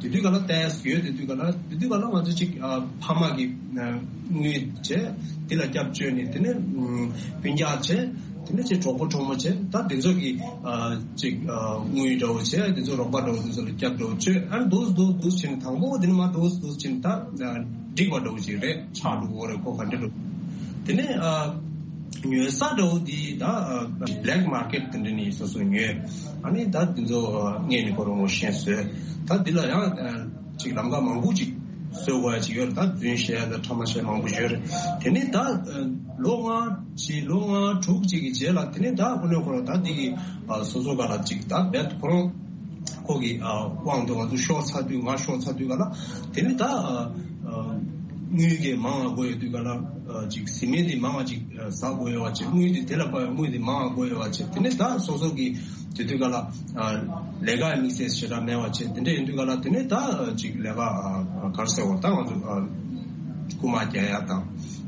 དེ་དུས་ག་ལ་ཏོག་ཙམ་ཡོད། དེ་དུས་ག་ལ། དེ་དུས་ག་ལ་ང་ཚོ་ཅིག་ཨ། ཕ་མ་གི་དངུལ་བྱས། འདི་ལ་སྐྱབས་བཅོལ་ནས། དེ་ནས་སྤུན་ཀྱག་བྱས། དེ་ནས་ཅིག་གྲོགས་པོ་གྲོགས་མོ་བྱས། ད་དེ་ཚོ་གི་ཨ། ཅིག་ཨ། དངུལ་འདྲ་བོ་བྱས། དེ་ཚོ་རོགས་པ་འདྲ་བོ་དེ་ཚོ་ལ་སྐྱབས་འདྲ་བོ་བཅོལ། ཨ་ནི་འདུག་འདུག་འདུག་བྱས་ནས། དང་པོ་དེ་ནས་མར་འདུག་འདུག་བྱས་ནས་ད་འགྲིག་པ་འདྲ་བོ་ཅིག་རེད། ཆགས་འགྲོ་གི་རེད། ཁོ་ག་འདྲ་འགྲོ། དེ་ནས་ཨ། ཉོ་ས་འདྲ་བོ་འདི་ད་ཨ། བྷི་ལེག་མར་ཀེཊ་དེ་འདྲ་ནས་སོ་སོ་ཉོས། ཨ་ནི་ད་དེ་ཚོ་ཨ། སྔོན་ནས་ཁོ་རང་ངོ་ཤེས་བཟོས། ད་འདི་ལ་ཡང་ཨ། ཅིག་ལམ་ཁ་མང་པོ་ཅིག་བཟོ་དགོས་ཡ་ཅིག་ཡོད་རེད། ད་རྫུན་བཤད་ཡ་དང་ཕྲ་མ་བཤད་མང་པོ་ཡོད་རེད། དེ་ནས་ད་ཨ། ལོ་ལྔ་ཅིག་ལོ་ལྔ་དྲུག་ཅིག་གི་རྗེས་ལ། དེ་ནས་ད་དངོས་གནས་ཁོ་རང་ད་འདི་གི་ཨ། སོ་སོ་ག་ལ་ཅིག་ད་རྦད་ཁོ་རང་ ཁོ་གི་ཨ་དབང་དུ་ང་ཚོ་ཤོར་ཚར་དུས། ང་ཤོར་ཚར་དུས་ག་ལ་དེ་ནི་ད་ཨ་ཨ་དངུལ་གྱི་མང་བ་དགོས་ཡོད་དུས་ག་ལ་ཨ་ཅིག་ཟི་མེན་དེ་མང་བ་ཅིག་ཨ་ཟ་དགོས་ཡོད་བ་བྱས། དངུལ་དེ་དེ་ལ་དཔག་པའི་དངུལ་དེ་མང་བ་དགོས་ཡོད་བ་བྱས། དེ་ནི་ད་སོ་སོ་གི་དེ་དུས་ག་ལ་ཨ་ལས་ཀ་དམིགས་བསལ་ཞེ་དྲག་མེད་བ་བྱས། དེ་འདྲ་ཡིན་དུས་ག་ལ་དེ་ནི་ད་ཨ་ཅིག་ལས་ཀ་ཨ་ག་རེ་ཟེར་བ། ད་ང་ཚོ་ཨ་རྐུ་མ་རྒྱག་ཡ་དང་།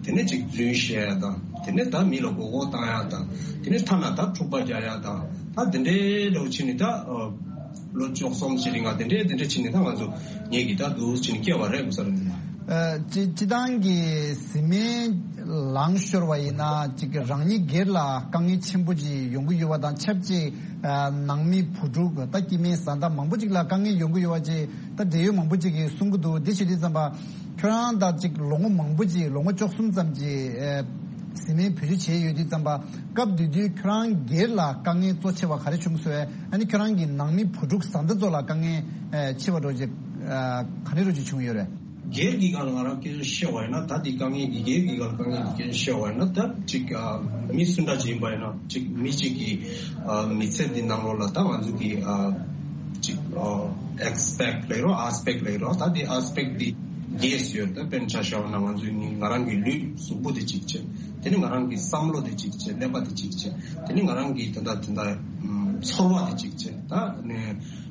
དེ་ནས་ཅིག་རྫུན་བཤད་ཡ་དང་། དེ་ནས་ད་མི་ལ་མགོ་སྐོར་བཏང་ཡ་དང་། དེ་ནས་ཐ་ན་ད་འཁྲུག་པ་རྒྱག་ཡ་དང་། ད་དེ་འདྲའི་འདྲ་བོ་བྱས་ནས་ད་ཨ་ལོ་བཅུ་གསུམ་ཞིག་རིང་ང་དེ་འདྲའི་དེ་འདྲ་བྱས་ནས་ད་ང་ཚོ་ངེད་ཀྱིས་ད་འདུག་བྱས་ནས་སྐྱེལ་བ་རེད། གོ་ས་རེད་འདི་ལ། ཨ་སྤྱི་སྤྱི་བཏང་གི་ཟི་མེན་ལངས་ཤོར་བ་ཡིན་ན། ཅིག་རང་ཉིད་སྒེར་ལ་དཀའ་ངལ་ཆེན་པོ་ཅིག་ཡོང་གི་ཡོད་པ་དང་ཆབས་ཅིག་ཨ་ནང་མི་བུ་ཕྲུག་ད་སྐྱེ་དམན་བཟའ་ཟླ་མང་པོ་ཅིག་ལ་དཀའ་ངལ་ཡོང་གི་ཡོད་པ་ཅིག་ད་འབྲེལ་ཡོད་མང་པོ་ཅིག་གིས་གསུང་གི་འདུག་འདི་བྱེད་དུས་ཙམ་པ། ཁྱོད་རང་ད་ཅིག་ལོ་ངོ་མང་པོ་ཅིག་ལོ་ངོ་བཅུ་གསུམ་ཙམ་ཅིག་ཨེ་ཟི་མེན་བེད་སྤྱོད་བྱས་ཡོད་དུས་ཙམ་པ། སྐབས་དེ་དུས་ཁྱོད་རང་སྒེར་ལ་དཀའ་ངལ་གཙོ་ཆེ་བ་ག་རེ་བྱུང་སོང་། ཨ་ནི་ཁྱོད་རང་གི་ནང་མི་བུ་ཕྲུག་བཟའ་ཟླ་ཚོ་ལ་དཀའ་ངལ་ཨེ་ཆེ་བ་འདྲ་ཅིག་ཨ་ག་རེ་འདྲ་ཅིག་བྱུང་ཡོད་རེད། སྒེར་གྱི་སྒང་ལ་ང་རང་སྐད་ཆ་བཤད་པ་ཡིན་ན། ད་འདི་དཀའ་ངལ་འདི་སྒེར་གྱི་སྒང་ལ་དཀའ་ངལ་འདི་སྐད་ཆ་བཤད་པ་ཡིན་ན། ད་ཅིག་ཨ་མི་སུ་འདྲ་ཅིག་ཡིན་པ་ཡིན་ན། ཅིག་མི་གཅིག་གི་ཨ་མི་ཚེ་འདི་ནང་ལོགས་ལ་ད་ང་ཚོ་གི་ཨ་ཅིག་ཨ་ཨེ་སི་པེག་ལབ་རོགས། ཨེ་སི་པེག་ལབ་རོགས། ད་འདི་ཨེ་སི་པེག་འདི་རྒྱས་ཡོད། ད་དཔེར་ན་ཆ་བཞག་པ་ན་ང་ཚོའི་ནི་ང་རང་གི་ལུས་གཟུགས་པོ་དེ་གཅིག་བྱས། དེ་ནི་ང་རང་གི་བསམ་བློ་དེ་གཅིག་བྱས། ཀླད་པ་དེ་གཅིག་བྱས། དེ་ནི་ང་རང་གི་ད་ལྟ་ད་ལྟ་ཨམ་ཚོར་བ་དེ་གཅིག་བྱས། ད་ནི་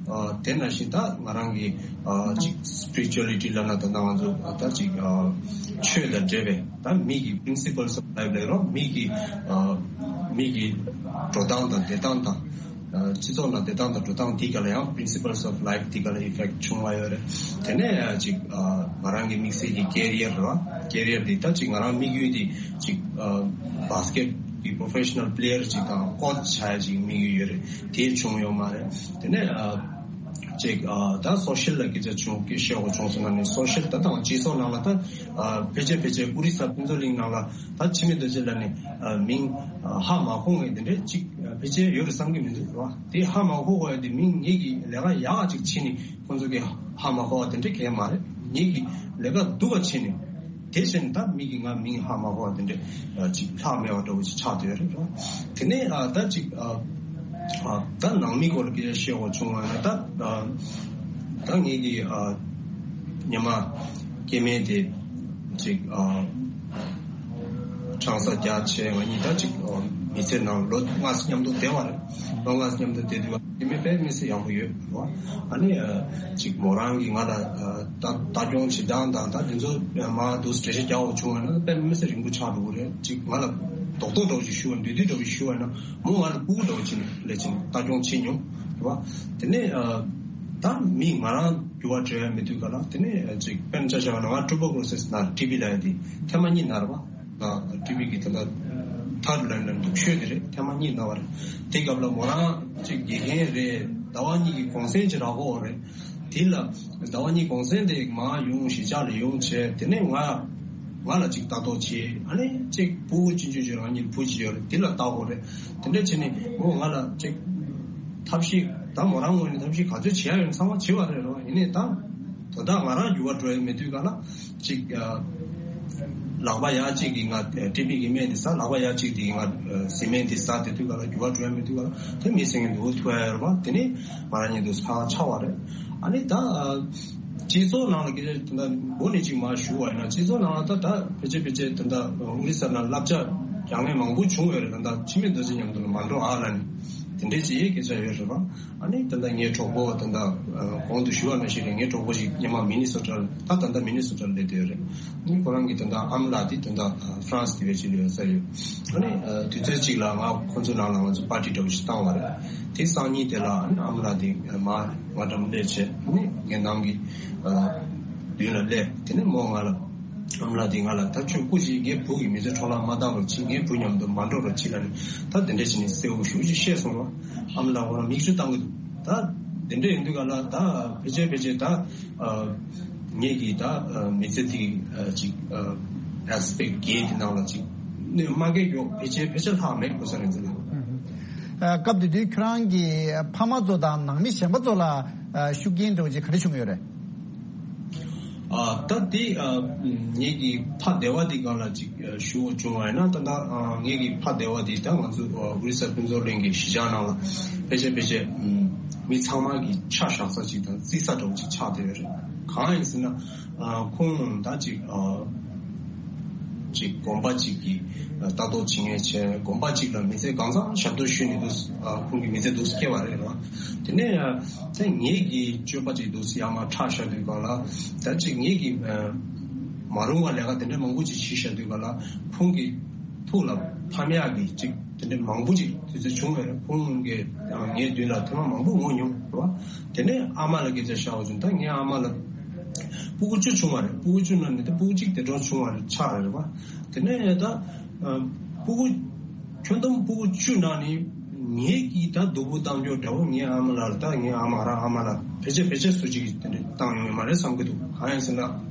ཨ་དེ་ནང་བཞིན་ད་ང་རང་གི་ཨ་ཅིག་སི་པི་རི་ཅུ་ཨ་ལི་ཊི་ལབ་ན། ད་ལྟ་ང་ཚོ་ད་ཅིག་ཨ་ཆོས་དང་འབྲེལ་བའི་ད་མི་གི་པི་རིན་སི་པལ་སི་ཨོཕ་ལའིཕ་ལབ་རོགས། མི་གི་ཨ་མི་གི་འགྲོ་སྟངས་དང་བསྡད་སྟངས་དང་། ཨ་སྤྱི་ཚོགས་ནང་བསྡད་སྟངས་དང་འགྲོ་སྟངས་འདི་ག་ལ་ཡང་པི་རིན་སི་པལ་སི་ཨོཕ་ལའིཕ་འདི་ག་ལ་ཨི་ཕེག་ཊི་བྱུང་བ་ཡོད་རེད། དེ་ནས་ཨ་ཅིག་ཨ་ང་རང་གི་དམིགས་བསལ་གྱི་ཀེ་རི་ཡར་རེད་བ། ཀེ་རི་ཡར་འདི་ད་ཅིག་ང་རང་དམིགས་ཡུལ་འདི་ཅིག་ཨ་བྷ་སི་ཀེ་ཊི་གི་པོ་རོ་ཕེ་ཤི་ནལ་པི་ལེ་ཡར་ཅིག་དང་ཀོ་ཆི་བྱ་ཡ་ཅིག་དམིགས་ཡུལ་ཡོད་རེད། དེ་བྱུང་ཡོད་མ་རེད། དེ་ནས་ཨ་ཅིག་ཨ་ད་སོ་ཤལ་ལ་སྐད་ཆ་བྱུང་། སྐད་བཤད་དགོས་བྱུང་སོང་ན་ནི། སོ་ཤལ་ད་དང་སྤྱི་ཚོགས་ནང་ལ་ད་ཨ་ཕལ་ཆེར་ཕལ་ཆེར་ཨོ་རི་ས་ཕུན་ཚོགས་གླིང་ནང་ལ་ད་འཆི་མེད་རྡོ་རྗེ་ལབ་ནས་ཨ་མིང་ཨ་ཧ་མ་གོ་མཁན་དེ་འདྲས་ཅིག་ཨ་ཕལ་ཆེར་ཡོད་རེད་བསམ་གྱི་མི་འདུག་ར། དེ་ཧ་མ་གོ་དགོས་ཡ་དེ་མིང་ངེད་ཀྱི་ལས་ཀ་ཡག་ཅིག་བྱས་ནས་ཁོང་ཚོ་གི་ཧ་མ་གོ་བ་དེ་འདྲས་གང་ཡང་མ་རེད། ངེད་ཀྱི་ལས་ཀ་སྡུག་པ་བྱས་ནས། དེ་བཞིན་ད་མི་གིས་ང་མིང་ཧ་མ་གོ་བ་དེ་འདྲས་ཅིག་ལྷག་མེད་པ་འདྲ་བོ་ཅིག་ཆགས་བསྡད་ཡོད་རེད། དེ་ནས་ཨ་ད་ཅིག་ཨ་ཨ་ད་ནང་མི་སྐོར་ལ་སྐད་ཆ་བཤད་དགོས་བྱུང་བ་ན། ད་ཨ་ད་ངེད་ཀྱི་ཨ་ཉི་མ་སྐྱེ་དམན་དེ་ཅིག་ཨ་ཆང་ས་རྒྱག་བྱས། ང་གཉིས་ད་ཅིག་ཨ་མི་ཚེ་ནང་ལོ་ལྔ་ཙམ་མཉམ་དུ་བསྡད་པ་རེད། ལོ་ལྔ་ཙམ་མཉམ་དུ་བསྡད་དུས། དེ་མིན་དཔེ་མི་སྲིད་ཡག་པོ་ཡོད་རེད་བ། ཨ་ནི་ཨ་ཅིག་མོ་རང་གིས་ང་ལ་ཨ་ལྟ་ལྟ་སྐྱོང་བྱེད་སྟངས་དང་། ད་དེ་ཚོ་མར་འདུག་འགྲེལ་བཤད་རྒྱག་དགོས་བྱུང་བ་ན་དཔེ་མི་སྲིད་རིང་པོ་ཆགས་འགྲོ་གི་རེད། ཅིག་ང་ལ་རྡོག་རྡོག་འདྲ་བོ་ཞིག་ཞུ་བ། འདུས་འདུས་འདྲ་བོ་ཞིག་ཞུ་བ་ན་མོ་ང་ལ་ཕྲུ་གུ་འདྲ་བོ་བྱས་ནས་ལས་བྱེད་ལྟ་སྐྱོང་བྱེད་མྱོང་རེད་བ། དེ་ནས་ཨ་ད་མི་ང་རང་འགྱུར་བ་འགྲོ་ཡ་མེད་དུས་ག་ལ། དེ་ནས་ཅིག་དཔེར་ན་ཆ་བཞག་ན་ང་ཊུ་བར་ཀུ་ལོ་སིས་ན་ཊི་བི་ལབ་ཡ་དེ་ཐེངས་མ་གཉིས་ན་རེད་བ། ང་ཊི་བི་གི་ད་ལྟ་ཐར་ཌ་ལའིན་ལ་འདུག་ཤོས་དེ་རེད། ཐེངས་མ་གཉིས་ན་བ་རེད། དེ་སྐབས་ལ་མོ་རང་ཅིག་དགེ་རྒན་རེད། ཟླ་བ་གཉིས་ཀྱི་གུང་སེང་ཅིག་རག་གི་ཡོད་རེད། དེ་ལ་ཟླ་བ་གཉིས་གུང་སེང་དེ་མར་ཡོང་། གཞིས་ཆགས་ལ་ཡོང་བྱས། དེ་ནས་ང་ང་ལ་ཅིག་ལྟ་རྟོག་བྱེད། ཨ་ནི་ཅིག་ཕྲུ་གུ་ཆུང་ཆུང་ཅིག་རང་ཉིད་བུ་གཅིག་ཡོད་རེད། དེ་ལ་ལྟ་དགོས་རེད། དེ་འདྲ་བྱས་ནས་མོ་ང་ལ་ཅིག་ཐབས་ཤེས། ད་མོ་རང་ངོས་ནས་ཐབས་ཤེས་ག་ཚོད་བྱེད་ཡ་ཡོད་ཚང་མ་བྱས་པ་རེད་རོ། ཡིན་ནའི་ད་དོ་བདག་ང་རང་འགྱུར་བ་འགྲོ་ཡ་མེད་དུས་ག་ལ། ཅིག་ཨ་ལག་པ་ཡ་གཅིག་གིས་ང་ཊི་བི་གི་སྨན་དེ་ཟ། ལག་པ་ཡ་གཅིག་དེ་གིས་ང་ཨ་ཟི་མེན་དེ་ཟ། དེ་དུས་ག་ལ་འགྱུར་བ་འགྲོ་ཡ་མེད་དུས་ག་ལ། དེ་མི་སེང་གི་འདུག་ཐུག་ཡ་ཡོད་རེད་པ། དེ་ནས་ང་རང་ཉིད་དུ་ཁ་ཆག་པ་རེད། ཨ་ནི་ད་ཨ་སྤྱི་ཚོགས་ནང་ལ་སྐད་ཆ་དེ་འདྲ་མགོ་ནས་ཅིག་མར་ཞུ་བ་ཡིན་ན། སྤྱི་ཚོགས་ནང་ལ་ད་ད་ཕལ་ཆེར་ཕལ་ཆེར་དེ་འདྲ་ཨོ་རི་ས་ནང་བསླབ་བྱ་རྒྱག་མཁན་མང་པོ་བྱུང་ཡོད་རེད། ད་ད་འཆི་མེད་རྡོ་རྗེ་མཉམ་དུ་ལ་མ་འགྲོ་ཨ་ལབ་ནས་དེ་འདྲའི་ཅིག་སྐད་ཆ་ཡོད་རེད་པ། ཨ་ནི་ད་ལྟ་ངའི་གྲོགས་པོ་ད་ལྟ་གོང་དུ་ཞུ་བ་ནང་བཞིན་རེད། ངའི་གྲོགས་པོ་ཞིག་སྔོན་མ་མི་ནི་སོ་ཊ་ལ། ད་ད་ལྟ་མི་ནི་སོ་ཊ་ལ་སླེབས་བསྡད་ཡོད་རེད། ཨ་ནི་ཁོ་རང་གི་ད་ལྟ་ཨ་མ་ལགས་དེ་ད་ལྟ་ཧྥ་རན་སི་དེ་བས་ཅིག་ལ་ཡོད་ས་ཡོད། ཨ་ནི་དུས་ཚོད་ཅིག་ལ་ང་ཁོ་ཚོ་ནང་ལ་ང་ཚོ་པར་ཊི་འདྲ་བོ་ཞིག་བཏང་བ་རེད། དེ་སང་ཉིན་དེ་ལ་ཨ་ནི་ཨ་མ་ལགས་དེ་མར་ང་འདྲ་མོ་སླེབས་བྱས། ཨ་ནི་ངའི་ནང་གི་མདུན་ལ་སླེབས། དེ་ནས་མོ་ང་ལ། ཨ་མ་ལགས་དེས་ང་ལ། ད་ཁྱོད་སྐུ་མཁྱེན། ངའི་བུ་གི་མི་ཚེ་འཕྲོ་བརླག་མ་བཏང་རོགས་གྱིས། ངའི་བུ་མཉམ་དུ་མ་འགྲོགས་རོགས་གྱིས་ལབ་ནས། ད་དེ་འདྲ་བྱས་ནས་གསལ་པོ་ཞེ་པོ་ཅིག་བཤད་སོང་རོགས། ཨ་མ་ལགས་ཁོ་རང་མིག་ཆུ་བཏང་གི་འདུག། ད་དེ་འདྲ་ཡིན་དུས་ག་ལ་ད་ཕལ་ཆེར་ཕལ་ཆེར་ད་ཨ་ངེད་ཀྱི་ད་ཨ་མི་ཚེ་འདི་ཨ་ཅིག་ཨ་ཨེ་སི་པེག་ཊི་བརྒྱད་ཀྱི་ནང་ལ་ཅིག་གནོད་མ་སྐྱེལ་རྒྱུ་ཕལ་ཆེར་ཕལ་ཆེར་ལྷག་མེད་གོ་ས་རེད་འདི་ལ། ཨ་སྐབས་དེ་དུས་ཁྱོད་རང་གི་ཕ་མ་ཚོ་དང་ནང་མི་གཞན་པ་ཚོ་ལ་ཨ་ཤུགས་རྐྱེན་འདྲ་བོ་ཅིག་ག་རེ་བྱུང་ཡོད་རེད། ཨ་ད་དེ་ཨ་ངེད་ཀྱི་ཕ་སྡེ་བ་དེ་སྒང་ལ་ཅིག་ཨ་ཞུ་དགོས་བྱུང་བ་ཡིན་ན། ད་ད་ཨ་ངེད་ཀྱི་ཕ་སྡེ་བ་དེ་ད་ང་ཚོ་ཨ་ཨོ་རི་ས་ཕུན་ཚོགས་གླིང་གི་གཞིས་ཆགས་ནང་ལ་ཕལ་ཆེར་ཕལ་ཆེར་ཨམ་ མི་ཚང་མ་གི་ཆ་བཞག་ས་ཅིག་དང་བརྩི་ས་འདྲ་བོ་ཅིག་ཆགས་བསྡད་ཡོད་རེད། གང་ཡིན་ཟེར་ན། ཨ། ཁོང་ད་ཅིག་ཨ། ཅིག་དགོན་པ་ཅིག་གི་ལྟ་རྟོག་བྱེད་མཁན་བྱས། དགོན་པ་ཅིག་ལ་མི་ཚེ་གང་ཚང་ཞབས་ཏོག་ཞུས་ནས་འདུག་ཨ། ཁོང་གི་མི་ཚེ་འདུག་སྐྱེལ་བ་རེད་ར། དེ་ནས་ཨ། ད་ངེད་ཀྱི་སྤྱོད་པ་ཅིག་འདུག་ཡར་མར་ཁྲག་ཤ་དུས་སྒང་ལ། ད་ཅིག་ངེད་ཀྱི་ཨ། མ་རུང་བ་ལས་ཀ་དེ་འདྲ་མང་པོ་ཅིག་བྱས་བཞག་དུས་སྒང་ལ། ཁོང་གི་ཐུགས་ལ་ཕམ་ཡག་གི་ཅིག་དེ་འདྲ་མང་པོ་ཅིག་དུས་ཚོད་བྱུང་བས། ཁོང་གིས་ངའི་མདུན་ལ་ཐེངས་མ་མང་པོ་ངུ་མྱོང་རེད་བ། དེ་ནས་ཨ་མ་ལ་སྐད་ཆ་བཤད་པ་བྱུང་། ད་ངའི་ཨ་མ་ལ་སྤུ་གུ་བཅུ་བྱུང་བ་རེད། སྤུ་གུ་བཅུ་ནང་ནས་ད་སྤུ་གུ་གཅིག་དེ་འདྲ་བྱུང་བ་རེད། ཆགས་རེད་བ། དེ་ནས་ད་སྤུ་གུ་ཁྱོན་བསྡོམས་སྤུ་གུ་བཅུ་ནང་ནས་ངེད་ཀྱིས་ད་སྡུག་པོ་བཏང་རྒྱུ་འདྲ་བོ། ངའི་ཨ་མ་ལ་ད་ངའི་ཨ་མ་རང་ཨ་མ་ལ་ཕལ་ཆེར་ཕལ་ཆེར་སུ་གཅིག་གིས་དེ་འདྲ་བཏང་ཡོང་ཡོད་མ་རེད་བསམ་གྱི་འདུག་གང་ཡིན་ཟེར་ན།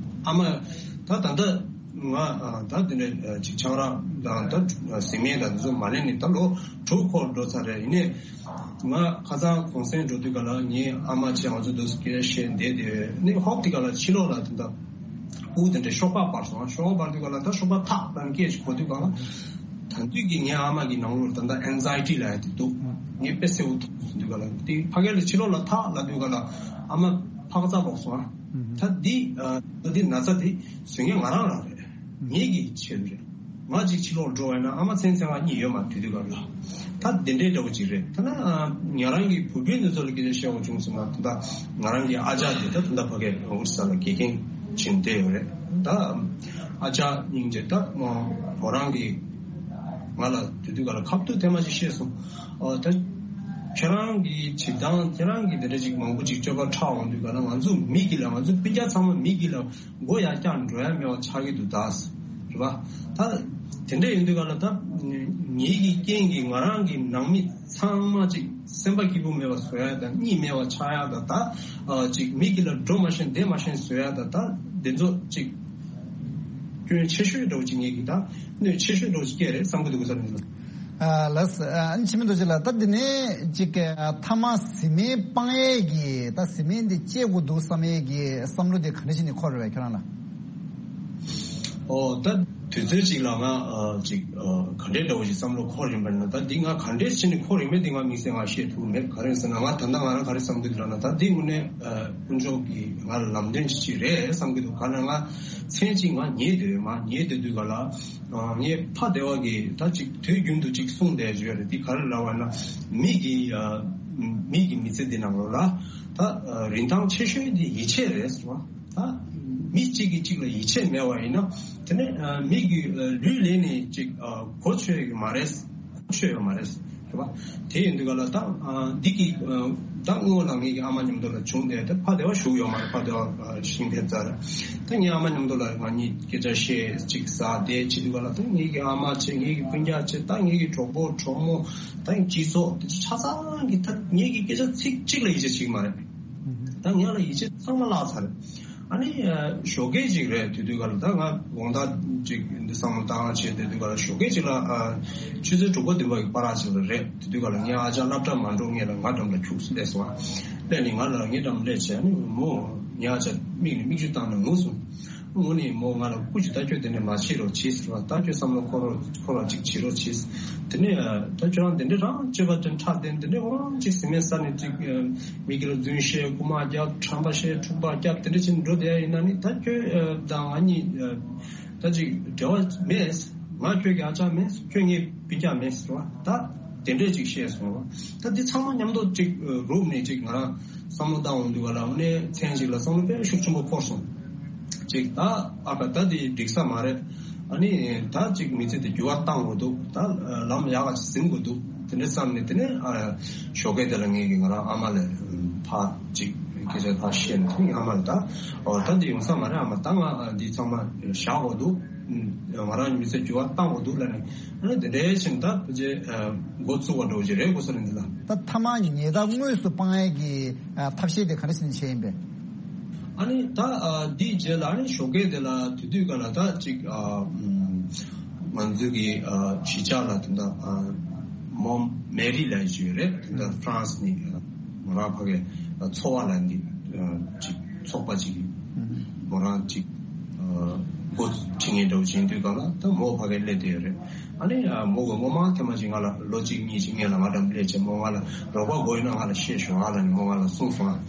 ཨ་མ་ད་ད་ལྟ་ང་ད་དེ་འདྲ་ཅིག་ཆང་རག་དང་ད་ཟི་མེད་དང་དེ་ཚོ་མ་ལེན་ནས་ད་ལོ་དྲུག་འཁོར་འགྲོ་ཚར་རེད། ཡིན་ནའི་ང་ཁ་སང་གུང་སེང་འགྲོ་དུས་སྒང་ལ་ངའི་ཨ་མ་བྱས་ང་ཚོ་འདུག་སྐད་བཤད་བསྡད་དེ་ནས། ཧོབ་དེ་སྒང་ལ་ཕྱི་ལོགས་ལ་དེ་འདྲ་སྤུ་གུ་དེ་འདྲ་ཤོག་སྦག་འབར་སོང་། ཤོག་སྦག་འབར་དུས་སྒང་ལ་ད་ཤོག་སྦག་ཐག་རང་སྐད་ཅིག་གོ་དུས་སྒང་ལ། ད་དུས་ཀྱི་ངའི་ཨ་མ་གི་ནང་ལོགས་ད་ལྟ་ཨེན་ཛའི་ཊི་ལབ་ཡ་དེ་འདུག་ངས་དཔེ་གསལ་པོ་མཐོང་སོང་དུས་སྒང་ལ། དེ་ཕ་གི་ལ་ཕྱི་ལོགས་ལ་ཐག་ལབ་དུས་སྒང་ལ་ཨ་མ་ཕར་ཙམ་ལོག་སོང་ཨ། ད་འདི་ཨ་འདི་ན་ཚ་དེ་བཟོ་མཁན་ང་རང་རང་རེད། ངེད་ཀྱི་ཆེད་དུ་རེད། ང་གཅིག་ཕྱི་ལོགས་འགྲོ་བས་ན་ཨ་མ་མཚན་མཚན་ང་གཉིས་ཡོད་མ་རེད་དུས་སྒང་ལ། ད་དེ་འདྲའི་འདྲ་བོ་ཅིག་རེད། ད་ན་ང་རང་གི་བུ་སྤུན་དེ་ཚོ་ལ་སྐད་ཆ་བཤད་དགོས་བྱུང་ཟེར་ན། ད་ང་རང་གི་ཨ་ཅག་དེ་ད་ད་ལྟ་ཕ་གིར་ཨོ་རི་ས་ལ་དགེ་རྒན་བྱས་ནས་བསྡད་ཡོད་རེད། ད་ཨ་ཅག་སྙིང་རྗེ། ད་མོ་རང་གི་ང་ལ་དེ་དུས་སྒང་ལ་ཁ་ཐུག་ཐེངས་མ་ཅིག་བཤད་སོང་། ཨོ་ད་ཁྱེད་རང་གི་བྱེད་སྟངས། ཁྱེད་རང་གི་དེ་འདྲ་ཅིག་མང་པོ་ཅིག་སྤྱོད་པ་ཁྲག་འོང་དུས་སྒང་ལ། ང་ཚོ་མི་གི་ལ། ང་ཚོ་སྤུན་ཀྱག་ཚང་མ་མི་གི་ལ་མགོ་ཡར་བཀྱག་འགྲོ་ཡ་མེད་པ་ཆགས་ཀྱི་འདུག་ད། རེད་པ། ད་དེ་འདྲ་ཡིན་དུས་སྒང་ལ། ད་ངེད་ཀྱི་རྐྱེན་གྱིས་ང་རང་གི་ནང་མི་ཚང་མ་ཅིག་སེམས་པ་སྐྱིད་པོ་མེད་པ་བཟོ་ཡ་དང་། གཉིད་མེད་པ་ཆགས་ཡ་དང་། ད་ཨ་ཅིག་མི་གི་ལ་འགྲོ་མ་ཤེས་བསྡད་མ་ཤེས་བཟོ་ཡ་དང་། ད་དེ་ཚོ་ཅིག་སྐྱོན་ཆེ་ཤོས་འདྲ་བོ་ཅིག་ངེད་ཀྱི་ད་གནོད་ཆེ་ཤོས་འདྲ་བོ་ཅིག་སྐྱེས་རེད་བསམ་གྱི་འདུག་ག་ས་ནས། ཨ་ལགས། ཨ་ནི་འཆི་མེད་རྡོ་རྗེ་ལགས། ད་འདི་ནས་ཅིག་ཨ་མཐའ་མ་བཟི་སྨན་སྤང་ཡས་ཀྱི། ད་བཟི་སྨན་འདི་བཅད་དགོས་འདུག་བསམ་ཡས་ཀྱི་བསམ་བློ་དེ་ག་འདྲ་ཞིག་ནས་འཁོར་བས་ཁྱོད་རང་ལ། ཨོ་ད་དུས་ཚོད་ཅིག་ལ་ང་ཨ་ཅིག་ཨ་ག་འདྲའི་འདྲ་བོ་ཞིག་བསམ་བློ་འཁོར་ཡིན་པ་ན། ད་འདི་ང་ག་འདྲའི་ཕྱིན་ནས་འཁོར་ཡིན་མིན་འདི་ང་དམིགས་བསལ་ང་བཤད་ཐུབ་མེད། ག་རེ་ཟེར་ན། ང་ད་ལྟ་ང་རང་ག་རེ་བསམ་གྱི་འདུག་ལབ་ན། ད་འདི་དངོས་གནས་ཨ་དཀོན་མཆོག་གིས་ང་ལ་ལམ་སྟོན་ཅིག་རེད་བསམ་གྱི་འདུག་ག་ན་ང་མཚན་ཅིག་ང་ཉལ་བསྡད་ཡོད། མ་ཉལ་བསྡད་དུས་སྒང་ལ། ཨ་ངའི་ཕ་བདེ་བ་གིས་ད་ཅིག་དུས་རྒྱུན་དུ་ཅིག་གསུངས་བསྡད་ཡོད་རེད། འདི་ག་རེ་ལབ་པ་ན། མི་གི་ཨ་མི་གི་མི་ཚེ་འདི་ནང་ལོགས་ལ་ད་ཨ་རིན་ཐང་ཆེ་ཤོས་འདི་ཡིད་ཆེས་རེད་ཟེར་བ། ད་མི་གཅིག་གིས་གཅིག་ལ་ཡིད་ཆེས་མེད་པ་ཡིན་ན། དེ་ནས་ཨ་མི་གི་ཨ་ལུས་ལེན་ནས་ཅིག་ཨ་གོ་ཆོད་ཡོད་མ་རེད། གོ་ཆོད་ཡོད་མ་རེད། རེད་པ། དེ་ཡིན་དུས་སྒང་ལ་ད་ཨ་འདི་གི་ཨ་ད་སྔོན་ལ་ངེད་ཀྱི་ཨ་མ་མཉམ་དུ་ལ་བྱུང་སྟེ། ད་ཕ་བདེ་བ་བཞུགས་ཡོད་མ་རེད། ཕ་བདེ་བ་ཨ་ཤིང་ཕེབས་ཚར། ད་ངའི་ཨ་མ་མཉམ་དུ་ལ་ང་གཉིས་སྐད་ཆ་བཤད་ཅིག་ཟ་བསྡད་བྱེད་དུས་སྒང་ལ། ད་ངེད་ཀྱི་ཨ་མ་བྱས། ངེད་ཀྱི་སྤུན་ཀྱག་བྱས། ད་ངེད་ཀྱི་གྲོགས་པོ་གྲོགས་མོ། ད་སྤྱི་ཚོགས་དེ་ཆ་ཚང་གིས་ད་ངེད་ཀྱི་སྐད་ཆ་ཚིག་གཅིག་ལ་ཡིད་ཆེས་བྱེད་ཀྱི་མ་རེད། ད་ང་ལ་ཡིད་ཆེས་ཚང་མ་བརླག་ཚར། ཨ་ནི་ཨ་ཞོགས་ཀས་ཅིག་རེད། དེ་དུས་སྒང་ལ་ད་ང་དགོང་དག་ཅིག་འདི་བསམ་བློ་བཏང་བྱས་བསྡད་དུས་སྒང་ལ། ཞོགས་ཀས་ཅིག་ལ་ཨ་ཆུ་ཚོད་དྲུག་པ་བདུན་པ་གི་བར་ཅིག་ལ་རེད། དེ་དུས་སྒང་ལ་ངའི་ཨ་ཅག་སློབ་གྲྭ་མ་འགྲོ་སྔོན་ལ་ང་འགྲམ་ལ་ཁྱུག་ཙམ་སླེབས་སོང་། ཨ་སླེབས་ནས་ང་ལ་ངའི་འགྲམ་སླེབས་བྱས། ཨ་ནི་མོ་ངའི་ཨ་ཅག་མིག་ནས་མིག་ཆུ་བཏང་ནས་ངུ་སོང་། ངུ་ནས་མོ་ང་ལ་སྐུ་མཁྱེན། ད་ཁྱོད་དེ་འདྲ་མ་བྱེད་རོགས་བྱེད་ཟེར་བ། ད་ཁྱོད་བསམ་བློ་འཁོར་རོགས། འཁོར་བ་ཅིག་བྱེད་རོགས་བྱེད། དེ་ནས་ཨ་ད་ཁྱོད་རང་དེ་འདྲ་རང་སྤྱོད་པ་དེ་ཁྲག་དེ་འདི་འདྲ་འོ་རང་ཅིག་བཟི་སྨན་ཟ་ནས་ཅིག་ཨ་མི་གི་ལ་རྫུན་བཤད། རྐུ་མ་རྒྱབ། ཁྲམ་པ་བཤད། འཁྲུག་པ་རྒྱབ། དེ་འདྲ་བྱས་ནས་འགྲོ་བསྡད་ཡ་ཡིན་ན་ནི། ད་ཁྱོད་ཨ་དང་ང་གཉིས་ཨ་ད་ཅིག་འབྲེལ་བ་མེད། ང་ཁྱོད་ཀྱི་ཨ་ཅག་མེད། ཁྱོད་ངའི་སྤུན་ཀྱག་མེད་ཟེར་བ། ད་དེ་འདྲས་ཅིག་བཤད་སོང་བ། ད་འདི་ཚང་མ་མཉམ་དུ་ཅིག་ཨ་རུབ་ནས་ཅིག་ང་རང་བསམ་བློ་བཏང་འོང་དུས་སྒང་ལ། དངོས་གནས་མཚན་ཅིག་ལ་བསམ་བློ་དཔེ་ཤུགས་ཆེན་པོ་འཁོར་སོང་། ཅིག་ད་ཨ་ཁ་ད་འདི་འགྲིག་ས་མ་རེད། ཨ་ནི་ད་ཅིག་མི་ཚེ་འདི་འགྱུར་བ་བཏང་དགོས་འདུག་ད་ལམ་ཡག་ག་ཅིག་ཟིན་དགོས་འདུག་དེ་འདྲ་བསམ་ནས། དེ་ནས་ཨ་ཞོགས་ཀས་དེ་ལ་ངེད་ཀྱིས་ང་རང་ཨ་མ་ལ་ཕར་ཅིག་སྐད་ཆ་ཕར་བཤད་ནས། དེ་ནས་ཨ་མ་ལ་ད་ཨོ་ད་འདི་ཡོང་ས་མ་རེད། ཨ་མ་ད་ང་འདི་ཚང་མ་བཞག་དགོས་འདུག་ང་རང་མི་ཚེ་འགྱུར་བ་བཏང་དགོས་འདུག་ལབ་ནས། ཨ་ནི་དེ་འདྲའི་ཕྱིན་ད་ཕལ་ཆེར་འགོ་ཚུགས་པ་འདྲ་བོ་ཅིག་རེད་དགོས་ས་རེད་འདི་ལ། ད་མཐའ་མ་ཉེས་རྡུང་དངོས་སུ་སྤང་ཡས་ཀྱི་ཐབས་ཤེས་དེ་ག་འདྲ་ཞིག་བྱས་ཡིན་པས། ཨ་ནི་ད་འདིའི་རྗེས་ལ་ཨ་ནི་ཞོགས་ཀས་དེ་ལ་དེ་དུས་སྒང་ལ་ད་ཅིག་ང་ཚོའི་གི་གཞིས་ཆགས་ལ་དེ་འདྲ་མོ་མེ་རི་ལབ་ཡས་ཅིག་ཡོད་རེད། དེ་འདྲ་ཧྥ་རན་སི་ནས་མོ་རང་ཕ་གི་ཚོ་བ་ལབ་འདི་ཅིག་ཚོགས་པ་ཅིག་གིས་མོ་རང་ཅིག་འགོ་ཁྲིད་མཁན་འདྲ་བོ་ཅིག་ཡིན་དུས་སྒང་ལ། ད་མོ་ཕ་གིར་སླེབས་བསྡད་ཡོད་རེད། ཨ་ནི་ཨ་མོ་གི་སྔོན་མ་ཐེངས་མ་ཅིག་ང་ལ་ལོ་གཅིག་གཉིས་ཅིག་སྔོན་ལ་ང་འགྲམ་སླེབས་བྱས་མོ་ང་ལ་རོགས་པ་དགོས་ཡོད་ན་ང་ལ་བཤད་ཤོག་ཨ་ལབ་ནས་མོ་ང་ལ་གསུངས་སོང་ཨ།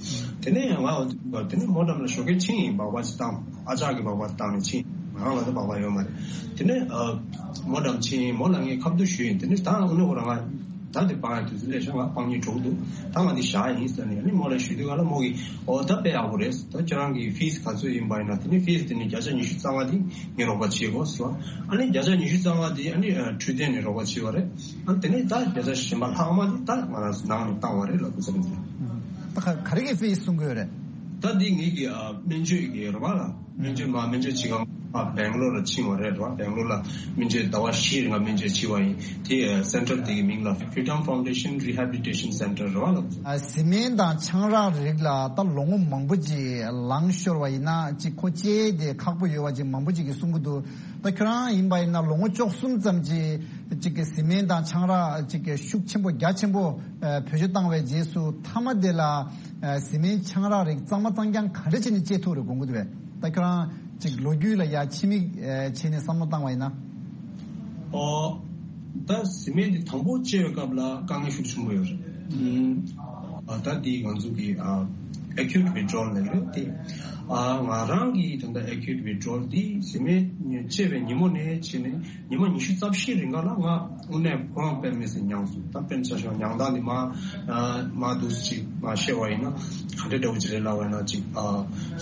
དེ་ནས་ང་དེ་ནས་མོ་འགྲམ་ལ་ཞོགས་ཀས་ཕྱིན་ཡིན། སྦག་སྦག་ཅིག་བཏང་། ཨ་ཅག་གིས་སྦག་སྦག་བཏང་ནས་ཕྱིན། ང་རང་ལ་ད་སྦག་སྦག་ཡོད་མ་རེད། དེ་ནས་ཨ་མོ་འགྲམ་ཕྱིན་ཡིན། མོ་ལ་ངས་ཁ་བསྡུར་ཞུས་ཡིན། དེ་ནས་ད་དངོས་གནས་ཁོ་རང་ང་ད་དེ་སྤང་ཡ་དུས་ཚོད་སླེབས་ཤག་ང་སྤང་ཉིན་གྲོགས་འདུག་ད་ང་འདི་བཞག་ཡིན་ཟེར་ནས་ཨ་ནི་མོ་ལ་ཞུས་དུས་ག་ལ་མོ་གིས་ཨོ་ད་དཔེ་ཡག་པོ་རེད། ད་ཁྱེད་རང་གི་ཕིས་ག་ཚོད་ཡིན་པ་ཡིན་ན་དེ་ནས་ཕིས་དེ་ནས་བརྒྱ་ཆ་ཉི་ཤུ་རྩ་ལྔ་དེ་ངས་རོགས་པ་བྱེད་དགོས་ཟེར་བ། ཨ་ནི་བརྒྱ་ཆ་ཉི་ཤུ་རྩ་ལྔ་དེ་ཨ་ནི་ཨ་འཕྲོད་བསྟེན་ནས་རོགས་པ་བྱས་པ་རེད། ཨ་དེ་ནས་ད་བརྒྱ་ཆ་གཞན་པ་ལྷག་མ་དེ་ད་ང་རང་ནང་ནས་བཏང་བ་རེད་ལབ་དགོས་ས་རེད། ད་ག་ག་རེ་གི་ཕིས་གསུང་གི་ཡོད་རེད། ད་འདི་ངེད་ཀྱི་ཨ་སྨན་བཅོས་ཀྱི་རེད་བ་ལ། སྨན་བཅོས་མ་སྨན་བཅོས་བྱེད་སྒང་ཨ་སྦེང་ལོར་ལ་ཕྱིན་པ་རེད་བ། སྦེང་ལོར་ལ་སྨན་བཅོས་ཟླ་བ་བཞི་རིང་ལ་སྨན་བཅོས་བྱས་པ་ཡིན། དེ་ཨ་སེན་ཊར་དེ་གི་མིང་ལ་Freedom Foundation Rehabilitation Center རེད་བ་ལ། ཨ་བཟི་སྨན་དང་ཆང་རག་རིགས་ལ་ད་ལོ་ངོ་མང་པོ་ཅིག་ལངས་ཤོར་བ་ཡིན་ན་ཅིག་ཁོ་བཅད་དེ་ཁག་པོ་ཡོད་པ་ཅིག་མང་པོ་ཅིག་གིས་གསུང་གི་འདུག་ད་ཁྱོད་རང་ཡིན་པ་ཡིན་ན་ལོ་ངོ་བཅུ་གསུམ་ཙམ་ཅིག་ཅིག་གི་བཟི་སྨན་དང་ཆང་རག་ཅིག་གི་ཤུགས་ཆེན་པོ་རྒྱ་ཆེན་པོ་ཨ་བེད་སྤྱོད་བཏང་བའི་རྗེས་སུ་མཐའ་མ་དེ་ལ་ཨ་བཟི་སྨན་ཆང་རག་རིགས་གཙང་མ་གཙང་རྐྱང་ག་འདྲ་བྱས་ནས་བཅད་ཐུབ་རེད་དགོངས་ཀྱི་འདུག་པས། ད་ཁྱོད་རང་ཅིག་ལོ་རྒྱུས་ལ་ཡ་ཕྱི་མིག་ཨ་བྱས་ནས་བསམ་བློ་བཏང་བ་ཡིན་ན། ཨོ། ད་བཟི་སྨན་འདི་དང་པོ་བཅད་པའི་སྐབས་ལ་དཀའ་ངལ་ཤུགས་ཆེན་པོ་ཡོད་རེད། ཨ་ད་འདི་ང་ཚོ་གི་ཨ་acute withdrawal ལབ་རེད་དེ། ཨ་ང་རང་གི་ད་ལྟ་acute withdrawal འདི་བཟི་སྨན་བཅད་པའི་ཉིན་མོ་ནས་བྱས་ནས་ཉི་མ་ཉི་ཤུ་རྩ་བཞི་རིང་ག་ལ་ང་དངོས་གནས་ཁོ་རང་དཔེ་མི་སྲིད་མྱངས་སོང་། ད་དཔེར་ན་ཆ་བཞག་མྱང་དང་འདི་མ་ཨ་མ་འདུག་ཅིག་མ་བཤད་པ་ཡིན་ན་ག་འདྲ་འདྲ་བོ་ཅིག་རེད་ལབ་པ་ཡིན་ན་ཅིག་ཨ་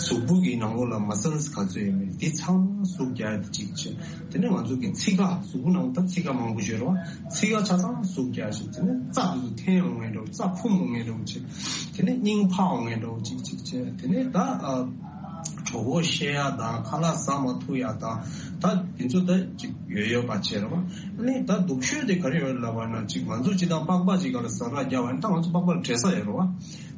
གཟུགས་པོ་གི་ནང་ལོགས་ལ་muscles ག་ཚོད་ཡོད་མེད་འདི་ཚང་མ་ཟུག་རྒྱག་ཡ་དེ་གཅིག་བྱས། དེ་ནས་ང་ཚོ་གི་ཚིགས་ཁ་གཟུགས་པོ་ནང་ད་ཚིགས་ཁ་མང་པོ་ཡོད་རེད་བ། ཚིགས་ཁ་ཆ་ཚང་ཟུག་རྒྱག་ཞིག་དེ་ནས་རྩ་དེ་ཚོ་འཐེན་ཡོང་ངེས་འགྲོ། རྩ་ཕུམ་ཡོང་ངེས་འགྲོ་ཅིག་དེ་ནས་སྙིང་འཕར་ཡོང་ངེས་འགྲོ་ཅིག་ཅིག་བྱས། དེ་ནས་ད་ཨ་གྲོད་ཁོག་བཤལ་ཡ་དང་ཁ་ལག་ཟ་མ་ཐུབ་ཡ་དང་ད་དེ་ཚོ་ད་ཅིག་ཡོད་ཡོད་པ་བྱས་རེད་བ། ཨ་ནི་ད་སྡུག་ཤོས་དེ་ག་རེ་ཡོད་ལབ་པ་ན་ཅིག་ང་ཚོ་ཅིག་དང་པགས་པ་ཅིག་ག་ལ་ཟ་ར་རྒྱག་པ་ཡིན་ད་ང་ཚོ་པགས་པ་ལ་འབྲས་ས་ཡོད་རེད་བ།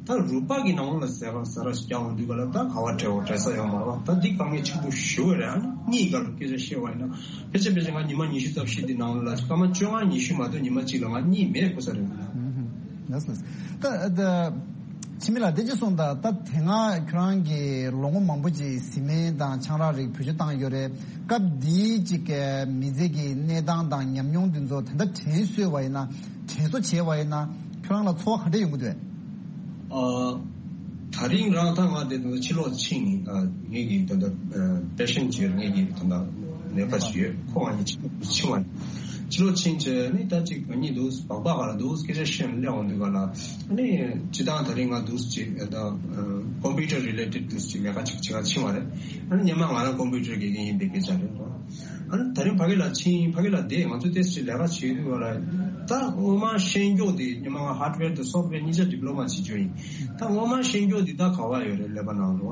ད་རུས་པ་གི་ནང་ལོགས་ལ་ཟས་པ་ཟ་ར་ཞིག་རྒྱག་འོང་དུས་ག་ལ་ད་ག་བ་བྲལ་བ་བྲལ་ས་ཡོད་མ་རེད་བ། ད་འདི་དཀའ་ངལ་ཆེན་པོ་ཞེ་པོ་རེད། ཨ་ནི་གཉིད་ག་ལ་སྐད་ཆ་བཤད་པ་ཡིན་ན་ཕལ་ཆེར་ཕལ་ཆེར་ང་ཉི་མ་ཉི་ཤུ་རྩ་བཞི་འདི་ནང་ལ་སྐར་མ་བཅོ་ལྔ་ཉི་ཤུ་མ་གཏོགས་ཉི་མ་གཅིག་ལ་ང་གཉིད་མེད་དགོས་ས་རེད། ཨུམ། ལགས་སོ། ད་ད་འཆི་མེད་ལགས་དེ་ཅི་གསུངས་ད་ད་དེ་སྔ་ཁྱོད་རང་གིས་ལོ་ངོ་མང་པོ་ཅིག་བཟི་སྨན་དང་ཆང་རག་རིགས་བེད་སྤྱོད་བཏང་ཡོད་རེད། སྐབས་འདིའི་ཅིག་གི་མི་ཚེ་གི་གནས་སྟངས་དང་ཉམས་མྱོང་འདི་ཚོ་ད་ལྟ་དྲན་གསོས་པ་ཡིན་ན་དྲན་གསོ་བྱས་པ་ཡིན་ན་ཁྱོད་རང་ལ་ཚོར་བ་ག་འདྲ་ཡོང་གི་འདུག་ཨ། ད་རིང་རང་ད་ང་དེ་དུས་ཕྱི་ལོགས་ཕྱིན་ནས་ཨ་ངེད་ཀྱི་ད་ལྟ་ཨ་པེ་ཤན་ཅིག་ཡོད། ངེད་ཀྱི་ད་ལྟ་ནད་པ་ཅིག་ཡོད། ཁོ་ང་གཉིས་ཕྱི་ཕྱི་བ་ནས་ཕྱི་ལོགས་ཕྱིན་བྱས་ནས་ད་ཅིག་ང་གཉིས་འདུག་སྦག་སྦག་ག་ལ་འདུག་སྐད་ཆ་བཤད་ནས་སླེབས་འོང་དུས་ག་ལ་ཨ་ནི་སྤྱིར་བཏང་ད་རིང་ང་འདུག་ཅིག་ད་ཨ་computer related འདུག་ཅིག་ལས་ཀ་ཅིག་བྱེད་ག་ཕྱིན་པ་རེད། ཨ་ནི་སྔོན་མ་ང་རང་computer དགེ་རྒན་ཡིན་པའི་སྐད་ཆ་རེད། ཨ་ནི་ད་རིང་ཕ་གི་ལ་ཕྱིན། ཕ་གི་ལ་བསྡད། ང་ཚོ་ཏོག་ཙམ་ལས་ཀ་བྱེད་དུས་བ་ལ་ད་སྔོན་མ་ཤེས་མཁན་འདི་སྔོན་མ་ང་hardware དང་software གཉིས་ཆ་diploma བྱེད་རྒྱུ་ཡིན། ད་སྔོན་མ་ཤེས་མཁན་འདི་ད་ག་བ་ཡོད་རེད་ཀླད་པ་ནང་ལ།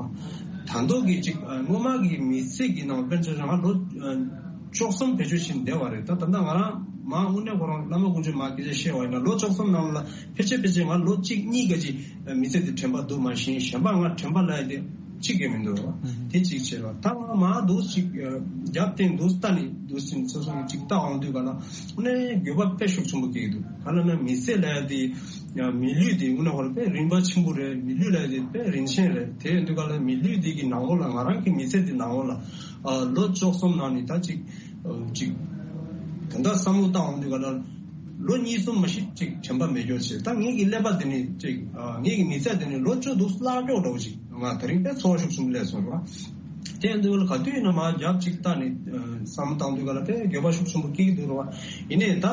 ད་མདོ་གི་ཅིག་སྔོན་མ་གི་མི་ཚེ་གི་ནང་དཔེར་ན་ཆ་བཞག་ང་ལོ་བཅུ་གསུམ་བེད་སྤྱོད་བྱས་བསྡད་པ་རེད། ད་ད་ལྟ་ང་རང་མ་དངོས་གནས་ཁོ་རང་བླ་མ་དཀོན་མཆོག་མ་སྐད་ཆ་བཤད་པ་ཡིན་ན་ལོ་བཅུ་གསུམ་ནང་ལ་ཕལ་ཆེར་ཕལ་ཆེར་ང་ལོ་གཅིག་གཉིས་ག་ཅིག་མི་ཚེ་འདི་དྲན་པ་འདུག་མ་གཞི་གཞན་པ་ང་དྲན་པ་ལ་ཡ་དེ་གཅིག་ཀྱང་མི་འདུག་རོ། དེ་གཅིག་བྱས་རོ། ད་ང་མ་འདུག་ཅིག་རྒྱབ་བརྟེན་འདུག་ལྟ་ནི་འདུག་ཅིང་སོ་སོ་གཅིག་ལྟ་འོང་དུས་ག་ལ་དངོས་གནས་འགྱོད་པ་དཔེ་ཤུགས་ཆེན་པོ་སྐྱེ་གི་འདུག་ག་ལ་ན་མི་ཚེ་ལ་ཡ་དེ་མི་ལུས་དེ་དངོས་གནས་ཧོར་དཔེ་རིན་པ་ཆེན་པོ་རེད། མི་ལུས་ལ་ཡ་དེ་དཔེ་རིན་ཆེན་རེད། དེ་ཡིན་དུས་ག་ལ་མི་ལུས་དེ་གི་ནང་ལོགས་ལ་ང་རང་གི་མི་ཚེ་དེ་ནང་ལོགས་ལ་ལོ་བཅུ་གསུམ་ནང་ནས་ད་ཅིག་ཅིག་ད་ལྟ་བསམ་བློ་བཏང་འོང་དུས་ག་ལ། ལོ་གཉིས་གསུམ་མ་གཞི་ཅིག་དྲན་པ་མེད་རྒྱུ་བྱས། ད་ངེད་ཀྱི་ཀླད་པ་དེ་ནི་ཅིག་ཨ་ངེད་ཀྱི་མི་ཚེ་དེ་ནི་ལོ་བཅུ་འདུག་བརླག་འགྲོ་འདྲ་བོ་ཅིག་ང་དེ་རིང་དཔེ་ཚོར་བ་ཤུགས་ཆེན་པོ་སླེབས་སོང་ར། དེ་ཡིན་དུས་ལ་ག་དུས་ཡིན་ན་མ་རྒྱབ་ཅིག་ལྟ་ནས་བསམ་བློ་བཏང་དུས་ག་ལ་དཔེ་འགྱོད་པ་ཤུགས་ཆེན་པོ་སྐྱེ་གི་འདུག་ར། ཡིན་ནའི་ད་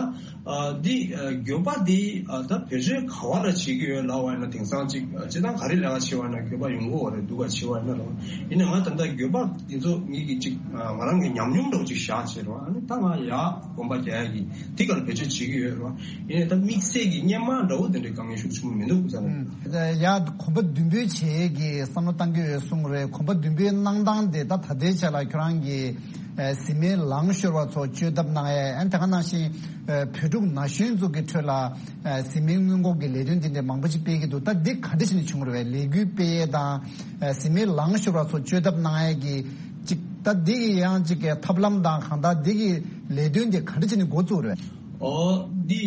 འདི་འགྱོད་པ་འདི་ད་བེད་སྤྱོད་ག་བ་ལ་བྱེད་ཀྱི་ཡོད་ལབ་པ་ཡིན་ན་དེང་སང་ཅིག་སྤྱིར་བཏང་ག་རེ་ལས་ཀ་བྱེད་པ་ཡིན་ན་འགྱོད་པ་ཡོང་གི་ཡོད་རེད། སྡུག་ག་བྱེད་པ་ཡིན་ན་ར། ཡིན་ནའི་ང་ད་ལྟ་འགྱོད་པ་འདི་ཚོ་ངེད་ཀྱི་ཅིག་ང་རང་གི་ཉམས་མྱོང་འདྲ་བོ་ཅིག་བཞག་བྱས་ར། ཨ་ནི་ད་ང་ཡ། གོམ་པ་རྒྱག་ཡ་གི་དེ་ག་ལ་བེད་སྤྱོད་བྱེད་ཀྱི་ཡོད་རེད་བ། ཡིན་ནའི་ད་དམིགས་བསལ་གྱི་སྔོན་མ་འདྲ་བོ་དེ་འདྲའི་དཀའ་ངལ་ཤུགས་ཆེན་པོ་མི་འདུག་ཟེར་ནས། ཡ་གོམ་པ་མདུན་སྤོས་བྱེད་ཀྱི་བསམ་བློ་བཏང་གི་ཡོད་གསུངས་རེད། གོམ་པ་མདུན་སྤོས་གནང་སྟངས་དེ་ད་ད་ལྟའི་ཆ་ལ་ཁྱོད་རང་གིས་ཨ་བཟི་སྨན་ལངས་ཤོར་བ་ཚོ་བཅོས་ཐབས་གནང་ཡ། ཨ་ནི་ད་ག་ནང་བཞིན་ཨ་བོད་ཕྲུག་ན་གཞོན་ཚོ་གི་ཁྲོད་ལ་ཨ་བཟི་སྨན་སྔོན་འགོག་གི་ལས་དོན་དེ་འདྲ་མང་པོ་ཅིག་སྤེལ་གྱི་འདུག་ད་འདི་ག་འདྲ་བྱས་ནས་བྱུང་རེད་བས། ལས་འགུལ་སྤེལ་ཡས་དང་ཨ་བཟི་སྨན་ལངས་ཤོར་བ་ཚོ་བཅོས་ཐབས་གནང་ཡས་ཀྱི་ཅིག་ད་འདི་གི་ཡང་ཅིག་གི་ཐབས་ལམ་དང་གང་ལྟར་འདི་གི་ལས་དོན་དེ་ག་འདྲ་བྱས་ནས་འགོ་བཙུགས་རེད། ཨོ། འདི་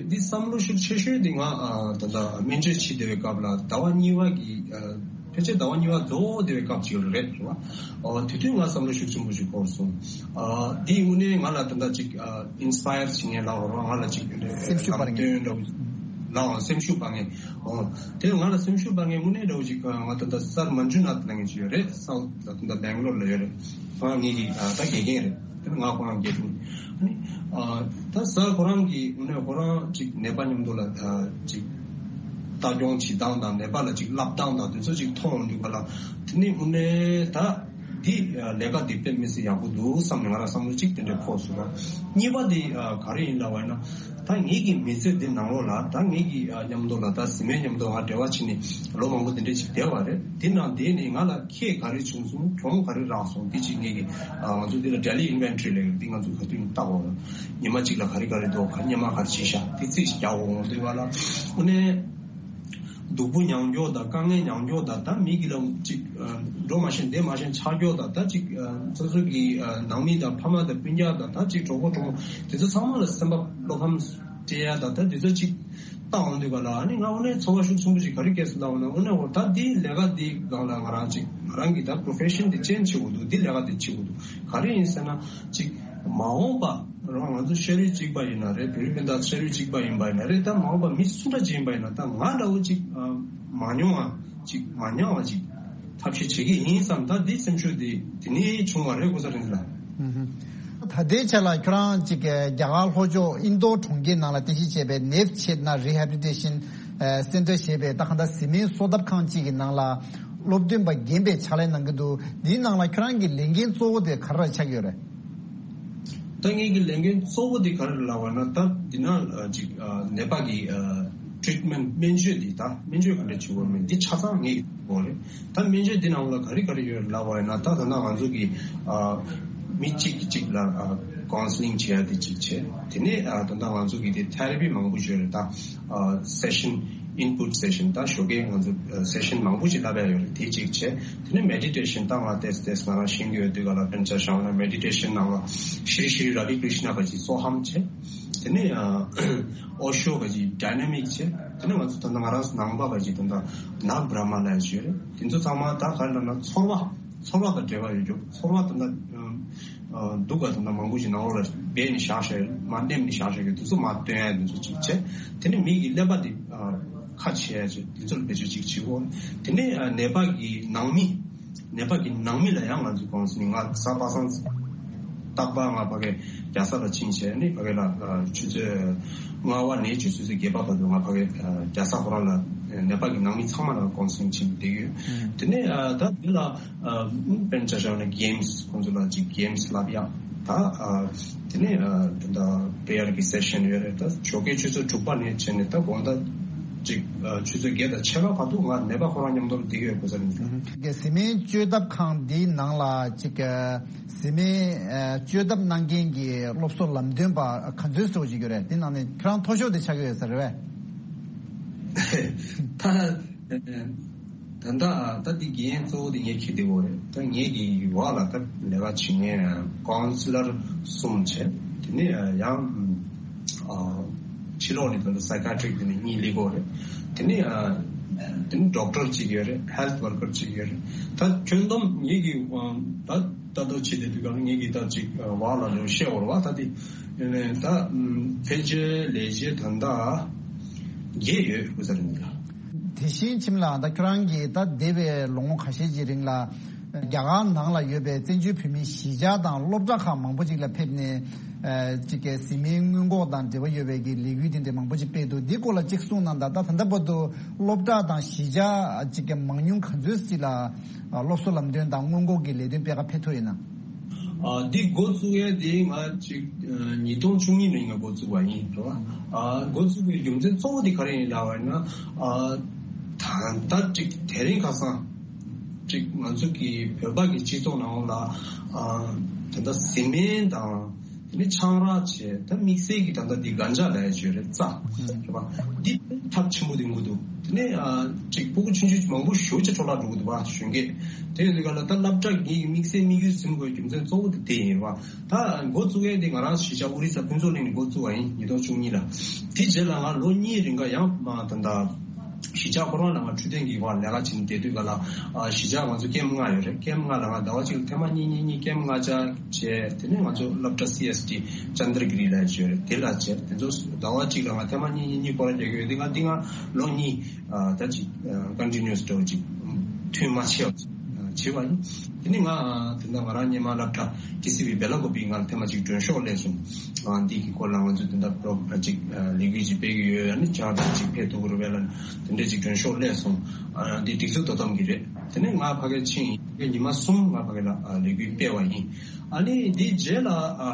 འདི་བསམ་བློ་ཤུགས་ཆེ་ཤོས་འདི་ང་ཨ་ད་ལྟ་སྨན་བཅོས་བྱེད་བསྡད་པའི་སྐབས་ལ་ཟླ་བ་གཉིས་པ་གི་ཨ་ ཕལ་ཆེར་ཟླ་བ་གཉིས་པ་རྫོགས་བསྡད་པའི་སྐབས་ཅིག་རེད་རེད་བ། ཨོ་དེ་དུས་ང་བསམ་བློ་ཤུགས་ཆེན་པོ་ཞིག་འཁོར་སོང་། ཨ་འདིའི་དངོས་གནས་ང་ལ་ད་ལྟ་ཅིག་ཨ་ཨིན་སི་པ་ཡར་བྱེད་མཁན་ལབ་དགོས་རེད་བ། ང་ལ་ཅིག་སེམས་ཤུགས་སྤར་མཁན་སྟོན་འདྲ་བོ་ལའང་སེམས་ཤུགས་སྤར་མཁན། ཨོ་དེ་ང་ལ་སེམས་ཤུགས་སྤར་མཁན་དངོས་གནས་འདྲ་བོ་ཅིག་ང་ད་ལྟ་སར་མན་ཇུ་ནཱཐ་ལབ་མཁན་ཅིག་ཡོད་རེད། སའུཐ་ད་ལྟ་སྦེང་ལོར་ལ་ཡོད་རེད། ཨ་ངེད་ཀྱི་ཨ་ད་དགེ་རྒན་རེད། དེ་ནི་ང་ཁོ་རང་དགེ་ཕྲུག་ཨ་ནི་ཨ་ད་སར་ཁོ་རང་གིས་དངོས་གནས་ཁོ་རང་ཅིག་ནད་པ་མཉམ་དུ་ལ་ཨ་ཅིག་ལྟ་སྐྱོང་བྱེད་སྟངས་དང་ནད་པ་ལ་ཅིག་བསླབ་སྟངས་དང་དེ་ཚོ་ཅིག་མཐོང་ཡོང་དུས་ག་ལ། དེ་ནི་དངོས་གནས་ད་འདི་ལས་ཀ་འདི་དཔེ་མི་སྲིད་ཡག་པོ་འདུག་བསམ་ནས་ང་རང་བསམ་བློ་ཅིག་དེ་འདྲ་འཁོར་སོང་། གཉིས་པ་འདི་ག་རེ་ཡིན་ལབ་པ་ཡིན་ན། ད་ངེད་ཀྱི་མི་ཚེ་འདི་ནང་ལོགས་ལ་ད་ངེད་ཀྱི་ཨ་མཉམ་དུ་ལ་ད་གཟིགས་མོའི་མཉམ་དུ་ང་འབྲེལ་བ་བྱས་ནས་ལོ་མང་པོ་འདི་འདྲ་ཅིག་བསྡད་པ་རེད། འདི་ནང་བསྡད་ནས་ང་ལ་ཁྱད་ག་རེ་བྱུང་སོང་། གྱོང་ག་རེ་རག་སོང་། འདི་ཅིག་ངེད་ཀྱི་ཨ་ང་ཚོ་འདི་ལ་daily inventory་ལབ་ཡོད། འདི་ང་ཚོ་ག་དུས་ཡིན་བལྟ་དགོས་རེད། ཉི་མ་གཅིག་ལ་ག་རེ་ག་རེ་འདུག་ག་སྔོན་མ་ག་རེ་བྱས་ཤག་འདི་རྩིས་ཤིག་རྒྱག་དགོས་འོང་དུས་ག་ལ། དངོས་གནས་སྡུག་པོ་མྱོང་རྒྱུ་དང་དཀའ་ངལ་མྱོང་རྒྱུ་དང་ད་མི་གི་ལ་ཅིག་ཨ་འགྲོ་མ་ཤེས་བསྡད་མ་ཤེས་ཆགས་རྒྱུ་དང་ད་ཅིག་ཨ་སོ་སོ་གི་ཨ་ནང་མི་དང་ཕ་མ་དང་སྤུན་ཀྱག་དང་ད་ཅིག་གྲོགས་པོ་གྲོགས་མོ་དེ་ཚོ་ཚང་མ་ལ་སེམས་པ་བློ་ཕམ་སྤྲད་ཡ་དང་ད་དེ་ཚོ་ཅིག་བལྟ་འོང་དུས་ག་ལ། ཨ་ནི་ང་དངོས་གནས་ཚོར་བ་ཤུགས་ཆེན་པོ་ཞིག་ག་རེ་སྐྱེས་སོང་ལབ་འོང་ན། དངོས་གནས་འོ་ད་འདི་ལས་ཀ་འདི་སྒང་ལ་ང་རང་ཅིག་ང་རང་གི་ད་profession་འདི་change་བྱེད་དགོས་འདུག་འདི་ལས་ཀ་འདི་བྱེད་དགོས་འདུག་ག་རེ་ཡིན་ཟེར་ན་ཅིག་མ་འོངས་པ་རང་ང་ཚོ་ཤ་རུས་གཅིག་པ་ཡིན་ན་རེད། བོད་རིགས་སྤུན་ཟླ་ཤ་རུས་གཅིག་པ་ཡིན་པ་ཡིན་ན་རེད། ད་མ་འོངས་པ་མི་སུ་འདྲ་ཅིག་ཡིན་པ་ཡིན་ན་ད་ང་འདྲ་བོ་ཅིག་ཨ་མ་མྱོང་བ་ཅིག་མ་མྱོང་བ་ཅིག་ཐབས་ཤེས་བྱེད་ཀྱི་ཡིན་བསམ། ད་འདི་སེམས་ཤུགས་འདི་དེ་ནས་བྱུང་བ་རེད་ཀུན་བཟང་རིག་འཛིན་ལགས། ད་ལྟའི་ཆ་ལ་ཁྱོད་རང་ཅིག་རྒྱ་གར་ལྷོ་ཕྱོགས་ཨིན་རྡོར་གྲོང་ཁྱེར་ནང་ལ་རྟེན་གཞི་བྱས་པའི་ནེབ་ཆེད་ན་Rehabilitation Center་ཞེས་པའི་ད་གང་ལྟར་གཟིགས་མོའི་གསོ་ཐབ་ཁང་ཅིག་གི་ནང་ལ་སློབ་སྟོན་པ་རྒན་པའི་ཕྱག་ལས་གནང་གི་འདུག་འདིའི་ནང་ལ་ཁྱོད་རང་གི་ལས་འགན་གཙོ་བོ་དེ་ག་རེ་ཆགས་ཀྱི་ཡོད་རེད། ད་ངེད་ཀྱི་ལས་འགན་གཙོ་བོ་དེ་ག་རེ་ལབ་པ་ན། ད་འདི་ན་ཅིག་ནད་པ་གི་treatment་སྨན་བཅོས་འདི་ད་སྨན་བཅོས་ག་འདྲ་བྱེད་དགོས་མིན་འདི་ཆ་ཚང་ངེད་ཀྱི་འོག་རེད། ད་སྨན་བཅོས་འདི་ནང་ལ་ག་རེ་ག་རེ་ཡོད་ལབ་པ་ཡིན་ན། ད་ད་ལྟ་ང་ཚོ་གི་ཨ་མི་གཅིག་གིས་གཅིག་ལ་ཨ་counselling་བྱེད་ཡ་དེ་གཅིག་བྱས། དེ་ནས་ཨ་ད་ལྟ་ང་ཚོ་གི་དེ་therapy་མང་པོ་ཡོད་རེད། ད་ཨ་session input session་ད་ཞོགས་ཀས་ང་ཚོ་ཨ་session་མང་པོ་ཞིག་བསླབ་ཡ་ཡོད་རེད། དེ་གཅིག་བྱས། དེ་ནས་meditation་ད་ང་ཏོག་ཙམ་ང་རང་ཤེས་ཀྱི་ཡོད་དུས་ག་ལ་དཔེར་ན་ཆ་བཞག་ན་meditation་ནང་ལ་ཤྲི་ཤྲི་ར་བི་ཀྲི་ཤ་ན་ག་ཅིག་སོ་ཧམ་བྱས། དེ་ནས་ཨ་ཨོ་ཤོ་ག་ཅིག་dynamic་བྱས། དེ་ནས་ང་ཚོ་ད་ལྟ་ང་རང་ནང་པ་ག་ཅིག་ད་ལྟ་ནག་བྷྲ་མ་ལབ་ཡ་ཅིག་ཡོད་རེད། དེ་ཚོ་ཚང་མ་ད་ག་རེ་ལབ་ན་ཚོར་བ་ཚོར་བ་དང་འབྲེལ་བ་ཡོད་རྒྱུ། ཚོར་བ་ད་ལྟ་ཨ་སྡུག་ག་ད་ལྟ་མང་པོ་ཞིག་ནང་ལོགས་ལ་སྦས་ནས་བཞག་བཞག་ཡོད། མར་མནན་ནས་བཞག་བཞག་ཡོད། དེ་ཚོ་མར་བཏོན་ཡ་དེ་ཚོ་ཅིག་བྱས། དེ་ནས་མི་གི་ཀླད་པ་དེ་ཨ་ཁ་ཕྱེ་ཡ་ཅིག་དེ་ཚོ་ལ་བེད་སྤྱོད་ཅིག་བྱེད་དགོས། དེ་ནས་ཨ་ནད་པ་གི་ནང་མི་ནད་པ་གི་ནང་མི་ལ་ཡང་ང་ཚོས་counselling་ང་གཟའ་པ་སངས་རྟག་པར་ང་ཕ་གི་རྒྱལ་ས་ལ་ཕྱིན་བྱས་ནས་ཕ་གི་ལ་ཨ་ཆུ་ཚོད་ལྔ་པ་ནས་ཆུ་ཚོད་བརྒྱད་པ་བར་དུ་ང་ཕ་གི་ཨ་རྒྱལ་ས་ཁོ་རང་ལ་ནད་པ་གི་ནང་མི་ཚང་མ་ལ་counselling་བྱེད་བསྡད་ཡོད། དེ་ནས་ཨ་ད་དེ་ལ་ཨ་དཔེར་ན་ཆ་བཞག་ན་games་ཁོང་ཚོ་ལ་ཅིག་games་བསླབ་ཡག་ད་ཨ་དེ་ནས་ཨ་ད་prayer་གི་session་ཡོད་རེད། ད་ཞོགས་ཀའི་ཆུ་ཚོད་དྲུག་པ་ནས་བྱས་ནས་ད་དགོང་དག་ཅིག་ཨ་ཆུ་ཚོད་བརྒྱད་དང་ཕྱེད་ཀ་བར་དུ་ང་ནད་པ་ཁོ་རང་མཉམ་དུ་བསྡད་ཡོད་ཀུན་བཟང་རིག་འཛིན། གཟིགས་མོའི་བཅོས་ཐབ་ཁང་འདིའི་ནང་ལ་ཅིག་གཟིགས་མོའི་ཨ་བཅོས་ཐབ་གནང་མཁན་གྱི་སློབ་གསོ་ལམ་སྟོན་པ་ག་ཚོད་ཙམ་ཅིག་ཡོད་རེད། དེ་ནང་ནས་ཁྱོད་རང་མཐོ་ཤོས་དེ་ཆགས་ཀྱི་ཡོད་ས་རེད་པས། ད་ད་ལྟ་ད་འདི་འགན་གཙོ་བོ་དེ་ངས་འཁྱེར་བསྡད་ཡོད་རེད། ད་ངེད་ཀྱི་འོག་ལ་ད་ལས་ཀ་བྱེད་མཁན་counselor་གསུམ་བྱས། དེ་ནས་ཡང་ཨ་ཕྱི་ལོགས་ནས་ད་ལྟ་psychiatric་དེ་ནས་གཉིས་སླེབས་ཡོད་རེད། དེ་ནས་ཨ་དེ་ནས་doctor་གཅིག་ཡོད་རེད། health worker་གཅིག་ཡོད་རེད། ད་ཁྱོན་བསྡོམས་ངེད་ཀྱི་ཨ་ད་ལྟ་བྱེད་བསྡད་དུས་སྒང་ལ་ངེད་ཀྱི་ད་ཅིག་ཨ་བར་ལ་ལོ་བཤད་འོར་བ་ད་དེ་ཡིན་ནའི་ད་ཕལ་ཆེར་ལས་བྱེད་ད་ལྟ་བརྒྱད་ཡོད་ཀུན་བཟང་རིག་འཛིན་ལགས། དེ་བཞིན་ཁྱིམ་ལ་ད་ཁྱོད་རང་གིས་ད་འདས་པའི་ལོ་ངོ་ཁ་ཤས་ཀྱི་རིང་ལ་རྒྱ་གར་ནང་ལ་ཡོད་པའི་བཙན་བྱོལ་བོད་མིའི་གཞིས་ཆགས་དང་སློབ་གྲྭ་ཁག་མང་པོ་ཅིག་ལ་ཕེབས་ནས་ཨ་ཅིག་གི་གཟིགས་མོའི་སྔོན་འགོག་དང་འབྲེལ་བ་ཡོད་པའི་གི་ལས་འགུལ་དེ་འདྲ་མང་པོ་ཅིག་སྤེལ་འདུག་འདི་སྐོར་ལ་ཅིག་གསུངས་གནང་དང་། ད་ད་ལྟ་བར་དུ་སློབ་གྲྭ་དང་གཞིས་ཆགས་ཅིག་གི་མང་ཉུང་ག་ཚོད་ཅིག་ལ་ཨ་སློབ་གསོ་ལམ་སྟོན་དང་སྔོན་འགོག་གི་ལས་དོན་སྤེལ་ག་ཕེབས་ཐུབ་ཡོད་ན། ཨ་འདི་འགོ་བཙུགས་ཡས་དེ་ང་ཅིག་ཨ་ཉིས་སྟོང་བཅུ་གཉིས་ནས་ང་འགོ་བཙུགས་པ་ཡིན་རེད་བ། ཨ་འགོ་བཙུགས་པའི་རྒྱུ་མཚན་གཙོ་བོ་དེ་ག་རེ་ཡིན་ལབ་པ་ཡིན་ན། ཨ་ད་ལྟ་ཅིག་དེ་རིང་ཁ་སང་ཅིག་ང་ཚོ་གི་བོད་པ་གི་སྤྱི་ཚོགས་ནང་ལ་ཨ་ད་ལྟ་གཟིགས་མོ་དང་དེ་ནས་ཆང་རག་བྱས། ད་དམིགས་བསལ་གྱི་ད་ལྟ་འདི་གན་ཇ་ལབ་ཡ་ཅིག་ཡོད་རེད། རྩ་རེད་བ། འདི་ཐབས་ཆེན་པོ་དེ་འགོ་འདུག་དེ་ནས་ཨ་ཅིག་སྤུ་གུ་ཆུང་ཆུང་མང་པོ་ཞེ་པོ་ཅིག་འཕྲོ་བརླག་འགྲོ་གི་འདུག་བ། གཞོན་སྐྱེས་དེ་ཡོད་དུས་ག་ལ་ད་སློབ་གྲྭ་གི་དམིགས་བསལ་དམིགས་ཡུལ་ཟིན་དགོས་རྒྱུ་མཚན་གཙོ་བོ་དེ་དེ་ཡིན་བ། ད་འགོ་བཙུགས་ཡས་དེ་ང་རང་གཞིས་ཆགས་ཨོ་རི་ས་ཕུན་ཚོགས་གླིང་ནས་འགོ་བཙུགས་པ་ཡིན། ཉིས་སྟོང་བཅུ་གཉིས་ལ། དེ་རྗེས་ལ་ང་ལོ་གཉིས་རིང་ག་ཡང་མ་ད་ད་ གཞིས་ཆགས་ཁོ་རང་ལ་ང་འཕྲོད་བསྟེན་གྱི་བར་ལས་ཀ་བྱེད་བསྡད་དུས་ག་ལ། ཨ་གཞིས་ཆགས་ང་ཚོ་ཀེམ་ལྔ་ཡོད་རེད། ཀེམ་ལྔ་ལ་ང་ཟླ་བ་གཅིག་ལ་ཐེངས་མ་གཉིས་གཉིས་གཉིས་ཀེམ་ལྔ་བཅར་བྱས། དེ་ནས་ང་ཚོ་སློབ་གྲྭ་སི་ཨེས་ཊི་ཅན་དར་གི་རི་ལ་ཡོད་རེད། དེ་ལ་བྱས། དེ་ཚོ་ཟླ་བ་གཅིག་ལ་ང་ཐེངས་མ་གཉིས་གཉིས་གཉིས་སྐོར་ར་རྒྱག་གི་ཡོད། དེ་ང་འདི་ང་ལོ་གཉིས་ཨ་ད་ཅིག་ཀོན་ཊི་ནིའུ་སི་འདྲ་བོ་ཅིག་ཐུན་མ་ཆད་པ་བྱས་པ་ཡིན། དེ་ནས་ང་དེ་འདྲ་ང་རང་སྔོན་མ་སློབ་གྲྭ་ཊི་སི་ཝི་སྦེ་ལ་ཀོ་པི་ང་ལ་ཐེངས་མ་གཅིག་མགྲོན་ཤོག་སླེབས་སོང་། ཨ་འདི་གི་སྐོར་ལ་ང་ཚོ་དེ་འདྲ་པོ་རོག་ཅིག་ཨ་ལས་འགུལ་ཅིག་སྤེལ་གི་ཡོད། ཨ་ནི་ཅང་ད་ཅིག་ཕེབས་ཐུབ་ཀྱི་རེད་པས་ལབ་ནས་དེ་འདྲ་ཅིག་མགྲོན་ཤོག་སླེབས་སོང་། ཨ་འདི་སྒྲིག་འཛུགས་དོ་དམ་གྱི་རེད། དེ་ནས་ང་ཕ་གིར་ཕྱིན་ཡིན། ཉི་མ་གསུམ་ང་ཕ་གི་ལ་ཨ་ལས་འགུལ་སྤེལ་བ་ཡིན། ཨ་ནི་འདི་རྗེས་ལ་ཨ་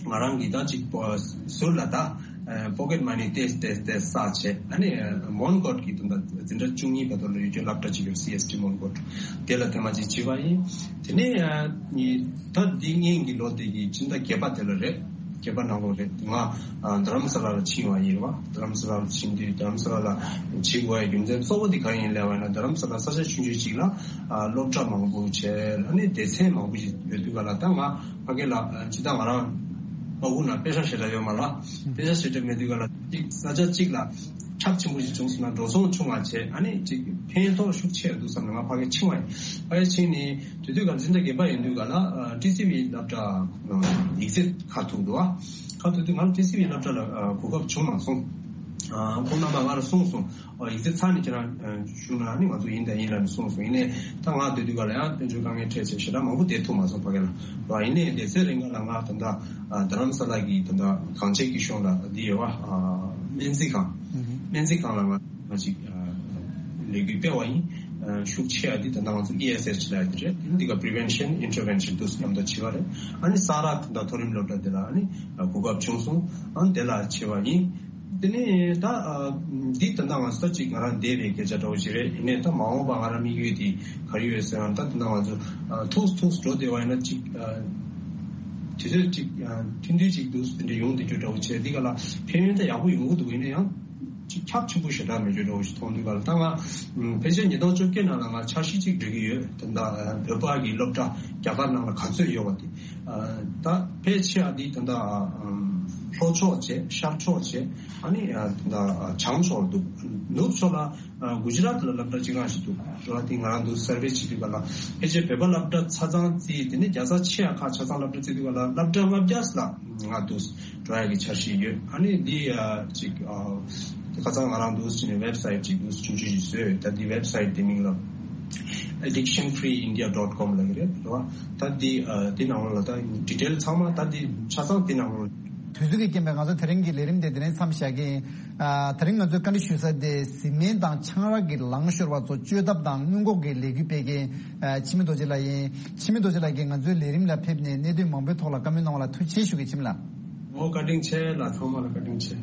ང་རང་གིས་ད་ཅིག་པོ་ཟུར་ལ་ད་ཨ་པོ་ཀེཊ་མ་ནི་ཏོག་ཙམ་ཏོག་ཙམ་ཏོག་ཙམ་བསགས་བྱས། ཨ་ནི་ཨ་མོན་གྷོ་གི་དུ་ད་འཛིན་གྲྭ་བཅུ་གཉིས་བར་དུ་ལ་ཡོད་རྒྱུ་སློབ་གྲྭ་ཅིག་ཡོད། སི་ཨེས་ཊི་མོན་གྷོ། དེ་ལ་ཐེངས་མ་གཅིག་བྱས་པ་ཡིན། དེ་ནས་ཨ་ནི་ད་འདི་སྔོན་གྱི་ལོ་དེ་གི་ཕྱི་ཟླ་བརྒྱད་པ་དེ་ལ་རེད། བརྒྱད་པ་ནང་ལོགས་རེད། ང་ཨ་རྡ་རམ་ས་ལ་ལ་ཕྱིན་པ་ཡིན་རེད་པ། རྡ་རམ་ས་ལ་ལ་ཕྱིན་དུས་རྡ་རམ་ས་ལ་ལ་བྱེད་དགོས་ཡ་རྒྱུ་མཚན་གཙོ་བོ་དེ་གང་ཡིན་ལབ་པ་ཡིན་ན། རྡ་རམ་ས་ལ་ས་ཆ་ཆུང་ཆུང་ཅིག་ལ་ཨ་སློབ་གྲྭ་མང་པོ་བྱས། ཨ་ནི་སྡེ་ཚན་མང་པོ་ཞིག་ཡོད་དུས་ག་ལ། ད་ང་ཕ་གི་ལ་ཨ་ཇི་ལྟར་ང་རང་པ་ཀུ་ན་པེ་ཤ་ཞེ་དྲག་ཡོད་མ་ལ། པེ་ཤ་ཞེ་དྲག་མེད་དུས་ག་ལ་ཅིག་ས་ཆ་གཅིག་ལ་ཁྱབ་ཆེན་པོ་ཞིག་བྱུང་སོང་ན་འགྲོ་སོང་ཆུང་བ་བྱས། ཨ་ནི་ཅིག་ཕན་ཐོགས་ཤུགས་ཆེ་འདུག་བསམ་ནས་ང་ཕ་གི་ཕྱིན་པ་ཡིན། ཕ་གི་ཕྱིན་ནས་དེ་དུས་ག་ལ་འཛིན་གྲྭ་བརྒྱད་པ་ཡིན་དུས་ག་ལ་ཨ་ཊི་སི་ཝི་སློབ་གྲྭ་ཡིག་ཚད་ཁ་ཐུག་འདུག་ཨ། ཁ་ཐུག་དུས་ང་ལ་ཊི་སི་ཝི་སློབ་གྲྭ་ལ་ཨ་གོ་སྐབས་བྱུང་མ་སོང་། ཨ་ཁོང་རྣམ་པ་ང་ལ་གསུངས་སོང་། ཨ་ཡིག་ཚད་ཚར་ནས་ཁྱེད་རང་ཨ་ཞུ་ན་ནི་ང་ཚོ་ཡིན་དང་ཡིན་ལབ་ནས་གསུངས་སོང་། ཡིན་ནའི་ད་ང་སྡོད་དུས་ག་ལ་ཡང་དཔལ་འབྱོར་དཀའ་ངལ་འཕྲད་བྱས་ཞེ་དྲག་མང་པོ་བསྡད་ཐུབ་མ་སོང་ཕ་གི་ལ། ཡིན་ནའི་དེ་ཚེ་རིང་ག་ལ་ང་ད་ལྟ་ཨ་རྡ་རམ་ས་ལ་གི་ད་ལྟ་གངས་ཅན་སྐྱིད་གཤོངས་ལ་འདི་ཡོད་པ། ཨ་སྨན་རྩིས་ཁང་། སྨན་རྩིས་ཁང་ལ་ང་ང་ཅིག་ཨ་ལས་འགུལ་སྤེལ་བ་ཡིན། ཨ་ཤུགས་ཆེ་བ་འདི་ད་ལྟ་ང་ཚོ་ཨི་ཨེས་ཨེཆ་ལབ་ཡ་འདི་རེད། འདི་ག་པི་རི་ཝེན་ཤན་ཨིན་ཊར་ཝེན་ཤན་དུ་མཉམ་དུ་བྱེད་པ་རེད། ཨ་ནི་ས་རཱ་ད་ལྟ་མཐོ་རིམ་སློབ་གྲྭ་འདི་ལ་ཨ་ནི་གོ་སྐབས་བྱུང་སོང་། ཨ་ནི་དེ་ལ་བྱེད་པ་ཡིན། དེ་ནས་ད་ཨ་འདི་ད་ལྟ་ང་ས་ཅིག་ང་རང་བསྡད་པའི་སྐད་ཆ་འདྲ་བོ་ཞིག་རེད། ཡིན་ནའི་ད་མ་འོངས་པ་ང་རང་དམིགས་ཡུལ་འདི་ག་རེ་ཡོད་ཟེར་ན། ད་ད་ལྟ་ང་ཚོ་ཨ་ཐུགས་ཐུགས་འགྲོ་བསྡད་པ་ཡིན་ན་ཅིག་ཨ་དུས་ཚོད་ཅིག་ཨ་ཐུང་ཐུང་ཅིག་འདུག་དེ་འདྲ་ཡོང་བསྡད་རྒྱུ་འདྲ་བོ་བྱས། འདི་ག་ལ་ཕན་ཡོན་ད་ཡག་པོ་ཡོང་གི་འདུག་ཡིན་ན་ཡང་ཅིག་ཁྱབ་ཆེན་པོ་ཞེ་དྲག་མེད་རྒྱུ་འདྲ་བོ་ཞིག་མཐོང་དུས་ག་ལ། ད་ང་ཕལ་ཆེར་ཉིས་སྟོང་བཅོ་བརྒྱད་ནང་ལ་ང་འཆར་གཞི་ཅིག་སྒྲིག་གི་ཡོད། ད་ལྟ་བོད་པ་གི་སློབ་གྲྭ་རྒྱ་གར་ནང་ལ་ག་ཚོད་ཡོད་པ་དེ། ད་ཕལ་ཆེ་བ་འདི་ད་ལྟ་ལྷོ་ཕྱོགས་བྱས། ཤར་ཕྱོགས་བྱས། ཨ་ནི་ད་ལྟ་བྱང་ཕྱོགས་འདུག་ནུབ་ཕྱོགས་ལ་གུ་ཇི་རཱཏ་ལ་སློབ་གྲྭ་གཅིག་རང་ཞིག་འདུག་རེད་པ། དེ་ང་རང་འདུག་སར་ཝེ་བྱེད་དུས་ག་ལ་ཕལ་ཆེར་བོད་པ་སློབ་གྲྭ་ཆ་ཚང་རྩིས། དེ་ནས་རྒྱལ་ས་ཆེ་ཡ་ཁག་ཆ་ཚང་སློབ་གྲྭ་རྩིས་དུས་ག་ལ་སློབ་གྲྭ་ལྔ་བརྒྱ་ལ་ང་འདུག་འགྲོ་ཡ་གི་འཆར་གཞི་ཡོད། ཨ་ནི་འདི་ཨ་ཅིག་ཨ་ཁ་སང་ང་རང་འདུག་ཅིག་ནས་ཝེབ་སའིཊ་ཅིག་འདུག་ཆུང་ཆུང་ཞིག་བཟོས་ཡོད། ད་འདི་ཝེབ་སའིཊ་དེ་མིང་ལ་ཨེ་ཌིག་ཤན་ཕི་རི་ཨིན་ཌི་ཡ་ཌོཊ་ཀོམ་ལབ་ཀྱི་རེད། རེད་པ། ད་འདི་ཨ་འདི་ནང་ལོགས་ལ་ད་ཌི་ཊེལ་ཚང་མ་ད་འདི་ཆ་ཚང་འདི་ནང་ལོགས། དུས་ཚོད་ཀྱི་རྐྱེན་པས་ང་ཚོ་དེ་རིང་གི་ལས་རིམ་དེ་འདི་ནས་མཚམས་བཞག་གི་ཡིན། ཨ་དེ་རིང་ང་ཚོས་བཀའ་འདྲི་ཞུ་ས་དེ་གཟིགས་མིན་དང་ཆང་རག་གི་ལངས་ཤོར་བ་ཚོ་བཅོས་ཐབས་དང་སྔོན་འགོག་གི་ལས་འགུལ་སྤེལ་མཁན་ཨ་འཆི་མེད་རྡོ་རྗེ་ལགས་ཡིན། འཆི་མེད་རྡོ་རྗེ་ལགས་ཀྱིས་ང་ཚོའི་ལས་རིམ་ལ་ཕེབས་ནས་གནད་དོན་མང་པོའི་ཐོག་ལ་བཀའ་མོལ་གནང་བ་ལ་ཐུགས་རྗེ་ཆེ་ཞུ་གི། འཆི་མེད་ལགས། འོ་བཀའ་དྲིན་ཆེ་ལགས། ཚང་མ་ལ་བཀའ་དྲིན་ཆེ།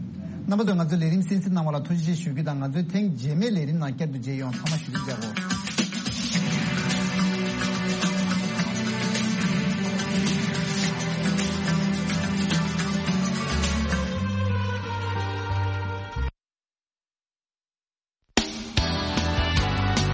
རྣམ་པ་ཚོས་ང་ཚོའི་ལས་རིམ་གསན་གཟིགས་གནང་བ་ལ་ཐུགས་རྗེ་ཆེ་ཞུ་རྒྱུ་དང་། ང་ཚོའི་ཐེངས་རྗེས་མའི་ལས་རིམ་ནང་བསྐྱར་དུ་མཇལ་ཡོང་། ཚང་མ་བཞུགས་གདན་འཇགས་དགོས།